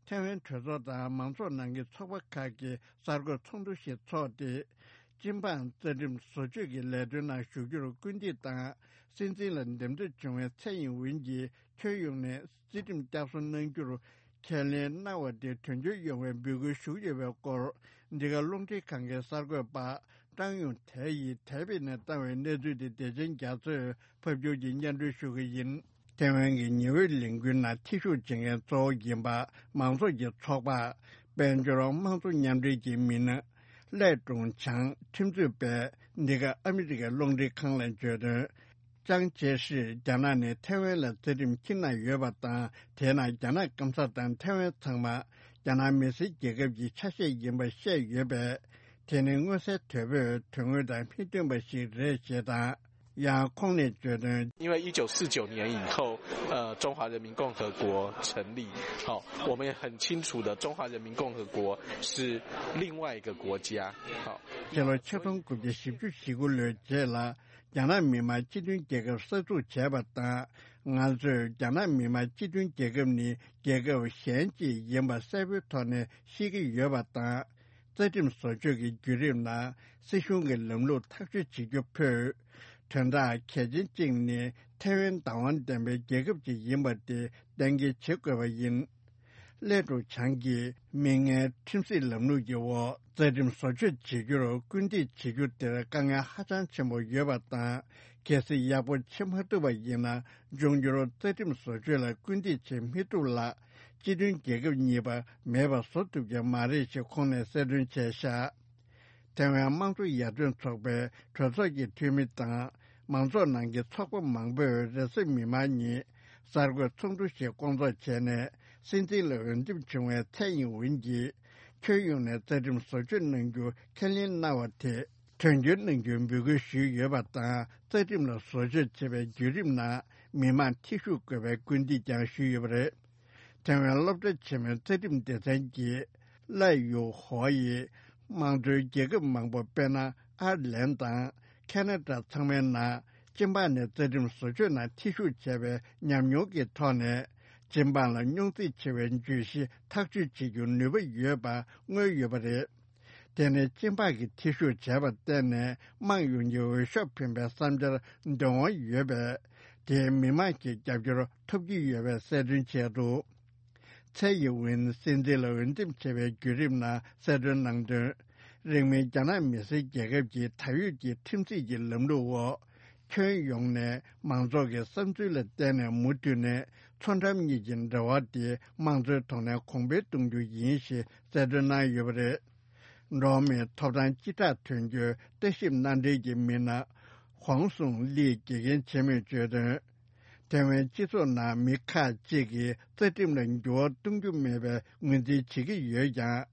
ཐའེ་ཝན་གྲོས་ཚོགས་དང་མང་ཚོགས་ནང་གི་ཚོགས་པ་ཁག་གིས་གསར་འགོད་ཚོགས་འདུ་ཞིག་འཚོགས་ཏེ། སྤྱི་འབངས་རྩ་ཁྲིམས་བཟོ་བཅོས་ཀྱི་ལས་དོན་ནང་ཞུགས་རྒྱུར་སྐུལ་འདེད་དང་། སྲིད་འཛིན་ལ་འདེམས་ཐོན་བྱུང་བའི་ཚེ་ཡིན་ཝིན་གྱིས་ཁྱོན་ཡོངས་ནས་རྩ་ཁྲིམས་བསྐྱར་གསོ་གནང་རྒྱུར་ཁས་ལེན་གནང་བ་དེ་དོན་འཁྱོལ་ཡོང་བའི་འབོད་སྐུལ་ཞུ་གི་ཡོད་པའི་སྐོར། འདི་ག་རླུང་འཕྲིན་ཁང་གི་གསར་འགོད་པ་ཀྲང་ཡུང་ཐའེ་ཡིས་དེ་བྷིད་ནས་བཏང་བའི་གནས་ཚུལ་དེ་བདེ་ཆེན་རྒྱ་མཚོས་ཕབ་སྒྱུར་གྱིས་སྙན་སྒྲོན་ཞུ་གི་ཡིན། ཐའེ་ཝན་གྱི་ཉི་འོད་ལས་འགུལ་ནང་ཐེ་ཞུགས་བྱེད་མཁན་གཙོ་བོ་ཡིན་པ་མང་ཚོགས་ཀྱི་ཚོགས་པ། དཔལ་འབྱོར་དམངས་གཙོ་མཉམ་འབྲེལ་གྱི་མི་སྣ། ལས་ཀྲུང་ཆང་ཁྲིམས་རྩོད་པས་འདི་ག་ཨ་མི་རི་ཀའི་རླུང་འཕྲིན་ཁང་ལ་བརྗོད་དོན། ཅང་ཅེ་ཧྲིས་རྒྱ་ནག་ནས་ཐའེ་ཝན་ལ་རྩ་ཁྲིམས་འཁྱེར་གནང་ཡོད་པ་དང་། དེས་ན་རྒྱ་ནག་སྐམ་ས་དང་ཐའེ་ཝན་ཚང་མ་རྒྱ་ནག་མི་སེར་རྒྱལ་ཁབ་ཀྱི་ཆ་ཤས་ཡིན་པ་བཤད་ཡོད་པས། དེ་ནི་མངོན་གསལ་དོད་པོས་དོན་དངོས་དང་མི་མཐུན་པ་ཞིག་རེད་ཞེས་དང་། ཡང་ཁོང་ནས་བརྗོད་དོན། 因为一九四九年以后，呃，中华人民共和国成立。好，我们也很清楚的，中华人民共和国是另外一个国家。好， ཕྱི་ལོ་ཆིག་སྟོང་དགུ་བརྒྱ་བཞི་བཅུ་ཞེ་དགུ་ལོའི་རྗེས་ལ་རྒྱ་ནག་མི་དམངས་སྤྱི་མཐུན་རྒྱལ་ཁབ་གསར་འཛུགས་བྱས་པ་དང་། ང་ཚོས་རྒྱ་ནག་མི་དམངས་སྤྱི་མཐུན་རྒྱལ་ཁབ་ནི་རྒྱལ་ཁབ་གཞན་ཅིག་ཡིན་པ་གསལ་པོའི་ཐོག་ནས་ཤེས་ཀྱི་ཡོད་པ་དང་། རྩ་ཁྲིམས་བཟོ་བཅོས་ཀྱི་བརྒྱུད་རིམ་ནང་སྲིད་གཞུང་གི་ལམ་ལུགས་ཐག་གཅོད་བྱེད་རྒྱུ་ཕུད། དོན་དག་གལ་ཆེན་གཅིག་ནི་ཐའེ་ཝན་བདག་དབང་ལྡན་པའི་རྒྱལ་ཁབ་ཅིག་ཡིན་པ་དེ་གཏན་འཁེལ་བྱེད་དགོས་པ་ཡིན། ལས་ཀྲུང་ཆང་གིས་མིག་སྔའི་ཁྲིམས་སྲིད་ལམ་ལུགས་ཀྱི་འོག་རྩ་ཁྲིམས་བཟོ་བཅོས་བྱེད་རྒྱུར་སྐུལ་འདེད་བྱེད་རྒྱུ་དེར་དཀའ་ངལ་ཧ་ཅང་ཆེན་པོ་ཡོད་པ་དང་། གལ་སྲིད་ཡག་པོ་བྱེད་མ་ཐུབ་པ་ཡིན་ན། འབྱུང་འགྱུར་རྩ་ཁྲིམས་བཟོ་བཅོས་ལ་སྐུལ་འདེད་བྱེད་མི་ཐུབ་ལ། སྤྱི་མཐུན་རྒྱལ་ཁབ་གཉིས་པ་མེད་པ་བཟོ་ཐུབ་ཀྱི་མ་རེད་ཅེས་ཁོང་ནས་གསལ་སྟོན་བྱས་ཤག་ཐའེ་ཝན་དམངས་གཙོ་ཡར་ཐོན་ཚོགས་པའི་གྲོས་ཚོགས་ཀྱི་འཐུས་མི་དང་། མང་ཚོགས་ནང་གི་ཚོགས་པ་མང་པོས་རེས་གཟའ་མིག་དམར་ཉིན་གསར་འགོད་ཚོགས་འདུ་ཞིག་བསྐོང་ཚོགས་བྱས་ནས། སྲིད་འཛིན་ལ་འོས་འདེམས་བྱུང་བའི་ཚེ་ཡིན་ཝིན་གྱིས་ཁྱོན་ཡོངས་ནས་རྩ་ཁྲིམས་བཟོ་བཅོས་གནང་རྒྱུ་ཁས་ལེན་གནང་བ་དེ་དོན་འཁྱོལ་གནང་རྒྱུའི་འབོད་སྐུལ་ཞུས་ཡོད་པ་དང་། རྩ་ཁྲིམས་ལ་བཟོ་བཅོས་བྱེད་པའི་བརྒྱུད་རིམ་ནང་མི་མང་ཐེ་ཞུགས་དགོས་པའི་སྐུལ་འདེད་ཀྱང་ཞུས་ཡོད་པ་རེད། ཐའེ་ཝན་སློབ་གྲྭ་ཆེན་མོའི་རྩ་ཁྲིམས་སྡེ་ཚན་གྱི་ལའེ་ཡུ་ཧོ་ཡིས། དམངས་གཙོའི་རྒྱལ་ཁབ་མང་པོ་དཔེར་ན་ཨར་ལན་དང་ཁེ་ན་ཌ་ཚང་མའི་ནང་། སྤྱི་འབངས་ནས་རྩ་ཁྲིམས་བཟོ་བཅོས་ནང་ཐེ་ཞུགས་བྱས་པའི་ཉམས་མྱོང་གི་ཐོག་ནས། སྤྱི་འབངས་ལ་རྙོག་འཛིང་ཆེ་བའི་བརྗོད་གཞི་ཐག་གཅོད་བྱེད་རྒྱུར་ནུས་པ་ཡོད་པ་མངོན་ཡོད་པ་རེད། དེ་ནི་སྤྱི་འབངས་ཀྱིས་ཐེ་ཞུགས་བྱས་པར་བརྟེན་ནས་དམངས་ཡོངས་ཀྱི་འོས་ཤོག་འཕེན་པའི་བསམ་འཆར་འདོན་དབང་ཡོད་པས། དེས་མི་མང་གི་རྒྱབ་སྐྱོར་ཐོབ་ཀྱི་ཡོད་པའི་གསལ་སྟོན་བྱས་འདུག་ཚའེ་ཡིན་ཝིན་སྲིད་འཛིན་ལ་འོས་འདེམས་བྱས་པའི་བརྒྱུད་རིམ་ནང་གསལ་སྟོན་གནང་དོན། རིང་མིན་རྒྱ་ནག་མི་སེར་རྒྱལ་ཁབ་ཀྱི་ད་ཡོད་ཀྱི་ཁྲིམས་སྲིད་ཀྱི་ལམ་ལུགས་འོག་ཁྱོན་ཡོངས་ནས་མང་ཚོགས་ཀྱི་བསམ་ཚུལ་ལ་བརྟེན་ནས་མུ་མཐུད་ནས་མཚོ་འགྲམ་གཉིས་ཀྱི་འབྲེལ་བ་དེ་དམངས་གཙོའི་ཐོག་ནས་གོང་འཕེལ་གཏོང་རྒྱུ་ཡིན་ཞེས་གསལ་སྟོན་གནང་ཡོད་པ་རེད། འགྲོ་བ་མིའི་ཐོབ་ཐང་སྤྱི་བསྒྲགས་དོན་གཅོད་ལྟ་ཞིབ་མནའ་འབྲེལ་གྱི་མི་སྣ་ཧོང་སུང་ལིས་དགེ་རྒན་ཆེན་མོས་བརྗོད་དོན། ཐའེ་ཝན་སྤྱི་ཚོགས་ནང་མི་ཁག་ཅིག་གིས་རྩ་ཁྲིམས་ལ་འགྱུར་བ་གཏོང་རྒྱུ་མེད་པའི་ངོས་འཛིན་བྱེད་ཀྱི་ཡོད་ཀྱང་།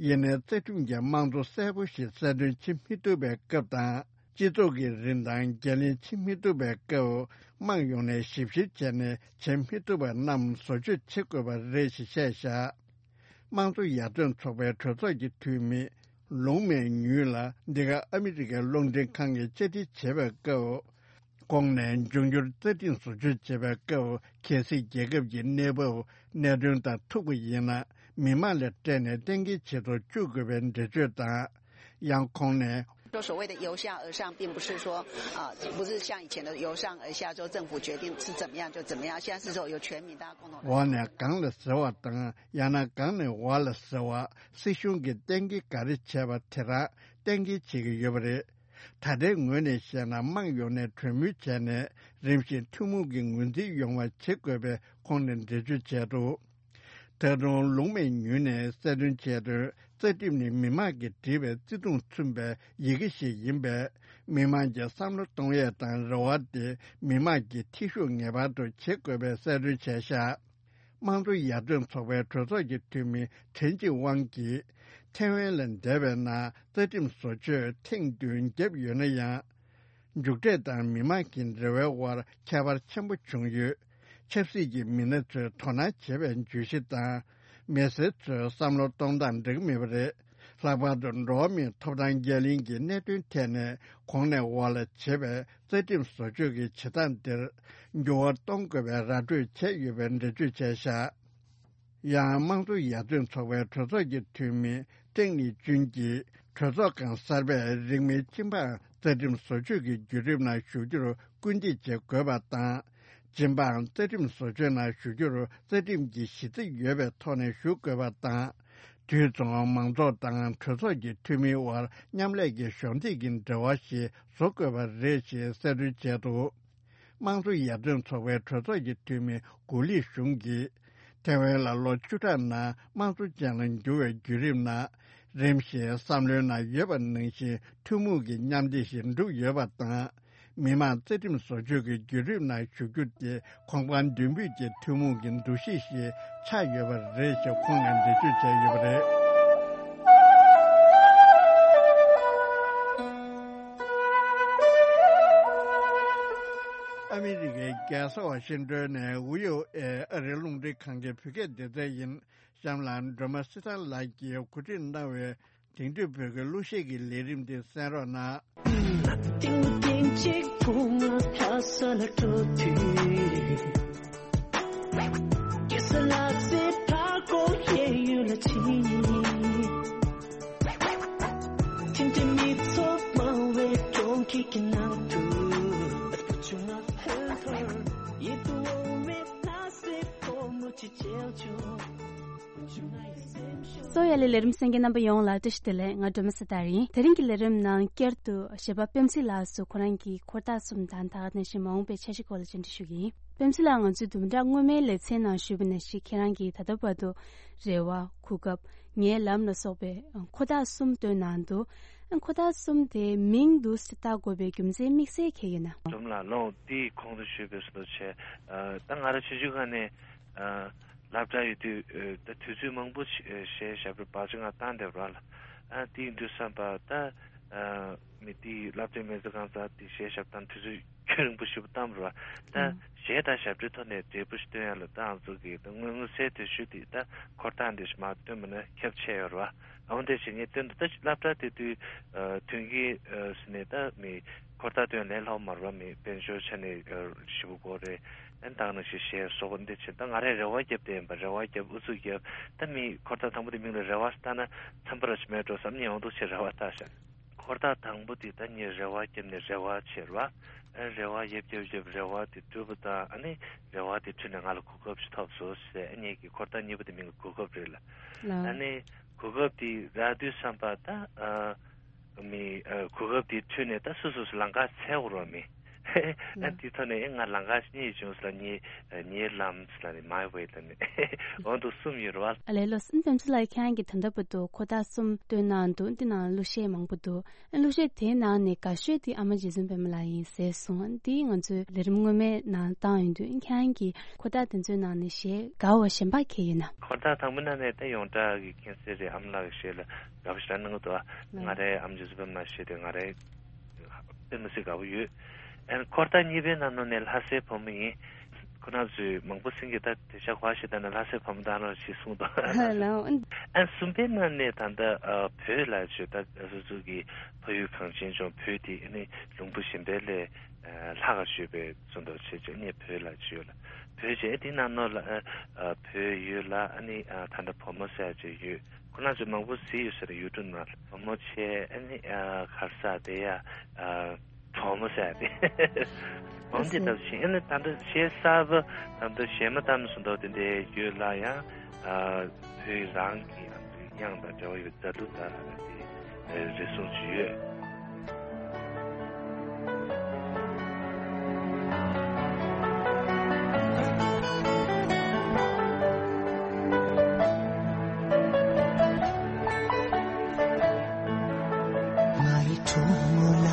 ཡིན་ནའི་རྩ་ཁྲིམས་ཀྱི་དམངས་གཙོ་གསལ་པོ་ཞིག་གསལ་སྟོན་བྱེད་མི་ཐུབ་པའི་སྐབས་དང་། སྤྱི་ཚོགས་ཀྱི་རིན་ཐང་འགན་ལེན་བྱེད་མི་ཐུབ་པའི་སྐབས། དམངས་ཡོངས་ནས་ཞིབ་བཤེར་བྱས་ནས་བྱེད་མི་ཐུབ་པ་རྣམས་བཟོ་བཅོས་བྱེད་དགོས་པ་རེད་ཞེས་བཤད་བཞག་དམངས་གཙོ་ཡར་ཐོན་ཚོགས་པའི་གྲོས་ཚོགས་ཀྱི་འཐུས་མི་ལུང་མེ་ཉུས་ལ་འདི་ག་ཨ་མི་རི་ཀའི་རླུང་འཕྲིན་ཁང་གིས་བཅར་འདྲི་བྱས་པའི་སྐབས། ཁོང་ནས་འབྱུང་འགྱུར་རྩ་ཁྲིམས་བཟོ་བཅོས་བྱེད་པའི་སྐབས་གལ་སྲིད་རྒྱལ་ཁབ་ཀྱི་གནས་བབ་གནད་དོན་དང་མཐུན་པ་ཡིན་ན། མི་མང་ལ་སྤྲད་ནས་གཏན་འཁེལ་བྱེད་དུ་བཅུག་དགོས་པའི་འགྲེལ་བརྗོད་དང་། ཡང་ཁོང་ནས། 说所谓的由下而上，并不是说啊，不是像以前的由上而下，说政府决定是怎么样就怎么样，现在是说由全民大家共同来。 འོག་ནས་གང་ལ་ཟེར་བ་དང་། ཡང་ན་གང་ནས་འོག་ལ་ཟེར་བ། སྲིད་གཞུང་གིས་གཏན་འཁེལ་ག་རེ་བྱས་པ་དེ་རང་གཏན་འཁེལ་བྱེད་ཀྱི་ཡོད་པ་རེད། ད་ལྟའི་ངོས་ནས་བཤད་ན། དམངས་ཡོངས་ནས་གྲོས་མོལ་བྱས་ནས་རིམ་བཞིན་ཐུན་མོང་གི་ངོས་འཛིན་ཡོང་བ་བྱེད་དགོས་པའི་ཁོང་ནས་འགྲེལ་བརྗོད་བྱས་འདུག་ད་དུང་ལུང་མེ་ཉུས་ནས་གསལ་སྟོན་བྱས་དོན། རྩ་ཁྲིམས་ནི་མི་དམངས་ཀྱིས་བྲིས་པའི་བརྩེ་དུང་མཚོན་པའི་ཡི་གེ་ཞིག་ཡིན་པས། མི་དམངས་ཀྱི་བསམ་བློ་གཏོང་ཡས་དང་རེ་བ་དེ་མི་དམངས་ཀྱིས་ཐེ་ཞུགས་ངེས་པར་དུ་བྱེད་དགོས་པའི་གསལ་སྟོན་བྱས་བཞག་དམངས་གཙོ་ཡར་ཐོན་ཚོགས་པའི་གྲོས་ཚོགས་ཀྱི་འཐུས་མི་ཁྲེན་ཅི་ཝང་གིས། ཐའེ་ཝན་ལ་འདས་པའི་ནང་རྩ་ཁྲིམས་བཟོ་བཅོས་ཐེངས་བདུན་བརྒྱབ་ཡོད་ན་ཡང་། མཇུག་འབྲས་དང་མི་དམངས་ཀྱི་འབྲེལ་བའི་དབར་ཁྱད་པར་ཆེན་པོ་བྱུང་ཡོད། ཆབ་སྲིད་ཀྱི་མི་སྣ་ཚོས་དོ་སྣང་བྱེད་པའི་བརྗོད་གཞི་དང་། མི་སེར་ཚོའི་བསམ་བློ་གཏོང་སྟངས་འདྲ་གི་མེད་པ་རེད། ལྷག་པར་དུ་འགྲོ་བ་མིའི་ཐོབ་ཐང་འགན་ལེན་གྱི་གནད་དོན་ཐད་ནས་གོང་ནས་འོག་ལ་བྱེད་པའི་རྩ་ཁྲིམས་བཟོ་བཅོས་ཀྱི་བྱེད་སྟངས་འདིར་འགྱུར་བ་གཏོང་དགོས་པའི་ར་སྤྲོད་བྱས་ཡོད་པའི་འགྲེལ་བརྗོད་བྱས་བཞག་ཡང་དམངས་གཙོ་ཡར་ཐོན་ཚོགས་པའི་གྲོས་ཚོགས་ཀྱི་འཐུས་མི་ཀྲེང་ལི་ཅུན་གྱིས། གྲོས་ཚོགས་ཁང་གསར་པས་རིང་མིན་སྤྱི་འབངས་རྩ་ཁྲིམས་བཟོ་བཅོས་ཀྱི་བརྒྱུད་རིམ་ནང་ཞུགས་རྒྱུར་སྐུལ་འདེད་བྱེད་དགོས་པ་དང་། སྤྱི་འབངས་རྩ་ཁྲིམས་བཟོ་བཅོས་ནང་ཞུགས་རྒྱུར་རྩ་ཁྲིམས་ཀྱི་གཞི་རྩ་ཡོད་པའི་ཐོག་ནས་ཞུགས་དགོས་པ་དང་། དུས་མཚུངས་མང་ཚོགས་དང་གྲོས་ཚོགས་ཀྱི་འཐུས་མིའི་དབར་མཉམ་ལས་ཀྱི་གཞོགས་འདེགས་ཀྱི་འབྲེལ་བ་ཞིག་བཟོ་དགོས་པ་རེད་ཅེས་གསལ་སྟོན་བྱས་འདུག་དམངས་གཙོ་ཡར་ཐོན་ཚོགས་པའི་གྲོས་ཚོགས་ཀྱི་འཐུས་མི་གུ་ལི་ཞུང་གིས། ཐའེ་ཝན་ལ་ལོ་བཅུ་ཕྲག་ནང་དམངས་གཙོ་ཅན་ལ་འགྱུར་བའི་བརྒྱུད་རིམ་ནང་། རིམ་བཞིན་བསམ་བློའི་ནང་ཡོད་པ་ནང་བཞིན་ཐུན་མོང་གི་མཉམ་བདེ་ཞིག་འགྲུབ་ཡོད་པ་དང་། མི་དམངས་རྩ་ཁྲིམས་བཟོ་བཅོས་ཀྱི་བརྒྱུད་རིམ་ནང་ཞུགས་རྒྱུ་དེ་གོང་འཕེལ་མདུན་སྤོས་ཀྱི་ཐུན་མོང་གི་འདུ་ཤེས་ཤིག་ཆགས་ཡོད་པ་རེད་ཅེས་ཁོང་ནས་འགྲེལ་བརྗོད་བྱས་ཡོད་པ་རེད། ཨ་མི་རི་ཀའི་རྒྱལ་ས་ཝ་ཤིང་ཏོན་ནས་ཝི་ཨོ་ཨེ་ཨ་རིའི་རླུང་འཕྲིན་ཁང་གི་བོད་སྐད་སྡེ་ཚན་ཡིན། གཤམ་ལ་སྒྲོལ་མ་སྲི་ཐར་ལགས་ཀྱིས་གོ་སྒྲིག་གནང་བའི་དེང་དུས་བོད་སྐད་གླུ་གཞས་ཀྱི་ལས་རིམ་འདི་གསན་རོགས་གནང་། ཏིང་ཏིང་གཅིག་བུ་ང་ལྷ་ས་ལ་འགྲོ་དུས། ཀེ་ས་ལ་སེ་ཕ་གོ་གཡས་གཡོན་ལ་ཕྱིན། ཐིམ་ཐིམ་མི་ཚོགས་མང་བའི་གྲོང་ཁྱེར་གྱི་ནང་དུ། བུ་ཆུང་ང་ལྷོད་ལྷོད་ཡིད་དུ་འོང་བའི་ལྷ་སའི་ཕོ་མོ་ཅིག་མཇལ་བྱུང་། གསོ་ཡ་ལི་ལས་རིམ་གསན་མཁན་རྣམ་པ་ཡོངས་ལ་བཀྲ་ཤིས་བདེ་ལེགས། ང་སྒྲོལ་མ་སྲི་ཐར་ཡིན། དེ་རིང་གི་ལས་རིམ་ནང་བསྐྱར་དུ་གཞས་པ་པད་མ་ཚེ་ལགས་སུ་ཁོ་རང་གི་འཁོར་ཐག་གསུམ་དང་ད་ག་ནང་བཞིན་མ་འོངས་པའི་འཆར་གཞི་སྐོར་ལ་བཅར་འདྲི་ཞུ་གི་ཡིན། པད་མ་ཚེ་ལགས། ང་ཚོས་དུམ་གྲ་སྔོན་མའི་ལེ་ཚན་ནང་ཞུས་པ་ནང་བཞིན་ཁྱེད་རང་གིས་ད་ལྟ་བར་དུ་རེ་བ། གོ་སྐབས། ངའི་ལམ་ལ་སོགས་པའི་འཁོར་ཐག་གསུམ་བཏོན་གནང་འདུག་འཁོར་ཐག་གསུམ་དེའི་མིང་འདི་བཏགས་དགོས་པའི་རྒྱུ་མཚན་དམིགས་བསལ་གང་ཡིན་ན། སྒྲོལ་མ་ལགས། ལོ་འདིའི་གོང་དུ་ཞུས་པའི་བཟོ་འདྲ་བྱས། ཨ། ད་ང་རང་ཆུང་ཆུང་སྒང་ནས། ཨ། སློབ་གྲྭ་ཡོད་དུས། ཨ། ད་དུས་ཚོད་མང་པོ་ཞིག་ཨ། གཞས་ཞབས་བྲོ་བར་ཆད་ང་བཏང་བསྡད་པ་རེད་ལ། ཨ། དེ་ཡིན་དུས་ཙམ་པ་ད། ཨ། མི་དེའི་སློབ་གྲྭའི་མི་ཚོ་གང་ཟག་དེ་གཞས་ཞབས་བཏང་དུས་ཚོད་རྒྱུན་རིང་པོ་ཞེ་པོ་བཏང་བ་རེད་བ། ད་ཨང་། གཞས་དང་ཞབས་བྲོའི་ཐོག་ནས་འབྲས་བུ་ཞིག་སྟོན་ཡ་ལ་ད་ང་ཚོ་གི་ད་དངོས་མངོན་གསལ་དོད་ཤོས་དེ་ད་འཁོར་ཐག་འདི་ཞིག་མར་བཏོན་པ་ན་ཁྱབ་ཆེ་ཡོད་རེད་བ། འོ་འདི་བྱས་ངས་བཏོན་འདུག་ད་སློབ་གྲྭ་དེ་དུས། ཨ། མཐུན་རྐྱེན། ཨ། ཟེར་ནས་ད་མི་འཁོར་ཐག་སྟོན་ལས་སླ་པོ་མ་རེད་བ། མི་དཔལ་འབྱོར་ཆ་ནས། ཨ། ཞེ་པོ་དགོས་རེད། ཨ། ད་ག་ནང་བཞིན་གཞས་བཟོ་པོ་འདི་བྱས། ད་ང་རས་རེ་བ་བརྒྱབ་བསྡད་ཡིན་པ། རེ་བ་བརྒྱབ། ཨུ་ཚུགས་བརྒྱབ། ད་མི་འཁོར་ཐག་དང་པོ་དེ་མིང་ལ་རེ་བ་བཏགས་ན་འཚམས་པ་ར་ཞིག་མེད་འགྲོ་བསམ་ནས་འོང་འདུག་བྱས་རེ་བ་བཏགས་བཞག་འཁོར་ཐག་དང་པོ་དེ་ད་ངས་རེ་བ་བརྒྱབ་ནས་རེ་བ་བྱས་ར། ཨ་རེ་བ་བརྒྱབ་བརྒྱབ་བརྒྱབ་རེ་བ་དེ་གྲུབ་པ་དང་ཨ་ནི་རེ་བ་དེ་འཁྲུལ་ནས་ང་ལ་གོ་སྐབས་ཤིག་ཐོབ་སོང་ཟེར། ཨ་ངས་ཀྱི་འཁོར་ཐག་གཉིས་པ་དེ་མིང་གི་གོ་སྐབས་རེད་ལ། ལགས། ཨ་ནི་གོ་སྐབས་དེ་རག་དུས་བསམ་པ་ད་ཨ། མི་ཨ་གོ་སྐབས་དེ་འཁྲུལ་ནས་ད་སོ་སོ་སོ་ལམ་ཁ་འཚོལ་དགོས་རོགས་མི། ཨ་དེ་ཐོག་ནས་ཨེ་ང་ལམ་ཁ་གཉིས་བྱུང་ཟེར་ལ་ངའི་ངའི་ལམ་ཟེར་ལ་ནི་མའི་ཝེ་ལ་ནི་འོ་འདུག་གསུམ་ཡོད་རེད་བ། ཨ་ལས་ལོ་སུན་པེམ་ཚི་ལ་ཁྱེད་རང་གིས་ད་ལྟ་བར་དུ་འཁོར་ཐག་གསུམ་བཏོན་གནང་འདུག་འདི་ནང་གླུ་གཞས་མང་པོ་འདུག་ཨ་གླུ་གཞས་དེའི་ནང་ནས་དགའ་ཤོས་དེ་ཨ་མ་རྗེ་བཙུན་པད་མ་ལགས་ཡིན་ཟེར་སོང་། འདི་ང་ཚོའི་ལས་རིམ་སྔོན་མའི་ནང་བཏང་ཡོད་དུས་ཁྱེད་རང་གིས་འཁོར་ཐག་དེ་ཚོའི་ནང་ནས་གཞས་དགའ་བ་གཞན་པ་གང་ཡོད་ན། འཁོར་ཐག་དང་པོ་ནང་ནས་ད་ཡོངས་གྲགས་ཀྱི་མཁྱེན་གསལ་རེད། ཨ་མ་ལགས་ཀྱི་གཞས་ལ་དགའ་པོ་ཞེ་དྲག་གནང་གི་འདུག་ང་རའི་ཨ་མ་རྗེ་བཙུན་པད་མ་ལགས་གཞས་དེ་ང་རའི་དཔེ་མི་སྲིད་དགའ་པོ་ཡོད། ཨན་འཁོར་ཐག་གཉིས་པའི་ནང་ནང་ནས་ལྷ་སའི་བུ་མོ་ཡིན། ཁོ་རང་ཚོས་མང་པོ་སེང་གེ་ད་དེ་ཤ་གོ་ཞེ་ད་ན་ལྷ་སའི་བུ་མོ་ད་རང་ཞིག་གསུངས་དང་། ལའོ། ཨན་གསུམ་པའི་ནང་ནས་ད་ལྟ་ཨ་བོད་ལ་བྱོས་ད་སོ་སོ་གི་ཕ་ཡུལ་གངས་ཅན་ལྗོངས་བོད་དེ་ཨ་ནི་ལུང་པ་གཞན་པའི་ལས་ལྷག་ག་བྱོས་པའི་ཚོ་འདུ་བྱས་བྱས་ནས་བོད་ལ་བྱོས་ལ་བོད་བྱས་དེ་ནང་ནང་ལ་ཨ་བོད་ཡུལ་ལ་ཨ་ནི་ད་ལྟ་བུ་མོ་ཟེར་བྱས་ཡོད། ཁོ་རང་ཚོ་མང་པོ་གཟིགས་ཡོད་ས་རེད། ཡུ་ཊུབ་ནང་ལ་བུ་མོ་བྱས་ཨ་ནི་གར་ས་དེ་ཡ། གྲོགས་མོ་ཟེར་ཏེ། འོན་ཏེ་ད་བཞིན་ཨ་ནི་ད་ལྟ་གཞས་གསར་པ་ད་ལྟ་གཞས་མ་བཏང་སོང་འདུག་དེ་འདྲའི་ཡོད་ལ་ཡང་། བོད་རང་གི་དབྱངས་དང་འབྲེལ་བ་ཡོད་མཛའ་གདུང་ལྟར་དེ་རེ་ཟུང་ཅིག་ཡོད། ང་ཡི་གྲོགས་མོ་ལ་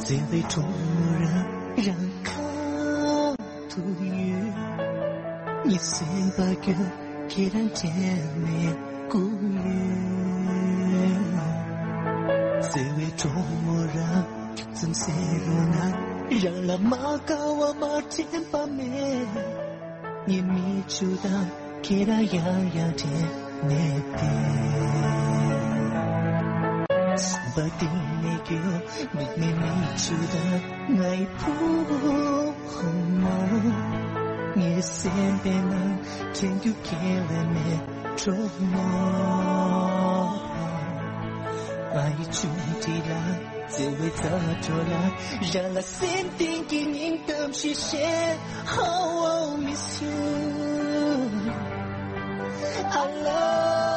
བརྩེ་བའི་གྲོགས་མོ་རང་རང་ཁ་ཐུག་ཡོད། ངའི་སེམས་པ་རྒྱུད་ཁྱེད་རང་དྲན་ནས་སྐུ་ཡོད། བརྩེ་བའི་གྲོགས་མོ་རང་ཙམ་ཟེར་རོགས་གནང་། རང་ལ་མ་དགའ་བ་མ་དྲན་པ་མེད། ངའི་མིག་ཆུ་དང་ཁྱེད་རང་ཡང་ཡང་དྲན་ནས་བསྡད། སེམས་པ་གཏིང་ནས་སྐྱོ། མིག་ནས་མིག་ཆུ་དང་ངའི་བུ་མོ། ངའི་སེམས་པའི་ནང་དྲན་རྒྱུ་ཁྱེད་ལས་མེད་གྲོགས་མོ། ང་ཡི་ཆུང་འདྲིས་ལ། བརྩེ་བའི་རྩ་བྲོ་ལ། རང་ལ་སེམས་གཏིང་གི་སྙིང་གཏམ་ཞིག་བཤད། How I miss you. I love.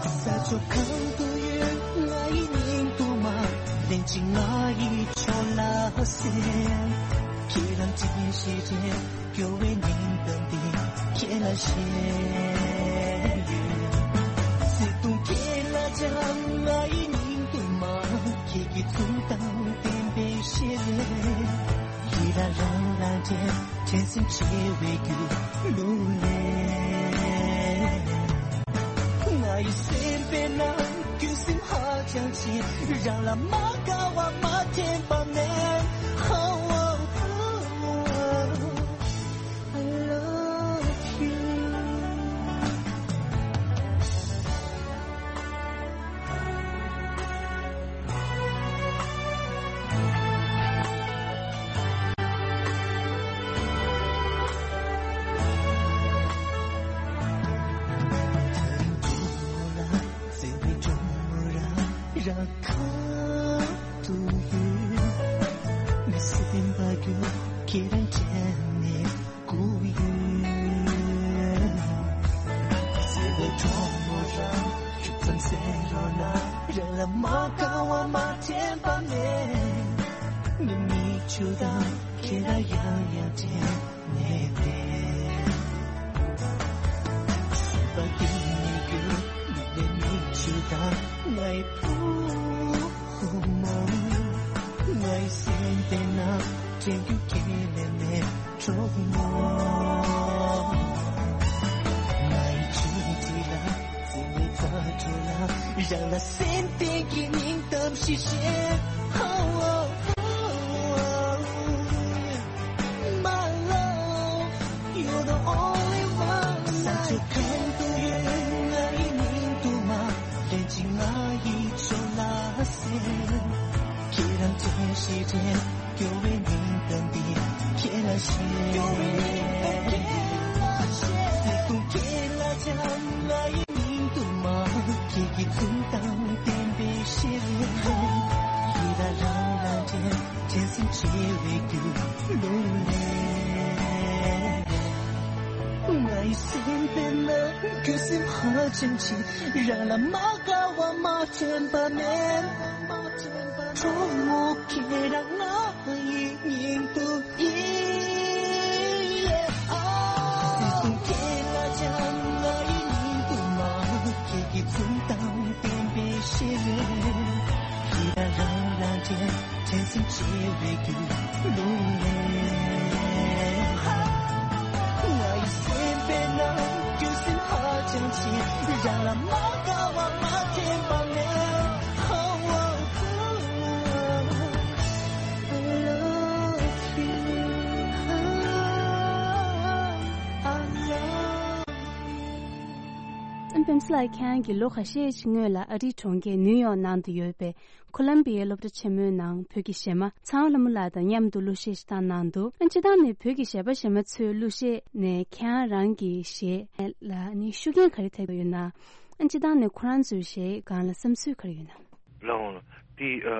ས་ཕྱོགས་གང་དུ་ཡོད་ང་ཡི་སྙིང་དུ་མ། ལན་གཅིག་ང་ཡི་ཕྱོགས་ལ་གསན། ཁྱེད་རང་དྲན་ཞེས་དྲན། སྐྱོ་བའི་སྙིང་གཏམ་འདི་ཁྱེད་ལ་བཤད་ཡོད། བརྩེ་དུང་ཁྱེད་ལ་སྦྱང་། ང་ཡི་སྙིང་དུ་མ། ཁྱེད་ཀྱི་འཛུམ་མདངས་བསྟན་པའི་ཞལ་ལས། ཡིད་ལ་རང་ལ་དྲན། དྲན་སེམས་བྱེ་བའི་རྒྱུད་ལུང་ལས། ང་ཡི་སེམས་པའི་ནང་རྒྱུ་སེམས་ཧ་ཅང་ཆེ། རང་ལ་མ་དགའ་བ་མ་དྲན་པ་མེད། How I love you. རང་ཁ་ཐུག་ཡོད། མི་སེམས་པ་རྒྱུད་ཁྱེད་རང་དྲན་ནས་སྐུ་ཡོད། བརྩེ་བའི་གྲོགས་མོ་རང་ཤུགས་ཙམ་གསན་རོགས་གནང་། རང་ལ་མ་དགའ་བ་མ་དྲན་པ་མེད། ངའི་མིག་ཆུ་དང་ཁྱེད་རང་ཡང་ཡང་དྲན་ནས་བསྡད། སེམས་པ་གཏིང་ནས་སྐྱོ། མིག་ནས་མིག་ཆུ་དང་ངའི་བུ་མོ། ངའི་སེམས་པའི་ནང་དྲན་རྒྱུ་ཁྱེད་ལས་མེད་གྲོགས་མོ། ངའི་ཆུང་འདྲིས་ལ། བརྩེ་བའི་རྩ་བྲོ་ལ། རང་ལ་སེམས་གཏིང་གི་སྙིང་གཏམ་ཞིག་བཤད། Oh, oh, oh, oh. My love, you're the only one. ས་ཕྱོགས་གང་དུ་ཡོད་ང་ཡི་སྙིང་དུ་མ། ལན་གཅིག་ང་ཡི་ཕྱོགས་ལ་གསན། ཁྱེད་རང་དྲན་ཞེས་དྲན། སྐྱོ་བའི་སྙིང་གཏམ་འདི་ཁྱེད་ལ་བཤད། སྐྱོ་བའི་སྙིང་གཏམ་ཁྱེད་ལ་བཤད། བརྩེ་དུང་ཁྱེད་ལ་སྦྱང་། ང་ཡི་སྙིང་དུ་མ། ཁྱེད་ཀྱི་འཛུམ་མདངས་བསྟན་པའི་ བྱེད་པའི་རྒྱུ་ལུང་ལས། ང་ཡི་སེམས་པའི་ནང་ཁྱོད་སེམས་ཧ་ཅང་ཆེ། རང་ལ་མ་དགའ་བ་མ་དྲན་པ་མེད། གྲོགས་མོ་ཁྱེད་རང་ང་ཡི་སྙིང་དུ་ཡིན། སེམས་ཁྱེད་ལ་ཅང་ང་ཡི་སྙིང་དུ་མ། ཁྱེད་ཀྱི་འཛུམ་མདངས་བསྟན་པའི་ཤེས་རེད། ཡིད་ལ་རང་རང་དྲན། དྲན་སེམས་བྱེད་པའི་རྒྱུ་ལུང་ལས། ང་ཡི་སེམས་པའི་ནང་ཁྱོད་སེམས་ཧ་ཅང་ཆེ། རང་ལ་མ་དགའ་བ་མ་དྲན་པ་མེད། Oh, oh, oh, I love you. I love you. ཨན་པེམ་སི་ལགས་ཁྱེད་རང་གིས་ལོ་ཁ་ཤས་ཤིག་སྔོན་ལ་ཨ་རིའི་གྲོང་ཁྱེར་ནིའུ་ཡོག་ནང་དུ་ཡོད་པའི་ཁོ་ལམ་བི་ཡའི་སློབ་གྲྭ་ཆེན་མོའི་ནང་བོད་ཀྱི་གཞས་མ་ཚངས་པ་ལྷ་མོ་ལགས་དང་མཉམ་དུ་གླུ་གཞས་ཤིག་བཏང་གནང་འདུག་ཨ་སྤྱིར་བཏང་ནས་བོད་ཀྱི་གཞས་པ་གཞས་མ་ཚོའི་གླུ་གཞས་ནས་ཁྱེད་རང་རང་གི་གཞས་ལ་ནི་ཤུགས་རྐྱེན་ག་རེ་ཐེབས་ཡོད་ན། ཨ་སྤྱིར་བཏང་ནས་ཁོ་རང་ཚོའི་གཞས་སྒང་ལ་བསམ་ཚུལ་ག་རེ་ཡོད་ན། ལགས་འོང་། འདི་ཨ་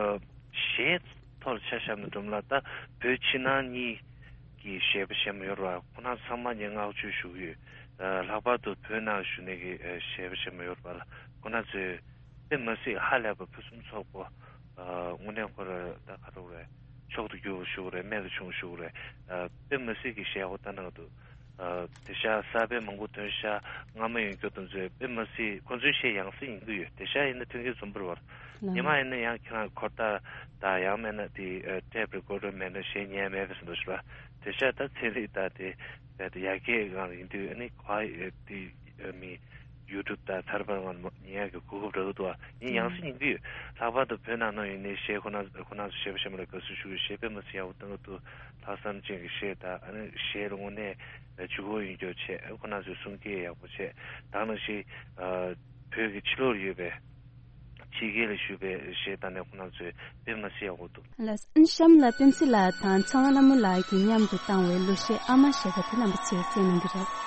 གཞས་ཐོག་ལ་ཆ་བཞག་ན་འགྲོ་མ་ལ་ད་བོད་ཕྱི་ནང་གཉིས་ཀྱི་གཞས་པ་གཞས་མ་ཡོད་རེད་བ། ཁོ་རང་ཚང་མ་ངས་བསྔགས་བརྗོད་ཞུ་གི་ཡོད། ཨ་ལྷག་པར་དུ་བོད་ནང་བཞུགས་མཁན་གྱི་ཨ་གཞས་པ་གཞས་མ་ཡོད་རེད་བ་ལ། ཁོ་རང་ཚོས་དཔེ་མ་སྲིད་ཧ་ལས་པ་ཕུན་སུམ་ཚོགས་པོ། ཨ་དངོས་གནས་ཁོ་རང་ད་ག་རེ་རེད། མཆོག་ཏུ་གྱུར་པ་ཞུ་གི་རེད། རྨད་དུ་བྱུང་ཞུ་གི་རེད། ཨ་དཔེ་མ་སྲིད་ཀྱི་གཞས་ཡག་པོ་བཏང་གནང་འདུག་ཨ་དེང་སང་གསར་པ་མང་པོ་ཐོན་ཤག་སྔ་མ་ཡོད་མཁན་དེ་ཚོས་དཔེ་མ་སྲིད་ཁོ་ཚོའི་གཞས་ཡང་སེ་ཡིན་གྱི་ཡོད། དེང་སང་ཡིན་ན་ཐོན་གྱི་བཟོ་འདྲ་རེད་བ། ལགས། ཉི་མ་ཡིན་ན་ཡང་ཁྱེད་རང་འཁོར་ཐག་དང་ཡང་མིན་ན་དེ་ཨ་ཊེབ་རི་ཀོར་ཌར་མེད་ན་གཞས་ཉན་མེད་པའི་བཟོ་འདྲ་ཞིག་རེད་བ། དེང་སང་ད་ཚན་རིག་དང་དེ་ད་དེ་ཡར་རྒྱས་སྒང་ལ་ཡིན་དུས་ཨ་ནི་ག་ཡེ་དེ་ཨ་མི་ཡུ་ཊུབ་དང་ཐར་པར་ངང་ཉན་ཡག་གི་གོ་སྐབས་རག་གི་འདུག་བ། ཡིན་ཡང་སེ་ཡིན་གྱི་ཡོད། ལྷག་པར་དུ་བོད་ནང་ནང་ཡིན་ནའི་གཞས་ཁོ་ན་ཁོ་ན་ཚོ་གཞས་པ་གཞས་མ་ལ་དགའ་བསུ་ཞུ་གི་ཡོད། གཞས་དཔེ་མ་སྲིད་ཡག་པོ་བཏང་གི་འདུག་ལྷག་བསམ་ཅན་གྱི་གཞས་དང་ཨ་ནི་གཞས་ལ་དངོས་གནས་ལྗིད་ཁོག་ཡོད་མཁན་བྱས། ཁོ་རང་ཚོའི་གསུང་སྐད་ཡག་པོ་བྱས། ད་ནང་བཞིན་ཨ་བོད་ཀྱི་ཕྱི་ལོགས་ཡོད་པའི་ཕྱི་རྒྱལ་ལ་བཞུགས་པའི་གཞས་དག་ནས་ཁོ་རང་ཚོས་དཔེ་མ་སྲིད་ཡག་པོ་འདུག་ལགས། གཤམ་ལ་པེམ་སི་ལགས་དང་ཚངས་དབང་ལྷ་མོ་ལགས་ཀྱིས་མཉམ་དུ་བཏང་བའི་གླུ་གཞས་ཨ་མ་ཞེས་པ་དེ་རྣམ་པ་ཚོས་གསན་གནང་གི་རེད།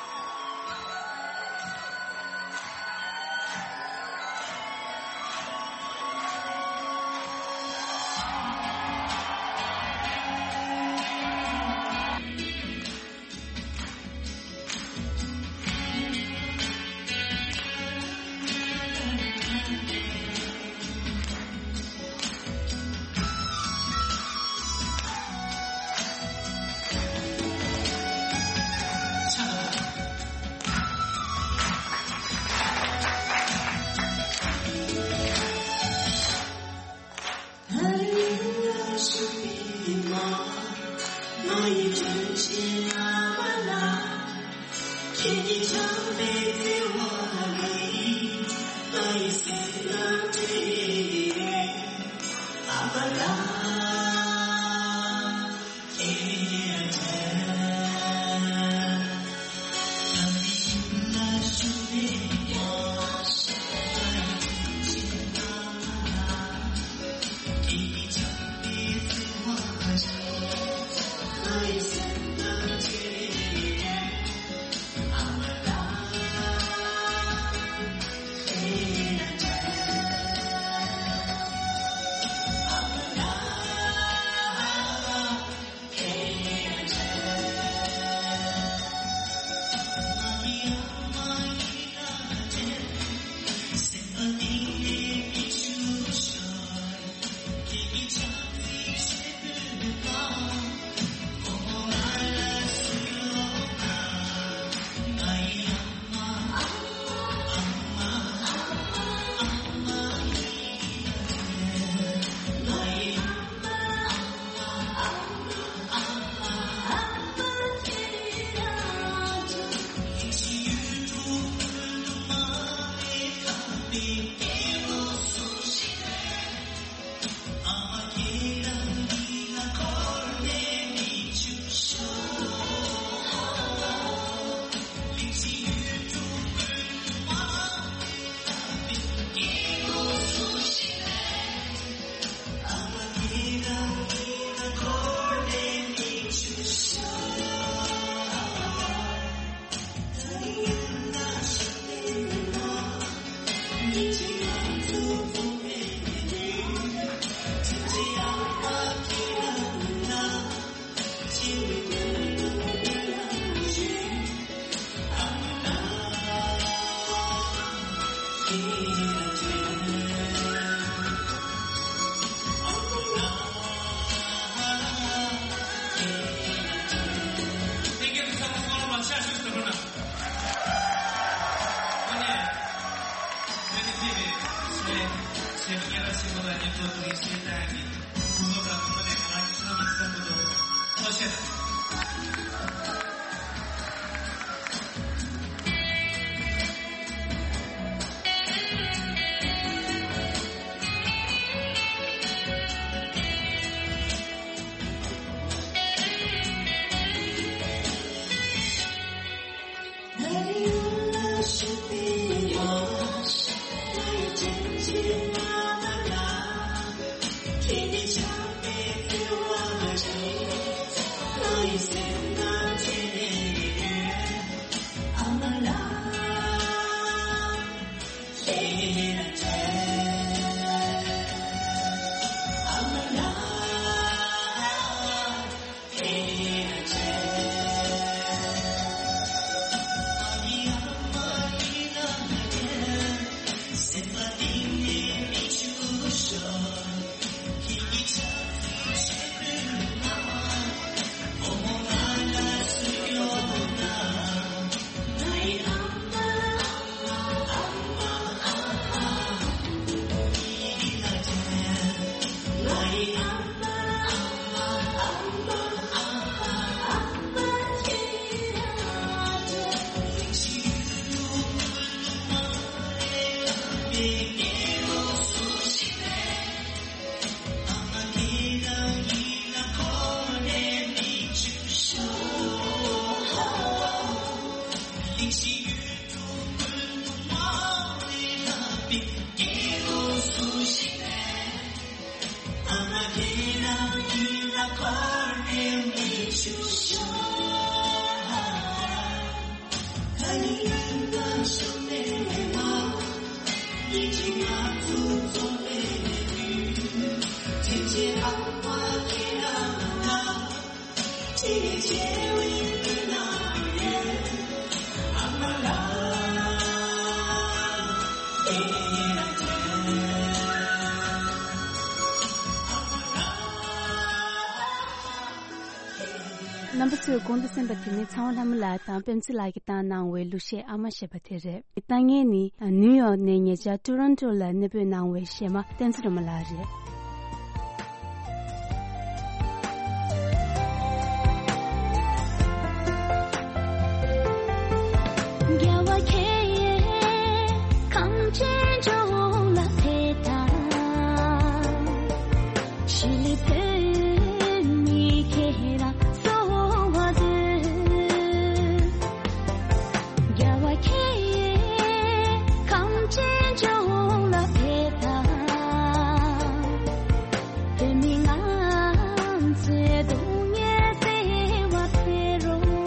རྣམ་པ་ཚོས་གོང་དུ་གསན་པ་དེ་ནི་ཚེ་དབང་ལྷ་མོ་ལགས་དང་པད་ཚེ་ལགས་ཀྱིས་བཏང་གནང་བའི་གླུ་གཞས་ཨ་མ་ཞེས་པ་དེ་རེད། བཏང་མཁན་ནི་ནིའུ་ཡོག་ནས་ཉེ་ཆར་ཊོ་རོན་ཊོ་ལ་གནས་སྤོས་གནང་བའི་གཞས་མ་བསྟན་འཛིན་སྒྲོལ་མ་ལགས་རེད། རྒྱལ་བ་ཁྱེད་གངས་ཅན་ལྗོངས་ལ་ཕེབས་དང་། ཞི་ལི་བོད་མི་ཁྱེད་རང་གསོལ་བ་འདེབས། རྒྱལ་བ་ཁྱེད་གངས་ཅན་ལྗོངས་ལ་ཕེབས་དང་། བོད་མི་ང་ཚོའི་སྡུག་བསྔལ་སེལ་བར་ཕེབས་རོགས།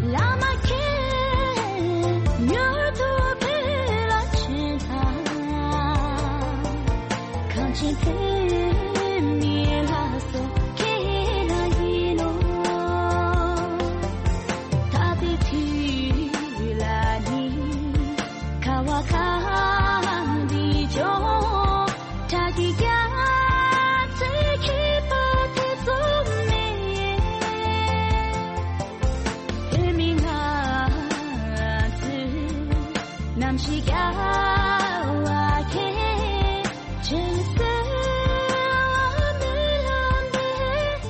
བླ་མ་ཁྱེད་མྱུར་དུ་བོད་ལ་བྱོན་དང་། གངས་ཅན་བོད་མིའི་ལྷ་སྲས་ཁྱེད་རང་ཡིན་ནོ། ད་ལྟའི་དུས་ལ་ནི་ཁ་བ་གངས་རི་ལྗོངས། བྲག་གི་རྒྱ་མཚོའི་ཁྱད་པར་ཐེ་ཚོམ་མེད། བོད་མི་ང་ཚོའི་རྣམ་ཤེས་རྒྱལ་བ་ཁྱེད་ཀྱི་སྲོལ་བ་སྨོན་ལམ་འདེབས།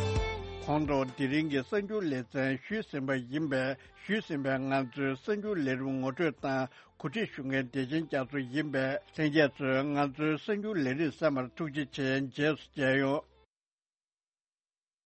ཁོང་ཚོ་དེ་རིང་གི་གསར་འགྱུར་ལེ་ཚན་ཞུས་ཟིན་པ་ཡིན་པས། ཞུས་ཟིན་པའི་ང་ཚོའི་གསར་འགྱུར་ལས་རིམ་ངོ་སྤྲོད་དང་གོ་སྒྲིག་ཞུ་མཁན་བདེ་ཆེན་རྒྱ་མཚོ་ཡིན་པས། ལྷན་རྒྱས་ཚོས་ང་ཚོའི་གསར་འགྱུར་ལས་རིམ་གསན་པར་ཐུགས་རྗེ་ཆེ། རྗེས་སུ་མཇལ་ཡོང་།